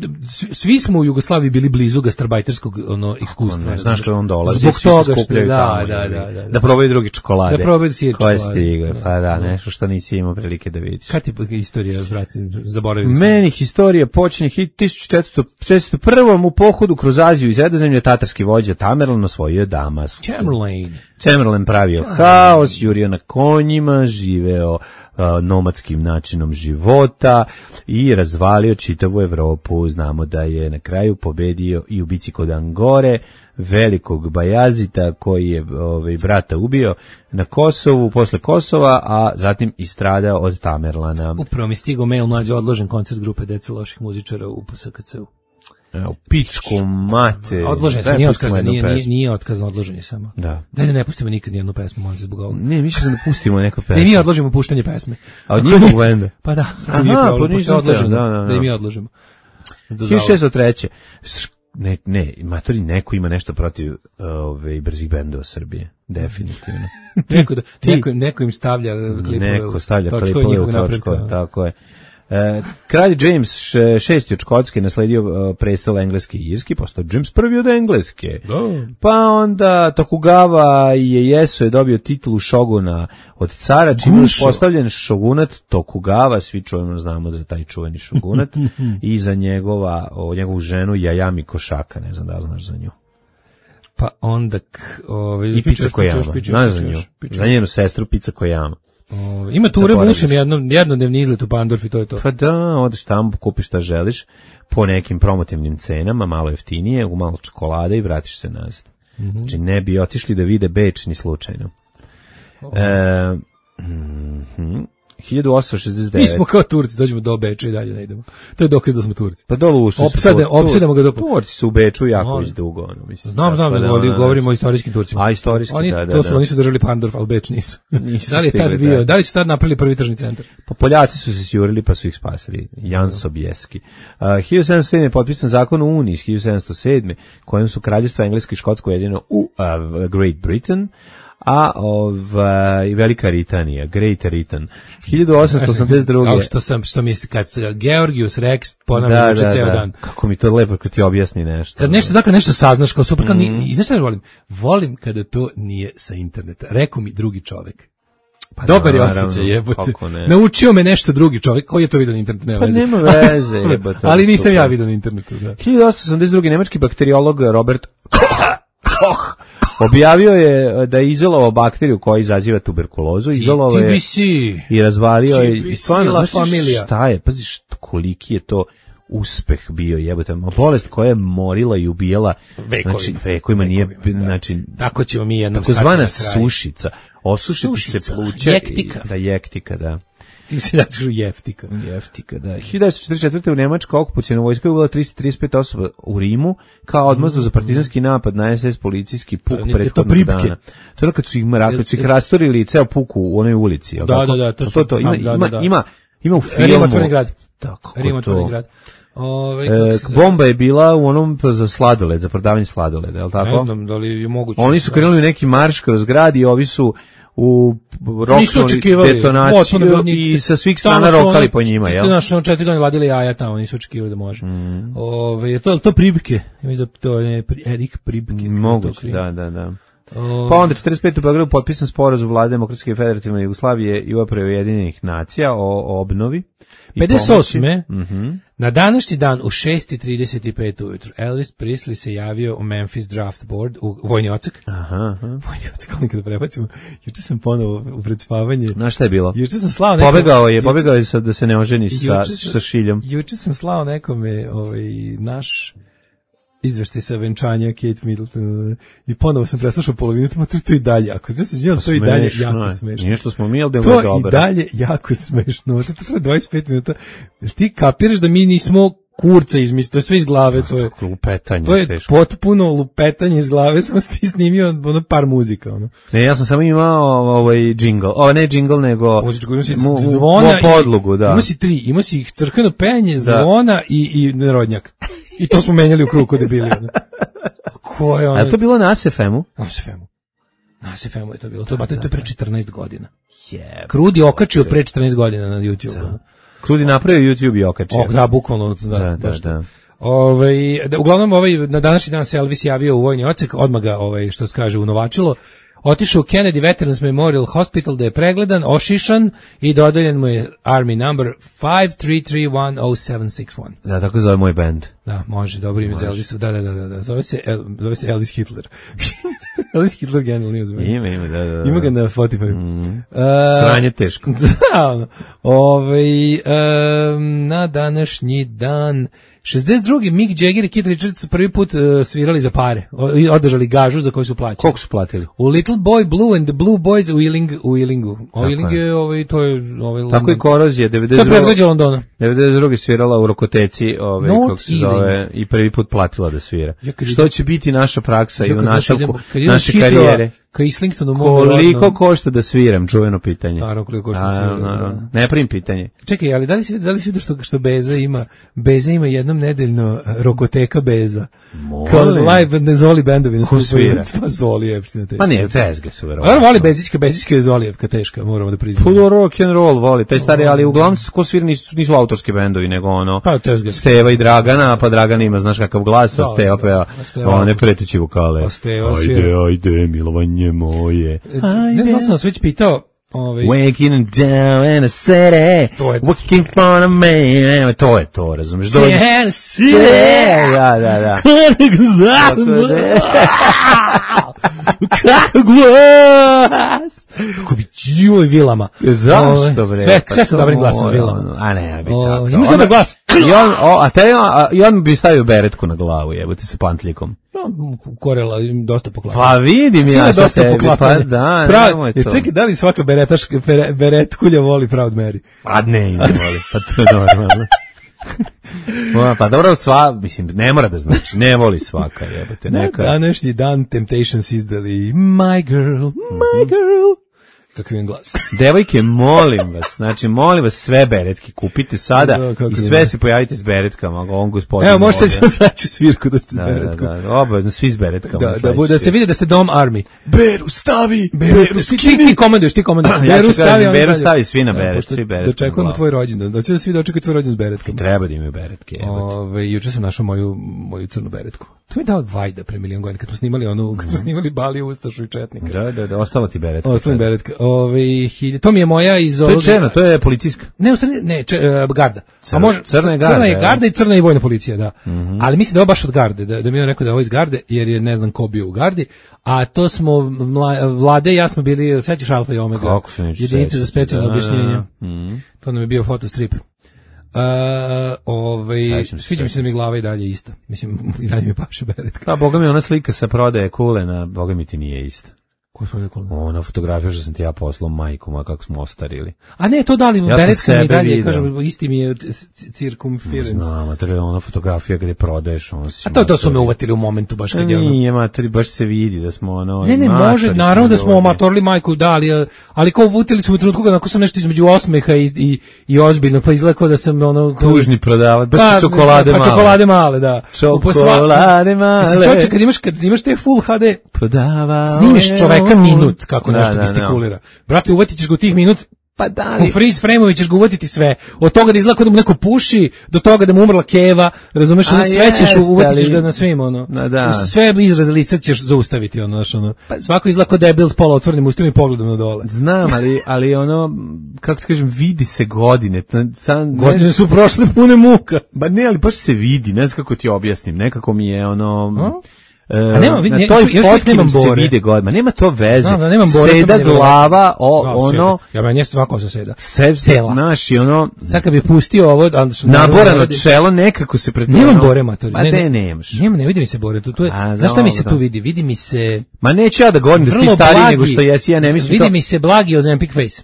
[SPEAKER 8] svi smo u Jugoslaviji bili blizu gastarbajterskog ono iskustva.
[SPEAKER 7] Ne, znaš što on dolazi,
[SPEAKER 8] zbog
[SPEAKER 7] svi
[SPEAKER 8] toga
[SPEAKER 7] se skupljaju
[SPEAKER 8] da,
[SPEAKER 7] tamo.
[SPEAKER 8] Da, da, da, da.
[SPEAKER 7] Da probaju drugi čokolade.
[SPEAKER 8] Da probaju sir
[SPEAKER 7] koje
[SPEAKER 8] čokolade.
[SPEAKER 7] stigle, pa da, nešto što nisi imao prilike da vidiš.
[SPEAKER 8] Kad ti istorija, vratim, zaboravili smo?
[SPEAKER 7] Meni historija počinje tisuću četiristo prvom u pohodu kroz Aziju i Sredozemlje, tatarski vođa Tamerlan osvojio Damask.
[SPEAKER 8] Tamerlan.
[SPEAKER 7] Tamerlan pravio haos, jurio na konjima, živeo uh, nomadskim načinom života i razvalio čitavu Evropu. Znamo da je na kraju pobedio i u bici kod Angore, velikog Bajazita koji je ovaj, brata ubio na Kosovu, posle Kosova, a zatim istradao od Tamerlana.
[SPEAKER 8] Upravo mi stigao mail, mlađe odložen koncert grupe Dece loših muzičara u P S K C-u.
[SPEAKER 7] Evo, pičku mate.
[SPEAKER 8] Odložen sam, nije otkazan, nije, nije, nije otkazan, odložen je samo.
[SPEAKER 7] Da.
[SPEAKER 8] Daj da ne pustimo nikad nijednu pesmu, molim se zbog ovoga.
[SPEAKER 7] Ne, mi ćemo da pustimo neku pesmu.
[SPEAKER 8] Da i mi odložimo puštanje pesme.
[SPEAKER 7] A od njihovog benda?
[SPEAKER 8] Pa da,
[SPEAKER 7] aha,
[SPEAKER 8] nije problem, pošto je odloženo,
[SPEAKER 7] da, da, da.
[SPEAKER 8] da i mi odložimo.
[SPEAKER 7] hiljadu šeststo treće Ne, ne, matori, neko ima nešto protiv ove brzih bendova Srbije, definitivno.
[SPEAKER 8] neko, da, neko, neko im stavlja klipove,
[SPEAKER 7] neko stavlja klipove u točko, tako je. E, kralj James šesti od Škotske nasledio prestol engleski i irski, postao James prvi od Engleske.
[SPEAKER 8] Oh.
[SPEAKER 7] Pa onda Tokugawa Ieyasu je dobio titulu šoguna od cara, čime je postavljen šogunat Tokugawa, svi čujemo, znamo za taj čuveni šogunat, i za njegova, o, njegovu ženu Jajami Košaka, ne znam da znaš za nju.
[SPEAKER 8] Pa onda... Ove,
[SPEAKER 7] I Pica Kojama, znaš za nju, za njenu sestru Pica Kojama.
[SPEAKER 8] O, ima ture busom jedno, jednodnevni izlet u Pandorf i to je to.
[SPEAKER 7] Pa da, odeš tamo, kupiš šta želiš, po nekim promotivnim cenama, malo jeftinije, u malo čokolade i vratiš se nazad. Mm-hmm. Znači ne bi otišli da vide Beč ni slučajno. Oh. E, mm-hmm. hiljadu osamsto šezdeset devet.
[SPEAKER 8] Mi smo kao Turci, dođemo do Beča i dalje ne idemo. To je dokaz da smo Turci.
[SPEAKER 7] Pa dole ušli
[SPEAKER 8] Opsade, su. Opsademo ga do...
[SPEAKER 7] Turci su u Beču jako već dugo. Ono, mislim,
[SPEAKER 8] znam, znam,
[SPEAKER 7] pa
[SPEAKER 8] da, da, govorimo o istorijskim Turcima.
[SPEAKER 7] A, istorijski,
[SPEAKER 8] oni,
[SPEAKER 7] da, da.
[SPEAKER 8] To su,
[SPEAKER 7] da.
[SPEAKER 8] oni su držali Pandorf, ali Beč nisu.
[SPEAKER 7] nisu
[SPEAKER 8] da li je tad
[SPEAKER 7] stigli,
[SPEAKER 8] bio,
[SPEAKER 7] da.
[SPEAKER 8] da li su tad napravili prvi tržni centar?
[SPEAKER 7] Pa Poljaci su se sjurili pa su ih spasili. Jan Sobieski. Uh, hiljadu sedamsto sedme je potpisan zakon o Uniji iz hiljadu sedamsto sedme kojim su kraljevstva Engleske i Škotsko ujedinjeno u uh, Great Britain, a ovaj Velika Britanija, Great Britain. hiljadu osamsto osamdeset druge.
[SPEAKER 8] Kao što sam, što mi kad se Georgius Rex ponavlja uče ceo dan.
[SPEAKER 7] Kako mi to lepo kad ti objasni nešto.
[SPEAKER 8] Kad nešto, dakle nešto saznaš kao super, kao mm. ni, i znaš šta ne volim? Volim kada to nije sa interneta. Rekao mi drugi čovjek. Pa dobar je osjećaj, jebote. Naučio me nešto drugi čovjek, koji je to vidio na internetu, nema veze.
[SPEAKER 7] Pa nema veze, jebote.
[SPEAKER 8] Ali nisam super. Ja vidio na internetu, da.
[SPEAKER 7] hiljadu osamsto osamdeset druge nemački bakteriolog Robert Koch objavio je da je izolovao bakteriju koja izaziva tuberkulozu, izolovao je i razvalio je i stvarno, šta je, pazi što koliki je to uspeh bio, jebote, ma bolest koja je morila i ubijala
[SPEAKER 8] Vekovima.
[SPEAKER 7] znači vekovima nije
[SPEAKER 8] Vekovima, da.
[SPEAKER 7] znači
[SPEAKER 8] Tako ćemo mi jednom
[SPEAKER 7] takozvana
[SPEAKER 8] stati na kraj.
[SPEAKER 7] sušica, osušiti se
[SPEAKER 8] Sušica,
[SPEAKER 7] pluća,
[SPEAKER 8] jektika.
[SPEAKER 7] i- da jektika, da.
[SPEAKER 8] Ti se da kažu jeftika.
[SPEAKER 7] Jeftika, da. hiljadu devetsto četrdeset četvrte. u Nemačka okupaciona vojska je ubila tristo trideset pet osoba u Rimu kao odmazdu za partizanski napad na es es policijski puk
[SPEAKER 8] To nije- to
[SPEAKER 7] prethodnog
[SPEAKER 8] Pripke.
[SPEAKER 7] dana. To je ono kad su ih, mra- kad su ih rastorili ceo puku u onoj ulici. jel
[SPEAKER 8] Da,
[SPEAKER 7] tako?
[SPEAKER 8] da, da, to
[SPEAKER 7] to,
[SPEAKER 8] su-
[SPEAKER 7] to, ima,
[SPEAKER 8] da, da,
[SPEAKER 7] ima,
[SPEAKER 8] da.
[SPEAKER 7] ima, ima u filmu.
[SPEAKER 8] Rim otvoreni grad.
[SPEAKER 7] Tako,
[SPEAKER 8] Rim otvoreni
[SPEAKER 7] to.
[SPEAKER 8] grad. Ove,
[SPEAKER 7] E,
[SPEAKER 8] kako se zove?
[SPEAKER 7] bomba je bila u onom za sladoled, za prodavanje sladoleda, je li tako?
[SPEAKER 8] Ne znam da li je moguće.
[SPEAKER 7] Oni su krenuli u neki marš kroz grad i ovi su u
[SPEAKER 8] Nisu
[SPEAKER 7] roknuli
[SPEAKER 8] očekivali.
[SPEAKER 7] detonaciju
[SPEAKER 8] Otvoreno bilo
[SPEAKER 7] i
[SPEAKER 8] njih-
[SPEAKER 7] sa svih
[SPEAKER 8] Tamo
[SPEAKER 7] strana
[SPEAKER 8] su
[SPEAKER 7] rokali
[SPEAKER 8] ono-
[SPEAKER 7] po njima, jel?
[SPEAKER 8] Znaš, ono četiri godine vadili jaja tamo, nisu očekivali da može.
[SPEAKER 7] Mm.
[SPEAKER 8] Ove, je to, to Pribke? Ja mislim da to je Pri- Erik Pribke. kako je to
[SPEAKER 7] Moguće,
[SPEAKER 8] krim.
[SPEAKER 7] da, da, da.
[SPEAKER 8] Ove,
[SPEAKER 7] Pa onda četrdeset pete. u Beogradu potpisan sporazum vlade Demokratske federativne Jugoslavije i Uprave Ujedinjenih nacija o, o obnovi. i
[SPEAKER 8] pedeset osme.
[SPEAKER 7] pomoći. Mhm.
[SPEAKER 8] Na današnji dan u šest i trideset pet ujutru Elvis Presley se javio u Memphis Draft Board u vojni odsek.
[SPEAKER 7] Aha, aha.
[SPEAKER 8] Vojni odsek, ali kada prebacimo, juče sam ponovo u predspavanje.
[SPEAKER 7] Znaš šta je bilo?
[SPEAKER 8] Juče sam slao nekom...
[SPEAKER 7] Pobegao je,
[SPEAKER 8] juče-
[SPEAKER 7] pobegao je sa, da se ne oženi sa,
[SPEAKER 8] juče sam-
[SPEAKER 7] sa šiljom.
[SPEAKER 8] Juče sam slao nekome ovaj, naš izveštaj sa venčanja Kate Middleton i ponovo sam preslušao polovinu, to, to, to i dalje jako, ja se izvinjam, to i dalje
[SPEAKER 7] Smešno
[SPEAKER 8] jako
[SPEAKER 7] je.
[SPEAKER 8] smešno.
[SPEAKER 7] Nije što smo mi, ali da je
[SPEAKER 8] To
[SPEAKER 7] dobro.
[SPEAKER 8] i dalje jako smešno, to, to traje dvadeset pet minuta. Jel ti kapiraš da mi nismo kurca izmislili, to je sve iz glave, to je...
[SPEAKER 7] Lupetanje,
[SPEAKER 8] To je
[SPEAKER 7] teško.
[SPEAKER 8] potpuno lupetanje iz glave, samo si ti snimio ono par muzika, ono.
[SPEAKER 7] Ne, ja sam samo imao ovaj džingl. Ovo ne džingl, nego
[SPEAKER 8] Muzičku, ima si
[SPEAKER 7] mu- mu-
[SPEAKER 8] zvona
[SPEAKER 7] mu podlogu,
[SPEAKER 8] i,
[SPEAKER 7] da.
[SPEAKER 8] ima si tri, ima si ih crkveno penje, zvona i, i narodnjak. I to smo menjali u krug kod debili, ono. Ko je ono?
[SPEAKER 7] A je to bilo na S F M-u?
[SPEAKER 8] Na S F M-u. Na S F M-u je to bilo. To, to je pre četrnaest godina. Krudi okačio pre četrnaest godina na YouTube. ono.
[SPEAKER 7] Krudi napravio YouTube i okačio.
[SPEAKER 8] O, da, bukvalno, da,
[SPEAKER 7] Da, da,
[SPEAKER 8] baš to.
[SPEAKER 7] da.
[SPEAKER 8] Ovaj, da, uglavnom, ovaj, na današnji dan se Elvis javio u vojni odsek, odmah ga, ovaj, što se kaže, unovačilo. Otišao u Kennedy Veterans Memorial Hospital da je pregledan, ošišan i dodeljen mu je Army number five three three one zero seven six one.
[SPEAKER 7] Da, tako zove moj bend.
[SPEAKER 8] Da, može, dobro ime za Elvisa. Da, da, da, da, da. Zove se, El, zove se Elvis Hitler. Elvis Hitler generalno nije zove.
[SPEAKER 7] Ima, ima, da, da, da.
[SPEAKER 8] Ima ga na Spotify. Mm.
[SPEAKER 7] Sranje teško.
[SPEAKER 8] Da, ono. Ovaj, em, na današnji dan šezdeset drugi Mick Jagger i Keith Richards su prvi put uh, svirali za pare. O, i održali gažu za koju su plaćali.
[SPEAKER 7] Koliko su platili?
[SPEAKER 8] U Little Boy Blue and the Blue Boys u Ealing, u Ealingu. O Ealing je, ovaj, to je ovaj
[SPEAKER 7] Tako
[SPEAKER 8] London.
[SPEAKER 7] i Korozija,
[SPEAKER 8] To je
[SPEAKER 7] devedeset
[SPEAKER 8] predgrađe Londona.
[SPEAKER 7] druge svirala u Rokoteci, ovaj,
[SPEAKER 8] Not
[SPEAKER 7] kako se zove, i prvi put platila da svira.
[SPEAKER 8] Ja kad
[SPEAKER 7] Što će biti naša praksa i
[SPEAKER 8] Ja
[SPEAKER 7] u
[SPEAKER 8] kad znaš,
[SPEAKER 7] nastavku
[SPEAKER 8] idemo- kad idemo
[SPEAKER 7] naše
[SPEAKER 8] s Hitrova
[SPEAKER 7] karijere?
[SPEAKER 8] Ka Islingtonu mogu
[SPEAKER 7] Koliko
[SPEAKER 8] verovatno-
[SPEAKER 7] košta da sviram, čuveno pitanje.
[SPEAKER 8] Naravno, koliko košta da
[SPEAKER 7] A,
[SPEAKER 8] sviram,
[SPEAKER 7] naravno.
[SPEAKER 8] da.
[SPEAKER 7] Ne primim pitanje.
[SPEAKER 8] Čekaj, ali da li si da li si vidio što što Beza ima? Beza ima jednom nedeljno uh, rokoteka Beza. Kao live ne Zoli bendovi
[SPEAKER 7] Ko svira?
[SPEAKER 8] Pa Zoli je na te.
[SPEAKER 7] Ma ne, tezge su
[SPEAKER 8] A
[SPEAKER 7] verovatno.
[SPEAKER 8] voli Bezićka, Bezićka je Zolijevka teška, moramo da priznamo.
[SPEAKER 7] Puno rock and roll voli, taj stari, ali uglavnom ko svira nisu, nisu autorski bendovi, nego ono,
[SPEAKER 8] Pa tezge.
[SPEAKER 7] Steva i Dragana, pa Dragana ima, znaš kakav glas, a
[SPEAKER 8] Da,
[SPEAKER 7] Steva
[SPEAKER 8] da,
[SPEAKER 7] peva
[SPEAKER 8] a Steva-
[SPEAKER 7] one preteći vokale.
[SPEAKER 8] A Steva
[SPEAKER 7] Ajde,
[SPEAKER 8] svira.
[SPEAKER 7] ajde, milovanje moje.
[SPEAKER 8] Ne znam, sam vas već pitao, ovaj
[SPEAKER 7] Waking down in a city,
[SPEAKER 8] To je-
[SPEAKER 7] looking for a man, to je to, razumiješ?
[SPEAKER 8] Yes,
[SPEAKER 7] Yeah, da, da, da. Tako da-
[SPEAKER 8] Kako glas! Kako bi čio i vilama.
[SPEAKER 7] Zašto,
[SPEAKER 8] Ovaj,
[SPEAKER 7] bre?
[SPEAKER 8] Sve,
[SPEAKER 7] Pa
[SPEAKER 8] sve sa
[SPEAKER 7] to
[SPEAKER 8] dobrim glasom
[SPEAKER 7] mora,
[SPEAKER 8] vilama.
[SPEAKER 7] ono, A ne, bi
[SPEAKER 8] O,
[SPEAKER 7] tako.
[SPEAKER 8] imaš
[SPEAKER 7] Ona-
[SPEAKER 8] dobar glas?
[SPEAKER 7] I on, o, a te, a, i on bi stavio beretku na glavu, jebote, sa pantlikom.
[SPEAKER 8] No, Korela im dosta poklapa.
[SPEAKER 7] Pa vidim ja
[SPEAKER 8] Ima
[SPEAKER 7] sa
[SPEAKER 8] dosta
[SPEAKER 7] tebi, pa
[SPEAKER 8] poklapanja.
[SPEAKER 7] da,
[SPEAKER 8] Prav,
[SPEAKER 7] nemoj
[SPEAKER 8] jer
[SPEAKER 7] to.
[SPEAKER 8] čekaj, da li svaka beretaška, bere- beretkulja voli Proud Mary?
[SPEAKER 7] Pa ne, ne voli, pa to je normalno. Ma, pa dobro, sva, mislim, ne mora da znači, ne voli svaka, jebote,
[SPEAKER 8] Na
[SPEAKER 7] neka.
[SPEAKER 8] današnji dan Temptations izdali My Girl, My Girl. Kakav je glas.
[SPEAKER 7] Devojke, molim vas, znači, molim vas sve beretke, kupite sada
[SPEAKER 8] Da, kako
[SPEAKER 7] i
[SPEAKER 8] da.
[SPEAKER 7] sve se pojavite s beretkama, on gospodin.
[SPEAKER 8] Evo, možete
[SPEAKER 7] ovdje.
[SPEAKER 8] ćemo znači svirku da s
[SPEAKER 7] Da,
[SPEAKER 8] beretkom.
[SPEAKER 7] da, da, obavezno, svi s beretkama.
[SPEAKER 8] Da, da,
[SPEAKER 7] sledeći
[SPEAKER 8] bude, da se
[SPEAKER 7] svi.
[SPEAKER 8] vidi da ste Dom Army.
[SPEAKER 7] Beru, stavi!
[SPEAKER 8] Beru, ti, ti, ti komanduješ, ti komanduješ.
[SPEAKER 7] Ja ću
[SPEAKER 8] Beru stavi,
[SPEAKER 7] kažem,
[SPEAKER 8] on
[SPEAKER 7] Beru
[SPEAKER 8] dalje.
[SPEAKER 7] stavi, svi na beret,
[SPEAKER 8] pošto
[SPEAKER 7] svi beret na
[SPEAKER 8] Dočekujemo
[SPEAKER 7] glavu.
[SPEAKER 8] tvoj rođendan, da će da svi dočekati tvoj rođendan s beretkom.
[SPEAKER 7] Treba da imaju beretke, jebote.
[SPEAKER 8] Ove, juče sam našao moju, moju crnu beretku. To mi je dao Vajda pre milion godina, kad smo snimali onu, kad smo snimali Bali, Ustašu i Četnika.
[SPEAKER 7] Da, da, da, ostala ti beretka.
[SPEAKER 8] Ostala mi beretka. Ove, hilj, to mi je moja iz
[SPEAKER 7] To je
[SPEAKER 8] ovog...
[SPEAKER 7] čena, to je policijska.
[SPEAKER 8] Ne, u stvari, ne, če, uh, garda.
[SPEAKER 7] Crna-
[SPEAKER 8] A može,
[SPEAKER 7] crna je garda,
[SPEAKER 8] crna je
[SPEAKER 7] ja.
[SPEAKER 8] garda i crna je vojna policija, da. Ali mislim da je ovo baš od garde, da, da mi je on rekao da je ovo iz garde, jer je ne znam ko bio u gardi, a to smo, mla, Vlade i ja smo bili, sećaš Alfa i Omega,
[SPEAKER 7] Kako se neću
[SPEAKER 8] jedinice za
[SPEAKER 7] sećati,
[SPEAKER 8] specijalno
[SPEAKER 7] da, da, da.
[SPEAKER 8] objašnjenje.
[SPEAKER 7] Mhm.
[SPEAKER 8] To nam je bio fotostrip. Uh, ovaj,
[SPEAKER 7] Sećam se
[SPEAKER 8] sviđa mi se da
[SPEAKER 7] čega.
[SPEAKER 8] mi glava i dalje ista. Mislim, i dalje mi paše beretka.
[SPEAKER 7] Pa, boga mi, ona slika sa prodaje kulena, boga mi ti nije ista.
[SPEAKER 8] Ko je prodaje kulena?
[SPEAKER 7] Ona fotografija što sam ti ja poslao majku, ma kako smo ostarili.
[SPEAKER 8] A ne, to da li,
[SPEAKER 7] Ja sam
[SPEAKER 8] beretka mi
[SPEAKER 7] sebe
[SPEAKER 8] i dalje,
[SPEAKER 7] video.
[SPEAKER 8] kažem, isti mi je c- c- circumference.
[SPEAKER 7] Znam, materi, ona fotografija gde prodaješ, on si...
[SPEAKER 8] A to, to su me
[SPEAKER 7] materi.
[SPEAKER 8] uvatili u momentu baš kad je ono...
[SPEAKER 7] Nije, materi, baš se vidi da smo ono...
[SPEAKER 8] Ne, ne,
[SPEAKER 7] matori
[SPEAKER 8] može, naravno da smo
[SPEAKER 7] ljudi.
[SPEAKER 8] omatorili majku, da, ali, ali kao uvutili su me u trenutku kad ako sam nešto između osmeha i, i, i ozbiljno, pa izgleda kao da sam ono...
[SPEAKER 7] Tužni prodavac, baš
[SPEAKER 8] Pa,
[SPEAKER 7] su čokolade
[SPEAKER 8] pa,
[SPEAKER 7] male.
[SPEAKER 8] čokolade male, da.
[SPEAKER 7] Čokolade male.
[SPEAKER 8] Mislim, čovječe, kad imaš, kad imaš te full ha de,
[SPEAKER 7] Prodava...
[SPEAKER 8] snimiš čoveka minut kako
[SPEAKER 7] Da,
[SPEAKER 8] nešto
[SPEAKER 7] da, da.
[SPEAKER 8] gestikulira. Brate, uvatit ćeš ga u tih minut,
[SPEAKER 7] Pa da
[SPEAKER 8] u
[SPEAKER 7] li...
[SPEAKER 8] freeze frame-ovi ćeš ga uvatiti sve. Od toga da izgleda kao da mu neko puši, do toga da mu umrla keva, razumeš, ono
[SPEAKER 7] A
[SPEAKER 8] sve ćeš,
[SPEAKER 7] jeste,
[SPEAKER 8] uvatit ćeš
[SPEAKER 7] ali-
[SPEAKER 8] ga na svim, ono.
[SPEAKER 7] Da, da.
[SPEAKER 8] Sve izraze lica ćeš zaustaviti, ono, znaš, ono. Svako izgleda kao debil s pola otvorenim ustima i pogledom na dole.
[SPEAKER 7] Znam, ali, ali ono, kako ti kažem, vidi se godine. Ta- Sam,
[SPEAKER 8] Godine su prošle pune muka.
[SPEAKER 7] Ba ne, ali baš se vidi, ne znam kako ti objasnim. Nekako mi je ono...
[SPEAKER 8] A?
[SPEAKER 7] e,
[SPEAKER 8] A nema, vidi,
[SPEAKER 7] na
[SPEAKER 8] ne,
[SPEAKER 7] toj
[SPEAKER 8] još- još uvijek
[SPEAKER 7] fotki
[SPEAKER 8] nemam
[SPEAKER 7] nam se
[SPEAKER 8] bore.
[SPEAKER 7] vide godine. Ma nema to veze.
[SPEAKER 8] Znam da nemam bore, to
[SPEAKER 7] Seda
[SPEAKER 8] meni je
[SPEAKER 7] glava, o,
[SPEAKER 8] Da,
[SPEAKER 7] ono...
[SPEAKER 8] seda. Ja meni je svako sa seda.
[SPEAKER 7] Se,
[SPEAKER 8] Cela.
[SPEAKER 7] naš i ono...
[SPEAKER 8] Sad kad bi pustio ovo, ali što naravno ne
[SPEAKER 7] Naborano
[SPEAKER 8] radi-
[SPEAKER 7] čelo nekako se pred...
[SPEAKER 8] Nemam
[SPEAKER 7] ono-
[SPEAKER 8] bore, matori.
[SPEAKER 7] Pa ne, nemaš.
[SPEAKER 8] Nema, ne vidi mi se bore. Tu, tu je,
[SPEAKER 7] A,
[SPEAKER 8] znaš šta mi se
[SPEAKER 7] dobro.
[SPEAKER 8] tu vidi? Vidi mi se...
[SPEAKER 7] Ma neću ja da govorim da si ti
[SPEAKER 8] vrlo
[SPEAKER 7] stariji
[SPEAKER 8] blagi-
[SPEAKER 7] nego što jesi, ja ne mislim
[SPEAKER 8] Vidi
[SPEAKER 7] to...
[SPEAKER 8] mi se blagi Ozempic face.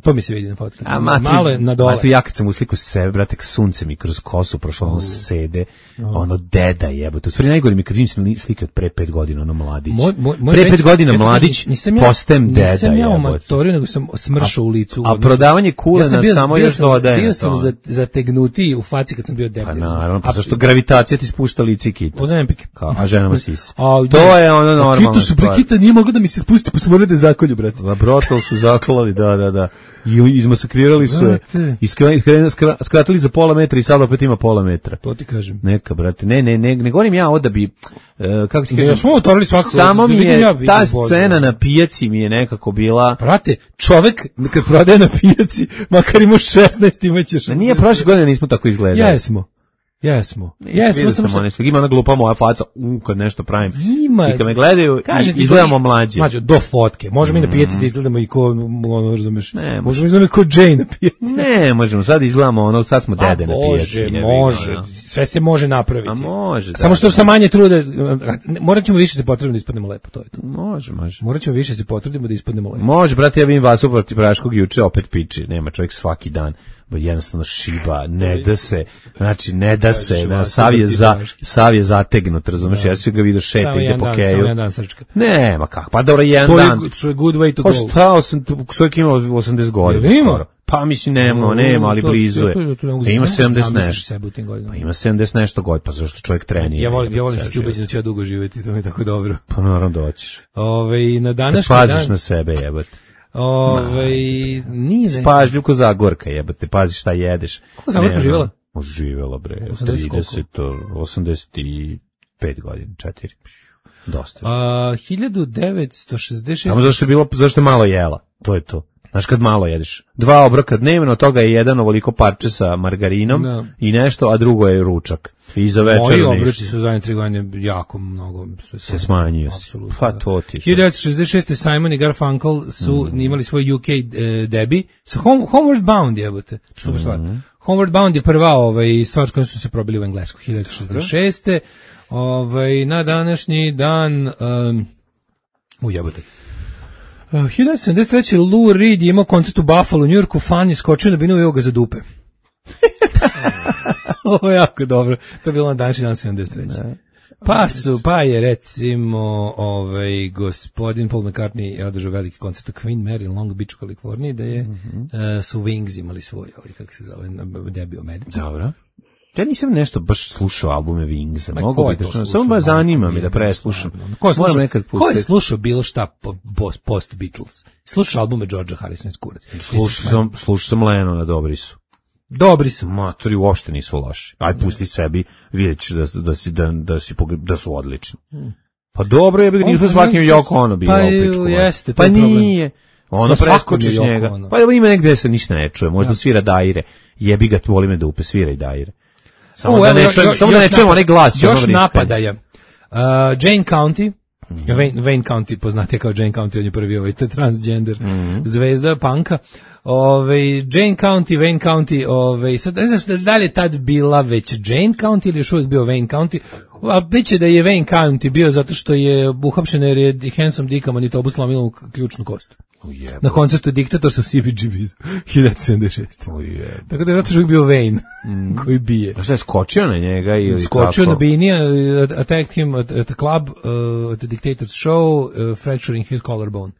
[SPEAKER 8] To mi se vidi na fotki.
[SPEAKER 7] A matri,
[SPEAKER 8] Malo je na dole.
[SPEAKER 7] matri, ja kad sam u sliku sebe, brate, sunce mi kroz kosu prošlo, ono sede, ono deda jebote. U stvari najgore mi kad vidim sli- slike od pre pet godina, ono mladić.
[SPEAKER 8] Moj- moj- moj
[SPEAKER 7] pre
[SPEAKER 8] već-
[SPEAKER 7] pet godina
[SPEAKER 8] ja ti
[SPEAKER 7] mladić,
[SPEAKER 8] kažem, nisam ja-
[SPEAKER 7] postajem deda,
[SPEAKER 8] Nisam ja u
[SPEAKER 7] jebote.
[SPEAKER 8] matoriju, nego sam smršao u licu. u
[SPEAKER 7] A
[SPEAKER 8] odnosu-
[SPEAKER 7] prodavanje kulena
[SPEAKER 8] sam bio-
[SPEAKER 7] samo
[SPEAKER 8] bio
[SPEAKER 7] još
[SPEAKER 8] sam-
[SPEAKER 7] dodaje na
[SPEAKER 8] Bio
[SPEAKER 7] to.
[SPEAKER 8] sam za- zategnutiji u faci kad sam bio
[SPEAKER 7] Pa
[SPEAKER 8] debil.
[SPEAKER 7] naravno, pa
[SPEAKER 8] A-
[SPEAKER 7] zašto gravitacija ti spušta lice i kitu.
[SPEAKER 8] Ozempic.
[SPEAKER 7] Kao, a ženama sisi.
[SPEAKER 8] A,
[SPEAKER 7] To je ono normalno.
[SPEAKER 8] Kitu su prekita, nije moglo da mi se spusti, pa su morali da zakolju, brate.
[SPEAKER 7] Brotol su zaklali, da, da, da. I izmasakrirali su je.
[SPEAKER 8] Brate.
[SPEAKER 7] I skra- skra- skra- skratili za pola metra i sad opet ima pola metra.
[SPEAKER 8] To ti kažem.
[SPEAKER 7] Neka, brate. Ne, ne, ne, ne govorim ja ovo da bi, e, kako ti
[SPEAKER 8] Ne,
[SPEAKER 7] kažem,
[SPEAKER 8] ja smo otvorili svakako,
[SPEAKER 7] samo
[SPEAKER 8] da
[SPEAKER 7] mi
[SPEAKER 8] vidim
[SPEAKER 7] je,
[SPEAKER 8] ja, vidim
[SPEAKER 7] ta
[SPEAKER 8] bolje.
[SPEAKER 7] scena na pijaci mi je nekako bila,
[SPEAKER 8] Brate, čovek kad prodaje na pijaci, makar ima šesnaest, imaćeš.
[SPEAKER 7] da nije prošle godine nismo tako izgledali.
[SPEAKER 8] Jesmo. Jesmo.
[SPEAKER 7] Nisam
[SPEAKER 8] Jesmo,
[SPEAKER 7] vidio
[SPEAKER 8] samo
[SPEAKER 7] sam
[SPEAKER 8] što...
[SPEAKER 7] one slike. Ima ona glupa moja faca, u, kad nešto pravim.
[SPEAKER 8] Ima.
[SPEAKER 7] I kad me gledaju,
[SPEAKER 8] Kažem ti,
[SPEAKER 7] izgledamo
[SPEAKER 8] do-
[SPEAKER 7] mlađe.
[SPEAKER 8] Mlađe, do fotke. Možemo i na pijaci da izgledamo i ko, ono, razumeš,
[SPEAKER 7] Ne,
[SPEAKER 8] možemo izgledamo ko Jane na pijaci.
[SPEAKER 7] Ne, možemo, sad izgledamo ono, sad smo
[SPEAKER 8] A
[SPEAKER 7] dede na pijaci.
[SPEAKER 8] Bože,
[SPEAKER 7] jebi ga,
[SPEAKER 8] može.
[SPEAKER 7] ono.
[SPEAKER 8] Sve se može napraviti.
[SPEAKER 7] A može, da,
[SPEAKER 8] Samo što
[SPEAKER 7] da.
[SPEAKER 8] sa manje trude, morat ćemo više se potrudimo da ispadnemo lepo, to je to.
[SPEAKER 7] Može, može.
[SPEAKER 8] Morat ćemo više se potrudimo da ispadnemo lepo.
[SPEAKER 7] Može, brate, ja vidim vas uproti Praškog juče, opet piči, nema čovjek svaki dan, bo jednostavno šiba, ne da se, znači ne da se,
[SPEAKER 8] Kažeš,
[SPEAKER 7] da,
[SPEAKER 8] vas
[SPEAKER 7] sav je,
[SPEAKER 8] uproti
[SPEAKER 7] za,
[SPEAKER 8] Praški.
[SPEAKER 7] sav je zategnut, razumeš, ja ću ga vidio šeta,
[SPEAKER 8] Samo
[SPEAKER 7] ide
[SPEAKER 8] jedan
[SPEAKER 7] po
[SPEAKER 8] dan,
[SPEAKER 7] keju.
[SPEAKER 8] samo jedan dan srčka.
[SPEAKER 7] Ne, ma kako, pa dobro, jedan
[SPEAKER 8] To je,
[SPEAKER 7] dan.
[SPEAKER 8] to je good way to
[SPEAKER 7] Pa
[SPEAKER 8] go.
[SPEAKER 7] šta, sam, čovjek ima osamdeset godina.
[SPEAKER 8] Jel ima?
[SPEAKER 7] skoro. Pa mislim, nema,
[SPEAKER 8] O,
[SPEAKER 7] nema, ali
[SPEAKER 8] to-
[SPEAKER 7] blizu
[SPEAKER 8] to-
[SPEAKER 7] je.
[SPEAKER 8] to- to ne mogu
[SPEAKER 7] E, Ima
[SPEAKER 8] zamisliti
[SPEAKER 7] sedamdeset
[SPEAKER 8] sebe
[SPEAKER 7] nešto.
[SPEAKER 8] u tim godinama.
[SPEAKER 7] Pa ima sedamdeset nešto godina, pa zašto čovjek trenira?
[SPEAKER 8] Ja volim, ja volim
[SPEAKER 7] Ceo
[SPEAKER 8] što ti ubeđen
[SPEAKER 7] život.
[SPEAKER 8] da ću ja dugo živjeti, to mi je tako dobro.
[SPEAKER 7] Pa naravno doćiš.
[SPEAKER 8] Ove, na
[SPEAKER 7] Kad
[SPEAKER 8] današnji
[SPEAKER 7] paziš
[SPEAKER 8] dan...
[SPEAKER 7] na sebe, jebate.
[SPEAKER 8] Ove, nije nešto.
[SPEAKER 7] Pažljiv ko Zagorka, jebate, pazi šta jedeš.
[SPEAKER 8] Kako Zagorka
[SPEAKER 7] Ne,
[SPEAKER 8] živjela?
[SPEAKER 7] no, Živjela, bre,
[SPEAKER 8] osamdeset koliko?
[SPEAKER 7] trideset, osamdeset pet godina, četiri. Dosta.
[SPEAKER 8] A, hiljadu devetsto šezdeset šeste.
[SPEAKER 7] Samo zašto je bilo, zašto je malo jela, to je to. Znaš kad malo jedeš? Dva obroka dnevno, od toga je jedan ovoliko parče sa margarinom
[SPEAKER 8] Da.
[SPEAKER 7] i nešto, a drugo je ručak. I za večer
[SPEAKER 8] Moji
[SPEAKER 7] ništa.
[SPEAKER 8] obroci su zadnje tri godine jako mnogo
[SPEAKER 7] Se smanjio si.
[SPEAKER 8] Apsolutno,
[SPEAKER 7] Pa
[SPEAKER 8] da.
[SPEAKER 7] to ti.
[SPEAKER 8] hiljadu devetsto šezdeset šeste. Simon i Garfunkel su
[SPEAKER 7] Mm.
[SPEAKER 8] imali svoj U K e, debi sa Home, Homeward Bound, jebote. Super stvar.
[SPEAKER 7] Mm.
[SPEAKER 8] Homeward Bound je prva ovaj, stvar s kojom su se probili u Englesku. hiljadu devetsto šezdeset šeste. Ovaj, na današnji dan... Um, u jebote. Uh, hiljadu devetsto sedamdeset treće. Lou Reed je imao koncert u Buffalo, u Njujorku, fan je skočio na binu i evo ga za dupe. Ovo je jako dobro. To je bilo na današnji dan sedamdeset treće. Pa su, pa je recimo ovaj gospodin Paul McCartney je održao veliki koncert u Queen Mary u Long Beach u Kaliforniji, da je
[SPEAKER 7] Mhm.
[SPEAKER 8] uh, su Wings imali svoj, ovaj, kako se zove, debi u Americi.
[SPEAKER 7] Dobro. Ja nisam nešto baš slušao albume Wingsa.
[SPEAKER 8] Ma
[SPEAKER 7] Mogu
[SPEAKER 8] ko je
[SPEAKER 7] bi
[SPEAKER 8] to
[SPEAKER 7] da
[SPEAKER 8] slušao?
[SPEAKER 7] samo baš zanima me da
[SPEAKER 8] Jebem
[SPEAKER 7] preslušam.
[SPEAKER 8] stvarno. Ko je
[SPEAKER 7] Moram
[SPEAKER 8] slušao,
[SPEAKER 7] nekad
[SPEAKER 8] ko je
[SPEAKER 7] pustiti.
[SPEAKER 8] slušao bilo šta po, post, post Beatles? Slušao albume Georgea Harrisona iz kurac.
[SPEAKER 7] Slušao sam, slušao sam Lenona, dobri su.
[SPEAKER 8] Dobri su.
[SPEAKER 7] Matori uopšte nisu loši. Aj pusti sebi, vidjet ćeš da, da, si, da, da, si, pog- da su odlični. Pa dobro je, bi nisu svakim Yoko Ono bilo
[SPEAKER 8] Pa
[SPEAKER 7] u
[SPEAKER 8] je,
[SPEAKER 7] pičku.
[SPEAKER 8] jeste, to
[SPEAKER 7] Pa
[SPEAKER 8] je problem.
[SPEAKER 7] nije. Ono
[SPEAKER 8] Sa svakom
[SPEAKER 7] preskočiš
[SPEAKER 8] je Yoko
[SPEAKER 7] njega.
[SPEAKER 8] Ono.
[SPEAKER 7] Pa evo ima negde se ništa ne čuje. Možda svira Daire. Jebi ga, voli me da upe, svira i Daire. Samo
[SPEAKER 8] U,
[SPEAKER 7] da
[SPEAKER 8] evo,
[SPEAKER 7] ne
[SPEAKER 8] još-
[SPEAKER 7] čujem,
[SPEAKER 8] još-
[SPEAKER 7] samo da ne
[SPEAKER 8] još
[SPEAKER 7] čujemo
[SPEAKER 8] napad-
[SPEAKER 7] onaj glas.
[SPEAKER 8] Još
[SPEAKER 7] ono vrištanje.
[SPEAKER 8] napadaja. Uh, Jane County, Mm-hmm. Wayne, Wayne County, poznatija kao Jane County, on je prvi ovaj transgender mm-hmm. zvezda punka. Ove, Jane County, Wayne County, ove, sad ne znam da li je tad bila već Jane County ili još uvijek bio Wayne County, a bit će da je Wayne County bio zato što je uhapšen jer je Handsome Dicka Manitobu slomilo ključnu kost. Ujebo. Na koncertu Diktator sa C B G B hiljadu sedamdeset šeste. Ujebo. Tako da je vratno bio Wayne mm. koji bije.
[SPEAKER 7] A šta je skočio na njega ili
[SPEAKER 8] skočio
[SPEAKER 7] kako?
[SPEAKER 8] na Beanie, uh, attacked him at, at the club, uh, at the Dictator's show, uh, fracturing his collarbone.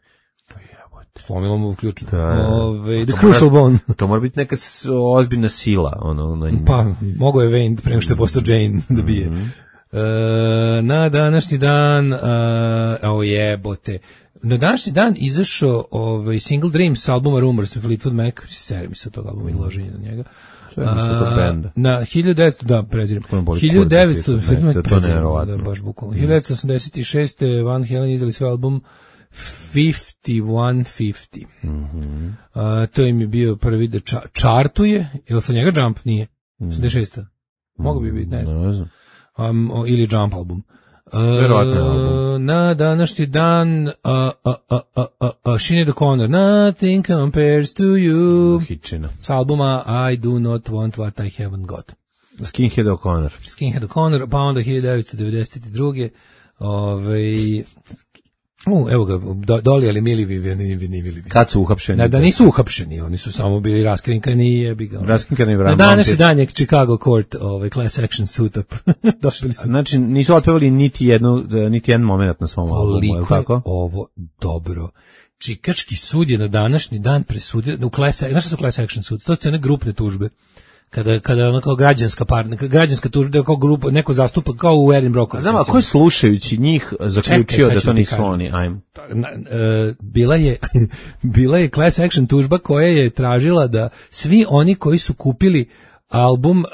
[SPEAKER 8] Slomilo mu ključno. Ove, the crucial bone.
[SPEAKER 7] To mora biti neka ozbiljna sila. Ono, na
[SPEAKER 8] pa, mogo je Wayne prema što je postao Jane da bije. Mm-hmm. E, na današnji dan, o jebote, na današnji dan izašao ovaj, Single Dreams s albuma Rumors, Fleetwood Mac, seri mi se od tog albuma i loženje na njega. A, na hiljadu devetsto da prezirem hiljadu devetsto
[SPEAKER 7] to ne verovatno
[SPEAKER 8] da baš bukvalno hiljadu devetsto osamdeset šeste Van Halen izdali svoj album fifty one fifty.
[SPEAKER 7] Mhm.
[SPEAKER 8] A, to im je bio prvi da ča, chartuje, jel sa njega Jump nije? osamdeset šesta. Mogu bi biti, ne znam.
[SPEAKER 7] Ne znam.
[SPEAKER 8] Um, o, ili Jump album.
[SPEAKER 7] Verovatno album.
[SPEAKER 8] Na današnji dan uh, uh, uh, uh, uh, Sinead O'Connor Nothing Compares to You
[SPEAKER 7] Hitčina.
[SPEAKER 8] s albuma I Do Not Want What I Haven't Got.
[SPEAKER 7] Skinhead O'Connor.
[SPEAKER 8] Skinhead O'Connor, pa onda hiljadu devetsto devedeset druge. Ovaj U, evo ga, do, doli, ali mili vi, vi, vi, vi, vi.
[SPEAKER 7] Kad su uhapšeni?
[SPEAKER 8] Da, da nisu uhapšeni, oni su samo bili raskrinkani i jebi ga.
[SPEAKER 7] Raskrinkani
[SPEAKER 8] Na današnji dan je Chicago Court, ovaj, class action suit up. Došli su.
[SPEAKER 7] Znači, nisu otpevali niti jednu, niti jedan moment na svom albumu, je li tako?
[SPEAKER 8] Ovo dobro. Čikački sud je na današnji dan presudio, u class, znaš što su class action suit? To su one grupne tužbe. Kada kada ona kao građanska par, građanska tužba kao grupa neko zastupa kao u Erin Brockovich.
[SPEAKER 7] Znam, a ko je slušajući njih zaključio
[SPEAKER 8] Čekaj,
[SPEAKER 7] da to nisu oni? Ajmo.
[SPEAKER 8] Uh, bila je bila je class action tužba koja je tražila da svi oni koji su kupili album uh,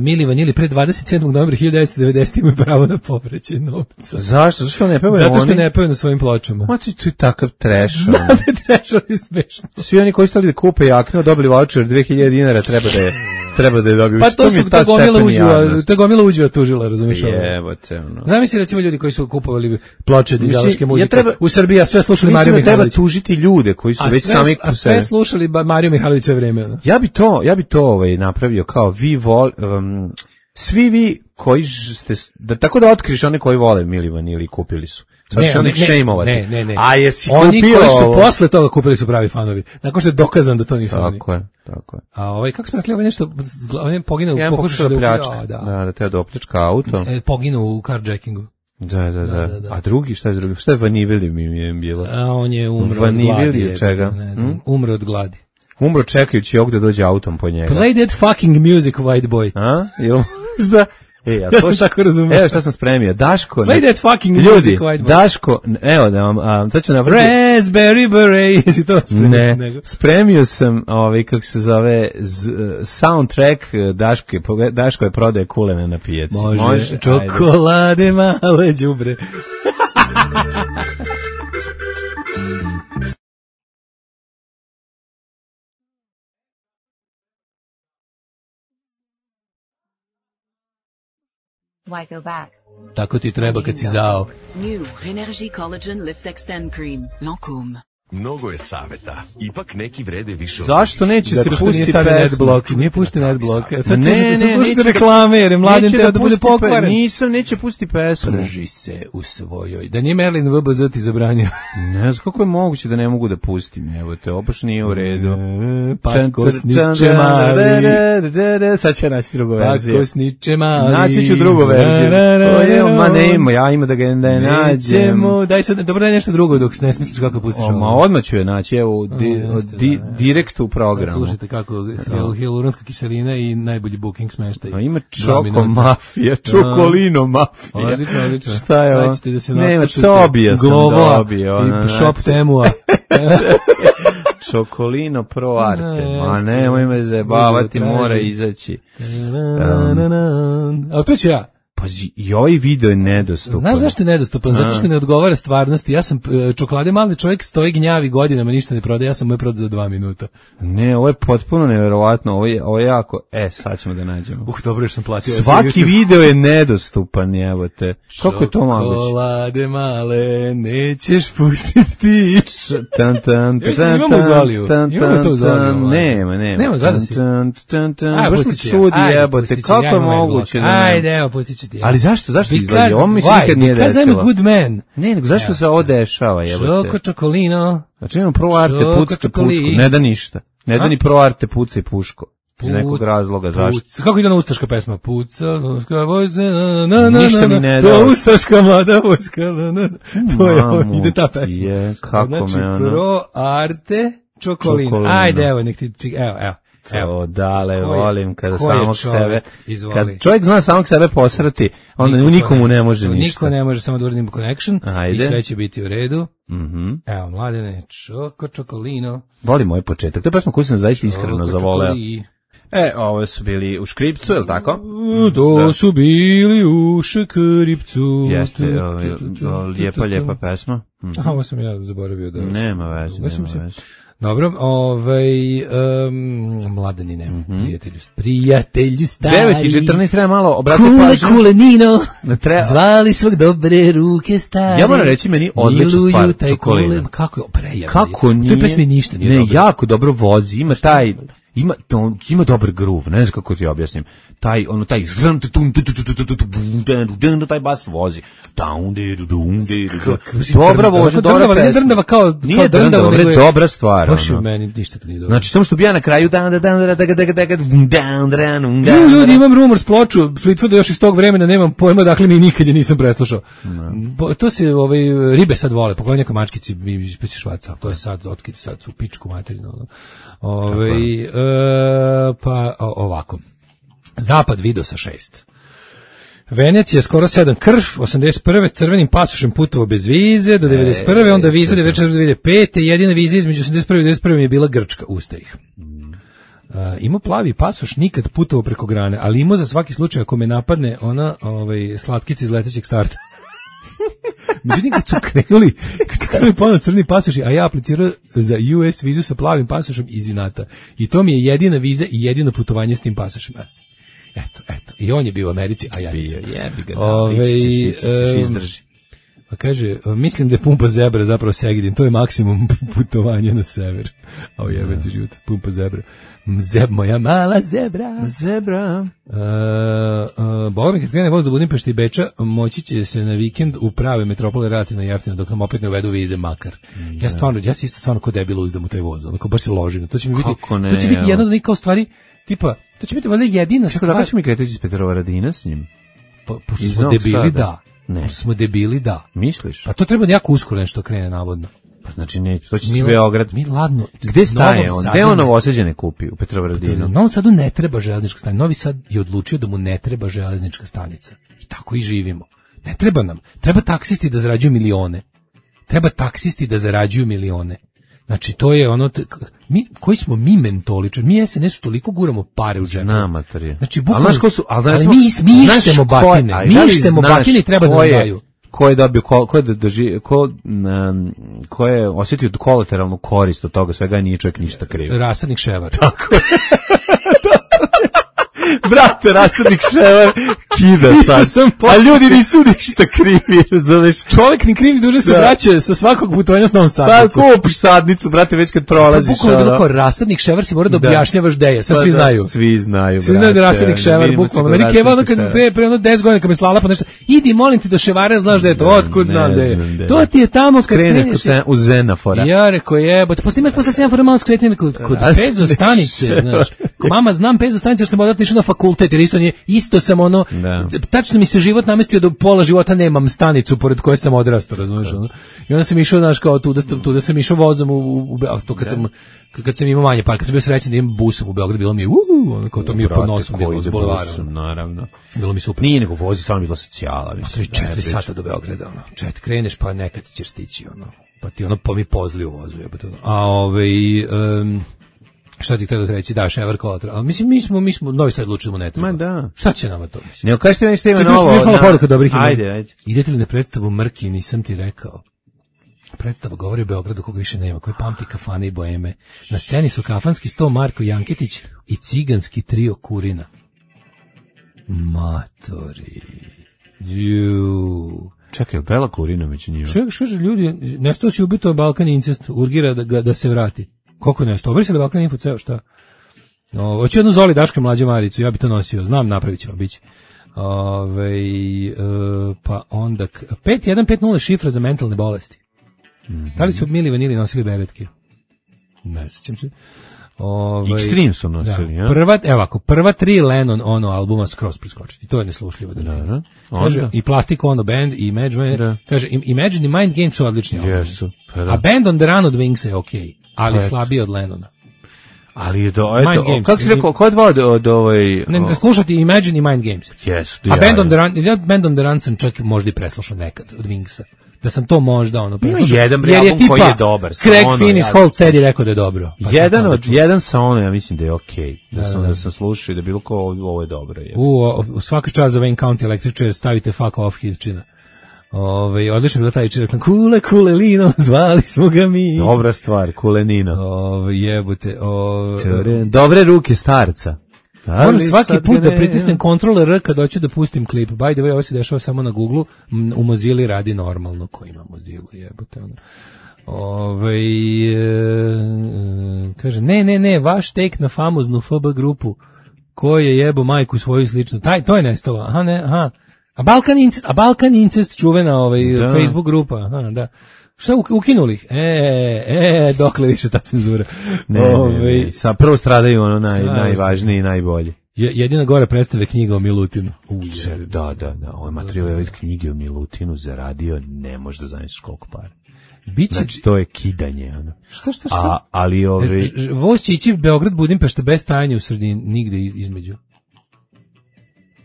[SPEAKER 8] Mili Vanili pre dvadeset sedmog novembra hiljadu devetsto devedesete imaju pravo na povraćaj novca.
[SPEAKER 7] Zašto? Zašto ne pevaju
[SPEAKER 8] Zato
[SPEAKER 7] oni?
[SPEAKER 8] što ne pevaju na svojim pločama.
[SPEAKER 7] Ma ti tu je takav trash.
[SPEAKER 8] Da, da je trash, ali smešno.
[SPEAKER 7] Svi oni koji su stali da kupe jakne, dobili voucher dve hiljade dinara, treba da je treba da je dobiju.
[SPEAKER 8] Pa to su ta gomila uđua, ta gomila uđua tužila, razumiješ?
[SPEAKER 7] Jebote, no.
[SPEAKER 8] Zamisli recimo ljudi koji su kupovali ploče dizelaške muzike.
[SPEAKER 7] Ja treba,
[SPEAKER 8] u Srbiji, a sve slušali Mariju Mihajlović.
[SPEAKER 7] Treba tužiti ljude koji su
[SPEAKER 8] a
[SPEAKER 7] već
[SPEAKER 8] sve,
[SPEAKER 7] sami
[SPEAKER 8] a sve slušali Mariju Mihajlović sve vreme. No?
[SPEAKER 7] Ja bi to, ja bi to ovaj napravio kao vi vol, um, svi vi koji ste da tako da otkriš one koji vole Milivan ili kupili su. Sad
[SPEAKER 8] ne,
[SPEAKER 7] ne, ne,
[SPEAKER 8] ne, ne, ne.
[SPEAKER 7] A jesi
[SPEAKER 8] oni
[SPEAKER 7] kupio
[SPEAKER 8] koji su
[SPEAKER 7] ovo?
[SPEAKER 8] posle toga kupili su pravi fanovi. Nakon što je dokazano da to nisu oni.
[SPEAKER 7] Tako je, tako je.
[SPEAKER 8] A ovaj kako smo rekli, ovaj nešto ovaj poginuo
[SPEAKER 7] ja
[SPEAKER 8] u pokušaju da
[SPEAKER 7] pljačka.
[SPEAKER 8] Da,
[SPEAKER 7] da, da te da opljačka auto.
[SPEAKER 8] E, poginuo u carjackingu.
[SPEAKER 7] Da, da, da, da. A drugi, šta je drugi? Šta je Vanivili mi je bilo?
[SPEAKER 8] A on je umro
[SPEAKER 7] Vanivili
[SPEAKER 8] od gladi.
[SPEAKER 7] Od čega?
[SPEAKER 8] Ne znam, hm? Umro od gladi.
[SPEAKER 7] Umro čekajući ovdje da dođe autom po njega.
[SPEAKER 8] Play that fucking music, white boy.
[SPEAKER 7] A? Jel možda? E, ja,
[SPEAKER 8] ja sam tako razumio.
[SPEAKER 7] Evo šta sam spremio. Daško.
[SPEAKER 8] Play that fucking
[SPEAKER 7] ljudi,
[SPEAKER 8] music, white boy.
[SPEAKER 7] Daško, evo da vam, a, sad ću napraviti.
[SPEAKER 8] Raspberry beret, jesi to spremio?
[SPEAKER 7] Ne,
[SPEAKER 8] nego?
[SPEAKER 7] Spremio sam, ovaj, kako se zove, z, soundtrack Daško, Daško je prodaje kulene na pijaci.
[SPEAKER 8] Može,
[SPEAKER 7] Može?
[SPEAKER 8] čokolade ajde. Male đubre.
[SPEAKER 11] Why go back?
[SPEAKER 8] Tako ti treba kad si zao.
[SPEAKER 12] New Energy Collagen Lift Extend Cream. Lancôme.
[SPEAKER 13] Mnogo je saveta, ipak neki vrede više od...
[SPEAKER 7] Zašto neće
[SPEAKER 8] Zato
[SPEAKER 7] se
[SPEAKER 8] što
[SPEAKER 7] pustiti
[SPEAKER 8] pesma?
[SPEAKER 7] net
[SPEAKER 8] blok, nije pušten net blok. Sad
[SPEAKER 7] ne, ne,
[SPEAKER 8] ne,
[SPEAKER 7] neće
[SPEAKER 8] reklame, jer je mladen teo da bude pokvaren.
[SPEAKER 7] Nisam, neće pustiti pesmu.
[SPEAKER 8] Prži se u svojoj. Da nije Merlin V B Z ti zabranio.
[SPEAKER 7] Ne znam kako je moguće da ne mogu da pustim. Evo te, obaš nije u redu.
[SPEAKER 8] Pakosniče mali.
[SPEAKER 7] Sad će naći drugu verziju.
[SPEAKER 8] Pakosniče mali.
[SPEAKER 7] Naći ću drugu verziju. Ma ne ima, ja ima da ga ne nađem.
[SPEAKER 8] Daj sad, dobro daj nešto drugo dok ne smisliš kako pustiš ovo.
[SPEAKER 7] Ma odmah ću je naći. Evo, di, di, direkt u programu.
[SPEAKER 8] Slušajte kako hialuronska kiselina i najbolji booking smeštaj.
[SPEAKER 7] A ima čoko mafija, čokolino mafija.
[SPEAKER 8] Odlično, odlično.
[SPEAKER 7] Šta je ovo?
[SPEAKER 8] Da se
[SPEAKER 7] nema, Cobija sam dobio.
[SPEAKER 8] I shop temua.
[SPEAKER 7] Čokolino pro arte. Ma nemoj me zajebavati, mora izaći.
[SPEAKER 8] A to ću ja.
[SPEAKER 7] Pa Pazi, i ovaj video je nedostupan.
[SPEAKER 8] Znaš zašto je nedostupan? Zato što ne odgovara stvarnosti. Ja sam e, čokolade mali čovjek, stoji gnjavi godinama, ništa ne prodaje, ja sam mu je prodao za dva minuta.
[SPEAKER 7] Ne, ovo je potpuno neverovatno, ovo je, ovo je jako, e, sad ćemo da nađemo.
[SPEAKER 8] Uh, dobro što sam platio.
[SPEAKER 7] Svaki video je nedostupan, evo te. Kako je to moguće?
[SPEAKER 8] Čokolade male, nećeš pustiti.
[SPEAKER 7] Tan, tan,
[SPEAKER 8] Još sam imamo u Zoliju. Imamo to u Zoliju.
[SPEAKER 7] Nema, nema.
[SPEAKER 8] Nema, zada si.
[SPEAKER 7] Aj, pustit ću. Čudi jebote, kako je moguće?
[SPEAKER 8] Ajde, evo, pustit ću ti.
[SPEAKER 7] Ali zašto, zašto izgledi? Ovo mi se nikad nije desilo.
[SPEAKER 8] Because I'm a good man.
[SPEAKER 7] Ne, nego zašto se ovo dešava, jebote?
[SPEAKER 8] Čoko čokolino.
[SPEAKER 7] Znači imamo prvo arte pucka pušku, ne da ništa. Ne da ni prvo arte puca i puško. Iz nekog razloga, zašto?
[SPEAKER 8] Kako ide ona ustaška pesma? Puca, ustaška vojska, na, na, na,
[SPEAKER 7] ništa mi ne da.
[SPEAKER 8] To ustaška mlada vojska, na, na, to je, ide ta pesma.
[SPEAKER 7] Je, kako
[SPEAKER 8] znači,
[SPEAKER 7] me ono.
[SPEAKER 8] pro arte čokolino. Čokolino. Ajde, evo, nek ti, evo, evo.
[SPEAKER 7] Evo, dale,
[SPEAKER 8] Ko
[SPEAKER 7] volim kada
[SPEAKER 8] ko
[SPEAKER 7] samog
[SPEAKER 8] čovjek?
[SPEAKER 7] sebe,
[SPEAKER 8] Izvoli.
[SPEAKER 7] kad čovjek zna samog sebe posrati, onda
[SPEAKER 8] Niko
[SPEAKER 7] nikomu ne može
[SPEAKER 8] niko
[SPEAKER 7] ništa.
[SPEAKER 8] Niko ne može, samo da uradimo connection.
[SPEAKER 7] Ajde.
[SPEAKER 8] I sve će biti u redu.
[SPEAKER 7] Mhm.
[SPEAKER 8] Evo, mladene, čoko čokolino.
[SPEAKER 7] Volim moj početak. To je pesma koju sam zaista iskreno zavoleo.
[SPEAKER 8] Čokoli.
[SPEAKER 7] E, ovo su bili u škripcu, je li tako?
[SPEAKER 8] To da. Su bili u škripcu.
[SPEAKER 7] Jeste, o, o, lijepa, lijepa pesma. Mhm.
[SPEAKER 8] Aha, ovo sam ja zaboravio da...
[SPEAKER 7] Nema veze, nema
[SPEAKER 8] se...
[SPEAKER 7] veze.
[SPEAKER 8] Dobro, ovaj, um, mladenine, mm-hmm. prijatelju, prijatelju stari.
[SPEAKER 7] devet i četrnaest treba malo obrati
[SPEAKER 8] kule,
[SPEAKER 7] pažnju.
[SPEAKER 8] Kule, Nino,
[SPEAKER 7] treba...
[SPEAKER 8] zvali svog dobre ruke stari.
[SPEAKER 7] Ja moram reći, meni odlična stvar, Čokolina.
[SPEAKER 8] Kako je, prejavno.
[SPEAKER 7] Kako nije?
[SPEAKER 8] To je pesmi ništa nije
[SPEAKER 7] ne,
[SPEAKER 8] dobro.
[SPEAKER 7] jako dobro vozi, ima taj... Ima to, ima dobar groove, ne znam kako ti objasnim. Taj ono taj taj bas vozi. Dobra vožnja, dobra pesma.
[SPEAKER 8] Drndava kao
[SPEAKER 7] nije drndava, nego je dobra stvar.
[SPEAKER 8] Baš u meni ništa to nije dobro.
[SPEAKER 7] Znači samo što bi ja na kraju dan dan dan dan dan.
[SPEAKER 8] Ljudi, imam rumor s ploču, Fleetwooda još iz tog vremena nemam pojma, dakle mi nikad je nisam preslušao. To se ovaj ribe sad vole, pogledaj neka mačkici mi ispeće švaca, to je sad otkid sad su pičku materinu. Ovaj e, pa o, ovako. Zapad video sa šest. Venecija skoro sedam, krv, osamdeset prve crvenim pasošem putovao bez vize do devedeset prve, onda viza devedeset četvrte do devedeset pete, jedina viza između osamdeset prve i devedeset prve mi je bila Grčka, usta ih. Uh, imao plavi pasoš, nikad putovao preko grane, ali imao za svaki slučaj ako me napadne ona ovaj, slatkica iz letećeg starta. Međutim, kad su krenuli, kad su krenuli ponovno crni pasoši, a ja aplicirao za U S vizu sa plavim pasošom iz inata. I to mi je jedina viza i jedino putovanje s tim pasošem. Eto, eto. I on je bio u Americi, a ja nisam.
[SPEAKER 7] Bio, jebi ga, da,
[SPEAKER 8] Ove,
[SPEAKER 7] ići ćeš, izdrži.
[SPEAKER 8] Pa kaže, mislim da je pumpa zebra zapravo Segedin, to je maksimum putovanja na sever. A o jebete život, pumpa zebra. Zeb, moja mala zebra.
[SPEAKER 7] Zebra.
[SPEAKER 8] Uh, uh, Boga mi kad krene voz do Budimpešta i Beča, moći će se na vikend u prave metropole relativno jeftino, dok nam opet ne uvedu vize makar. Mm, ja stvarno, ja se isto stvarno ko debil uzdam u taj voz, onako baš se ložim. To će mi biti,
[SPEAKER 7] ne,
[SPEAKER 8] to će biti jedna od onih kao stvari, tipa, to će biti valjda jedina
[SPEAKER 7] stvar. Kako ćemo mi kretati iz Petrovaradina s njim?
[SPEAKER 8] Pa, pošto smo debili, da. Ne. Pošto smo debili, da.
[SPEAKER 7] Misliš?
[SPEAKER 8] Pa to treba jako uskoro nešto krene, navodno.
[SPEAKER 7] Pa znači ne, to će se Beograd.
[SPEAKER 8] Mi ladno.
[SPEAKER 7] Gde staje on? Gde on Novosađane kupi? U Petrovaradinu?
[SPEAKER 8] Novom Sadu ne treba železnička stanica. Novi Sad je odlučio da mu ne treba železnička stanica. I tako i živimo. Ne treba nam. Treba taksisti da zarađuju milione. Treba taksisti da zarađuju milione. Znači, to je ono, mi, koji smo mi mentoličari, mi S N S-u toliko guramo pare u džepu.
[SPEAKER 7] Znam, mater.
[SPEAKER 8] Znači, bukvalno,
[SPEAKER 7] ali, su, ali,
[SPEAKER 8] ali mi, mi ištemo batine, ko, mi ištemo batine i treba da nam daju.
[SPEAKER 7] Ko je dobio, ko, ko je, doži, ko, um, ko je osjetio kolateralnu korist od toga svega, nije čovjek ništa kriv.
[SPEAKER 8] Rasadnik Ševar.
[SPEAKER 7] Tako je. Brate, Rasadnik Ševar kida sad. A ljudi nisu ništa krivi, razumeš?
[SPEAKER 8] Čovjek ni krivi duže se da. Vraća sa svakog putovanja s novom sadnicom.
[SPEAKER 7] Pa kupiš sadnicu, brate, već kad prolaziš.
[SPEAKER 8] Pa bukvalno kao Rasadnik Ševar si mora da objašnjavaš gde je. Sad
[SPEAKER 7] pa
[SPEAKER 8] svi
[SPEAKER 7] da,
[SPEAKER 8] znaju.
[SPEAKER 7] Svi znaju,
[SPEAKER 8] Svi znaju da Rasadnik Ševar, bukvalno. Meni Keva ono kad pre, pre ono deset godina kad me slala pa nešto, idi molim ti do Ševara, znaš da je to, otkud znam da je. To ti je tamo kad
[SPEAKER 7] skreneš. U Zenafora.
[SPEAKER 8] Ja rekao jebote, posle imaš posle Zenafora malo skretanje kod Pezo stanice, znaš. Mama, znam Pezo stanicu, jer sam odatle išao na fakultet, jer isto nije, isto sam ono, da. Tačno mi se život namestio da pola života nemam stanicu pored koje sam odrastao, razumiješ, ono. I onda sam išao, znaš, kao tu da, tu da sam išao vozom u, u, u to kad sam, kad sam imao manje par, kad sam bio srećan da imam busom u Beogradu, bilo mi je, uuu, ono, kao to mi je pod nosom bilo s bulevara.
[SPEAKER 7] Naravno.
[SPEAKER 8] Bilo mi super.
[SPEAKER 7] Nije nego vozi, stvarno bila socijala.
[SPEAKER 8] Mislim, četiri sata do Beograda, ono. Čet, kreneš, pa nekad ćeš stići, ono. Pa ti ono, pa mi pozli u vozu, jebate, ono. A, ovaj, um, Šta ti treba reći, da, Ševar Kolateral. Ali mislim, mi smo, mi smo, Novi Sad odlučili da ne treba.
[SPEAKER 7] Ma da.
[SPEAKER 8] Šta će nama to? Mislim?
[SPEAKER 7] Ne, kažete mi što ima
[SPEAKER 8] Čekaj,
[SPEAKER 7] novo.
[SPEAKER 8] još malo poruka dobrih ima.
[SPEAKER 7] Ajde, ajde.
[SPEAKER 8] Idete li na predstavu Mrki, nisam ti rekao. Predstava govori o Beogradu koga više nema, koji pamti kafane i boeme. Na sceni su kafanski sto Marko Janketić i ciganski trio Kurina. Matori. Ju.
[SPEAKER 7] Čekaj, Bela Kurina među njima.
[SPEAKER 8] Što što ljudi, nešto si ubito Balkan incest, urgira da ga da se vrati. Koliko nešto? Obrisali Balkan info ceo šta? O, hoću jednu Zoli Daška mlađu Maricu, ja bi to nosio. Znam, napravit ćemo, biće. Ove, e, pa onda pet jedan pet nula šifra za mentalne bolesti. Mm-hmm. Da li su Mili Vanili nosili beretke? Ne sjećam se. Ove,
[SPEAKER 7] Extreme su nosili,
[SPEAKER 8] da,
[SPEAKER 7] ja?
[SPEAKER 8] Prva, evo ako, prva tri Lennon ono albuma skroz preskočiti. To je neslušljivo. Da,
[SPEAKER 7] da, da.
[SPEAKER 8] Kaže, i Plastic Ono Band, i Imagine, da. Kaže, Imagine i Mind Games su odlični albumi.
[SPEAKER 7] Jesu. Pa da.
[SPEAKER 8] A Band on the Run od Wingsa je okej, okay, ali pa slabiji od Lennona.
[SPEAKER 7] Ali je to, eto, Games, kako si rekao, ko je dva od, od ovaj...
[SPEAKER 8] Ne, ne slušati Imagine i Mind Games.
[SPEAKER 7] Yes,
[SPEAKER 8] a Band on the Run, ja Band on the Run sam čak možda i preslušao nekad od Wingsa. Da sam to možda ono preslušao.
[SPEAKER 7] Jedan album koji je dobar.
[SPEAKER 8] Craig Finn iz Hold Steady rekao da je dobro.
[SPEAKER 7] Pa jedan od jedan sa ono, ja mislim da je okej. Okay. Da, da sam da, da sam slušao i da bilo ko ovo je dobro. Je.
[SPEAKER 8] U, u svaka čast za Wayne County Electric stavite fuck off hitčina. Ove, odlično je bila taj čirek, kule, kule, lino, zvali smo ga mi.
[SPEAKER 7] Dobra stvar, kulenina.
[SPEAKER 8] Ove, jebote. Ove,
[SPEAKER 7] dobre ruke starca.
[SPEAKER 8] Moram svaki put da pritisnem kontrol R kad hoću da pustim klip. By the way, ovo se dešava samo na Google. U Mozilla radi normalno, ko ima Mozilla, jebote. Ono. Ove, e, kaže, ne, ne, ne, vaš take na famoznu F B grupu, ko je jebo majku svoju slično. Taj, to je nestalo, aha, ne, aha. A Balkan Incest, a Balkan Incest čuvena ovaj, Facebook grupa, aha, da. Šta ukinuli ih? E, e, dokle više ta cenzura.
[SPEAKER 7] Ne, Ove, ne, ne. Sa prvo stradaju ono naj, najvažnije i najbolje.
[SPEAKER 8] Jedina gore predstave knjiga o Milutinu.
[SPEAKER 7] Uže, da, da, da. Ovaj materijal je od knjige o Milutinu zaradio, ne možeš da zamisliš koliko para. Biće... Znači, to je kidanje. Ono.
[SPEAKER 8] Šta, šta, šta?
[SPEAKER 7] A, ali ove...
[SPEAKER 8] Voz će ići Beograd, Budimpešta bez stajanja u sredini, nigde između.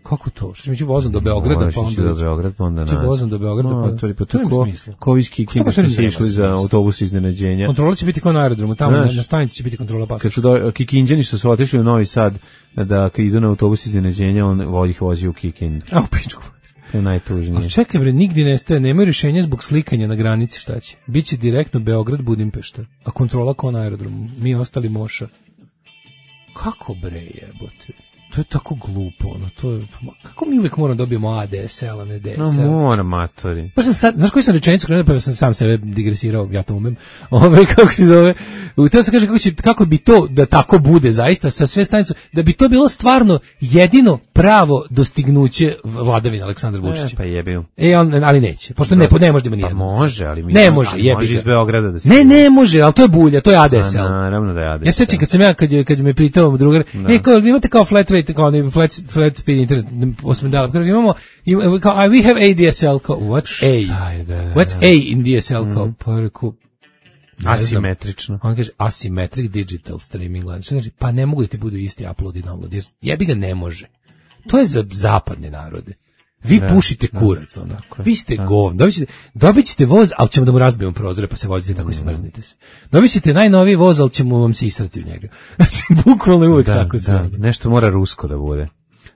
[SPEAKER 8] Kako to? Što će ići vozom do Beograda,
[SPEAKER 7] pa onda... do Beograda, pa onda nas.
[SPEAKER 8] Će vozom do Beograda,
[SPEAKER 7] no,
[SPEAKER 8] pa...
[SPEAKER 7] To je pa tako, ko iz Kikinde što se išli za autobus iznenađenja.
[SPEAKER 8] Kontrola će biti kao na aerodromu, tamo na, na stanici će biti kontrola pasoša.
[SPEAKER 7] Kad su do, Kikinđani što su otišli u Novi Sad, da kad idu na autobus iznenađenja, on ih vozi u Kikindu.
[SPEAKER 8] A u pičku.
[SPEAKER 7] To je najtužnije.
[SPEAKER 8] A čekaj bre, nigdje nestaje, nemaju rješenja zbog slikanja na granici, šta će? Biće direktno Beograd, Budimpešta, a kontrola kao na aerodromu. Mi ostali moša. Kako bre jebote? To je tako glupo, ono, to je, kako mi uvijek moramo dobijemo A D S L, a ne D S L?
[SPEAKER 7] No, moram, matori.
[SPEAKER 8] Pa sam sad, znaš koji sam rečenicu krenuo, pa sam sam sebe digresirao, ja to umem, ove, kako se zove, htio sam kaže kako, će, kako bi to, da tako bude zaista, sa sve stanicu, da bi to bilo stvarno jedino pravo dostignuće vladavine Aleksandra Vučića.
[SPEAKER 7] E, pa jebim.
[SPEAKER 8] E, on, ali neće, pošto ne, ne može da ima nijedno.
[SPEAKER 7] Pa može, ali mi
[SPEAKER 8] ne može,
[SPEAKER 7] jebi može iz Beograda da se...
[SPEAKER 8] Ne, ne može, ali to je bulja, to je A D S L.
[SPEAKER 7] A, naravno da je A D S L.
[SPEAKER 8] Ja sećam kad sam ja, kad, je, kad me pitao drugar, e, kao, vi imate kao flat rate, kao ne, flat, flat speed internet, osam dala, kao imamo, kao, we have A D S L, kao, what's A?
[SPEAKER 7] Da, da, da.
[SPEAKER 8] What's A in D S L, kao, mm. pa reku,
[SPEAKER 7] asimetrično.
[SPEAKER 8] On kaže, asymmetric digital streaming, znači, pa ne mogu da ti budu isti upload i download, jer jebi ga ne može. To je za zapadne narode. Vi da, pušite kurac, ono. Da, vi ste da. govno. Dobit ćete, dobit ćete voz, ali ćemo da mu razbijemo prozore, pa se vozite tako i smrznite se. Dobit ćete najnoviji voz, ali ćemo vam se israti u njega. Znači, bukvalno je uvek
[SPEAKER 7] da,
[SPEAKER 8] tako sve.
[SPEAKER 7] Da, nešto mora rusko da bude.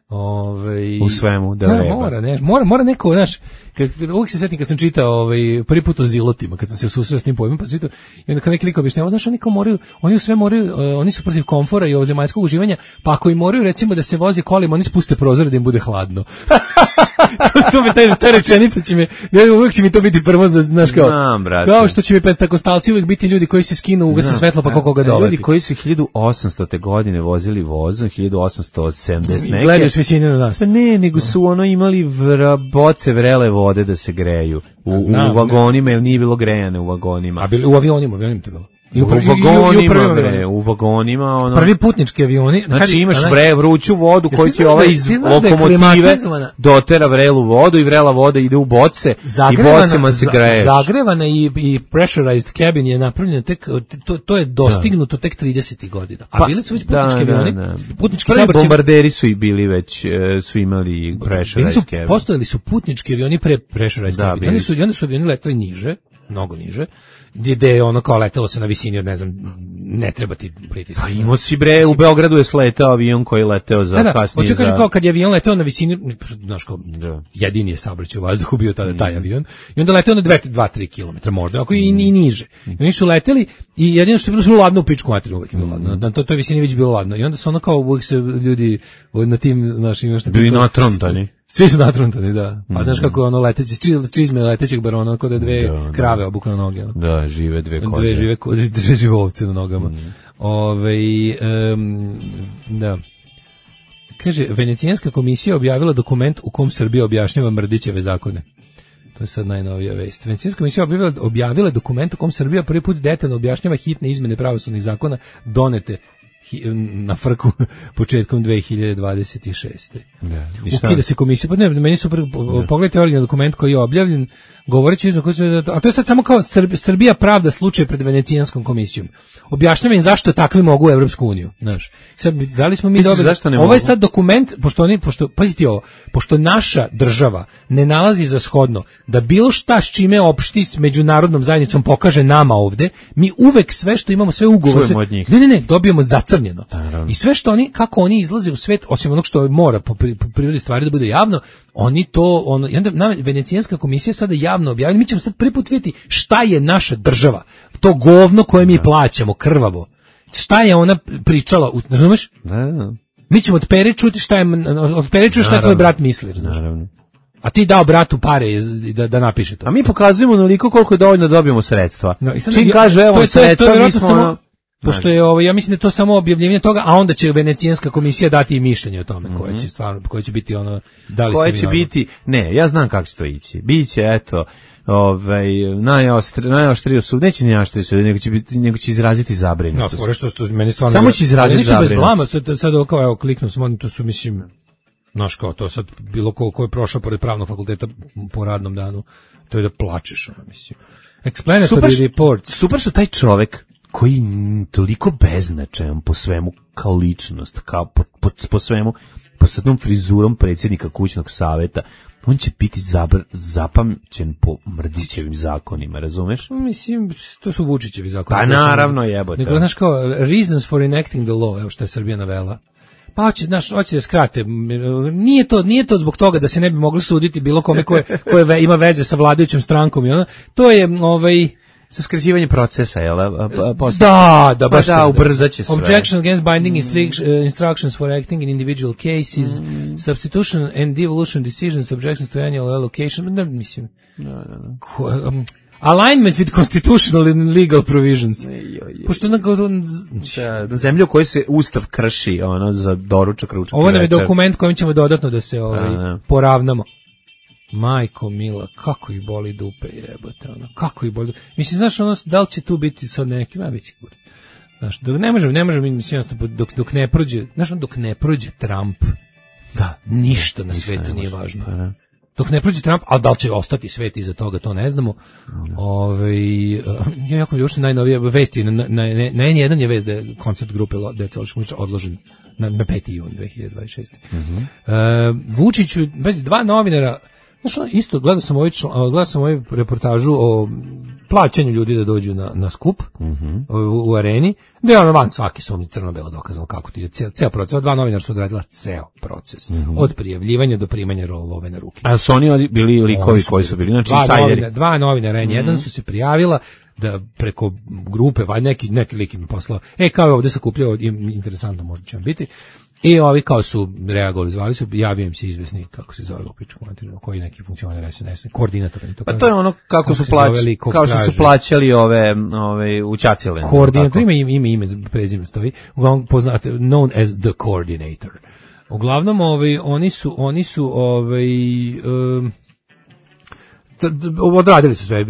[SPEAKER 8] Ove,
[SPEAKER 7] u svemu, da
[SPEAKER 8] no,
[SPEAKER 7] vreba.
[SPEAKER 8] Mora, ne, mora, mora neko, znaš, kad, uvijek se setim kad sam čitao ovaj, prvi put o zilotima, kad sam se susreo s tim pojmom, pa sam čitao, i onda kad neki lik objašnjava, znaš, oni kao moraju, oni u sve moraju, uh, oni su protiv komfora i ovozemaljskog uživanja, pa ako i moraju, recimo, da se voze kolima, oni spuste prozore da im bude hladno. to me, taj, ta rečenica će me, ja, uvijek će mi to biti prvo, za, znaš, kao,
[SPEAKER 7] Znam,
[SPEAKER 8] kao što će mi pentakostalci uvijek biti ljudi koji se skinu, ugase svetlo, pa kako ga dovati.
[SPEAKER 7] Ljudi koji su hiljadu osamstote godine vozili vozom, hiljadu osamsto sedamdeset neke.
[SPEAKER 8] Gledaju s visine na nas.
[SPEAKER 7] Pa ne, nego su ono imali vra, boce vrele vode da se greju u, Znam, u vagonima, jer nije bilo grejane u vagonima.
[SPEAKER 8] A bili u avionima, avionima to bilo.
[SPEAKER 7] I u, u vagonima, i u bre, u vagonima, ono.
[SPEAKER 8] Prvi putnički avioni.
[SPEAKER 7] Znači imaš vre, vruću vodu koju ti ova iz lokomotive dotera vrelu vodu i vrela voda ide u boce i bocama se greješ.
[SPEAKER 8] Zagrevana i, i pressurized cabin je napravljena tek, to, to je dostignuto da. tek tridesetih godina. A pa, bili su već putnički da, avioni. Da, da. Putnički saobraćaj.
[SPEAKER 7] Bombarderi su i bili već, su imali pressurized cabin.
[SPEAKER 8] Postojali su putnički avioni pre pressurized cabin. Oni su, oni su avioni letali niže. mnogo niže, gdje je ono kao letelo se na visini od, ne znam, ne treba ti pritisak.
[SPEAKER 7] Pa imao si bre, u Beogradu je sletao avion koji je leteo za
[SPEAKER 8] da, da,
[SPEAKER 7] kasnije.
[SPEAKER 8] hoću
[SPEAKER 7] za...
[SPEAKER 8] kažem kao kad je avion leteo na visini, znaš kao, da. jedini je saobraćaj u vazduhu bio tada taj avion, i onda leteo na dva do tri kilometra možda, ako i, i niže. I oni su leteli i jedino što je bilo ladno u pičku materiju, uvijek je bilo ladno, na toj visini već bilo ladno. I onda su ono kao uvijek se ljudi na tim našim...
[SPEAKER 7] Bili natrontani.
[SPEAKER 8] Svi su natrontani, da. Pa mm. znaš kako je ono leteći, čizme letećeg barona, kod da dve da, krave da. Obuku na noge. No?
[SPEAKER 7] Da, žive dve koze.
[SPEAKER 8] Dve žive, dve žive ovce na nogama. Mm. Ove, um, da. Kaže, Venecijanska komisija objavila dokument u kom Srbija objašnjava Mrdićeve zakone. To je sad najnovija vest. Venecijanska komisija objavila, objavila dokument u kom Srbija prvi put detaljno objašnjava hitne izmene pravosudnih zakona donete na frku početkom dve hiljade dvadeset šeste.
[SPEAKER 7] Da,
[SPEAKER 8] ukida se komisija, pa ne, meni su prvi, pogledajte originalni dokument koji je objavljen, govoreći, a to je sad samo kao Srbija pravda slučaj pred Venecijanskom komisijom. Objašnjava im zašto takvi mogu u Evropsku uniju, znaš. Sad, da li smo mi dobili, ovo je sad dokument, pošto oni, pošto, pazite ovo, pošto naša država ne nalazi za shodno da bilo šta s čime opšti s međunarodnom zajednicom pokaže nama ovde, mi uvek sve što imamo, sve ugovore, ne, ne, ne, dobijemo zacrnjeno. I sve što oni, kako oni izlaze u svet, osim onog što mora po prirodi stvari da bude javno, oni to, ono, i onda nam Venecijanska komisija sada javno objavila, mi ćemo sad prvi put vidjeti šta je naša država, to govno koje mi plaćamo, krvavo, šta je ona pričala, razumeš?
[SPEAKER 7] Da, da.
[SPEAKER 8] Mi ćemo od Pere čuti šta je, od Pere čuti šta je tvoj brat misli, znaš.
[SPEAKER 7] Naravno.
[SPEAKER 8] A ti dao bratu pare da, da napiše to.
[SPEAKER 7] A mi pokazujemo naliko koliko je dovoljno da dobijemo sredstva.
[SPEAKER 8] No, sad,
[SPEAKER 7] čim kaže, evo,
[SPEAKER 8] to,
[SPEAKER 7] sredstva,
[SPEAKER 8] to, to, to
[SPEAKER 7] mi smo...
[SPEAKER 8] Samo, pošto je ovo, ja mislim da je to samo objavljivanje toga, a onda će Venecijanska komisija dati i mišljenje o tome, mm-hmm. koje će stvarno, koje će biti ono, da li
[SPEAKER 7] koje će biti, ne, ja znam kako će to ići. Biće, eto, ovaj najoštrije najoštrije sud, neće ni najoštrije sud, nego će biti, nego će izraziti zabrinutost.
[SPEAKER 8] No, što što meni stvarno
[SPEAKER 7] samo će izraziti zabrinutost. Bez blama,
[SPEAKER 8] to, to sad kao evo kliknuo sam, to su mislim, znaš kao to sad bilo ko ko je prošao pored pravnog fakulteta po radnom danu, to je da plačeš, ono mislim. Explanatory super, report.
[SPEAKER 7] Super što taj čovek koji toliko beznačajan po svemu kao ličnost, kao po, po, po svemu, po sadnom frizurom predsjednika kućnog saveta, on će biti zabr, zapamćen po Mrdićevim zakonima, razumeš?
[SPEAKER 8] Mislim, to su Vučićevi zakoni.
[SPEAKER 7] Pa naravno jebote.
[SPEAKER 8] Nego, znaš kao, reasons for enacting the law, evo što je Srbija navela. Pa hoće, znaš, hoće da skrate. Nije to, nije to zbog toga da se ne bi mogli suditi bilo kome koje, koje ima veze sa vladajućom strankom. I ono. To je, ovaj...
[SPEAKER 7] sa skraćivanjem procesa, jel?
[SPEAKER 8] Da, da, baš
[SPEAKER 7] pa da, ubrzaće sve.
[SPEAKER 8] Objection against binding mm. instructions for acting in individual cases, mm. substitution and devolution decisions, objections to annual allocation, da, mislim,
[SPEAKER 7] da, da, da.
[SPEAKER 8] Ko, um, alignment with constitutional and legal provisions. Pošto na
[SPEAKER 7] da, da zemlju koju se ustav krši, ono, za doručak, ručak.
[SPEAKER 8] Ovo nam je dokument kojim ćemo dodatno da se ovaj, da, da. poravnamo. Majko mila, kako ih boli dupe, jebote, ono, kako ih boli dupe. Mislim, znaš, ono, da li će tu biti sad neki, ma biti kuri. Znaš, dok ne možemo, ne možemo, mislim, dok, dok ne prođe, znaš, on, dok ne prođe Trump,
[SPEAKER 7] da,
[SPEAKER 8] ništa na
[SPEAKER 7] ništa
[SPEAKER 8] svetu
[SPEAKER 7] ne
[SPEAKER 8] nije važno.
[SPEAKER 7] Pa, da.
[SPEAKER 8] Dok ne prođe Trump, ali da li će ostati svet iza toga, to ne znamo. Mm. Ove, ja jako mi još najnovije vesti, na, na, na, na N jedan je vest da je koncert grupe Deca Loškovića odložen na, na peti jun dve hiljade dvadeset šeste. Mm-hmm. Uh, Vučiću, bez dva novinara, znaš, isto, gledao sam ovaj, gledao sam ovaj reportažu o plaćanju ljudi da dođu na, na skup mm-hmm. u, u areni, da je ono van svaki sumnji crno-belo dokazano kako ti je ceo, ceo proces. Dva novinara su odradila ceo proces. Mm-hmm. Od prijavljivanja do primanja rolove na ruke.
[SPEAKER 7] A su oni bili likovi su koji su bili? Znači,
[SPEAKER 8] dva, novina, dva novinara, N jedan mm-hmm. su se prijavila da preko grupe, va, neki, neki lik im je poslao, e, kao je ovde sakupljao, interesantno možda će vam biti. I ovi kao su reagovali, zvali su, javio im se izvesni, kako se zove opičku materiju, koji neki funkcioner S N S, koordinator.
[SPEAKER 7] To pa to je ono kako, kako su plaćali, kao što su plaćali ove, ove učacile.
[SPEAKER 8] Koordinator, ima ime, ime, prezime stoji, uglavnom poznate, known as the coordinator. Uglavnom, ovaj, oni su, oni su, ovaj, um, odradili su sve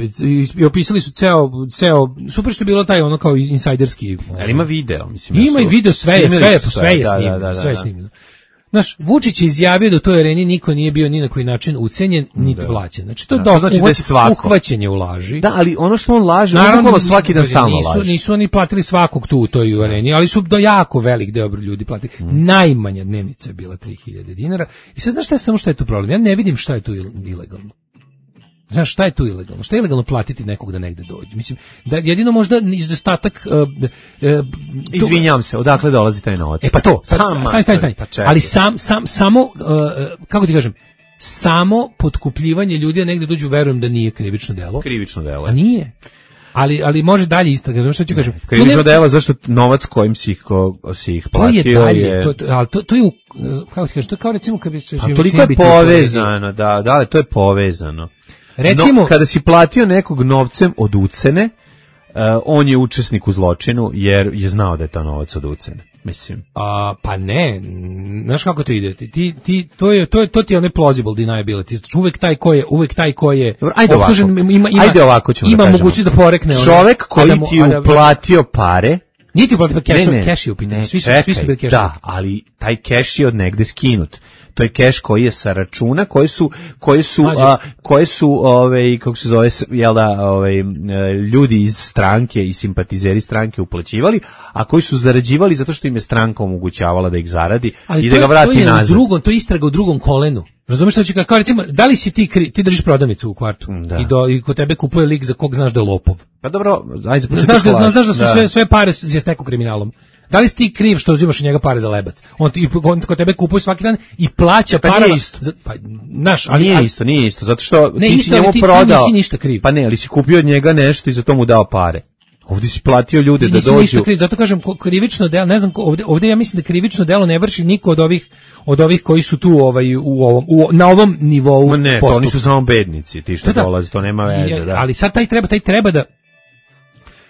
[SPEAKER 8] i opisali su ceo, ceo super što je bilo taj ono kao insajderski.
[SPEAKER 7] Ali ima video, mislim.
[SPEAKER 8] Ima i video, sve je, sve je, sve je snimljeno, sve je snimljeno. Znaš, Vučić je izjavio da u toj areni niko nije bio ni na koji način ucenjen, niti plaćen. Znači, to je da, znači da uhvaćenje u laži.
[SPEAKER 7] Da, ali ono što on laže, naravno, on svaki dan stalno
[SPEAKER 8] nisu,
[SPEAKER 7] laže.
[SPEAKER 8] Nisu oni platili svakog tu u toj areni, ali su do jako velik deo ljudi platili. Hmm. Najmanja dnevnica je bila tri hiljade dinara. I sad znaš šta je samo šta je tu problem? Ja ne vidim šta je tu ilegalno. Znaš, šta je tu ilegalno? Šta je ilegalno platiti nekog da negde dođe? Mislim, da jedino možda izostatak... Uh, uh,
[SPEAKER 7] Izvinjam se, odakle dolazi taj novac?
[SPEAKER 8] E pa to, sad,
[SPEAKER 7] Sam,
[SPEAKER 8] stani, stani, stani.
[SPEAKER 7] Pa čekaj.
[SPEAKER 8] Ali sam, sam, samo, uh, kako ti kažem, samo potkupljivanje ljudi da negde dođu, verujem da nije krivično delo.
[SPEAKER 7] Krivično delo.
[SPEAKER 8] A nije. Ali, ali može dalje istraga, znaš što ću kažem.
[SPEAKER 7] Krivično delo, zašto novac kojim si ih, ko, si ih platio
[SPEAKER 8] to je... Dalje,
[SPEAKER 7] je...
[SPEAKER 8] To, to, ali to, to je, u, kako ti kažem, to je kao recimo kad bi...
[SPEAKER 7] A toliko je povezano, da, da, to je povezano.
[SPEAKER 8] Recimo,
[SPEAKER 7] no, kada si platio nekog novcem od ucene, uh, on je učesnik u zločinu jer je znao da je to novac od ucene. Mislim.
[SPEAKER 8] A, pa ne, znaš kako to ide? Ti, ti, to, je, to, je, to ti je onaj plausible deniability. Uvek taj ko je, uvek taj ko je
[SPEAKER 7] Dobro, ajde
[SPEAKER 8] optužen,
[SPEAKER 7] ovako.
[SPEAKER 8] ima, ima,
[SPEAKER 7] ajde ovako ćemo
[SPEAKER 8] ima
[SPEAKER 7] da
[SPEAKER 8] mogućnost da porekne.
[SPEAKER 7] Čovek koji
[SPEAKER 8] Adamu,
[SPEAKER 7] ti je uplatio pare,
[SPEAKER 8] nije ti uplatio keš, keš je upitanje. Svi su,
[SPEAKER 7] čekaj,
[SPEAKER 8] svi su bili keš.
[SPEAKER 7] Da, ali taj keš je od negde skinut. To je keš koji je sa računa, koji su koji su a, koji su ovaj kako se zove jel da ovaj ljudi iz stranke i simpatizeri stranke uplaćivali, a koji su zarađivali zato što im je stranka omogućavala da ih zaradi
[SPEAKER 8] ali
[SPEAKER 7] i da ga vrati
[SPEAKER 8] to je
[SPEAKER 7] nazad.
[SPEAKER 8] U drugom, to je istraga u drugom kolenu. Razumeš što će kao recimo, da li si ti kri, ti držiš prodavnicu u kvartu
[SPEAKER 7] da.
[SPEAKER 8] i do i kod tebe kupuje lik za kog znaš da je lopov.
[SPEAKER 7] Pa dobro, ajde
[SPEAKER 8] znaš da znaš, znaš da su da. sve sve pare je stekao kriminalom. Da li si ti kriv što uzimaš od njega pare za lebac? On ti on kod tebe kupuje svaki dan i plaća
[SPEAKER 7] pa
[SPEAKER 8] para.
[SPEAKER 7] Nije isto.
[SPEAKER 8] Za, pa naš, ali
[SPEAKER 7] nije
[SPEAKER 8] ali,
[SPEAKER 7] isto, nije isto, zato što
[SPEAKER 8] ne,
[SPEAKER 7] ti
[SPEAKER 8] isto,
[SPEAKER 7] si njemu
[SPEAKER 8] ti,
[SPEAKER 7] prodao.
[SPEAKER 8] Ti nisi ništa kriv.
[SPEAKER 7] Pa ne, ali si kupio od njega nešto i za to mu dao pare. Ovdje si platio ljude
[SPEAKER 8] ti
[SPEAKER 7] da dođu.
[SPEAKER 8] Ništa kriv, zato kažem krivično delo, ne znam, ovdje, ovdje ja mislim da krivično delo ne vrši niko od ovih od ovih koji su tu ovaj u ovom u, na ovom nivou.
[SPEAKER 7] Ma ne, to oni su samo bednici, ti što da, dolaze, to nema veze, da.
[SPEAKER 8] Ali sad taj treba, taj treba da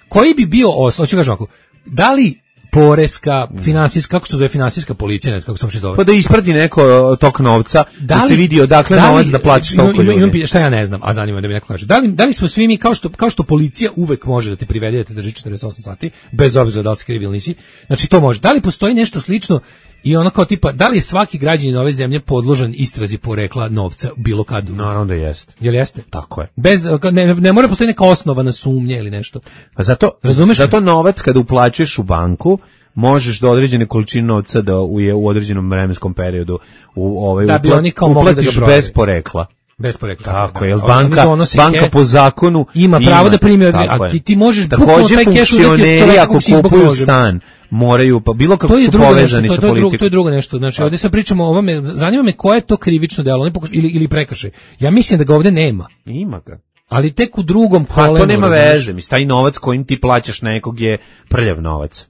[SPEAKER 8] koji bi bio osnov, hoću kažem ovako, da li poreska, finansijska, kako se to zove, finansijska policija, ne znam kako se to zove.
[SPEAKER 7] Pa da isprati neko tok novca, da, da se vidi odakle da novac da platiš toliko ljudi. Imam,
[SPEAKER 8] šta ja ne znam, a zanima da mi neko kaže. Da li, da li smo svi mi, kao što, kao što policija uvek može da te privede da te drži četrdeset osam sati, bez obzira da li si kriv ili nisi, znači to može. Da li postoji nešto slično i ono kao tipa, da li je svaki građanin ove zemlje podložan istrazi porekla novca bilo kad?
[SPEAKER 7] Naravno da jeste.
[SPEAKER 8] Jel jeste?
[SPEAKER 7] Tako je.
[SPEAKER 8] Bez, ne, ne mora postoji neka osnovana sumnja ili nešto.
[SPEAKER 7] Pa zato, razumeš, zato novac kada uplaćuješ u banku, možeš do određene količine novca da u, je u određenom vremenskom periodu u ovaj
[SPEAKER 8] da bi oni kao
[SPEAKER 7] uplatiš
[SPEAKER 8] da
[SPEAKER 7] bez porekla.
[SPEAKER 8] Bez porekla.
[SPEAKER 7] Tako je, jel banka, banka po zakonu
[SPEAKER 8] ima pravo da primi, a ti, ti možeš bukvalno taj keš uzeti od čovjeka
[SPEAKER 7] ako kupuju stan, moraju, pa bilo kako su povezani sa politikom.
[SPEAKER 8] To je drugo nešto, znači ovdje sad pričamo o ovome, zanima me koje je to krivično delo, ili, ili prekršaj. Ja mislim da ga ovdje nema.
[SPEAKER 7] Ima ga.
[SPEAKER 8] Ali tek u drugom kolenu.
[SPEAKER 7] Pa to nema veze, mislim, taj novac kojim ti plaćaš nekog je prljav novac.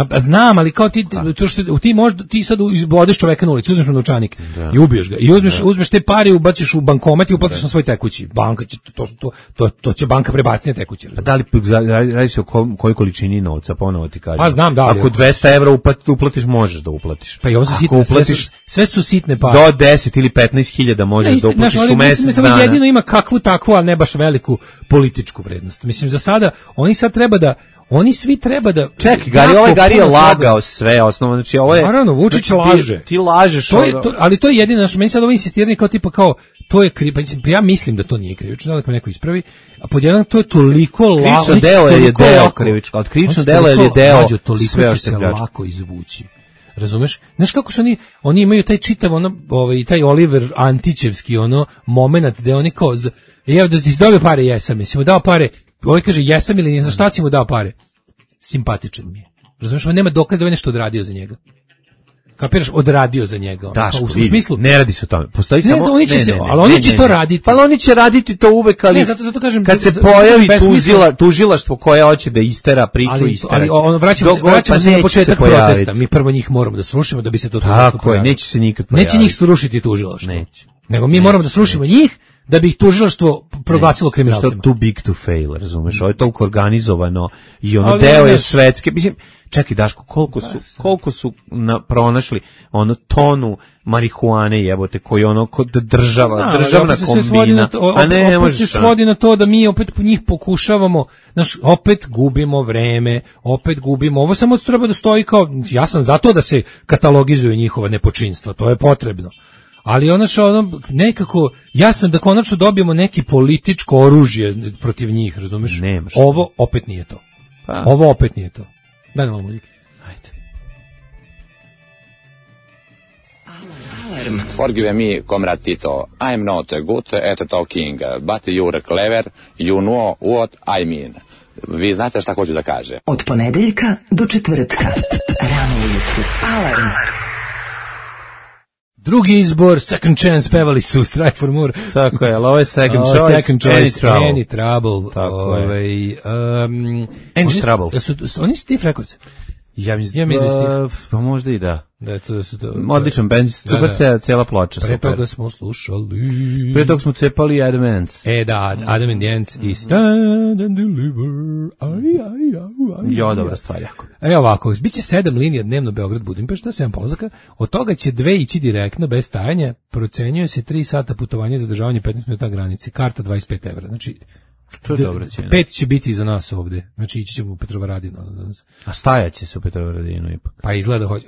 [SPEAKER 8] Pa znam, ali kao ti, to što ti možda ti sad izbodeš čoveka na ulici, uzmeš mu novčanik da. i ubiješ ga. I uzmeš, da. uzmeš te pare i ubaciš u bankomat i uplatiš na svoj tekući. Banka će to to to to će banka prebaciti na tekući.
[SPEAKER 7] Pa da li radi se o kojoj količini novca, ponovo ti kažem.
[SPEAKER 8] Pa znam, da.
[SPEAKER 7] Ako dvesta evra uplatiš, možeš da uplatiš.
[SPEAKER 8] Pa i ovo su sitne, uplatiš, sve, sve su sitne pare.
[SPEAKER 7] Do deset ili petnaest hiljada možeš da uplatiš u mjesec dana.
[SPEAKER 8] Jedino ima kakvu takvu, a ne baš veliku političku vrednost. Mislim za sada oni sad treba da Oni svi treba da...
[SPEAKER 7] Čekaj, Gari, ovaj Gari je lagao toga. Sve osnovno, znači ovo je...
[SPEAKER 8] Naravno, Vučić
[SPEAKER 7] znači,
[SPEAKER 8] laže.
[SPEAKER 7] Ti, ti lažeš.
[SPEAKER 8] To je, to, ali to je jedino, znači, meni sad ovo insistiranje kao tipa kao, to je kriv, pa ja mislim da to nije krivično, da me neko ispravi, a pod jedan to je toliko lako...
[SPEAKER 7] Krivično delo je deo krivično, od krivično delo je deo
[SPEAKER 8] sve će se lako izvući. Razumeš? Znaš kako su oni, oni imaju taj čitav, ono, ovaj, taj Oliver Antićevski, ono, moment gde oni kao, evo da si dobio pare, jesam, mislim, mu dao pare, ovaj kaže jesam ili ne, za šta si mu dao pare? Simpatičan mi je. Razumiješ, on nema dokaz da je nešto odradio za njega. Kapiraš, odradio za njega.
[SPEAKER 7] Daško,
[SPEAKER 8] u, u smislu,
[SPEAKER 7] ne radi se o tome. Postoji
[SPEAKER 8] ne,
[SPEAKER 7] samo...
[SPEAKER 8] Oni će
[SPEAKER 7] ne,
[SPEAKER 8] se,
[SPEAKER 7] ne, ne,
[SPEAKER 8] ali oni
[SPEAKER 7] ne,
[SPEAKER 8] će
[SPEAKER 7] ne,
[SPEAKER 8] to
[SPEAKER 7] ne.
[SPEAKER 8] raditi.
[SPEAKER 7] Pa oni će raditi to uvek, ali
[SPEAKER 8] ne, zato, zato kažem,
[SPEAKER 7] kad se
[SPEAKER 8] zato,
[SPEAKER 7] pojavi
[SPEAKER 8] zato
[SPEAKER 7] tužila, tužilaštvo koje hoće da istera priču,
[SPEAKER 8] ali,
[SPEAKER 7] istera.
[SPEAKER 8] Ali on, vraćamo se, vraćamo
[SPEAKER 7] pa
[SPEAKER 8] se na početak
[SPEAKER 7] se
[SPEAKER 8] protesta. Mi prvo njih moramo da srušimo da bi se to tužilaštvo
[SPEAKER 7] Tako je, neće se nikad pojaviti.
[SPEAKER 8] Neće njih srušiti tužilaštvo.
[SPEAKER 7] Neće.
[SPEAKER 8] Nego mi moramo da srušimo njih, da bi ih tužilaštvo proglasilo kriminalcima.
[SPEAKER 7] Što too big to fail, razumeš? Ovo je toliko organizovano i ono deo je svetske. Mislim, čekaj Daško, koliko su, koliko su na, pronašli ono tonu marihuane jebote, koji ono kod država,
[SPEAKER 8] Znam,
[SPEAKER 7] državna kombina,
[SPEAKER 8] to,
[SPEAKER 7] a ne, ne
[SPEAKER 8] opet se svodi na to da mi opet njih pokušavamo, znaš, opet gubimo vreme, opet gubimo, ovo samo treba da stoji kao, ja sam za to da se katalogizuju njihova nepočinstva, to je potrebno. Ali ono što ono, nekako, ja sam da konačno dobijemo neki političko oružje protiv njih, razumiješ?
[SPEAKER 7] Nemaš.
[SPEAKER 8] Ovo opet nije to. Pa. Ovo opet nije to. Daj nam malo muzike.
[SPEAKER 7] Ajde.
[SPEAKER 9] Alarm.
[SPEAKER 11] Forgive me, Comrade Tito. I'm not good at talking, but you're clever. You know what I mean. Vi znate šta hoću da kažem.
[SPEAKER 9] Od ponedeljka do četvrtka. Rano ujutru. Alarm.
[SPEAKER 8] Drugi izbor, Second Chance, pevali su Strive for More.
[SPEAKER 7] Tako je, ali ovo je Second
[SPEAKER 8] o,
[SPEAKER 7] Choice,
[SPEAKER 8] second choice
[SPEAKER 7] Any Trouble.
[SPEAKER 8] Any Trouble.
[SPEAKER 7] Tako
[SPEAKER 8] Ove,
[SPEAKER 7] je.
[SPEAKER 8] Um,
[SPEAKER 7] Any
[SPEAKER 8] oni,
[SPEAKER 7] Trouble.
[SPEAKER 8] Su, su, oni su Stiff Records.
[SPEAKER 7] Ja mislim,
[SPEAKER 8] ja mislim
[SPEAKER 7] da, pa možda i da.
[SPEAKER 8] Da, to, da su to.
[SPEAKER 7] Odličan bend, super da, da. Cijela ploča.
[SPEAKER 8] Pre
[SPEAKER 7] super.
[SPEAKER 8] toga smo slušali.
[SPEAKER 7] Pre toga smo cepali Adam Ants.
[SPEAKER 8] E da, Adam and the Ants i Stand and Deliver. Aj, aj, aj, aj.
[SPEAKER 7] Jo, dobra stvar, jako.
[SPEAKER 8] E ovako, biće sedam linija dnevno Beograd Budimpešta, sedam polazaka, od toga će dve ići direktno, bez stajanja, procenjuje se tri sata putovanja za zadržavanje petnaest minuta granici, karta dvadeset pet evra, znači
[SPEAKER 7] to je dobro cijena.
[SPEAKER 8] Pet će biti za nas ovde. Znači ići ćemo u Petrovaradinu.
[SPEAKER 7] A stajaće se u Petrovaradinu ipak.
[SPEAKER 8] Pa izgleda hoće.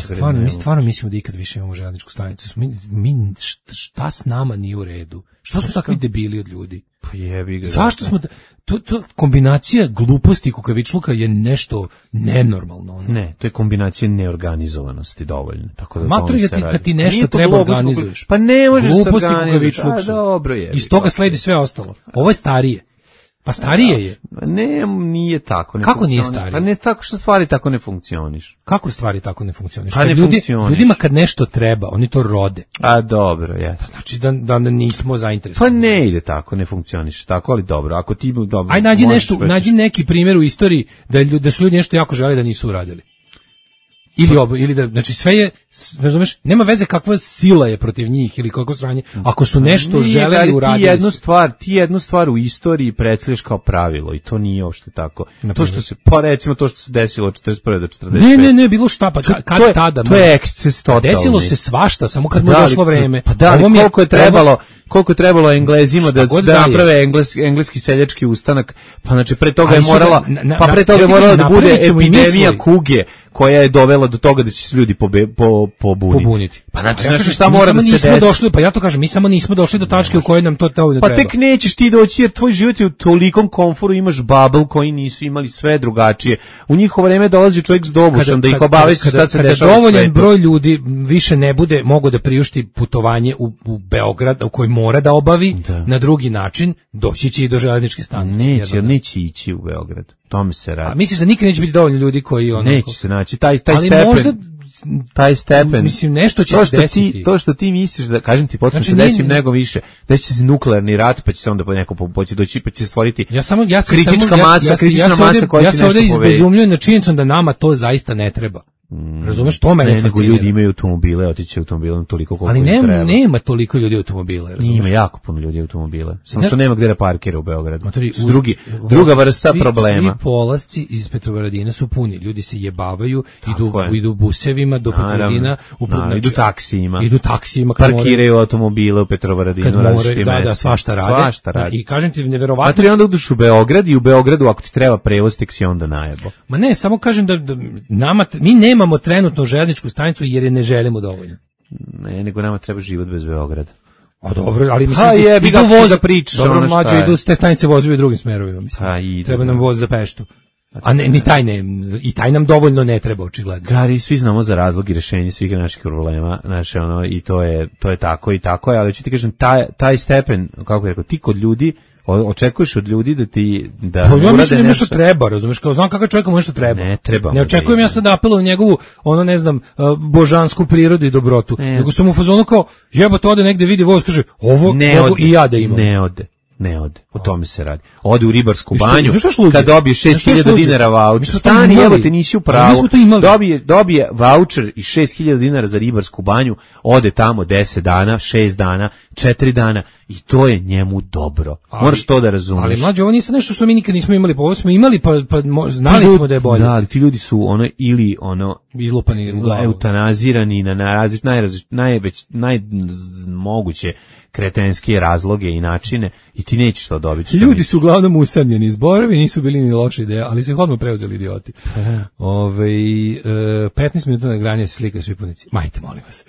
[SPEAKER 8] Stvarno, mi stvarno mislimo da ikad više imamo željezničku stanicu. Mi, mi šta s nama nije u redu? Što smo takvi debili od ljudi?
[SPEAKER 7] Pa jebi ga.
[SPEAKER 8] Zašto smo to, to kombinacija gluposti i kukavičluka je nešto nenormalno. Ono.
[SPEAKER 7] Ne, to je kombinacija neorganizovanosti dovoljno. Tako da
[SPEAKER 8] Matro je kad ti nešto treba organizuješ.
[SPEAKER 7] Pa ne možeš se
[SPEAKER 8] organizuješ.
[SPEAKER 7] A dobro je.
[SPEAKER 8] Iz toga sledi sve ostalo. Ovo je starije. Pa starije je.
[SPEAKER 7] Ne, nije tako. Ne
[SPEAKER 8] Kako nije starije?
[SPEAKER 7] Pa ne tako što stvari tako ne funkcioniš.
[SPEAKER 8] Kako stvari tako ne funkcioniš?
[SPEAKER 7] Pa ne
[SPEAKER 8] ljudi,
[SPEAKER 7] funkcioniš.
[SPEAKER 8] Ljudima kad nešto treba, oni to rode.
[SPEAKER 7] A dobro, je.
[SPEAKER 8] Pa znači da, da nismo zainteresovani.
[SPEAKER 7] Pa ne ide tako, ne funkcioniš tako, ali dobro. Ako ti dobro.
[SPEAKER 8] Aj nađi nešto, vrtiš. Nađi neki primjer u istoriji da da su ljudi nešto jako želeli da nisu uradili. Ili obo, ili da, znači sve je, razumeš, nema veze kakva sila je protiv njih ili kako sranje, ako su nešto nije, želeli uraditi.
[SPEAKER 7] Ti jednu stvar, ti jednu stvar u istoriji predstavljaš kao pravilo i to nije uopšte tako. Naprimer. To što se, pa recimo to što se desilo od četrdeset prve do četrdeset pete.
[SPEAKER 8] Ne, ne, ne, bilo šta, pa kad, kad
[SPEAKER 7] to je,
[SPEAKER 8] tada.
[SPEAKER 7] To je eksces totalni.
[SPEAKER 8] Desilo se svašta, samo kad mu je došlo vreme.
[SPEAKER 7] Pa da, ali koliko je trebalo, koliko je trebalo Englezima da, da naprave engleski, engleski seljački ustanak, pa znači pre toga je morala, pa pre toga je morala da bude epidemija kuge koja je dovela do toga da će se ljudi pobe, po, pobuniti.
[SPEAKER 8] pobuniti.
[SPEAKER 7] Pa znači,
[SPEAKER 8] ja
[SPEAKER 7] znači šta mora da se desi?
[SPEAKER 8] Došli, pa ja to kažem, mi samo nismo došli do tačke u kojoj nam to dovoljno
[SPEAKER 7] pa
[SPEAKER 8] treba.
[SPEAKER 7] Pa tek nećeš ti doći jer tvoj život je u tolikom komforu, imaš bubble koji nisu imali sve drugačije. U njihovo vreme dolazi čovjek s dobušom da ih obavesti šta se dešava u svetu.
[SPEAKER 8] Kada dovoljan broj ljudi više ne bude mogo da priušti putovanje u, u Beograd, u koji mora da obavi da. Na drugi način, doći će i do železničke stanice.
[SPEAKER 7] Neće, jer neće ići u Beograd. Tome se radi.
[SPEAKER 8] A misliš da nikad neće biti dovoljno ljudi koji ono
[SPEAKER 7] neće se naći taj taj
[SPEAKER 8] ali
[SPEAKER 7] stepen
[SPEAKER 8] možda,
[SPEAKER 7] taj stepen
[SPEAKER 8] mislim nešto će
[SPEAKER 7] to
[SPEAKER 8] se desiti
[SPEAKER 7] ti, to što ti misliš da kažem ti potpuno znači, se desi nego više da će se nuklearni rat pa će se onda po neko poći doći pa će stvoriti
[SPEAKER 8] ja samo ja se
[SPEAKER 7] kritička
[SPEAKER 8] samo,
[SPEAKER 7] masa
[SPEAKER 8] ja, ja,
[SPEAKER 7] kritična
[SPEAKER 8] ja
[SPEAKER 7] masa
[SPEAKER 8] ovdje,
[SPEAKER 7] koja
[SPEAKER 8] ja
[SPEAKER 7] će
[SPEAKER 8] se
[SPEAKER 7] nešto
[SPEAKER 8] ovdje izbezumljujem na činjenicom da nama to zaista ne treba. Mm. Razumeš, to mene
[SPEAKER 7] ne, nego
[SPEAKER 8] fascinira.
[SPEAKER 7] ljudi imaju automobile, otići automobilom toliko koliko
[SPEAKER 8] ali
[SPEAKER 7] im treba.
[SPEAKER 8] Ali nema toliko ljudi automobile, razumeš?
[SPEAKER 7] Ima jako puno ljudi automobile. Samo što nema gdje da parkira u Beogradu.
[SPEAKER 8] Matori,
[SPEAKER 7] uz, drugi, druga vrsta
[SPEAKER 8] svi,
[SPEAKER 7] problema.
[SPEAKER 8] Svi polasci iz Petrovaradina su puni. Ljudi se jebavaju, idu, idu busevima do Petrovaradina,
[SPEAKER 7] znači, idu taksijima.
[SPEAKER 8] Idu taksijima.
[SPEAKER 7] Parkiraju more, automobile u Petrovaradinu.
[SPEAKER 8] More, da, da, svašta rade.
[SPEAKER 7] Svašta radi.
[SPEAKER 8] I kažem ti, neverovatno.
[SPEAKER 7] Matori, onda uđeš u Beograd i u Beogradu ako ti treba prevoz, tek si onda najebo.
[SPEAKER 8] Ma ne, samo kažem da, da nama, mi nemamo trenutno željezničku stanicu jer je ne želimo dovoljno.
[SPEAKER 7] Ne, nego nama treba život bez Beograda.
[SPEAKER 8] A dobro, ali mislim,
[SPEAKER 7] ha, je, idu voz da pričaš.
[SPEAKER 8] Dobro, ono mlađe, idu s te stanice vozovi u drugim smerovima, mislim.
[SPEAKER 7] Ha, idu,
[SPEAKER 8] treba nam voz za Peštu. A ne, ni taj ne, i taj nam dovoljno ne treba, očigledno.
[SPEAKER 7] Gari, svi znamo za razlog i rešenje svih naših problema, znači ono, i to je, to je tako i tako je, ali ću ti kažem, taj, taj stepen, kako bih rekao, ti kod ljudi, očekuješ od ljudi da ti da
[SPEAKER 8] pa ja mislim da nešto treba, razumeš, kao znam kakav čovjek mu nešto treba.
[SPEAKER 7] Ne, treba.
[SPEAKER 8] Ne očekujem ja sad da apelujem njegovu ono ne znam božansku prirodu i dobrotu. Ne. Nego sam u fazonu kao jebote ode negde vidi voz kaže ovo mogu i ja da imam.
[SPEAKER 7] Ne ode. Ne ode, o tome se radi. Ode u ribarsku banju, kad dobije šest hiljada dinara vaučer, stani, evo te nisi u pravu, dobije, dobije vaučer i šest hiljada dinara za ribarsku banju, ode tamo deset dana, šest dana, četiri dana i to je njemu dobro. Ali, moraš to da razumeš.
[SPEAKER 8] Ali mlađe, ovo nije nešto što mi nikad nismo imali, pa ovo smo imali, pa, pa znali
[SPEAKER 7] ljudi,
[SPEAKER 8] smo da je bolje.
[SPEAKER 7] Da, ali ti ljudi su ono, ili ono,
[SPEAKER 8] izlupani u glavu,
[SPEAKER 7] eutanazirani na najrazlič, najrazlič, najveć, najmoguće kretenske razloge i načine i ti nećeš to dobiti.
[SPEAKER 8] Ljudi su uglavnom usamljeni, zborovi nisu bili ni loša ideja, ali su ih odmah preuzeli idioti. Ove, petnaest minuta na granje se slikaju svi punici. Majte, molim vas.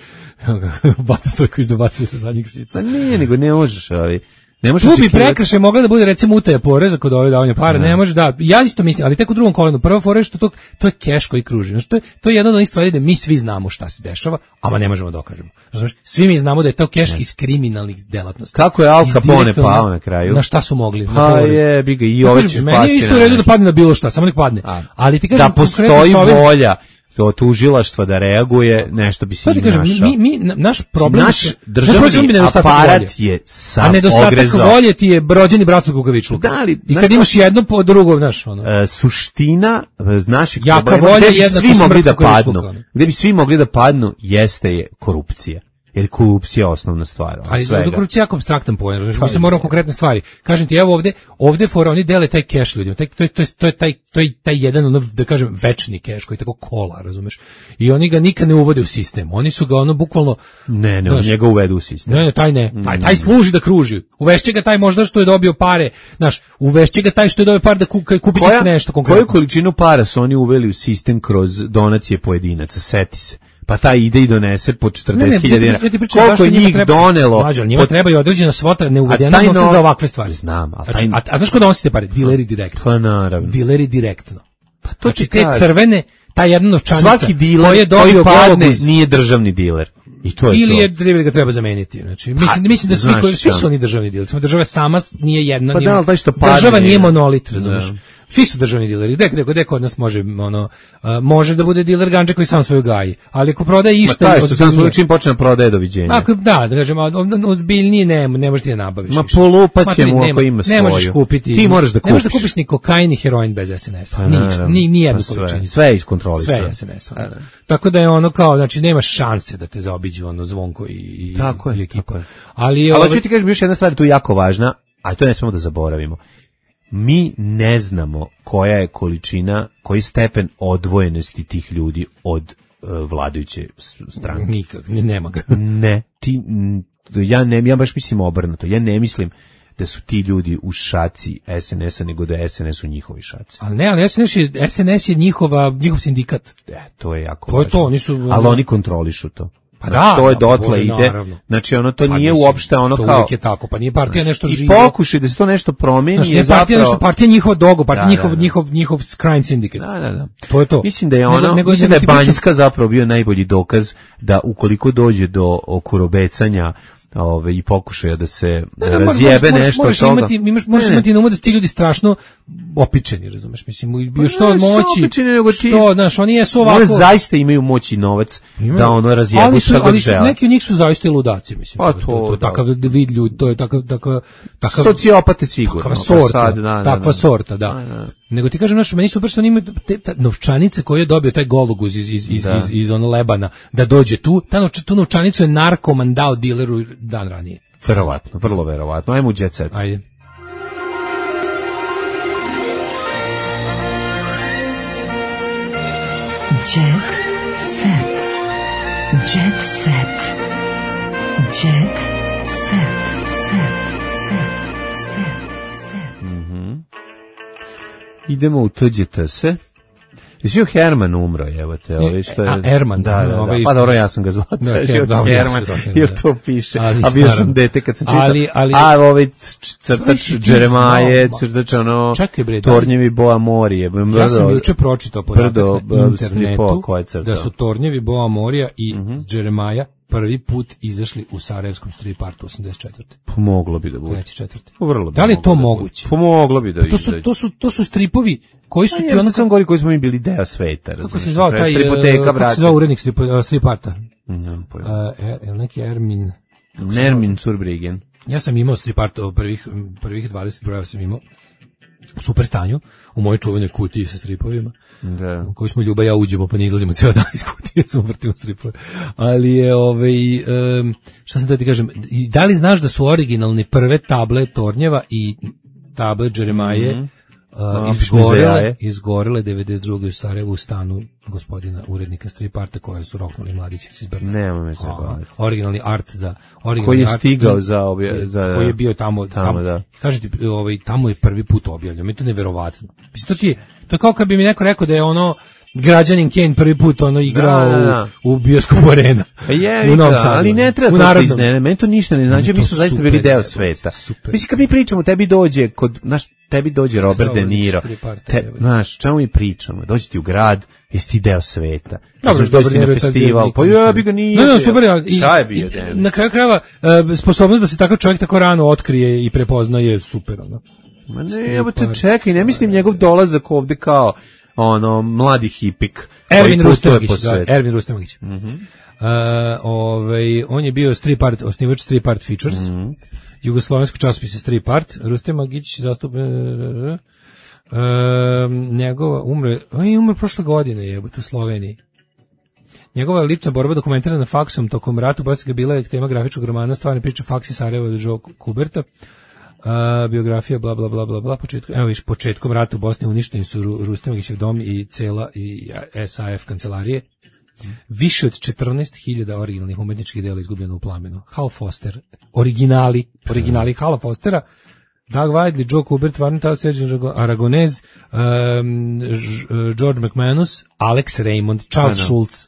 [SPEAKER 8] Bata Stojković dobacuje sa zadnjeg sica.
[SPEAKER 7] Pa ne, nego ne možeš, ali Ne može
[SPEAKER 8] tu bi
[SPEAKER 7] očekivati.
[SPEAKER 8] prekršaj mogla da bude recimo utaja poreza kod ove davanja para, ne, ne može da. Ja isto mislim, ali tek u drugom kolenu. Prva fora je što to to je keš koji kruži. Znači to je to je jedna od onih stvari da mi svi znamo šta se dešava, ama ne možemo da dokažemo. Razumeš? Svi mi znamo da je to keš iz kriminalnih delatnosti.
[SPEAKER 7] Kako je Al Capone pao na kraju?
[SPEAKER 8] Na šta su mogli?
[SPEAKER 7] Pa je, bi ga i ove ćeš pasti.
[SPEAKER 8] Meni je isto u redu da padne na bilo šta, samo nek padne. A, ali ti kažem
[SPEAKER 7] da postoji volja to tužilaštva da reaguje, nešto bi se
[SPEAKER 8] našao. Mi, mi, naš problem,
[SPEAKER 7] naš državni naš aparat volje. Je sam
[SPEAKER 8] a nedostatak
[SPEAKER 7] ogrezao.
[SPEAKER 8] volje ti je brođeni brat od kukavičluka.
[SPEAKER 7] Da, ali,
[SPEAKER 8] i kad imaš jedno po drugo, znaš, ono.
[SPEAKER 7] E, suština naših
[SPEAKER 8] jaka
[SPEAKER 7] problema,
[SPEAKER 8] volja
[SPEAKER 7] gde bi svi mogli da padnu,
[SPEAKER 8] ono.
[SPEAKER 7] gde bi svi mogli da padnu, jeste je korupcija. Jer korupcija je osnovna stvar.
[SPEAKER 8] Ali korupcija je jako apstraktan pojam, znači mi se moramo konkretne stvari. Kažem ti, evo ovde, ovde fora oni dele taj keš ljudima. Taj to je to je to je taj to je taj jedan ono da kažem večni keš koji tako kola, razumeš? I oni ga nikad ne uvode u sistem. Oni su ga ono bukvalno
[SPEAKER 7] ne, ne, oni njega uvedu u sistem.
[SPEAKER 8] Ne, ne, taj ne. Taj taj služi da kruži. Uvešće ga taj možda što je dobio pare, znaš, uvešće ga taj što je dobio pare da kupi kupiće nešto konkretno.
[SPEAKER 7] Koju količinu para su oni uveli u sistem kroz donacije pojedinaca, seti se. Pa taj ide i donese po četrdeset hiljada dinara. Koliko je njih
[SPEAKER 8] treba,
[SPEAKER 7] donelo?
[SPEAKER 8] Mađo, njima pot... treba i određena svota neuvedena novca no... za ovakve stvari.
[SPEAKER 7] Znam, a,
[SPEAKER 8] taj...
[SPEAKER 7] znači,
[SPEAKER 8] a, a znaš ko donosi te pare? Dileri direktno.
[SPEAKER 7] Pa naravno.
[SPEAKER 8] Dileri direktno.
[SPEAKER 7] Pa to
[SPEAKER 8] znači, te crvene, ta jedna novčanica
[SPEAKER 7] svaki diler
[SPEAKER 8] koji, je
[SPEAKER 7] koji padne nije državni diler. I to je
[SPEAKER 8] ili
[SPEAKER 7] to.
[SPEAKER 8] je treba ga treba zameniti. Znači, mislim, pa, mislim da svi, koji, svi su oni državni dileri. Samo država sama nije jedna.
[SPEAKER 7] Pa
[SPEAKER 8] nije,
[SPEAKER 7] da, što padne,
[SPEAKER 8] država nije monolit, razumiješ? Svi su državni dileri. Gde, gde, gde kod nas može, ono, uh, može da bude diler gandže koji sam svoju gaji. Ali ako prodaje išta...
[SPEAKER 7] Ma taj što sam svoju čim počne prodaje, doviđenja.
[SPEAKER 8] Ako, da, da kažem, ozbiljnije ne, ne možeš ti da nabaviš.
[SPEAKER 7] Ma polupat će mu ako ima svoju.
[SPEAKER 8] Ne možeš kupiti.
[SPEAKER 7] Ti moraš da kupiš.
[SPEAKER 8] Ne možeš da kupiš ni kokain ni heroin bez es en es. Pa, ništa, ni, ni jednu količinu.
[SPEAKER 7] Sve je iskontrolisano.
[SPEAKER 8] Sve je es en es. Tako da je ono kao, znači nema šanse da te zaobiđu ono Zvonko i, i,
[SPEAKER 7] tako
[SPEAKER 8] i
[SPEAKER 7] je,
[SPEAKER 8] ekipa.
[SPEAKER 7] tako je.
[SPEAKER 8] Ali,
[SPEAKER 7] ali ću ti kažem još jedna stvar tu jako važna, a to ne smemo da zaboravimo. Mi ne znamo koja je količina, koji stepen odvojenosti tih ljudi od uh, vladajuće stranke.
[SPEAKER 8] Nikak, nema ga.
[SPEAKER 7] Ne, ti, ja ne, ja baš mislim obrnuto. Ja ne mislim da su ti ljudi u šaci es en es-a, nego da je es en es u njihovi šaci.
[SPEAKER 8] Ali ne, ali es en es je, es en es je njihova, njihov sindikat.
[SPEAKER 7] E, to je jako
[SPEAKER 8] to
[SPEAKER 7] važno.
[SPEAKER 8] Je to, oni su,
[SPEAKER 7] ali oni kontrolišu to.
[SPEAKER 8] Pa
[SPEAKER 7] znači,
[SPEAKER 8] da,
[SPEAKER 7] to je
[SPEAKER 8] da,
[SPEAKER 7] dotle
[SPEAKER 8] Bože,
[SPEAKER 7] ide.
[SPEAKER 8] Naravno.
[SPEAKER 7] Znači ono to
[SPEAKER 8] pa
[SPEAKER 7] nije
[SPEAKER 8] mislim,
[SPEAKER 7] uopšte ono
[SPEAKER 8] to
[SPEAKER 7] kao.
[SPEAKER 8] To uvijek je tako, pa nije partija nešto
[SPEAKER 7] i
[SPEAKER 8] živo.
[SPEAKER 7] I pokušaj da se to nešto promeni
[SPEAKER 8] znači,
[SPEAKER 7] je zapravo.
[SPEAKER 8] Partija nešto, partija njihova dogo, partija
[SPEAKER 7] da,
[SPEAKER 8] njihov,
[SPEAKER 7] da, da.
[SPEAKER 8] njihov, njihov crime syndicate.
[SPEAKER 7] Da, da, da.
[SPEAKER 8] To je to.
[SPEAKER 7] Mislim da je ono, nego, nego, mislim da je Banjska zapravo bio najbolji dokaz da ukoliko dođe do okurobecanja ove i pokušaja da se ne, razjebe
[SPEAKER 8] moraš,
[SPEAKER 7] nešto
[SPEAKER 8] moraš
[SPEAKER 7] toga.
[SPEAKER 8] Imati, imaš, možeš ne, imati na umu da su ti ljudi strašno opičeni, razumeš? Mislim, bio što od moći,
[SPEAKER 7] opičeni, nego ti,
[SPEAKER 8] što, znaš, oni jesu ovako...
[SPEAKER 7] Oni zaista imaju moć i novac
[SPEAKER 8] imaju,
[SPEAKER 7] da ono razjebu šta god žele.
[SPEAKER 8] Ali neki od njih su zaista i ludaci, mislim.
[SPEAKER 7] Pa
[SPEAKER 8] to,
[SPEAKER 7] to,
[SPEAKER 8] to, to, to takav vid ljudi, to je takav... takav, takav
[SPEAKER 7] sociopate sigurno.
[SPEAKER 8] Takva sorta,
[SPEAKER 7] sad, da, da,
[SPEAKER 8] takva
[SPEAKER 7] da.
[SPEAKER 8] sorta, da. da, da. Nego ti kažem, znaš, meni super što oni imaju te, ta novčanice koje je dobio taj gologuz iz, iz, iz, iz, iz ono Lebana, da dođe tu, ta novč, tu novčanicu je narkoman dao dileru dan ranije.
[SPEAKER 7] Verovatno, vrlo verovatno. Ajmo u jet set.
[SPEAKER 8] Ajde.
[SPEAKER 5] Jet set. Jet set. Jet set. Set. Set. Set. Set.
[SPEAKER 7] Mhm. Idemo u T Đ T S. Jesi Herman umro, evo te, ovaj što je...
[SPEAKER 8] A, Herman,
[SPEAKER 7] da, da, da, da. Pa dobro, ja sam ga zvao, da, Herman, jer to piše, ali, a bio sam dete kad sam čitao, ali, ali, a ovaj crtač Džeremaje, crtač ono,
[SPEAKER 8] bre,
[SPEAKER 7] Tornjevi Boa Morije, brdo,
[SPEAKER 8] ja sam juče pročitao podatak na internetu da su Tornjevi Boa Morija i uh-huh. Džeremaja prvi put izašli u Sarajevskom strip artu osamdeset četvrte
[SPEAKER 7] Pomoglo bi da bude.
[SPEAKER 8] treći četvrti
[SPEAKER 7] Vrlo bi.
[SPEAKER 8] Da li je to moguće?
[SPEAKER 7] Pomoglo bi da
[SPEAKER 8] to su to su to su stripovi koji su
[SPEAKER 7] ti ono sam gori koji smo mi bili deo sveta.
[SPEAKER 8] Kako se zvao taj kako se zvao urednik strip, strip arta?
[SPEAKER 7] Ne,
[SPEAKER 8] uh, neki Ermin
[SPEAKER 7] Nermin Zurbriggen.
[SPEAKER 8] Ja sam imao strip art prvih prvih dvadeset brojeva sam imao u super stanju, u mojoj čuvenoj kutiji sa stripovima,
[SPEAKER 7] da.
[SPEAKER 8] u koju smo Ljuba ja uđemo, pa ne izlazimo cijel dan iz kutije, samo vrtimo stripove. Ali je, ovaj, um, šta sam da ti kažem, da li znaš da su originalne prve table Tornjeva i table Džeremaje mm-hmm. Uh, izgorele, izgorele devedeset druge u Sarajevu u stanu gospodina urednika strip arta koje su roknuli mladićevci iz Brna.
[SPEAKER 7] Nema me se baviti.
[SPEAKER 8] Originalni art za originalni
[SPEAKER 7] koji je
[SPEAKER 8] art,
[SPEAKER 7] stigao za, obje, za
[SPEAKER 8] koji je bio tamo, tamo, tamo da. Kažete, ovaj, tamo je prvi put objavljeno. Mi to neverovatno. Mislim, to ti je, to je kao kad bi mi neko rekao da je ono građanin Kane prvi put ono igrao
[SPEAKER 7] Da, da, da.
[SPEAKER 8] u, u bioskopu Arena.
[SPEAKER 7] Je,
[SPEAKER 8] u Novom
[SPEAKER 7] da,
[SPEAKER 8] Sadu.
[SPEAKER 7] ali ne treba
[SPEAKER 8] U
[SPEAKER 7] to
[SPEAKER 8] Narodnom.
[SPEAKER 7] priznati, meni to ništa ne znači, mi smo zaista
[SPEAKER 8] super,
[SPEAKER 7] bili deo
[SPEAKER 8] je,
[SPEAKER 7] sveta.
[SPEAKER 8] super.
[SPEAKER 7] Mislim, kad mi pričamo, tebi dođe, kod, znaš, tebi dođe Robert De Niro, te, znaš, čemu mi pričamo, dođe ti u grad, jesi ti deo sveta.
[SPEAKER 8] Dobro,
[SPEAKER 7] Znaš, dođe ti na festival, pa ja bi ga nije.
[SPEAKER 8] No, no, super, i,
[SPEAKER 7] šta je bio
[SPEAKER 8] i,
[SPEAKER 7] den?
[SPEAKER 8] na kraju krajeva, e, sposobnost da se takav čovjek tako rano otkrije i prepozna je super, ono.
[SPEAKER 7] Ma ne, evo te čekaj, ne mislim njegov dolazak ovde kao, ono, mladi hipik.
[SPEAKER 8] Ervin
[SPEAKER 7] koji putuje
[SPEAKER 8] Rustemagić,
[SPEAKER 7] po
[SPEAKER 8] da,
[SPEAKER 7] svetu.
[SPEAKER 8] Ervin Rustemagić.
[SPEAKER 7] Mhm.
[SPEAKER 8] Uh, ovaj, on je bio Street Art, osnivač Street Art Features,
[SPEAKER 7] Mhm.
[SPEAKER 8] jugoslovenskog časopisa Street Art. Rustemagić zastup... Uh, njegova umre, on je umre prošle godine, jebote, u Sloveniji. Njegova lična borba dokumentirana faksom tokom rata u Bosni bila je tema grafičkog romana Stvarne priče Faksi Sarajeva od Joe Kuberta. Uh, biografija bla bla bla bla bla početkom, evo viš, početkom rata u Bosni uništeni su Ru, Rustemagićev dom i cela i S A F kancelarije. Više od četrnaest hiljada originalnih umetničkih dela izgubljeno u plamenu. Hal Foster, originali, originali Hala Fostera, Doug Whiteley, Joe Kubert, Varnita, Sergio Aragonez, um, George McManus, Alex Raymond, Charles
[SPEAKER 7] Da, da.
[SPEAKER 8] Schultz.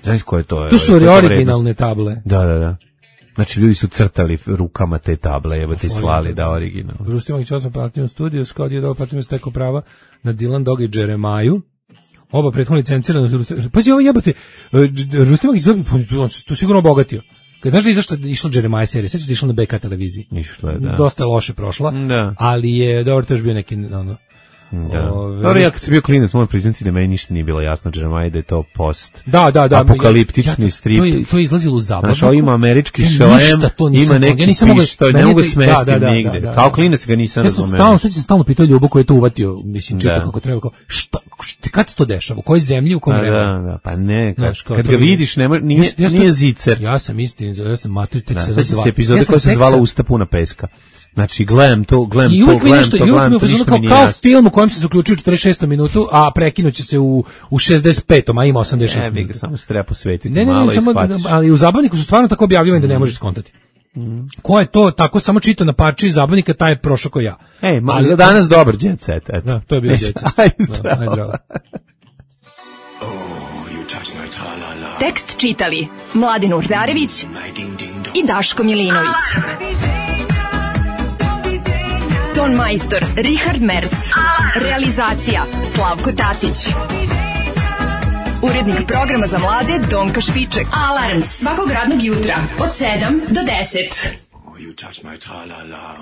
[SPEAKER 7] Znaš ko je to?
[SPEAKER 8] Tu su
[SPEAKER 7] Koja je to
[SPEAKER 8] originalne
[SPEAKER 7] vrednost?
[SPEAKER 8] table.
[SPEAKER 7] Da, da, da. Znači, ljudi su crtali rukama te table, evo te slali da original.
[SPEAKER 8] Rustemagić osam Platinum Studio, Scott je dao Platinum stekao prava na Dylan Doga i Jeremaju. Oba prethodno licencirano su Rustemagić. Pazi, ovo jebote, Rustemagić to sigurno obogatio. Kad znaš da je izašla, išla Jeremiah serija, sveća da je išla na B K televiziji.
[SPEAKER 7] Išla je, da.
[SPEAKER 8] Dosta je loše prošla,
[SPEAKER 7] Da.
[SPEAKER 8] ali je, dobro, to još bio neki, ono,
[SPEAKER 7] Da.
[SPEAKER 8] Ove-
[SPEAKER 7] Dobro, ja kad sam bio klinac, moram priznati da meni ništa nije bilo jasno, Jeremiah, da je to post
[SPEAKER 8] Da, da, da.
[SPEAKER 7] apokaliptični
[SPEAKER 8] ja,
[SPEAKER 7] strip.
[SPEAKER 8] To je, to je izlazilo u zabavniku.
[SPEAKER 7] Znaš, ovo ima američki
[SPEAKER 8] Ja
[SPEAKER 7] šlem,
[SPEAKER 8] ništa to nisam
[SPEAKER 7] ima
[SPEAKER 8] mogao,
[SPEAKER 7] neki
[SPEAKER 8] ja nisam mogao-
[SPEAKER 7] pištolj,
[SPEAKER 8] meni
[SPEAKER 7] ne
[SPEAKER 8] je
[SPEAKER 7] mogu
[SPEAKER 8] to-
[SPEAKER 7] smestim
[SPEAKER 8] da, da, da,
[SPEAKER 7] nigde.
[SPEAKER 8] da, da.
[SPEAKER 7] Kao klinac ga nisam
[SPEAKER 8] Ja sam
[SPEAKER 7] razumeo.
[SPEAKER 8] stalno, sad sam stalno pitao Ljubu koji je to uvatio, mislim, čitao
[SPEAKER 7] Da.
[SPEAKER 8] kako treba, kao, šta, šta, kad se to dešava, u kojoj zemlji, u kom
[SPEAKER 7] Pa
[SPEAKER 8] vremenu?
[SPEAKER 7] da, da, pa ne, kad,
[SPEAKER 8] Znaš, kao
[SPEAKER 7] kad
[SPEAKER 8] to
[SPEAKER 7] ga
[SPEAKER 8] je-
[SPEAKER 7] vidiš, nema, nije,
[SPEAKER 8] Ja- ja sam-
[SPEAKER 7] nije zicer.
[SPEAKER 8] Ja sam istin, ja sam mater, tek
[SPEAKER 7] Da,
[SPEAKER 8] se
[SPEAKER 7] sad će
[SPEAKER 8] zva-
[SPEAKER 7] se epizode
[SPEAKER 8] ja sam
[SPEAKER 7] koja se
[SPEAKER 8] tek
[SPEAKER 7] zvala
[SPEAKER 8] sa-
[SPEAKER 7] Usta puna peska. Znači, gledam to, gledam
[SPEAKER 8] I
[SPEAKER 7] to,
[SPEAKER 8] uvijek mi
[SPEAKER 7] gledam
[SPEAKER 8] nešto,
[SPEAKER 7] to,
[SPEAKER 8] i uvijek
[SPEAKER 7] gledam
[SPEAKER 8] mi
[SPEAKER 7] to,
[SPEAKER 8] je
[SPEAKER 7] ništa
[SPEAKER 8] kao,
[SPEAKER 7] mi nije
[SPEAKER 8] kao
[SPEAKER 7] jasno.
[SPEAKER 8] film u kojem se zaključuje u četrdeset šestom minutu, a prekinuće se u, u šezdeset petom, a ima osamdeset šest
[SPEAKER 7] Ne, bi ga
[SPEAKER 8] minuta.
[SPEAKER 7] samo se treba posvetiti
[SPEAKER 8] Ne, ne,
[SPEAKER 7] malo
[SPEAKER 8] ne,
[SPEAKER 7] i
[SPEAKER 8] samo,
[SPEAKER 7] shvatiš.
[SPEAKER 8] ali u zabavniku su stvarno tako objavljivani da ne možeš skontati. Ko je to tako samo čitao na parči zabavnika, taj je prošao ko ja.
[SPEAKER 7] Ej, ma,
[SPEAKER 8] Ali-
[SPEAKER 7] za danas dobar jet set, eto.
[SPEAKER 8] Da, to je bio
[SPEAKER 7] E,
[SPEAKER 8] jet set.
[SPEAKER 7] Aj,
[SPEAKER 8] Da,
[SPEAKER 7] zdravo.
[SPEAKER 8] aj, zdravo.
[SPEAKER 5] Tekst čitali Mladin Urdarević i Daško Milinović. Ton majstor Richard Merc. Realizacija Slavko Tatić. Urednik programa za mlade Donka Špiček. Alarms svakog radnog jutra od sedam do deset.
[SPEAKER 13] You touch my tra-la-la.